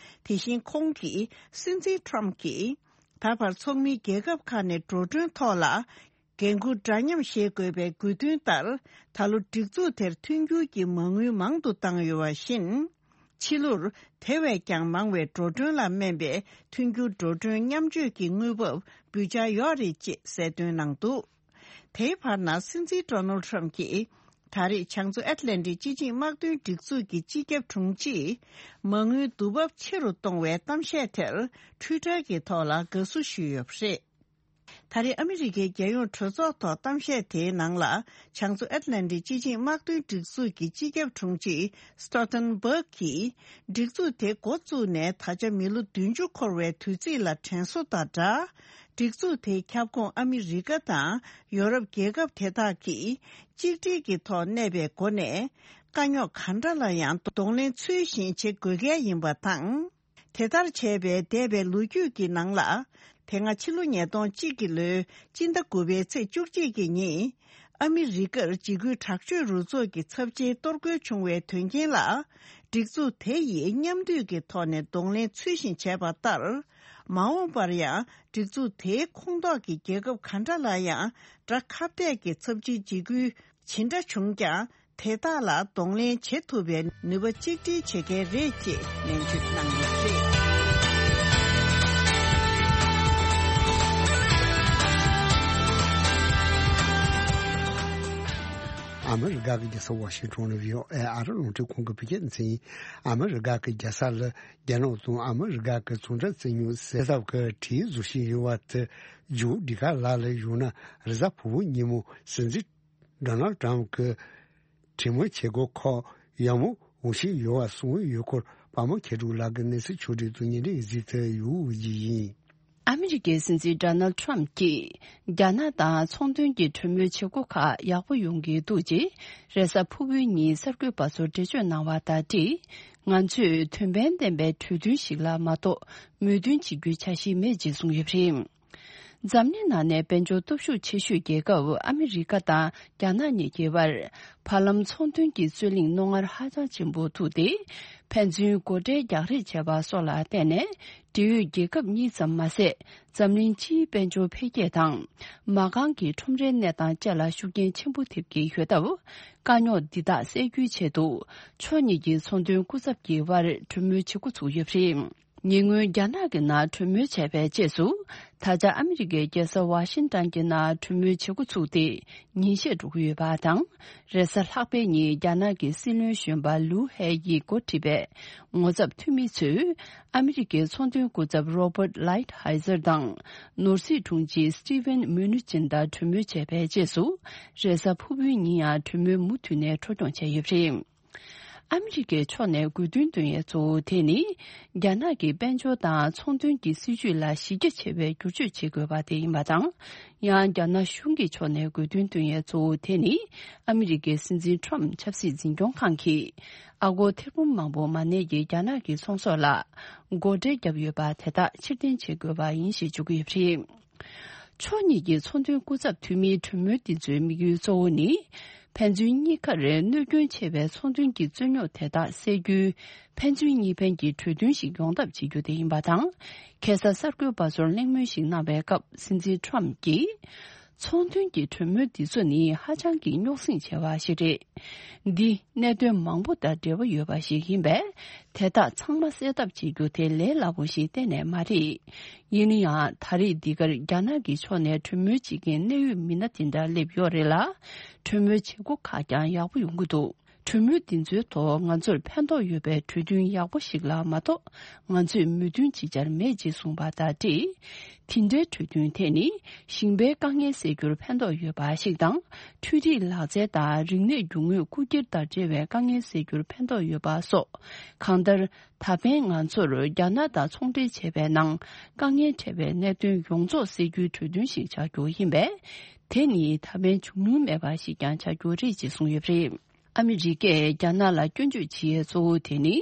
དེ་བཞིན་ཁོང་གིས་སྲིད་འཛིན་ཊམ་གྱིས་ད་བར་ཚོགས་མིའི་རྒྱལ་ཁབ་ཁག་ནས་འགྲོ་གྲོན་ཐོག་ལ་འགན་འཁུར་འདྲ་མཉམ་བཞེས་དགོས་པའི་དགོས་འདུན་ལྟར། ད་ལོ་སྒྲིག་འཛུགས་དེར་མཐུན་འགྱུར་གྱི་མ་དངུལ་མང་དུ་བཏང་ཡོད་པ་བཞིན། ཕྱི་ལོར་དེ་བས་ཀྱང་མང་བའི་འགྲོ་གྲོན་ལ་སྨན་པའི་མཐུན་འགྱུར་འགྲོ་གྲོན་མཉམ་སྤྱོད་ཀྱི་དངུལ་འབབ་འབུལ་འཆར་ཡོད་རེད་ཅེས་གསལ་སྟོན་གནང་འདུག་དེའི་བར་ན་སྲིད་འཛིན་ཌོ་ནལ་ཌི་ཊམ་གྱིས་ད་རེས་བྱང་མཚོ་ཨེཊ་ལན་ཊིག་སྤྱི་ཆིངས་དམག་དོན་སྒྲིག་འཛུགས་ཀྱི་སྤྱི་ཁྱབ་དྲུང་ཆེས་མ་དངུལ་བསྡུ་འབབ་ཆེ་རུ་གཏོང་བའི་གཏམ་བཤད་དེར་ཊུའི་ཊར་གྱི་ཐོག་ལ་དགའ་བསུ་ཞུས་ཡོད་པ་རེད། ད་རེས་ཨ་མི་རི་ཀའི་རྒྱལ་ཡོངས་གྲོས་ཚོགས་ཐོག་གཏམ་བཤད་དེའི་ནང་ལ་བྱང་མཚོ་ཨེཊ་ལན་ཊིག་སྤྱི་ཆིངས་དམག་དོན་སྒྲིག་འཛུགས་ཀྱི་སྤྱི་ཁྱབ་དྲུང་ཆེ་སི་ཊོལ་ཊེན་བྷག་གིས་སྒྲིག་འཛུགས་དེ་འགོ་བཙུགས་ནས་ད་ཆ་མི་ལོ་བདུན་ཅུ་འཁོར་བའི་དུས་ཚིགས་ལ་དྲན་གསོ་དང་སྦྲགས། སྒྲིག་འཛུགས་དེའི་ཁྱབ་ཁོངས་ཨ་མི་རི་ཀ་དང་ཡོ་རོབ་རྒྱལ་ཁབ་དེ་དག་གིས་གཅིག་སྒྲིལ་གྱི་ཐོག་གནས་པའི་སྒོ་ནས་དཀའ་རྙོག་གང་འདྲ་ལ་ཡང་གདོང་ལེན་ཚུལ་བཞིན་བྱེད་དགོས་གལ་ཡིན་པ་དང་། དེ་ལྟར་བྱས་པའི་འདས་པའི་ལོ་རྒྱུས་ཀྱི་ནང་ལ། དེ་སྔ་ཕྱི་ལོ་ཉིས་སྟོང་གཅིག་གི་ལོའི་སྤྱི་ཟླ་དགུ་པའི་ཚེས་བཅུ་གཅིག་གི་ཉིན། ཨ་མི་རི་ཀར་འཇིགས་སྐུལ་དྲག་སྤྱོད་རུ་ཚོགས་ཀྱི་ཚབས་ཆེའི་གཏོར་རྒོལ་བྱུང་བའི་དོན་རྐྱེན་ལ། སྒྲིག་འཛུགས་དེ་ཡིས་མཉམ་འདུས་ཀྱི་ཐོག་ནས་གདོང་ལེན་ཚུལ་བཞིན་བྱས་པ་ལྟར། མ་འོངས་པར་ཡང་སྒྲིག་འཛུགས་དེའི་ཁོངས་གཏོགས་ཀྱི་རྒྱལ་ཁབ་ག་འདྲ་ལ་ཡང་དགྲ་ཁ་གཏད་ཀྱི་ཚབས་ཆེའི་འཇིགས་སྐུལ་ཇི་འདྲ་བྱུང་ཀྱང་། དེ་དག་ལ་གདོང་ལེན་བྱེད་ཐུབ་པའི་ནུས་པ་གཅིག་སྒྲིལ་བྱེད་མཁན་རེད་ཅེས་ནན་བརྗོད་གནང་ཡོད་པ་རེད། ཨ་མི་རི་ཀ་གི་རྒྱལ་ས་ཝ་ཤིང་ཊོན་ལ་བྷི་ཨོ་ཨེ་ཨ་རི་རླུང་འཕྲིན་ཁང་གི་བོད་སྐད་སྡེ་ཚན་ཡིན། ཨ་མི་རི་ཀ་གི་རྒྱལ་ས་ལ་རྒྱ་ནག་དང་ཨ་མི་རི་ཀ་གི་ཚོང་འབྲེལ་བཙན་ཉུང་སེལ་ཐབས་ཀྱི་གྲོས་བཟོ་བཞིན་ཡོད་པ་དེ་ཇོ་ཌི་ཀ་ལ་ལ་ཡོད་ན་རེས་གཟའ་ཕུར་བུ་ཉིན་མོ་སྲིད་འཛིན་ཌོ་ནལ་ཌི་ཊམ་གྱི་གྲོས་མོལ་བྱེད་སྒོ་ཁག་ཡག་མོ་འོང་བཞིན་ཡོད་པ་གསུངས་ཡོད་སྐོར་པདྨ་མཁས་གྲུབ་ལགས་ཀྱིས་གནས་ཚུལ་ཕྱོགས་སྒྲིག་ཏུ་ཉན་འདྲི་གཟིགས་ཏེ་ཡོད་ཀྱི་ཡིན། ཨ་མི་རི་ཀའི་སྲིད་འཛིན་ཌོ་ནལ་ཌི་ཊམ་གྱིས་རྒྱ་ནག་དང་ཚོང་དོན་གྱི་གྲོས་མོལ་བྱེད་སྒོ་ཁག་ཡག་པོ་ཡོང་གི་འདུག་ཅེས་རེས་གཟའ་ཕུར་བུའི་ཉིན་གསར་འགོད་པ་ཚོར་འགྲེལ་བརྗོད་གནང་བ་ལྟར་ཏེ། ང་ཚོས་དོན་ཕན་ལྡན་པའི་གྲོས་མཐུན་ཞིག་ལ་མ་གཏོགས་མོས་མཐུན་བྱེད་རྒྱུའི་འཆར་གཞི་མེད་ཅེས་གསུངས་ཡོད་པ་རེད། འཛམ་གླིང་ནང་ནས་དཔལ་འབྱོར་སྟོབས་ཤུགས་ཆེ་ཤོས་རྒྱལ་ཁབ་ཨ་མི་རི་ཀ་དང་རྒྱ་ནག་གཉིས་ཀྱི་བར་བར་ལམ་ཚོང་དོན་གྱི་རྩོད་གླེང་རྣོ་ངར་ཧ་ཅང་ཆེན་པོ་ཐུག་སྟེ། ཕན་ཚུན་སྒོ་ཁྲལ་རྒྱག་རེས་བྱས་པ་སོགས་ལ་བརྟེན་ནས་འབྲེལ་ཡོད་རྒྱལ་ཁབ་གཉིས་ཙམ་མ་ཟད་འཛམ་གླིང་སྤྱིའི་དཔལ་འབྱོར་འཕེལ་རྒྱས་དང་མ་རྐང་གི་ཁྲོམ་རའི་གནས་སྟངས་བཅས་ལ་ཤུགས་རྐྱེན་ཆེན་པོ་ཐེབས་ཀྱི་ཡོད་སྟབས། དཀའ་རྙོག་འདི་དག་སེལ་རྒྱུའི་ཆེད་དུ་ཕྱོགས་གཉིས་ཀྱི་ཚོང་དོན་སྐུ་ཚབ་ཀྱི་དབར་གྲོས་མོལ་བྱེད་འགོ་ཚུགས་ཡོད་པ་རེད། ཉེ་སྔོན་རྒྱ་ནག་གི་ནང་གྲོས་མོལ་བྱས་པའི་རྗེས་སུ། ད་ཆ་ཨ་མི་རི་ཀའི་རྒྱལ་ས་ཝ་ཤིང་ཏན་གྱི་ནང་གྲོས་མོལ་བྱེད་འགོ་ཚུགས་ཏེ་ཉིན་ཤས་འགྲོ་གི་ཡོད་པ་དང་། རེས་གཟའ་ལྷག་པའི་ཉིན་རྒྱ་ནག་གི་སྲིད་བློན་གཞོན་པ་ལུའུ་ཧེ་ཡིས་འགོ་ཁྲིད་པའི་ངོ་ཚབ་འཐུས་མི་ཚོས་ཨ་མི་རི་ཀའི་ཚོང་དོན་སྐུ་ཚབ་རོ་བར་ལའིཊ་ཧའི་ཛར་དང་ནོར་སྲིད་དྲུང་ཆེ་སི་ཊི་ཝེན་མུ་ནུ་ཅིན་དང་གྲོས་མོལ་བྱས་པའི་རྗེས་སུ། རེས་གཟའ་ཕུར་བུའི་ཉིན་ཡང་གྲོས་མོལ་མུ་མཐུད་ནས་འཕྲོ་སྐྱོད་བྱས་ཡོད་པ་རེད། ཨ་མི་རི་ཀའི་ཕྱོགས་ནས་དགོས་འདུན་འདོན་ཡས་གཙོ་བོ་དེ་ནི། རྒྱ་ནག་གི་དཔལ་འབྱོར་དང་ཚོང་དོན་གྱི་སྲིད་བྱུས་ལ་གཞི་རྒྱ་ཆེ་བའི་བསྒྱུར་བཅོས་བྱེད་དགོས་པ་དེ་ཡིན་པ་དང་། ཡང་རྒྱ་ནག་གཞུང་གི་ཕྱོགས་ནས་དགོས་འདུན་འདོན་ཡས་གཙོ་བོ་དེ་ནི། ཨ་མི་རི་ཀའི་སྲིད་འཛིན་ཊམ་ཆབ་སྲིད་འཛིན་སྐྱོང་ཁང་གིས། ཨ་སྒོར་ཐེར་འབུམ་མང་པོ་མ་གནས་ཀྱི་རྒྱ་ནག་གི་ཚོང་ཟོག་ལ། སྒོ་ཁྲལ་བརྒྱབ་ཡོད་པ་དེ་དག་ཕྱིར་འཐེན་བྱེད་དགོས་པ་ཡིན་ཞེས་བརྗོད་ཀྱི་ཡོད་པ་རེད། ཕྱོགས་གཉིས་ཀྱི་ཚོང་དོན་སྐུ་ཚབ་འཐུས་མིའི་གྲོས་མོལ་འདི་ཚོའི་དམིགས་ཡུལ་གཙོ་བོ་ནི། ཕན་ཚུན་གཉིས་ཀར་གནོད་སྐྱོན་ཆེ་བའི་ཚོང་དོན་གྱི་རྩོད་རྙོག་དེ་དག་སེལ་རྒྱུའི་ཕན་ཚུན་གཉིས་ཕན་གྱི་གྲོས་མཐུན་ཞིག་ཡོང་ཐབས་བྱེད་རྒྱུ་དེ་ཡིན་པ་དང་། ཁ་སང་གསར་འགོད་པ་ཚོར་གླེང་མོལ་ཞིག་གནང་བའི་སྐབས་སྲིད་འཛིན་ཊམ་གྱིས། ཚོང་དོན་གྱི་གྲོས་མོལ་འདི་ཚོ་ནི་ཧ་ཅང་གི་རྙོག་ཟིང་ཆེ་བ་ཞིག་རེད། འདི་གནད་དོན་མང་པོ་དང་འབྲེལ་བ་ཡོད་པ་ཞིག་ཡིན་པས། དེ་དག་ཚང་མ་སེལ་ཐབས་བྱེད་རྒྱུ་དེ་ལས་སླ་པོ་ཞིག་གཏན་ནས་མ་རེད། ཡིན་ན་ཡང་ད་རེས་འདི་གར་རྒྱ་ནག་གི་ཕྱོགས་ནས་གྲོས་མོལ་བྱེད་མཁན་གནད་ཡོད་མི་སྣ་དེ་འདྲ་སླེབས་ཡོད་རེད་ལ། གྲོས་མོལ་བྱེད་སྒོ་ཁག་ཀྱང་ཡག་པོ་ཡོང་གི་འདུག་གྲོས་མོལ་འདི་ཚོའི་ཐོག་ང་ཚོར་ཕན་ཐོགས་ཡོད་པའི་གྲོས་མཐུན་ཡག་པོ་ཞིག་ལ་མ་གཏོགས་ང་ཚོས་མོས་མཐུན་ཅིག་ཅར་མེད་ཅེས་གསུངས་པ་དང་འབྲེལ། དེ་འདྲའི་གྲོས་མཐུན་དེ་ནི་ཞིང་པའི་དཀའ་ངལ་སེལ་རྒྱུར་ཕན་ཐོགས་ཡོད་པ་ཞིག་དང་། འཕྲུལ་རིག་ལག་རྩལ་དང་རིག་གནས་རྒྱུ་དངོས་རྐུ་འཁྱེར་དང་འབྲེལ་བའི་དཀའ་ངལ་སེལ་རྒྱུར་ཕན་ཐོགས་ཡོད་པ་སོགས། གང་ལྟར། ད་ཕན་ང་ཚོར་རྒྱ་ནག་དང་ཚོང་འབྲེལ་བྱས་པའི་ནང་དཀའ་ངལ་འཕྲད་པའི་གནད་དོན་ཡོངས་རྫོགས་སེལ་རྒྱུའི་གྲོས་མཐུན་ཞིག་ཆགས་རྒྱུ་ཡིན་པས། དེ་ནི་ད་ཕན་འབྱུང་མྱོང་མེད་པ་ཞིག་ཀྱང་ཆགས་རྒྱུ་རེད་ཅེས་གསུངས་ཡོད་པ་རེད། ཨ་མི་རི་ཀས་རྒྱ་ནག་ལ་སྐྱོན་བརྗོད་བྱེད་ཡས་གཙོ་བོ་དེ་ནི།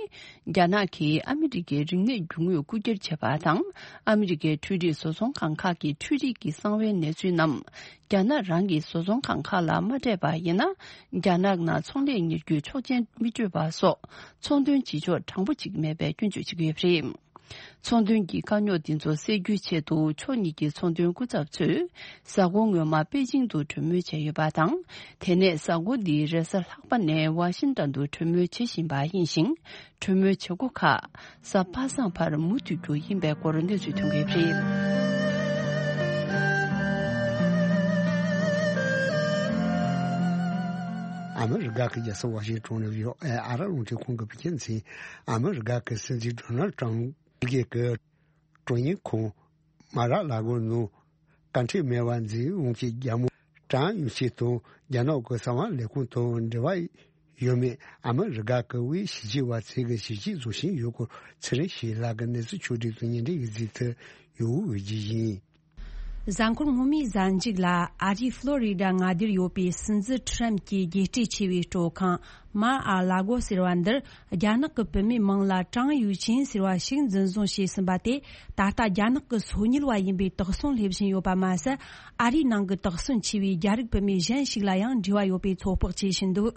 རྒྱ་ནག་གིས་ཨ་མི་རི་ཀའི་རིག་གནས་རྒྱུ་དངོས་རྐུ་འཁྱེར་བྱས་པ་དང་། ཨ་མི་རི་ཀའི་འཕྲུལ་རིག་བཟོ་ཚོང་ཁང་ཁག་གི་འཕྲུལ་རིག་གི་གསང་བའི་གནས་ཚུལ་རྣམས། རྒྱ་ནག་རང་གི་བཟོ་ཚོང་ཁང་ཁག་ལ་མ་སྤྲད་པ་ཡིན་ན། རྒྱ་ནག་ནང་ཚོང་ལས་གཉེར་རྒྱུའི་ཆོག་མཆན་མི་སྤྲོད་པ་སོགས། ཚོང་དོན་བྱེད་ཕྱོགས་དྲང་པོ་ཅིག་མེད་པའི་སྐྱོན་བརྗོད་བྱེད་ཀྱི་ཡོད་པ་རེད། ཚོང་དོན་གྱི་དཀའ་རྙོག་འདི་ཚོ་སེལ་རྒྱུའི་ཆེད་དུ་ཕྱོགས་གཉིས་ཀྱི་ཚོང་དོན་སྐུ་ཚབ་ཚོས་གཟའ་འཁོར་སྔོན་མ་པེ་ཅིང་དུ་གྲོས་མོལ་བྱས་ཡོད་པ་དང་། དེ་ནས་གཟའ་འཁོར་འདིའི་རེས་གཟའ་ལྷག་པ་ནས་ཝ་ཤིང་ཏོན་དུ་གྲོས་མོལ་བྱེད་བཞིན་པ་ཡིན་ཞིང་། གྲོས་མོལ་བྱེད་སྒོ་ཁག་གཟའ་པ་སངས་བར་མུ་མཐུད་རྒྱུ་ཡིན་པའི་སྐོར་གནས་ཚུལ་ཐོན་གྱི་ཡོད་པ་རེད། ཨ་མི་རི་ཀ་གི་རྒྱལ་ས་ཝ་ཤིང་ཏོན་ནས་ཡོད་ཨ་ཨ་ར་རླུང་འཕྲིན་ཁང་གི་བོད་སྐད་མཚན། ཨ་མི་རི་ཀ་གི་སྲིད་འཛིན་ཌོ་ནལ་ཏྲམ་གི་གི་ཀྲུང་དབྱང་ཁོང་མ་ར་ལ་གོ་ནང་བཀའ་ཁྲིད་མེད་པ་འཛིན་འོང་གི་རྒྱལ་མོ་ཀྲང་ཡུང་ཆིན་དང་རྒྱ་ནག་གི་གསང་བ་ལས་ཁུངས་དང་འབྲེལ་བ་ཡོད་མེད་ཨ་མི་རི་ཀ་གི་དབུས་ཞི་བདེ་བ་ཚོས་གི་ཞིབ་དཔྱད་བཟོ་བཞིན་ཡོད་སྐོར་ཚེ་རིང་ཞིག་ལགས་ཀྱི་གནས་ཚུལ་ཕྱོགས་སྒྲིག་དང་སྙན་སྒྲོན་ཡིག་གཟིགས་དུ་ཡོད་འོས་ཀྱི་ཡིན། གཟའ་འཁོར་སྔོན་མའི་གཟའ་མཇུག་ལ་ཨ་རིའི་ཕློ་རི་ཌ་མངའ་སྡེར་ཡོད་པའི་སྲིད་འཛིན་ཁྲམ་གྱི་རྒྱལ་སྤྲས་ཆེ་བའི་སྤྲོ་ཁང་མ་ཨ་ལ་གོ་ཟེར་བ་འདིར། རྒྱ་ནག་གི་བུད་མེད་མིང་ལ་ཀྲང་ཡུའུ་ཅིན་ཟེར་བ་ཞིག་འཛིན་བཟུང་བྱས་ཟིན་པ་དེ། ད་ལྟ་རྒྱ་ནག་གི་སོ་ཉུལ་བ་ཡིན་པའི་དོགས་ཟོན་སླེབས་བཞིན་ཡོད་པ་མ་ཟད། ཨ་རིའི་ནང་གི་དོགས་ཟོན་ཆེ་བའི་རྒྱ་རིགས་བུད་མེད་གཞན་ཞིག་ལ་ཡང་འབྲེལ་བ་ཡོད་པའི་ཚོད་དཔག་བྱེད་བཞིན་འདུག་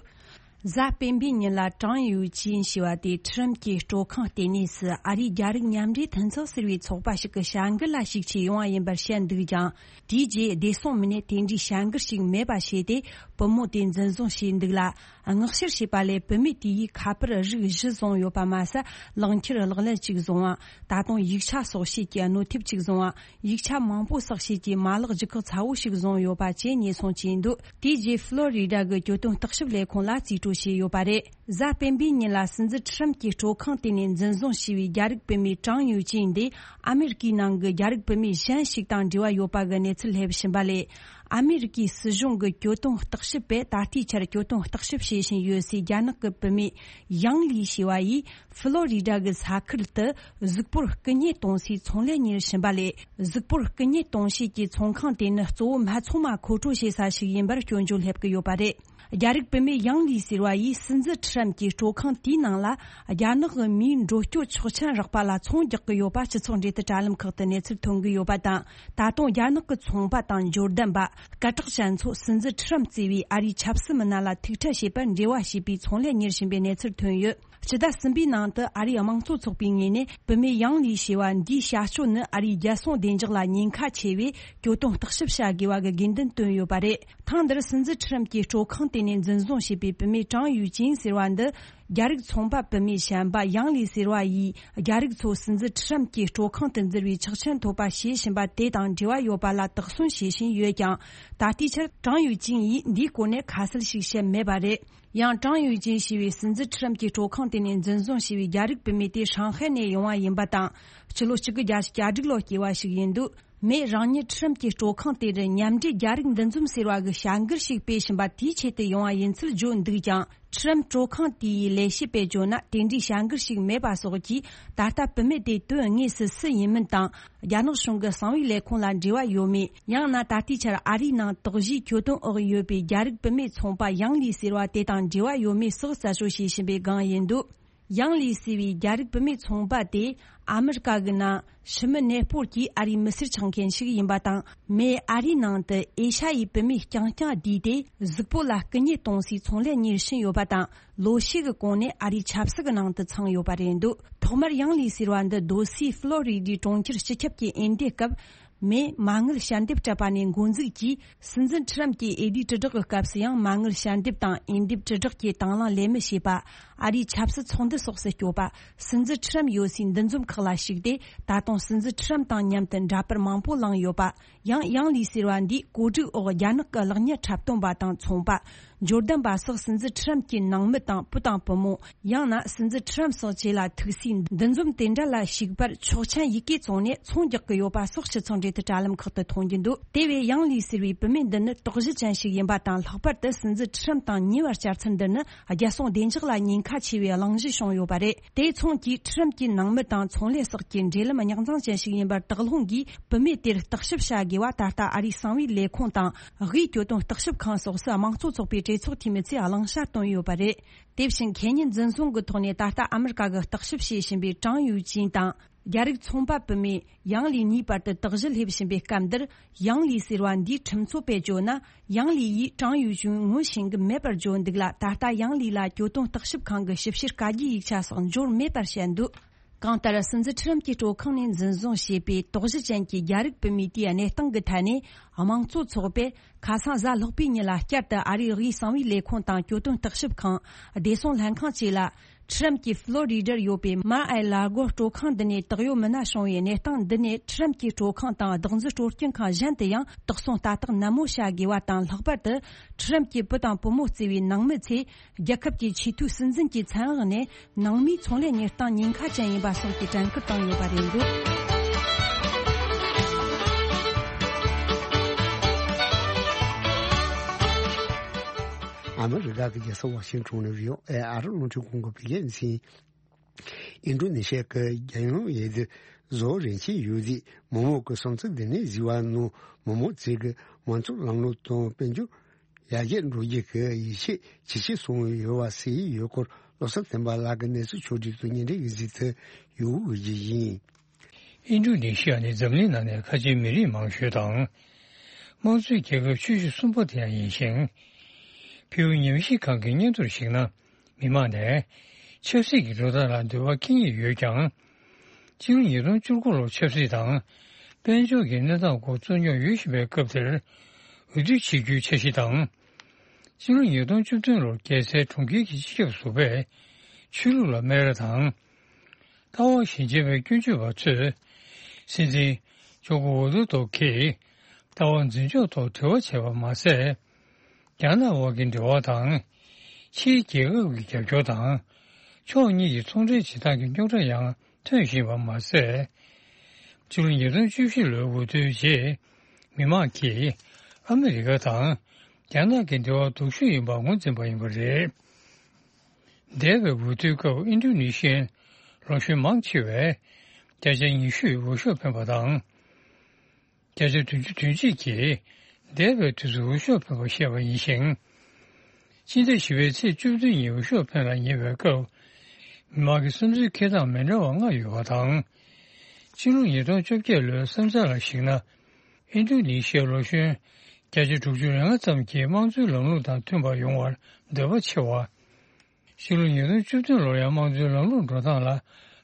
གཟའ་སྤེན་པའི་ཉིན་ལ་ཀྲང་ཡུའུ་ཅིན་ཞེས་པ་དེ་ཁྲི་རམ་གྱི་སྤྲོ་ཁང་ལྟེ་གནས་སུ་ཨ་རིའི་རྒྱ་རིགས་མཉམ་འབྲེལ་མཐུན་ཚོགས་ཟེར་བའི་ཚོགས་པ་ཞིག་གི་བྱ་འགུལ་ལ་ཞུགས་ཆེད་ཡོང་བ་ཡིན་པར་བཤད་འདུག་ཀྱང་། དེའི་རྗེས་བདེ་སྲུང་མི་སྣས་དེ་འདྲའི་བྱ་འགུལ་ཞིག་མེད་པ་བྱས་ཏེ། བུ་མོ་དེ་འཛིན་བཟུང་བྱས་འདུག་ལ། མངགས་བཤེར་བྱས་པ་ལས་བུད་མེད་དེ་ཡིས་ཁ་པར་རིགས་བཞི་བཟུང་ཡོད་པ་མ་ཟད། ལག་འཁྱེར་ལག་ལེན་གཅིག་བཟུང་བ། ད་དུང་ཡིག་ཆ་སོགས་བྱེད་ཀྱི་གནོད་ཐེབས་གཅིག་བཟུང་བ། ཡིག་ཆ་མང་པོ་བསགས་བྱེད་ཀྱི་མ་ལག་ལྗིད་ཁག་ཚ་བོ་ཞིག་བཟུང་ཡོད་པ་བཅས་ཉེས་སོང་བྱས་འདུག་དེའི་རྗེས་ཕློ་རི་ཌ་གི་གྱོད་དོན་བརྟག་ཞིབ་ལས་ཁུངས་ལ་རྩིས་སྤྲོད་བྱས་ཡོད་པ་རེད། གཟའ་སྤེན་པའི་ཉིན་ལ་སྲིད་འཛིན་ཁྲི་རམ་གྱི་སྤྲོ་ཁང་དེ་ནས་འཛིན་བཟུང་བྱས་པའི་རྒྱ་རིགས་བུད་མེད་ཀྲང་ཡུའུ་ཅིན་འདི་ཨ་མེ་རི་ཀའི་ནང་གི་རྒྱ་རིགས་བུད་མེད་གཞན་ཞིག་དང་འབྲེལ་བ་ཡོད་པ་གི་གནས་ཚུལ་སླེབས་བཞིན་པ་ལས། ཨ་མེ་རི་ཀའི་སྲིད་གཞུང་གི་གྱོད་དོན་བརྟག་ཞིབ་པས་ད་ལྟའི་ཆར་གྱོད་དོན་བརྟག་ཞིབ་བྱེད་བཞིན་ཡོད་སའི་རྒྱ་ནག་གི་བུད་མེད་ཡང་ལི་ཞེས་པ་ཡིས་ཕི་ལོ་རི་ཌ་གི་ས་ཁུལ་དུ་གཟུགས་པོར་རྐུ་ཉེས་གཏོང་སའི་ཚོང་ལས་གཉེར་བཞིན་པ་ལས། གཟུགས་པོར་རྐུ་ཉེས་གཏོང་བྱེད་ཀྱི་ཚོང་ཁང་དེ་ནི་གཙོ་བོ་སྨད་འཚོང་མ་མཁོ་སྤྲོད་བྱེད་ས་ཞིག་ཡིན་པར་སྐྱོན་བརྗོད་སླེབས་ཀྱི་ཡོད་པ་རེད། རྒྱ་རིགས་བུད་མེད་ཡང་ལི་ཟེར་བ་ཡིས་སྲིད་འཛིན་ཁྲི་རམ་གྱི་སྤྲོ་ཁང་དེའི་ནང་ལ་རྒྱ་ནག་གི་མིའི་འགྲོ་སྐྱོད་ཆོག་མཆན་རག་པ་ལ་ཚོང་རྒྱག་གི་ཡོད་པ་སྤྱི་ཚོགས་འབྲེལ་མཐུད་དྲ་ལམ་ཁག་ཏུ་གནས་ཚུལ་ཐོན་གྱི་ཡོད་པ་དང་། ད་དུང་རྒྱ་ནག་གི་ཚོང་པ་དང་འབྱོར་ལྡན་པ། སྐད་གྲགས་ཅན་ཚོ་སྲིད་འཛིན་ཁྲི་རམ་གཙོས་པའི་ཨ་རིའི་ཆབ་སྲིད་མི་སྣ་ལ་ཐུག་འཕྲད་བྱེད་པར་འབྲེལ་བ་བྱས་པའི་ཚོང་ལས་གཉེར་བཞིན་པའི་གནས་ཚུལ་ཐོན་ཡོད། སྤྱི་ཟླ་གསུམ་པའི་ནང་དུ་ཨ་རིའི་དམངས་གཙོ་ཚོགས་པའི་ངོས་ནས་བུད་མེད་ཡང་ལི་ཞེས་པ་འདིའི་བྱ་སྤྱོད་ནི་ཨ་རིའི་རྒྱལ་སྲུང་བདེ་འཇགས་ལ་ཉེན་ཁ་ཆེ་བས་གྱོད་དོན་བརྟག་ཞིབ་བྱ་དགོས་པ་གི་དགོས་འདུན་བཏོན་ཡོད་པ་རེད། ཐེངས་འདིར་སྲིད་འཛིན་ཁྲི་རམ་གྱི་སྤྲོ་ཁང་དེ་ནས་འཛིན་བཟུང་བྱས་པའི་བུད་མེད་ཀྲང་ཡུའུ་ཅིན་ཟེར་བ་འདི། རྒྱ་རིགས་ཚོང་པ་བུད་མེད་གཞན་པ་ཡང་ལི་ཟེར་བ་ཡིས་རྒྱ་རིགས་ཚོ་སྲིད་འཛིན་ཁྲི་རམ་གྱི་སྤྲོ་ཁང་དུ་འཛུལ་བའི་ཆོག་མཆན་ཐོབ་པ་བྱེད་བཞིན་པ་དེ་དང་འབྲེལ་བ་ཡོད་པ་ལ་དོགས་ཟོན་བྱེད་བཞིན་ཡོད་ཀྱང་། ད་ལྟའི་ཆར་ཀྲང་ཡུའུ་ཅིན་ཡིས་འདིའི་སྐོར་ནས་ཁ་གསལ་ཞིག་བཤད་མེད་པ་རེད། ཡང་ཀྲང་ཡུའུ་ཅིན་ཞེས་པའི་སྲིད་འཛིན་ཁྲི་རམ་གྱི་སྤྲོ་ཁང་དེ་ནས་འཛིན་བཟུང་བྱས་པའི་རྒྱ་རིགས་བུད་མེད་དེ་ཧྲང་ཧའེ་ནས་ཡོང་བ་ཡིན་པ་དང་། སྤྱི་ལོ་གཅིག་དགུ་བརྒྱད་ཅུ་གྱ་དྲུག་ལོ་སྐྱེས་པ་ཞིག་ཡིན་འདུག་མོས་རང་ཉིད་ཁྲི་རམ་གྱི་སྤྲོ་ཁང་དེ་རུ་མཉམ་འབྲེལ་རྒྱ་རིགས་འདུ་འཛོམས་ཟེར་བ་གི་བྱ་འགུལ་ཞིག་སྤེལ་བཞིན་པ་དེའི་ཆེད་དུ་ཡོང་བ་ཡིན་ཚུལ་བརྗོད་འདུག་ཀྱང་། ཁྲི་རམ་སྤྲོ་ཁང་དེའི་ལས་བྱེད་པས་བརྗོད་ན་དེ་འདྲའི་བྱ་འགུལ་ཞིག་མེད་པ་སོགས་ཀྱིས། ད་ལྟ་བུད་མེད་དེ་དོན་དངོས་སུ་སུ་ཡིན་མིན་དང་། རྒྱ་ནག་གཞུང་གི་གསང་བའི་ལས་ཁུངས་ལ་འབྲེལ་བ་ཡོད་མེད། ཡང་ན་ད་ལྟའི་ཆར་ཨ་རིའི་ནང་དོགས་གཞིའི་གྱོད་དོན་འོག་ཡོད་པའི་རྒྱ་རིགས་བུད་མེད་ཚོང་པ་ཡང་ལི་ཟེར་བ་དེ་དང་འབྲེལ་བ་ཡོད་མེད་སོགས་རྩད་གཅོད་བྱེད་བཞིན་པའི་སྒང་ཡིན་འདུག་ཡང་ལི་ཟེར་བའི་རྒྱ་རིགས་བུད་མེད་ཚོང་པ་དེ་ཨ་མི་རི་ཀ་གི་ནང་ཕྱི་མི་གནས་སྤོར་གྱིས་ཨ་རིའི་མི་སེར་ཆགས་མཁན་ཞིག་ཡིན་པ་དང་། མོས་ཨ་རིའི་ནང་དུ་ཨེ་ཤ་ཡའི་བུད་མེད་རྐྱང་རྐྱང་བསྡུས་ཏེ་གཟུགས་པོ་ལ་རྐུ་ཉེས་གཏོང་སའི་ཚོང་ལས་གཉེར་བཞིན་ཡོད་པ་དང་། ལོ་ཤས་ཀྱི་གོང་ནས་ཨ་རིའི་ཆབ་སྲིད་ཀྱི་ནང་དུ་ཚང་ཡོད་པ་རེད་འདུག་ཐོག་མར་ཡང་ལི་ཟེར་བ་འདི་སྡོད་སའི་ཕློ་རི་ཌའི་གྲོང་ཁྱེར་སྤྱི་ཁྱབ་ཀྱི་འོས་འདེམས་སྐབས། མས་མ་དངུལ་ཞལ་འདེབས་སྤྲད་པ་ནས་འགོ་འཛུགས་ཀྱིས། སྲིད་འཛིན་ཁྲི་རམ་གྱིས་ཨེ་ཌི་དྲིལ་བསྒྲགས་ཀྱི་སྐབས་སུ་ཡང་མ་དངུལ་ཞལ་འདེབས་དང་འོས་འདེམས་དྲིལ་བསྒྲགས་ཀྱི་དང་བླངས་ལས་མི་བྱེད་པ། ཨ་རིའི་ཆབ་སྲིད་ཚོགས་འདུ་སོགས་སུ་སྐྱོད་པ། སྲིད་འཛིན་ཁྲི་རམ་ཡོད་སའི་འདུ་འཛོམས་ཁག་ལ་ཞུགས་ཏེ། ད་དུང་སྲིད་འཛིན་ཁྲི་རམ་དང་མཉམ་དུ་འདྲ་པར་མང་པོ་བླངས་ཡོད་པ། ཡང་ཡང་ལི་ཟེར་བ་འདིས་གོ་སྒྲིག་འོག་རྒྱ་ནག་གི་གློག་བརྙན་འཁྲབ་སྟོན་པ་དང་ཚོང་པ། འབྱོར་ལྡན་པ་སོགས་སྲིད་འཛིན་ཁྲི་རམ་གྱི་ནང་མི་དང་བུ་དང་བུ་མོ། ཡང་ན་སྲིད་འཛིན་ཁྲི་རམ་སོགས་བཅས་ལ་ཐུག་སའི་འདུ་འཛོམས་དེ་འདྲ་ལ་ཞུགས་པར་ཆོག་མཆན་ཡི་གེ་བཙོངས་ནས་ཚོང་རྒྱག་གི་ཡོད་པ་སོགས་སྤྱི་ཚོགས་འབྲེལ་མཐུད་དྲ་ལམ་ཁག་ཏུ་མཐོང་རྒྱུ་འདུག་དེ་བས་ཡང་ལི་ཟེར་བའི་བུད་མེད་འདི་ནི་དོགས་གཞི་ཅན་ཞིག་ཡིན་པ་དང་། ལྷག་པར་དུ་སྲིད་འཛིན་ཁྲི་རམ་དང་ཉེ་བར་བཅར་ཚུལ་འདི་ནི་རྒྱལ་སྲུང་བདེ་འཇགས་ལ་ཉེན་ཁ་ཆེ་བའི་གླེང་གཞི་བྱུང་ཡོད་པ་རེད། དེའི་ཚོང་གིས་ཁྲི་རམ་གྱི་ནང་མི་དང་ཚོང་ལས་སོགས་ཀྱི་འབྲེལ་ལམ་རྙོག་འཛིང་ཅན་ཞིག་ཡིན་པར་དོགས་སློང་གིས། བུད་མེད་དེར་བརྟག་ཞིབ་བྱ་དགོས་པ། ད་ལྟ་ཨ་རིའི་གསང་བའི་ལས་ཁུངས་དང་། དབུས་གྱོད་དོན་བརྟག་ཞིབ་ཁང་སོགས་སུ་དམངས་གཙོ་ཚོགས་པའི་གྲོས་ཚོགས་འཐུས་མི་ཚོས་གླེང་བྱ་བཏོན་ཡོད་པ་རེད། དེ་བཞིན་ཁེ་ཉིན་འཛིན་བཟུང་གི་ཐོག་ནས་ད་ལྟ་ཨ་མི་རི་ཀ་གི་བརྟག་ཞིབ་བྱེད་བཞིན་པའི་ཀྲང་ཡུའུ་ཅིན་དང་། རྒྱ་རིགས་ཚོང་པ་བུད་མེད་ཡང་ལི་གཉིས་བར་དུ་དོགས་གཞི་སླེབས་བཞིན་པའི་སྐབས་འདིར། ཡང་ལི་ཟེར་བ་འདིའི་ཁྲིམས་རྩོད་པས་བརྗོད་ན། ཡང་ལི་ཡིས་ཀྲང་ཡུའུ་ཅིན་ངོ་ཤེས་ཀྱི་མེད་པར་བརྗོད་འདུག་ལ། ད་ལྟ་ཡང་ལི་ལ་གྱོད་དོན་བརྟག་ཞིབ་ཁང་གི་ཞིབ་བཤེར་བཀའ་རྒྱའི་ཡིག་ཆ་སོགས་འབྱོར་མེད་པར་བཤད་འདུག་གང་ལྟར། སྲིད་འཛིན་ཁྲི་རམ་གྱི་སྤྲོ་ཁང་ནས་འཛིན་བཟུང་བྱས་པའི་དོགས་གཞི་ཅན་གྱི་རྒྱ་རིགས་བུད་མེད་དེའི་གནས་སྟངས་ཀྱི་ཐད་ནས། དམངས་གཙོ་ཚོགས་པས་ཁ་སང་གཟའ་ལྷག་པའི་ཉིན་ལ་བསྐྱར་དུ་ཨ་རིའི་དབུས་གསང་བའི་ལས་ཁུངས་དང་། གྱོད་དོན་བརྟག་ཞིབ་ཁང་། བདེ་སྲུང་ལྷན་ཁང་བཅས་ལ། ཁྲི་རམ་གྱི་ཕློ་རི་ཌར་ཡོད་པའི་མར་ཨེ་ལ་གོ་སྤྲོ་ཁང་འདི་ནས་བདག་ཡོད་མི་སྣ་བྱུང་བའི་གནས་སྟངས་འདི་ནས། ཁྲི་རམ་གྱི་སྤྲོ་ཁང་དང་བདག་འཛིན་སྤྲོ་སྐྱིད་ཁང་གཞན་དུ་ཡང་དོགས་ཟོན་ལྟ་རྟོག་ནན་མོ་བྱ་དགོས་པ་དང་། ལྷག་པར་དུ་ཁྲི་རམ་གྱི་བུ་དང་བུ་མོ་གཙོས་པའི་ནང་མི་ཚོས། རྒྱལ་ཁབ་ཀྱི་ཆེས་མཐོའི་སྲིད་འཛིན་གྱི་མཚན་འོག་ནས་ནང་མིའི་ཚོང་ལས་གཉེར་སྟངས་ཉེན་ཁ་ཅན་ཡིན་པ་སོགས་ཀྱི་དྲན་སྐུལ་བཏང་ཡོད་པ་རེད་འདུག་ཨ་མི་རི་ཀ་གི་རྒྱལ་ས་ཝ་ཤིང་ཊོན་ནས་བྷི་ཨོ་ཨེ་ཨ་རི་རླུང་འཕྲིན་ཁང་གི་བོད་སྐད་སྡེ་ཚན། ཨིན་ཌོ་ནེ་ཤི་ཡ་གི་རྒྱལ་ཡོངས་འོས་བསྡུ་བཟོ་རིན་ཆེན་ཡོད་རྫས་མི་མང་གི་བསམ་ཚུལ་འདི་ནས་གཟིགས་པ་ནང་མི་མང་ཚོས་ཀྱི་མང་གཙོའི་ལམ་ལུགས་དང་དཔལ་འབྱོར་ཡར་རྒྱས་འགྲོ་རྒྱུ་གི་ཡིད་ཆེས་ཇེ་ཆེ་སོང་ཡོད་པ་གསལ་ཡོད་སྐོར། བློ་བཟང་བསྟན་པ་ལགས་ཀྱིས་གནས་ཚུལ་ཕྱོགས་བསྒྲིགས་དང་སྙན་སྒྲོན་གྱི་གཟིགས་ཚུལ་ཡོད་པ་ཞིག་ཡིན། ཨིན་ཌོ་ནེ་ཤི་ཡ་ནི་འཛམ་གླིང་ནང་ནས་ཁ་ཆེའི་མི་རིགས་མང་ཤོས་དང་། དམངས་གཙོའི་རྒྱལ་ཁབ་ཆེ་ཤོས་གསུམ་པ་དེ་ཡང་ཡིན་ཞིང་། ཕུའུ་ཉམས་ཞིབ་ཁང་གི་སྙན་ཐོར་གཞིགས་ན། མི་མང་ནས་ཆབ་སྲིད་ཀྱི་འགྲོ་སྟངས་ལ་འདོད་པ་སྐྱེ་ངེས་ཡོད་ཀྱང་། ཕྱི་ལོ་ཉིས་སྟོང་བཅུ་དགུ་ལོར་ཆབ་སྲིད་དང་དཔལ་འབྱོར་གྱི་གནས་སྟངས་སྐོར་རྩོད་རྙོག་ཡོད་བཞིན་པའི་སྐབས་དེར། འོས་བསྡུ་བྱེད་རྒྱུའི་འཆར་གཞི་དང་། ཕྱི་ལོ་ཉིས་སྟོང་བཅུ་བདུན་ལོར་རྒྱལ་སའི་གྲོང་ཁྱེར་གྱི་སྤྱི་ཁྱབ་ཟུར་པས་ཆོས་ལུགས་ལ་སྨད་ར་དང་། ལྟ་བ་ཞན་ཆེ་བའི་སྐྱོན་བརྗོད་པ་ཚོས་སྲིད་འཛིན་ཇོ་ཀོ་ཝི་དོ་ཌོ་གིས་ལྟ་བ་འཛིན་ཕྱོགས་ཐོག་འབྲེལ་བ་བྱས་པ་མ་ཟད། རྒྱ་ནག་དབར་གྱི་འབྲེལ་བ་དང་། ཕྱིའི་རྒྱལ་ཁབ་ཀྱི་རྒྱབ་སྐྱོར་དང་། ཕྱོགས་གཉིས་ཀྱི་ཚོང་འབྲེལ་བྱེད་སྟངས་ཀྱི་རྙོག་དྲ་ཡང་ཐོན་བཞིན་པ་མ་ཟད། ཕྱི་ལོ་ཉིས་སྟོང་བཅུ་བཞི་ལོའི་འོས་བསྡུའི་རྗེས། མི་མང་གིས་ཨ་མི་རི་ཀ་དང་རྒྱ་ནག་གི་འབྲེལ་བ་སྡུག་ཤོས་ཡིན་པར་ངོས་འཛིན་པ་ཡིན་པ་རེད། འདས་པའི་འོས་བསྡུའི་སྐབས་ཨིན་ཌོ་ནེ་ཤི་ཡའི་ལོ་གཞོན་མང་ཆེ་བས་བརྒྱ་ཆ་ཉི་ཤུ་འོས་ཤོག་འཕེན་པ་དང་། བརྒྱ་ཆ་བདུན་ཅུ་དོན་གཅིག་གིས་འདས་པའི་དུས་སུ་འོས་ཤོག་འཕེན་པར་བཤད་པ་ཡིན་ཞིང་། ཕྱི་ཟླ་བཞི་པའི་ཚེས་བཅུ་བདུན་ཉིན་འོས་ཤོག་འཕེན་ལ་ཉེ་བའི་སྐབས། མི་མང་གི་བསམ་ཚུལ་འཁྱེར་སྟངས་མི་འདྲ་བ་ལྔ་ཡོད་པ་དང་། ཕྱི་ལོ་ཉིས་སྟོང་བཅོ་བརྒྱད་ལོའི་བསམ་ཚུལ་ལ་གཞིགས་ན། ཨིན་ཌོ་ནེ་ཤི་ཡའི་ལོ་གཞོན་བརྒྱ་ཆ་དྲུག་ཅུ་རེ་ལྔ་ཙམ་གྱིས་དམངས་གཙོའི་ལམ་ལུགས་དང་མཐུན་པ་ཡོང་བར་འདོད་པ་ཆེ་བ། ཕྱི་ལོ་ཉིས་སྟོང་བཅུ་བདུན་ལོར་ཡང་དམངས་གཙོའི་ལམ་ལུགས་འགྲོ་སྟངས་ལ་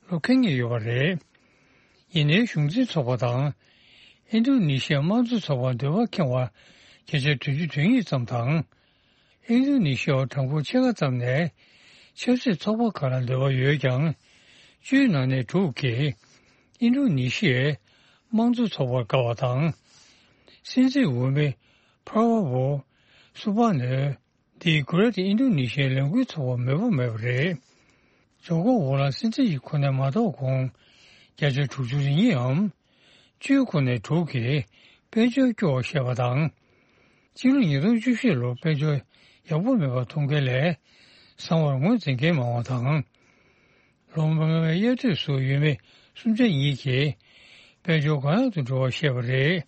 བློ་ཁེལ་ངེས་ཡོད་པ་རེད། ཡིན་ནའི་གཞུང་འཛིན་ཚོགས་པ་དང་། ཨིན་ཌོ་ནེ་ཤི་ཡའི་དམངས་གཙོ་ཚོགས་པར་འདོད་པ་ཁེངས་པ་བརྒྱ་ཆ་བདུན་ཅུ་དོན་གཉིས་ཙམ་དང་། ཨིན་ཌོ་ནེ་ཤི་ཡའི་གྲངས་འབོར་ཕྱེད་ཀ་ཙམ་ནས་ཆབ་སྲིད་ཚོགས་པ་ཁག་ལ་འདོད་པ་ཡོད་ཀྱང་། བཅུའི་ནང་ནས་དྲུག་གིས་ཨིན་ཌོ་ནེ་ཤི་ཡའི་དམངས་གཙོ་ཚོགས་པར་དགའ་བ་དང་། སྲིད་འཛིན་འོས་མི་པ་ར་བོ་སུ་བྷ་ནོ། འདིས་Greater Indonesia ལས་འགུལ་ཚོགས་པར་མོས་པ་མེད་པ་རེད། ཇོ་ཀོ་ཝི་ལ་སྲིད་འཛིན་གྱི་གོ་གནས་མ་ཐོབ་གོང་། བརྒྱ་ཆ་དྲུག་ཅུ་རེ་གཉིས་འམ། བཅུའི་ཁོངས་ནས་དྲུག་གིས་དཔལ་འབྱོར་སྐྱོ་བར་བཤད་པ་དང་། སྤྱི་ལོ་ཉིས་སྟོང་བཅུ་བཞི་ལོར་དཔལ་འབྱོར་ཡག་པོ་མེད་པ་མཐོང་མཁན་ལས་བཟང་བར་ངོས་འཛིན་མཁན་མང་བ་དང་། ལོ་མང་བའི་དབྱར་དུས་སུ་ཡུལ་མི་སུམ་ཆ་གཉིས་ཀྱིས་དཔལ་འབྱོར་གང་ཡག་ཏུ་འགྲོ་བར་བཤད་པ་རེད།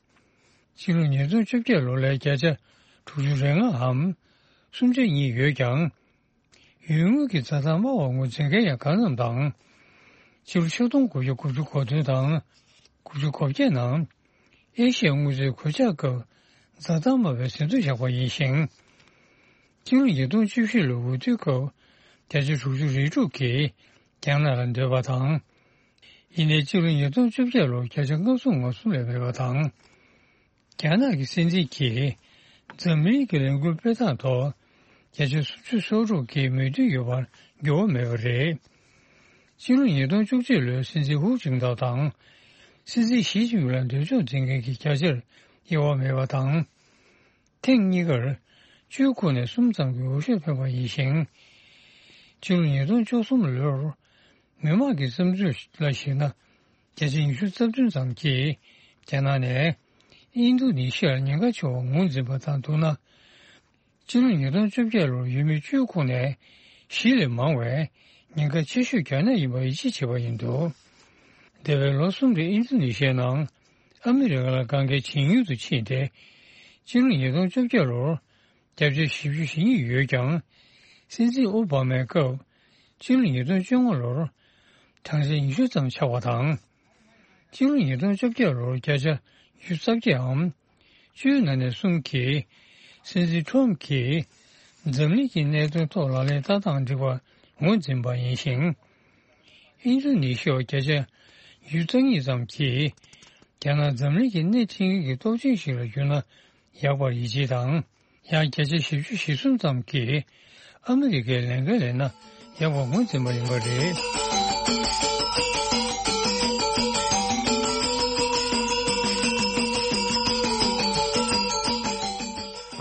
ཕྱི་ལོ་ཉིས་སྟོང་བཅོ་བརྒྱད་ལོ་ལས་བརྒྱ་ཆ་དྲུག་ཅུ་རེ་ལྔའམ་སུམ་ཆ་གཉིས་ཡོད་ཀྱང་། ཡུལ་དངུལ་གྱི་འཛའ་ཐང་དམའ་བར་ངོས་འཛིན་མཁན་ཡང་གང་འཚམ་དང་། ཕྱི་ལོ་ཆིག་སྟོང་དགུ་བརྒྱ་དགུ་བཅུ་གོ་བདུན་དང་དགུ་བཅུ་གོ་བརྒྱད་ནང་ཨེ་ཤི་ཡའི་དངུལ་རྩའི་གོད་ཆག་སྐབས་འཛའ་ཐང་དམའ་བའི་ཟིན་ཐོ་བཞག་པ་ཡིན་ཞིང་། ཕྱི་ལོ་ཉིས་སྟོང་བཅུ་བཞི་ལོའི་འོས་བསྡུའི་སྐབས་བརྒྱ་ཆ་དྲུག་ཅུ་རེ་དྲུག་གིས་རྒྱ་ནག་ལ་འདོད་པ་དང་། ཡིན་ནའི་ཕྱི་ལོ་ཉིས་སྟོང་བཅོ་བརྒྱད་ལོར་བརྒྱ་ཆ་ལྔ་བཅུ་ང་གསུམ་ལས་མེད་པ་དང་། རྒྱ་ནག་གི་སྲིད་འཛིན་གྱིས་འཛམ་གླིང་གི་ལས་འགུལ་སྤེལ་སྟངས་ཐོག་བརྒྱ་ཆ་སུམ་ཅུ་སོ་དྲུག་གི་མོས་མཐུན་ཡོད་པར་འགྱུར་བ་མེད་པ་རེད། ཕྱི་ལོ་ཉིས་སྟོང་བཅུ་གཅིག་ལོའི་སྲིད་འཛིན་ཧུའུ་ཅིན་ཐའོ་དང་། སྲིད་འཛིན་ཞི་ཅིན་ཕིང་ལ་འདོད་ཕྱོགས་འཛིན་མཁན་གྱི་བརྒྱ་ཆར་དབྱེ་བ་མེད་པ་དང་། ཐེངས་གཉིས་ཀར་བཅུའི་ཁོངས་ནས་གསུམ་ཙམ་གྱི་འོས་ཤོག་ཐོན་པ་ཡིན་ཞིང་། ཕྱི་ལོ་ཉིས་སྟོང་བཅུ་གསུམ་ལོར་མི་མང་གི་བསམ་ཚུལ་ལ་གཞིགས་ན། བརྒྱ་ཆ་ཉི་ཤུ་རྩ་བདུན་ཙམ་གྱིས་རྒྱ་ནག་ནས་ཨིན་རྡུ་ནི་ཤི་ཡར་ཉེན་ཁ་ཆེ་བར་ངོས་འཛིན་པ་དང་བསྡུར་ན། ཕྱི་ལོ་ཉིས་སྟོང་བཅོ་བརྒྱད་ལོར་ཡུལ་མི་བཅུའི་ཁོངས་ནས་བཞི་ལས་མང་བས་ཉེན་ཁ་ཆེ་ཤོས་རྒྱ་ནག་ཡིན་པར་ཡིད་ཆེས་བྱས་པ་ཡིན་འདུག་འདས་པའི་ལོ་གསུམ་རིང་ཨིན་རྡུ་ནི་ཤི་ཡའི་ནང་ཨ་མི་རི་ཀ་ལ་དཀའ་ངལ་ཇེ་ཉུང་དུ་ཕྱིན་ཏེ། ཕྱི་ལོ་ཉིས་སྟོང་བཅོ་བརྒྱད་ལོར་བརྒྱ་ཆ་བཞི་བཅུ་ཞེ་གཉིས་ཡོད་ཀྱང་། སྲིད་འཛིན་ཨོ་བྷ་མའི་སྐབས་ཕྱི་ལོ་ཉིས་སྟོང་བཅོ་ལྔ་ལོར་གྲངས་ཆ་ཉི་ཤུ་ཙམ་ཆག་པ་དང་། ཕྱི་ལོ་ཉིས་སྟོང་བཅོ་བརྒྱད་ལོར་བརྒྱ་ཆ་ཉི་ཤུ་རྩ་བརྒྱད་འམ། བཅུའི་ནང་ནས་གསུམ་གྱིས་སྲིད་འཛིན་ཁྲོམ་གྱིས་འཛམ་གླིང་གི་གནད་དོན་ཐོག་ལག་ལེན་བསྟར་སྟངས་འགྲིག་པར་ངོས་འཛིན་པ་ཡིན་ཞིང་། ཨིན་རྡུ་ནི་ཤི་ཡ་བརྒྱ་ཆ་ཉི་ཤུ་རྩ་གཉིས་ཙམ་གྱིས་རྒྱ་ནག་འཛམ་གླིང་གི་སྣེ་ཁྲིད་མཁན་གྱི་སྟོབས་ཆེན་ཞིག་ལ་གྱུར་ན་ཡག་པར་ཡིད་ཆེས་དང་། ཡང་བརྒྱ་ཆ་བཞི་བཅུ་ཞེ་གསུམ་ཙམ་གྱིས་ཨ་མི་རི་ཀའི་ལས་འགན་ལེན་ན་ཡག་པར་ངོས་འཛིན་པ་ཡིན་པ་རེད།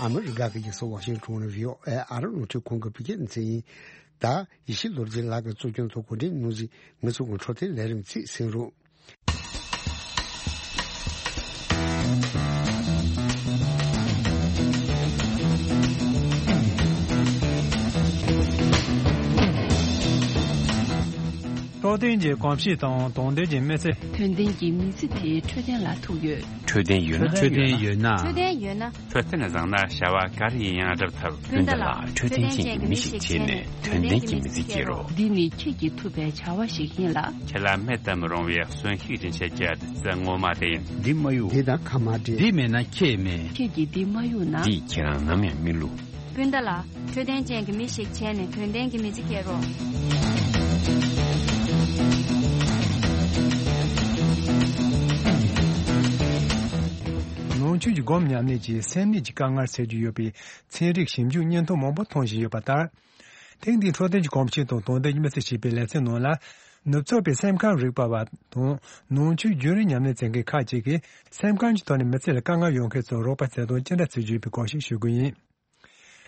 ཨ་མི་རི་ཀ་གི་རྒྱལ་ས་ཝ་ཤིང་ཊོན་ནས་བྷི་ཨོ་ཨེ་ཨ་རི་རླུང་འཕྲིན་ཁང་གི་བོད་སྐད་སྡེ་ཚན་ཡིན། ད་ཡེ་ཤེས་ལོ་རྒྱུས་ལགས་ཀྱིས་གཙོ་སྐྱོང་ཐོག་གོ་སྒྲིག་གནང་ཟིན་ངེད་ཚོ་གི་འཕྲོད་བསྟེན་ལས་རིམ་ཚིག་གསན་རོགས། འཕྲོད་བསྟེན་གྱི་གོམས་གཤིས་དང་དོན་ལྡན་གྱི་མི་ཚེ། དོན་ལྡན་གྱི་མི་ཚེ་དེ་འཕྲོད་བསྟེན་ལ་ཐུག་ཡོད། འཕྲོད་བསྟེན་ཡོད་ན། འཕྲོད་བསྟེན་ཡོད་ན། འཕྲོད་བསྟེན་ཡོད་ན། འཕྲོད་བསྟེན་བཟང་ན་བྱ་བ་ག་རེ་ཡིན་ཡང་སྒྲུབ་ཐུབ། སྤུན་ཟླ་ལགས། འཕྲོད་བསྟེན་ཅན་གྱི་མི་ཞིག་བྱས་ནས་དོན་ལྡན་གྱི་མི་ཚེ་སྐྱེལ་རོགས། འདི་ནི་ཁྱེད་ཀྱིས་ཐུབ་པའི་བྱ་བ་ཞིག་ཡིན་ལ། ཁྱེད་ལ་མེད་དུ་མི་རུང་བའི་གསོན་ཤུགས་སྦྱིན་བྱེད་ཀྱི་བདུད་རྩི་ངོ་མ་དེ་ཡིན། འདི་མ་གཡུག་འདི་དང་ཁ་མ་འབྲལ། འདི་མེད་ན་ཁྱེད་མེད། ཁྱེད་ཀྱིས་འདི་མ་གཡུག་ན། འདིས་ཁྱེད་རང་ནམ་ཡང་མི་བསླུ། སྤུན་ཟླ་ལགས། འཕྲོད་བསྟེན་ཅན་གྱི་མི་ཞིག་བྱས་ནས་དོན་ལྡན་གྱི་མི་ཚེ་སྐྱེལ་རོགས། ནང་ཆོས་ཀྱི་སྒོམ་ཉམས་ལེན་གྱིས་སེམས་ནད་ཀྱི་དཀའ་ངལ་སེལ་རྒྱུ་ཡོད་པའི་ཚན་རིག་ཞིབ་འཇུག་བརྙན་ཐུང་མང་པོ་མཐོང་བཞིན་ཡོད་པ་ལྟར། ཐེངས་འདིའི་འཕྲོད་བསྟེན་གྱི་གོམས་གཤིས་དང་དོན་ལྡན་གྱི་མི་ཚེ་ཞེས་པའི་ལེ་ཚན་ནང་ལ། ནུབ་ཕྱོགས་པའི་སེམས་ཁམས་རིག་པ་བ་དང་ནང་ཆོས་རྒྱུན་རིང་ཉམས་ལེན་མཛད་མཁན་ཁག་ཅིག་གིས་སེམས་ཁམས་ཀྱི་ཐོག་ནས་མི་ཚེ་ལ་དཀའ་ངལ་ཡོང་མཁན་ཚོར་རོགས་པ་བྱེད་སྟངས་ཅི་འདྲ་བྱེད་རྒྱུ་ཡིན་པའི་སྐོར་ཞིག་ཞུ་གི་ཡིན།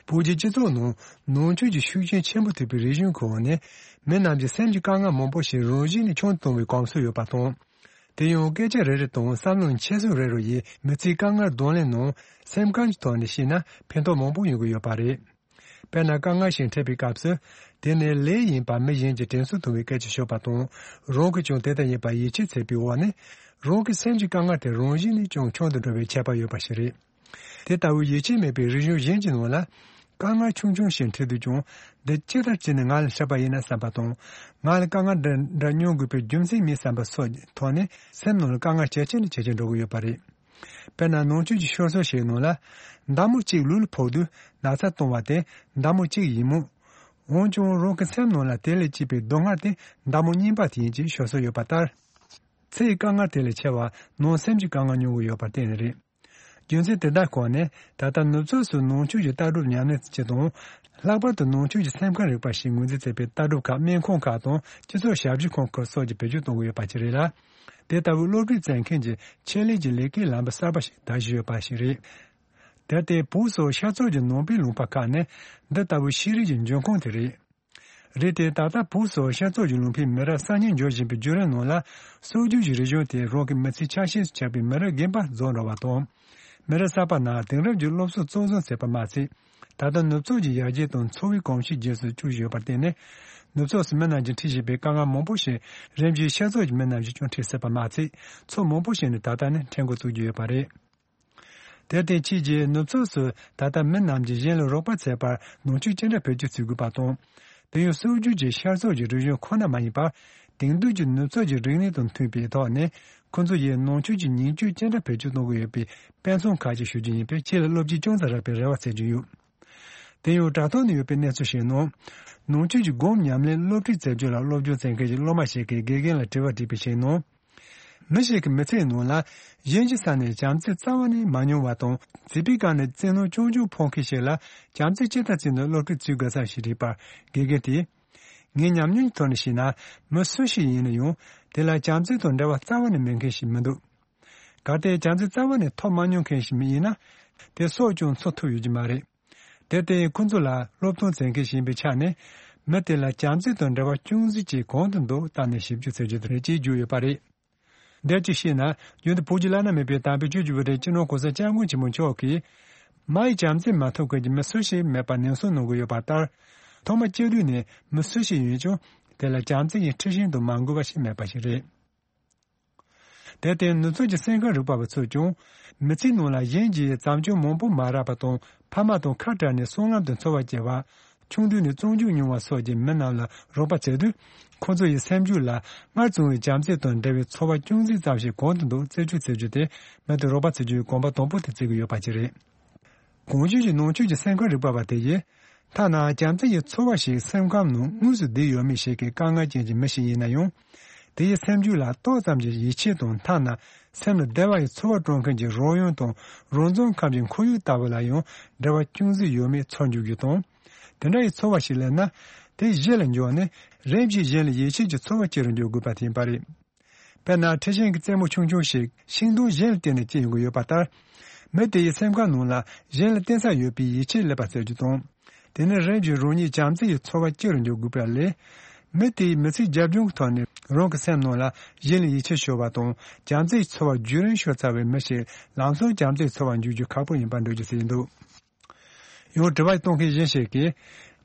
བོད་ཀྱི་སྤྱི་ཚོགས་ནང་ནང་ཆོས་ཀྱི་ཤུགས་རྐྱེན་ཆེན་པོ་ཐེབས་པའི་རིག་གཞུང་གི་འོག་ནས་མི་རྣམས་ཀྱི་སེམས་ཀྱི་དཀའ་ངལ་མང་པོ་ཞིག་རང་བཞིན་ནས་བྱུང་གཏོང་བའི་གོམས་སྲོལ་ཡོད་པ་དང་། དེ་ཡང་སྐད་ཆ་རེ་རེ་དང་བསམ་བློའི་འཁྱེར་སོ་རེ་རེ་ཡིས་མི་ཚེའི་དཀའ་ངལ་གདོང་ལེན་ནང་སེམས་ཁམས་ཀྱི་ཐོག་ནས་བཤད་ན་ཕན་ཐོགས་མང་པོ་ཡོང་གི་ཡོད་པ་རེད། དཔེར་ན་དཀའ་ངལ་ཞིག་འཕྲད་པའི་སྐབས་སུ། དེ་ནི་ལས་ཡིན་པ་མི་གཞན་གྱིས་དྲན་གསོ་ཐུབ་པའི་སྐད་ཆ་ཤོད་པ་དང་། རང་གིས་ཀྱང་དེ་ལྟར་ཡིན་པར་ཡིད་ཆེས་བྱེད་པའི་འོག་ནས། རང་གི་སེམས་ཀྱི་དཀའ་ངལ་དེ་རང་བཞིན་ནས་ཀྱང་ཆུང་དུ་འགྲོ་བའི་ཁྱད་པར་ཡོད་པ་ཞིག་རེད། དེ་ལྟ་བུའི་ཡིད་ཆེས་མེད་པའི་རིག་གཞུང་གཞན་གྱི་ནང་ལ། དཀའ་ངལ་ཆུང་ཆུང་ཞིག་འཕྲད་དུས་ཀྱང་། འདི་ཅི་ལྟར་བྱས་ནས་ང་ལ་འཕྲད་པ་ཡིན་ན་བསམ་པ་དང་། ང་ལ་དཀའ་ངལ་འདི་འདྲ་མྱོང་དགོས་པའི་རྒྱུ་མཚན་མེད་བསམ་པ་སོགས་ཀྱི་ཐོག་ནས་སེམས་ནང་ལ་དཀའ་ངལ་ཇེ་ཆེ་ནས་ཇེ་ཆེར་འགྲོ་གི་ཡོད་པ་རེད། དཔེར་ན་ནང་ཆོས་ཀྱི་ཤོད་སྲོལ་ཞིག་ནང་ལ། མདའ་མོ་གཅིག་ལུས་ལ་ཕོག་དུས་ན་ཚ་གཏོང་བ་དེ་མདའ་མོ་གཅིག་ཡིན་མོད། འོན་ཀྱང་རང་གི་སེམས་ནང་ལ་དེ་ལས་སྐྱེས་པའི་སྡུག་བསྔལ་དེ་མདའ་མོ་རྙིང་པ་དེ་ཡིན་ཅེས་ཤོད་སྲོལ་ཡོད་པ་ལྟར། ཚེ་ཡི་དཀའ་ངལ་དེ་ལས་ཆེ་བ་ནང་སེམས་ཀྱི་དཀའ་ངལ་མྱོང་གི་ཡོད་པར་བརྟེན་ནས་རེད། རྒྱུ་མཚན་དེ་དག་ཁོངས་ནས་ད་ལྟ་ནུབ་ཕྱོགས་སུ་ནང་ཆོས་ཀྱི་ལྟ་གྲུབ་ཉམས་ལེན་བྱེད་སྟངས། ལྷག་པར་དུ་ནང་ཆོས་ཀྱི་སེམས་ཁམས་རིག་པ་ཞེས་ངོས་འཛིན་མཛད་པའི་ལྟ་གྲུབ་ཁག་སྨན་ཁང་ཁག་དང་སྤྱི་ཚོགས་ཞབས་ཞུ་ཁང་ཁག་སོགས་ཀྱིས་བེད་སྤྱོད་གཏོང་གི་ཡོད་པ་ཅིག་རེད་ལ། དེ་ལྟ་བུའི་སློབ་ཁྲིད་བྱེད་མཁན་གྱི་ཆེད་ལས་ཀྱི་ལས་ཀའི་ལམ་བུ་གསར་པ་ཞིག་དར་བཞིན་ཡོད་པ་ཞིག་རེད། དེར་བརྟེན་བོད་སོགས་ཤར་ཕྱོགས་ཀྱི་ནང་པའི་ལུང་པ་ཁག་ནས་འདི་ལྟ་བུའི་ཤེས་རིག་གི་འབྱུང་ཁུངས་དེ་རེད། རེད་དེ་ད་ལྟ་བོད་སོགས་ཤར་ཕྱོགས་ཀྱི་ལུང་པའི་མི་རབས་གསར་རྙིང་འབྱོར་བཞིན་པའི་བརྒྱུད་རིམ་ནང་ལ་སྲོལ་རྒྱུན་གྱི་རིག་གཞུང་དེ་རང་གི་མི་ཚེའི་ཆ་ཤས་སུ་ཆགས་པའི་མི་རབས་རྒན་པ་རྫོགས་འགྲོ་བ་དང་། མི་རབས་གསར་པ་རྣམས་དེང་རབས་ཀྱི་སློབ་གསོ་གཙོར་བཟུང་བྱས་པ་མ་ཚད། ད་ལྟ་ནུབ་ཕྱོགས་ཀྱི་ཡར་རྒྱས་དང་འཚོ་བའི་གོམས་གཤིས་རྗེས་སུ་བཅུག་བཞིན་ཡོད་པར་བརྟེན་ནས། ནུབ་ཕྱོགས་སུ་མི་རྣམས་ཀྱིས་འཁྲིད་བཞིན་པའི་དཀའ་ངལ་མང་པོ་ཞིག་རིམ་བཞིན་ཤར་ཕྱོགས་ཀྱི་མི་རྣམས་ཀྱིས་ཀྱང་འཁྲིད་སྲིད་པ་མ་ཚད། ཕྱོགས་མང་པོ་ཞིག་ནས་ད་ལྟ་ནས་འཁྲིད་འགོ་བཙུགས་ཀྱི་ཡོད་པ་རེད། དེར་བརྟེན་ཕྱིས་ཀྱི་ནུབ་ཕྱོགས་སུ་ད་ལྟ་མི་རྣམས་ཀྱིས་གཞན་ལ་རོགས་པ་བྱེད་པར་ནང་ཆོས་ཅི་འདྲ་བེད་སྤྱོད་བྱེད་དགོས་པ་དང་། དེ་ཡང་སྲོལ་རྒྱུན་གྱི་ཤར་ཕྱོགས་ཀྱི་རིག་གཞུང་ཁོ་ན་མ་ཡིན་པར། དེང་དུས་ཀྱི་ནུབ་ཕྱོགས་ཀྱི་རིག་གནས་དང་མཐུན་པའི་ཐོག་ནས་ཁོ་ཚོ་ཡིས་ནང་ཆོས་ཀྱི་ཉིང་བཅུད་ཅི་འདྲ་བེད་སྤྱོད་གཏོང་གི་ཡོད་པའི་དཔེ་མཚོན་ཁག་ཅིག་ཞུ་རྒྱུ་ཡིན་པས་ཁྱེད་ལ་བློ་སྐྱེད་ཅུང་ཙམ་རག་པའི་རེ་བ་བྱེད་ཀྱི་ཡོད། དེ་ཡང་དྲ་ཐོག་ནས་ཡོད་པའི་གནས་ཚུལ་ཞིག་ནང་། ནང་ཆོས་ཀྱི་སྒོམ་ཉམས་ལེན་སློབ་ཁྲིད་མཛད་རྒྱུ་ལ་སློབ་སྦྱོང་བྱེད་མཁན་གྱི་སློབ་མ་ཞིག་གིས་དགེ་རྒན་ལ་དྲི་བ་དྲིས་པའི་ཞིག་ནང་། མི་ཞིག་གིས་མི་ཚེའི་ནང་ལ་གཞན་གྱི་ས་ནས་བྱམས་བརྩེ་རྩ་བ་ནས་མ་མྱོང་བ་དང་། བྱིས་པའི་སྐབས་ནས་བཙན་གནོན་རྐྱང་རྐྱང་ཕོག་མཁན་ཞིག་ལ་བྱམས་བརྩེ་ཇི་ལྟར་བྱས་ནས་སློབ་ཁྲིད་བྱེད་དགོས་སམ་ཞེས་དྲིས་པར། དགེ་རྒན་དེས། ངའི་ཉམས་མྱོང་གི་ཐོག་ནས་བཤད་ན། མི་སུ་ཞིག་ཡིན་ན་ཡང་། དེ་ལ་བྱམས་བརྩེ་དང་འབྲེལ་བ་རྩ་བ་ནས་མེད་མཁན་ཞིག་མི་འདུག་གལ་ཏེ་བྱམས་བརྩེ་རྩ་བ་ནས་ཐོབ་མ་མྱོང་མཁན་ཞིག་མི་ཡིན་ན། དེ་སྲོག་ཀྱང་འཚོ་ཐུབ་ཡོད་ཀྱི་མ་རེད། དེར་བརྟེན་ཁོ་ཚོ་ལ་སློབ་སྟོན་མཛད་མཁན་ཞིག་ཡིན་པའི་ཆ་ནས། མི་དེ་ལ་བྱམས་བརྩེ་དང་འབྲེལ་བ་ཅུང་ཟད་ཅིག་གང་དུ་འདུག་བལྟས་ནས་ཞིབ་འཇུག་བྱེད་རྒྱུ་དེ་རེད་ཅེས་བརྗོད་ཡོད་པ་རེད། འདིར་ཅིག་བཤད་ན། རྒྱུན་དུ་བོད་ཀྱི་བླ་ན་མེད་པའི་དམ་པའི་ཆོས་ཀྱི་དབུ་ཁྲིད་སྤྱི་ནོར་༸གོང་ས་༸སྐྱབས་མགོན་ཆེན་པོ་མཆོག་གིས། མ་ཡི་བྱམས་བརྩེ་མ་ཐོབ་མཁན་གྱི་མི་སུ་ཞིག་མེད་པར་ནན་གསུང་གནང་གི་ཡོད་པ་ལྟར། ཐོག་མ་སྐྱེས་དུས་ནས་མི་སུ་ཞིག་ཡིན་ཀྱང་། དེ་ལ་བྱམས་བརྩེ་ཡི་མཁྲེགས་ཤིང་དུ་མ་འགུལ་བ་ཞིག་མེད་པ་ཞིག་རེད། དེར་བརྟེན་ནུབ་ཕྱོགས་ཀྱི་སེམས་ཁམས་རིག་པ་བ་ཚོས་ཀྱང་། མི་ཚེའི་ནང་ལ་གཞན་གྱིས་བྱམས་སྐྱོང་མང་པོ་མ་རག་པ་དང་། ཕ་མ་དང་ཁ་བྲལ་ནས་སྲང་ལམ་དུ་འཚོ་བ་སྐྱེལ་བ། ཆུང་དུས་ནས་བཙོན་འཇུག་མྱོང་བ་སོགས་ཀྱི་མི་རྣམས་ལ་རོགས་པ་བྱེད་དུས། ཁོ་ཚོ་ཡི་སེམས་རྒྱུད་ལ་སྔར་བྱུང་བའི་བྱམས་བརྩེ་དང་འབྲེལ་བའི་ཚོར་བ་ཅུང་ཟད་ཙམ་ཞིག་གང་དུ་འདུག་རྩད་གཅོད་བྱེད་རྒྱུ་དེ། མི་དེ་རོགས་པ་བྱེད་རྒྱུའི་གོམ་པ་དང་པོ་དེ་བརྩི་གི་ཡོད་པ་ཅིག་རེད། གོང་ཞུས་ཀྱི་ནང་ཆོས་ཀྱི་སེམས་ཁམས་རིག་པ་བ་དེ་ཡིས། ཐ་ན་བྱམས་བརྩེ་ཡི་ཚོར་བ་ཞིག་སེམས་ཁམས་ནང་དངོས་སུ་བསྡུས་ཡོད་མེད་ཞིག་གི་དཀའ་ངལ་ཅན་གྱི་མི་ཞིག་ཡིན་ན་ཡང་། དེ་ཡི་སེམས་རྒྱུད་ལ་ཏོག་ཙམ་གྱི་ཡིད་ཆེས་དང་། ཐ་ན་སེམས་ལ་བདེ་བ་ཡི་ཚོར་བ་སྤྲོད་མཁན་གྱི་རོལ་དབྱང་དང་རོལ་རྩེད་ཁམས་ཀྱི་ཁོར་ཡུག་ལྟ་བུ་ལ་ཡང་འབྲེལ་བ་ཅུང་ཟད་ཡོད་མེད་ཚོར་འཇུག་རྒྱུ་དང་། དེ་འདྲ་ཡི་ཚོར་བ་ཞིག་སླེབས་ན། དེ་གཞི་ལ་འཇོག་ནས་རིམ་གྱིས་གཞན་ལ་ཡིད་ཆེས་ཀྱི་ཚོར་བ་སྐྱེ་རུ་འཇུག་དགོས་པ་དེ་ཡིན་པ་རེད། དཔེར་ན། ཁྲི་ཤིང་གི་རྩེ་མོ་ཆུང་ཆུང་ཞིག་ཤིང་སྡོང་གཞན་ལ་བརྟེན་ནས་སྐྱེ་ཡོང་གི་ཡོད་པ་ལྟར། མི་དེ་ཡི་སེམས་ཁམས་ནང་ལ་གཞན་ལ་བརྟེན་ས་ཡོད་པའི་ཡིད་ཆེས་སླེབས་པ་བྱ་རྒྱུ་དང་། དེ་ནས་རིམ་བཞིན་རང་ཉིད་བྱམས་བརྩེ་ཡི་ཚོར་བ་སྐྱེ་རུ་འཇུག་དགོས་པ་ལས། མི་དེའི་མི་ཚེའི་རྒྱབ་ལྗོངས་ཀྱི་ཐོག་ནས་རང་གི་སེམས་ནང་ལ་གཞན་ལ་ཡིད་ཆེས་ཤོར་བ་དང་། བྱམས་བརྩེའི་ཚོར་བ་རྒྱུན་རིང་ཤོར་ཚར་བའི་མི་ཞིག་ལམ་སང་བྱམས་བརྩེའི་ཚོར་བ་འཇུག་རྒྱུ་ཁག་པོ་ཡིན་པར་འགྲེལ་བརྗོད་བྱས་འདུག་ཡང་དྲི་བ་གཏོང་མཁན་གཞན་ཞིག་གིས།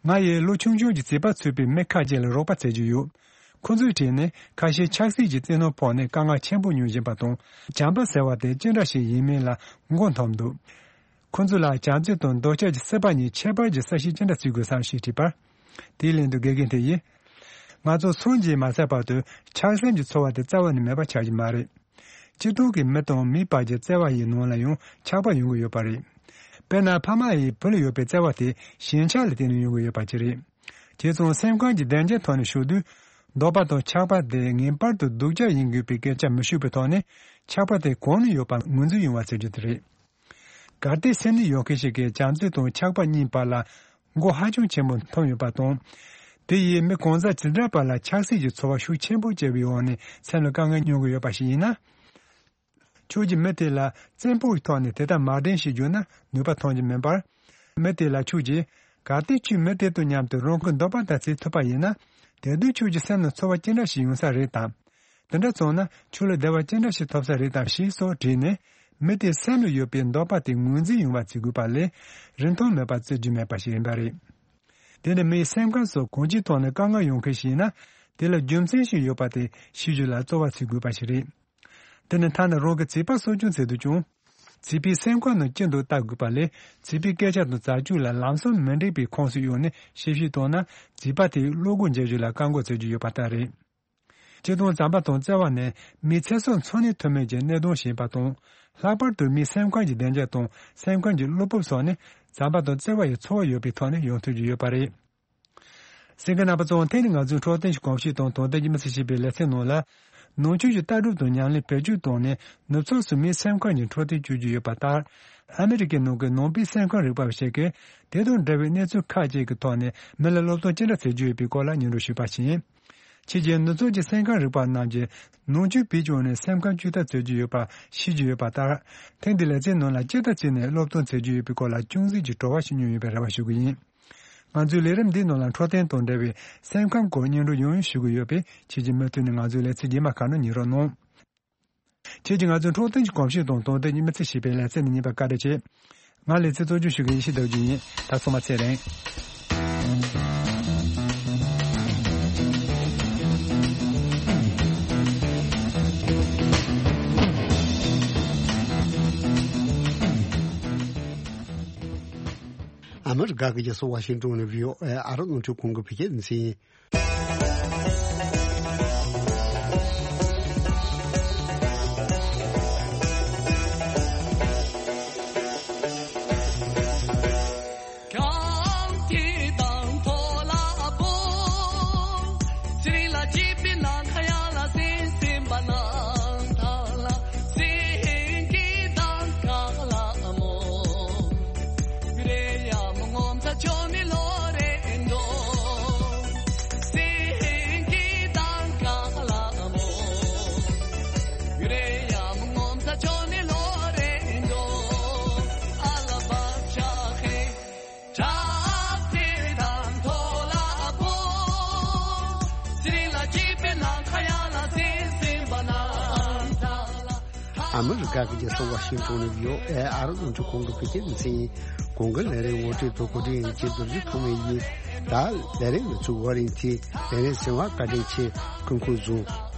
ང་ཡིས་ལོ་ཆུང་ཆུང་གྱི་བྱིས་པ་ཚུད་པའི་མི་ཁ་ཅིག་ལ་རོགས་པ་བྱེད་ཀྱི་ཡོད། ཁོ་ཚོའི་གྲས་ནས་ཁ་ཤས་ཆབ་སྲིད་ཀྱི་བཙན་གནོན་ཕོག་ནས་དཀའ་ངལ་ཆེན་པོ་མྱོང་བཞིན་པ་དང་། བྱམས་པ་ཟེར་བ་དེ་ཅི་འདྲ་ཞིག་ཡིན་མིན་ལ་མགོ་འཐོམས་འདུག་ཁོ་ཚོ་ལ་བྱམས་བརྩེ་དང་འདོད་ཆགས་ཀྱི་སྲེད་པ་གཉིས་ཁྱད་པར་གྱི་གསལ་བཤད་ཅི་འདྲ་བྱེད་དགོས་སམ་ཞེས་དྲིས་པར། དེའི་ལན་དུ་དགེ་རྒན་དེ་ཡིས། ང་ཚོ་སངས་རྒྱས་མ་ཚར་བར་དུ་ཆགས་སེམས་ཀྱི་ཚོར་བ་དེ་རྩ་བ་ནས་མེད་པ་ཆགས་ཀྱི་མ་རེད། སྤྱིར་བཏང་གི་མི་དང་མིའི་བར་གྱི་བརྩེ་བ་ཡི་ནང་ལ་ཡང་ཆགས་པ་ཡོང་གི་ཡོད་པ་རེད། དཔེར་ན། ཕ་མ་ཡིས་བུ་ལ་ཡོད་པའི་བརྩེ་བ་དེ་ཞེན་ཆགས་ལ་བརྟེན་ནས་ཡོང་གི་ཡོད་པ་ཅིག་རེད། བྱས་ཙང་སེམས་ཁམས་ཀྱི་བདེ་འཇགས་ཐོག་ནས་ཞུགས་དུས། འདོད་པ་དང་ཆགས་པ་དེ་ངེས་པར་དུ་སྡུག་ཅག་ཡིན་དགོས་པའི་སྐད་ཆ་མི་ཤོད་པའི་ཐོག་ནས། ཆགས་པ་དེ་གང་ནས་ཡོད་པ་ངོས་འཛིན་ཡོང་བ་བྱེད་རྒྱུ་དེ་རེད། གལ་ཏེ་སེམས་ནད་ཡོད་མཁན་ཞིག་གིས་བྱམས་བརྩེ་དང་ཆགས་པ་གཉིས་བར་ལ་མགོ་ཧ་ཅང་ཆེན་པོ་འཐོམས་ཡོད་པ་དང་། དེ་ཡིས་མི་གང་ཟག་ཇི་འདྲ་བར་ལ་ཆགས་སྲེད་ཀྱི་ཚོར་བ་ཤུགས་ཆེན་པོ་སྐྱེ་བའི་འོག་ནས་སེམས་ལ་དཀའ་ངལ་མྱོང་གི་ཡོད་པ་ཞིག་ཡིན་ན། ཁྱོད་ཀྱིས་མི་དེ་ལ་བཙན་པོའི་ཐོག་ནས་དེ་ལྟར་མ་དྲན་ཞེས་བརྗོད་ན་ནུས་པ་ཐོན་གྱི་མིན་པར། མི་དེ་ལ་ཁྱོད་ཀྱིས། གལ་ཏེ་ཁྱོད་མི་དེ་དང་མཉམ་དུ་རང་གི་འདོད་པ་ལྟར་བྱེད་ཐུབ་པ་ཡིན་ན། དེ་དུས་ཁྱོད་ཀྱི་སེམས་ནང་ཚོར་བ་ཅི་འདྲ་ཞིག་ཡོང་ས་རེད་དམ། དེ་འདྲ་སོང་ན་ཁྱོད་ལ་བདེ་བ་ཅི་འདྲ་ཞིག་ཐོབ་ས་རེད་དམ་ཞེས་སོགས་དྲིས་ནས། མི་དེའི་སེམས་ལ་ཡོད་པའི་འདོད་པ་དེ་ངོས་འཛིན་ཡོང་བ་བྱེད་དགོས་པ་ལས། རིན་ཐང་མེད་པ་བརྩི་རྒྱུ་མེད་པ་ཞིག་ཡིན་པ་རེད། དེ་ནི་མིའི་སེམས་ཁམས་སོགས་གང་ཅིའི་ཐོག་ནས་དཀའ་ངལ་ཡོང་མཁན་ཞིག་ཡིན་ན། དེ་ལ་རྒྱུ་མཚན་ཞིག་ཡོད་པ་དེ་ཤེས་རྒྱུ་ལ་རྩོལ་བ་བྱེད་དགོས་པ་ཞིག་རེད། དེ་ནི་ཐ་ན་རང་གི་བྱིས་པ་གསོ་སྐྱོང་བྱེད་དུས་ཀྱང་། བྱིས་པའི་སེམས་ཁམས་ནང་ཅི་འདུག་བལྟ་དགོས་པ་ལས། བྱིས་པའི་སྐད་ཆ་དང་བྱ་སྤྱོད་ལ་ལམ་སང་མི་འགྲིག་པའི་ཁོངས་སུ་གཡུགས་ནས་ཞིབ་བཤེར་བཏང་ན། བྱིས་པ་དེའི་བློ་སྒོ་འབྱེད་རྒྱུ་ལ་བཀག་འགོག་བྱེད་རྒྱུ་ཡོད་པ་ལྟར་རེད། སྤྱིར་བཏང་བྱམས་པ་དང་བརྩེ་བ་ནི་མིའི་ཚེ་སྲོག་འཚོ་གནས་ཐུབ་མིན་གྱི་གནད་དོན་ཞིག་ཡིན་པ་དང་། ལྷག་པར་དུ་མིའི་སེམས་ཁམས་ཀྱི་བདེ་འཇགས་དང་སེམས་ཁམས་ཀྱི་བློ་སྤོབས་སོགས་ནི་བྱམས་པ་དང་བརྩེ་བ་ཡི་ཚོར་བ་ཡོད་པའི་ཐོག་ནས་ཡོང་ཐུབ་ཀྱི་ཡོད་པ་རེད། གསན་མཁན་རྣམ་པ་ཚོ། དེ་ནི་ང་ཚོའི་འཕྲོད་བསྟེན་གྱི་གོམས་གཤིས་དང་དོན་ལྡན་གྱི་མི་ཚེ་ཞེས་པའི་ལེ་ཚན་ནང་ལ། ནང་ཆོས་ཀྱི་ལྟ་གྲུབ་དང་ཉམས་ལེན་བེད་སྤྱོད་བཏང་ནས་ནུབ་ཕྱོགས་སུ་མིའི་སེམས་ཁམས་ཀྱི་འཕྲོད་བསྟེན་བྱེད་ཀྱི་ཡོད་པ་ལྟར། ཨ་མི་རི་ཀའི་ནང་གི་ནང་པའི་སེམས་ཁམས་རིག་པ་བ་ཞིག་གིས་དེ་དང་འབྲེལ་བའི་གནས་ཚུལ་ཁག་ཅིག་གི་ཐོག་ནས་མི་ལ་སློབ་སྟོན་ཅི་འདྲ་བྱེད་རྒྱུ་ཡོད་པའི་སྐོར་ལ་སྙན་སྒྲོན་ཞུས་པ་ཡིན། ཕྱིས་རྒྱལ་ནུབ་ཕྱོགས་ཀྱི་སེམས་ཁམས་རིག་པ་རྣམས་ཀྱིས་ནང་ཆོས་བེད་སྤྱོད་ནས་སེམས་ཁམས་བཅོས་ཐབས་བྱེད་ཀྱི་ཡོད་པ་ཤེས་ཀྱི་ཡོད་པ་ལྟར། ཐེངས་འདིའི་ལེ་ཚན་ནང་ལ་ཇི་ལྟར་བྱས་ནས་སློབ་སྟོན་བྱེད་ཀྱི་ཡོད་པའི་སྐོར་ལ་ཅུང་ཟད་ཀྱི་བྲོ་བ་ཞིག་མྱོང་ཡོད་པའི་རེ་བ་ཞུ་གི་ཡིན། ང་ཚོའི་ལས་རིམ་འདིའི་ནང་ལ་འཕྲོད་བསྟེན་དང་འབྲེལ་བའི་སེམས་ཁམས་སྐོར་སྙན་སྒྲོན་ཡང་ཡང་ཞུ་གི་ཡོད་པས། ཁྱེད་ཀྱིས་མུ་མཐུད་ནས་ང་ཚོའི་ལེ་ཚན་རྗེས་མ་ཁག་ནང་ཉན་རོགས་གནང་། ཁྱེད་ཀྱིས་ང་ཚོའི་འཕྲོད་བསྟེན་གྱི་གོམས་གཤིས་དང་དོན་ལྡན་གྱི་མི་ཚེ་ཞེས་པའི་ལེ་ཚན་འདི་ཉན་པར་བཀའ་དྲིན་ཆེ། ང་ལེ་ཚན་གཙོ་སྐྱོང་ཞུ་མཁན་ཡེ་ཤེས་ཟླ་བ་བརྒྱུད་ཡིན། ད་ཚང་མ་ཚེ་རིང་། ཨ་མི་རི་ཀ་གི་རྒྱལ་ས་ཝ་ཤིང་ཏོན་ནས་བྷི་ཨོ་ཨེ་ཨ་རིའི་རླུང་འཕྲིན་ཁང་གི་བོད་སྐད་སྡེ་ཚན་ཡིན། ཨ་མི་རི་ཀ་གི་རྒྱལ་ས་ཝ་ཤིང་ཊོན་ནས་བྷི་ཨོ་ཨེ་ཨ་རི་རླུང་འཕྲིན་ཁང་གི་བོད་སྐད་སྡེ་ཚན་ཡིན། གོང་གི་ལས་རིམ་ངོ་སྤྲོད་དང་གོ་སྒྲིག་ཡིན་གྱི་རྡོ་རྗེ་ཐོགས་མེད་ཡིན། ད་ལས་རིམ་གྱི་ཚུགས་བར་ཡིན་ཏེ་ལས་རིམ་ཟིན་པ་བཀའ་དྲིན་ཆེ། སྐུ་ཁམས་བཟང་།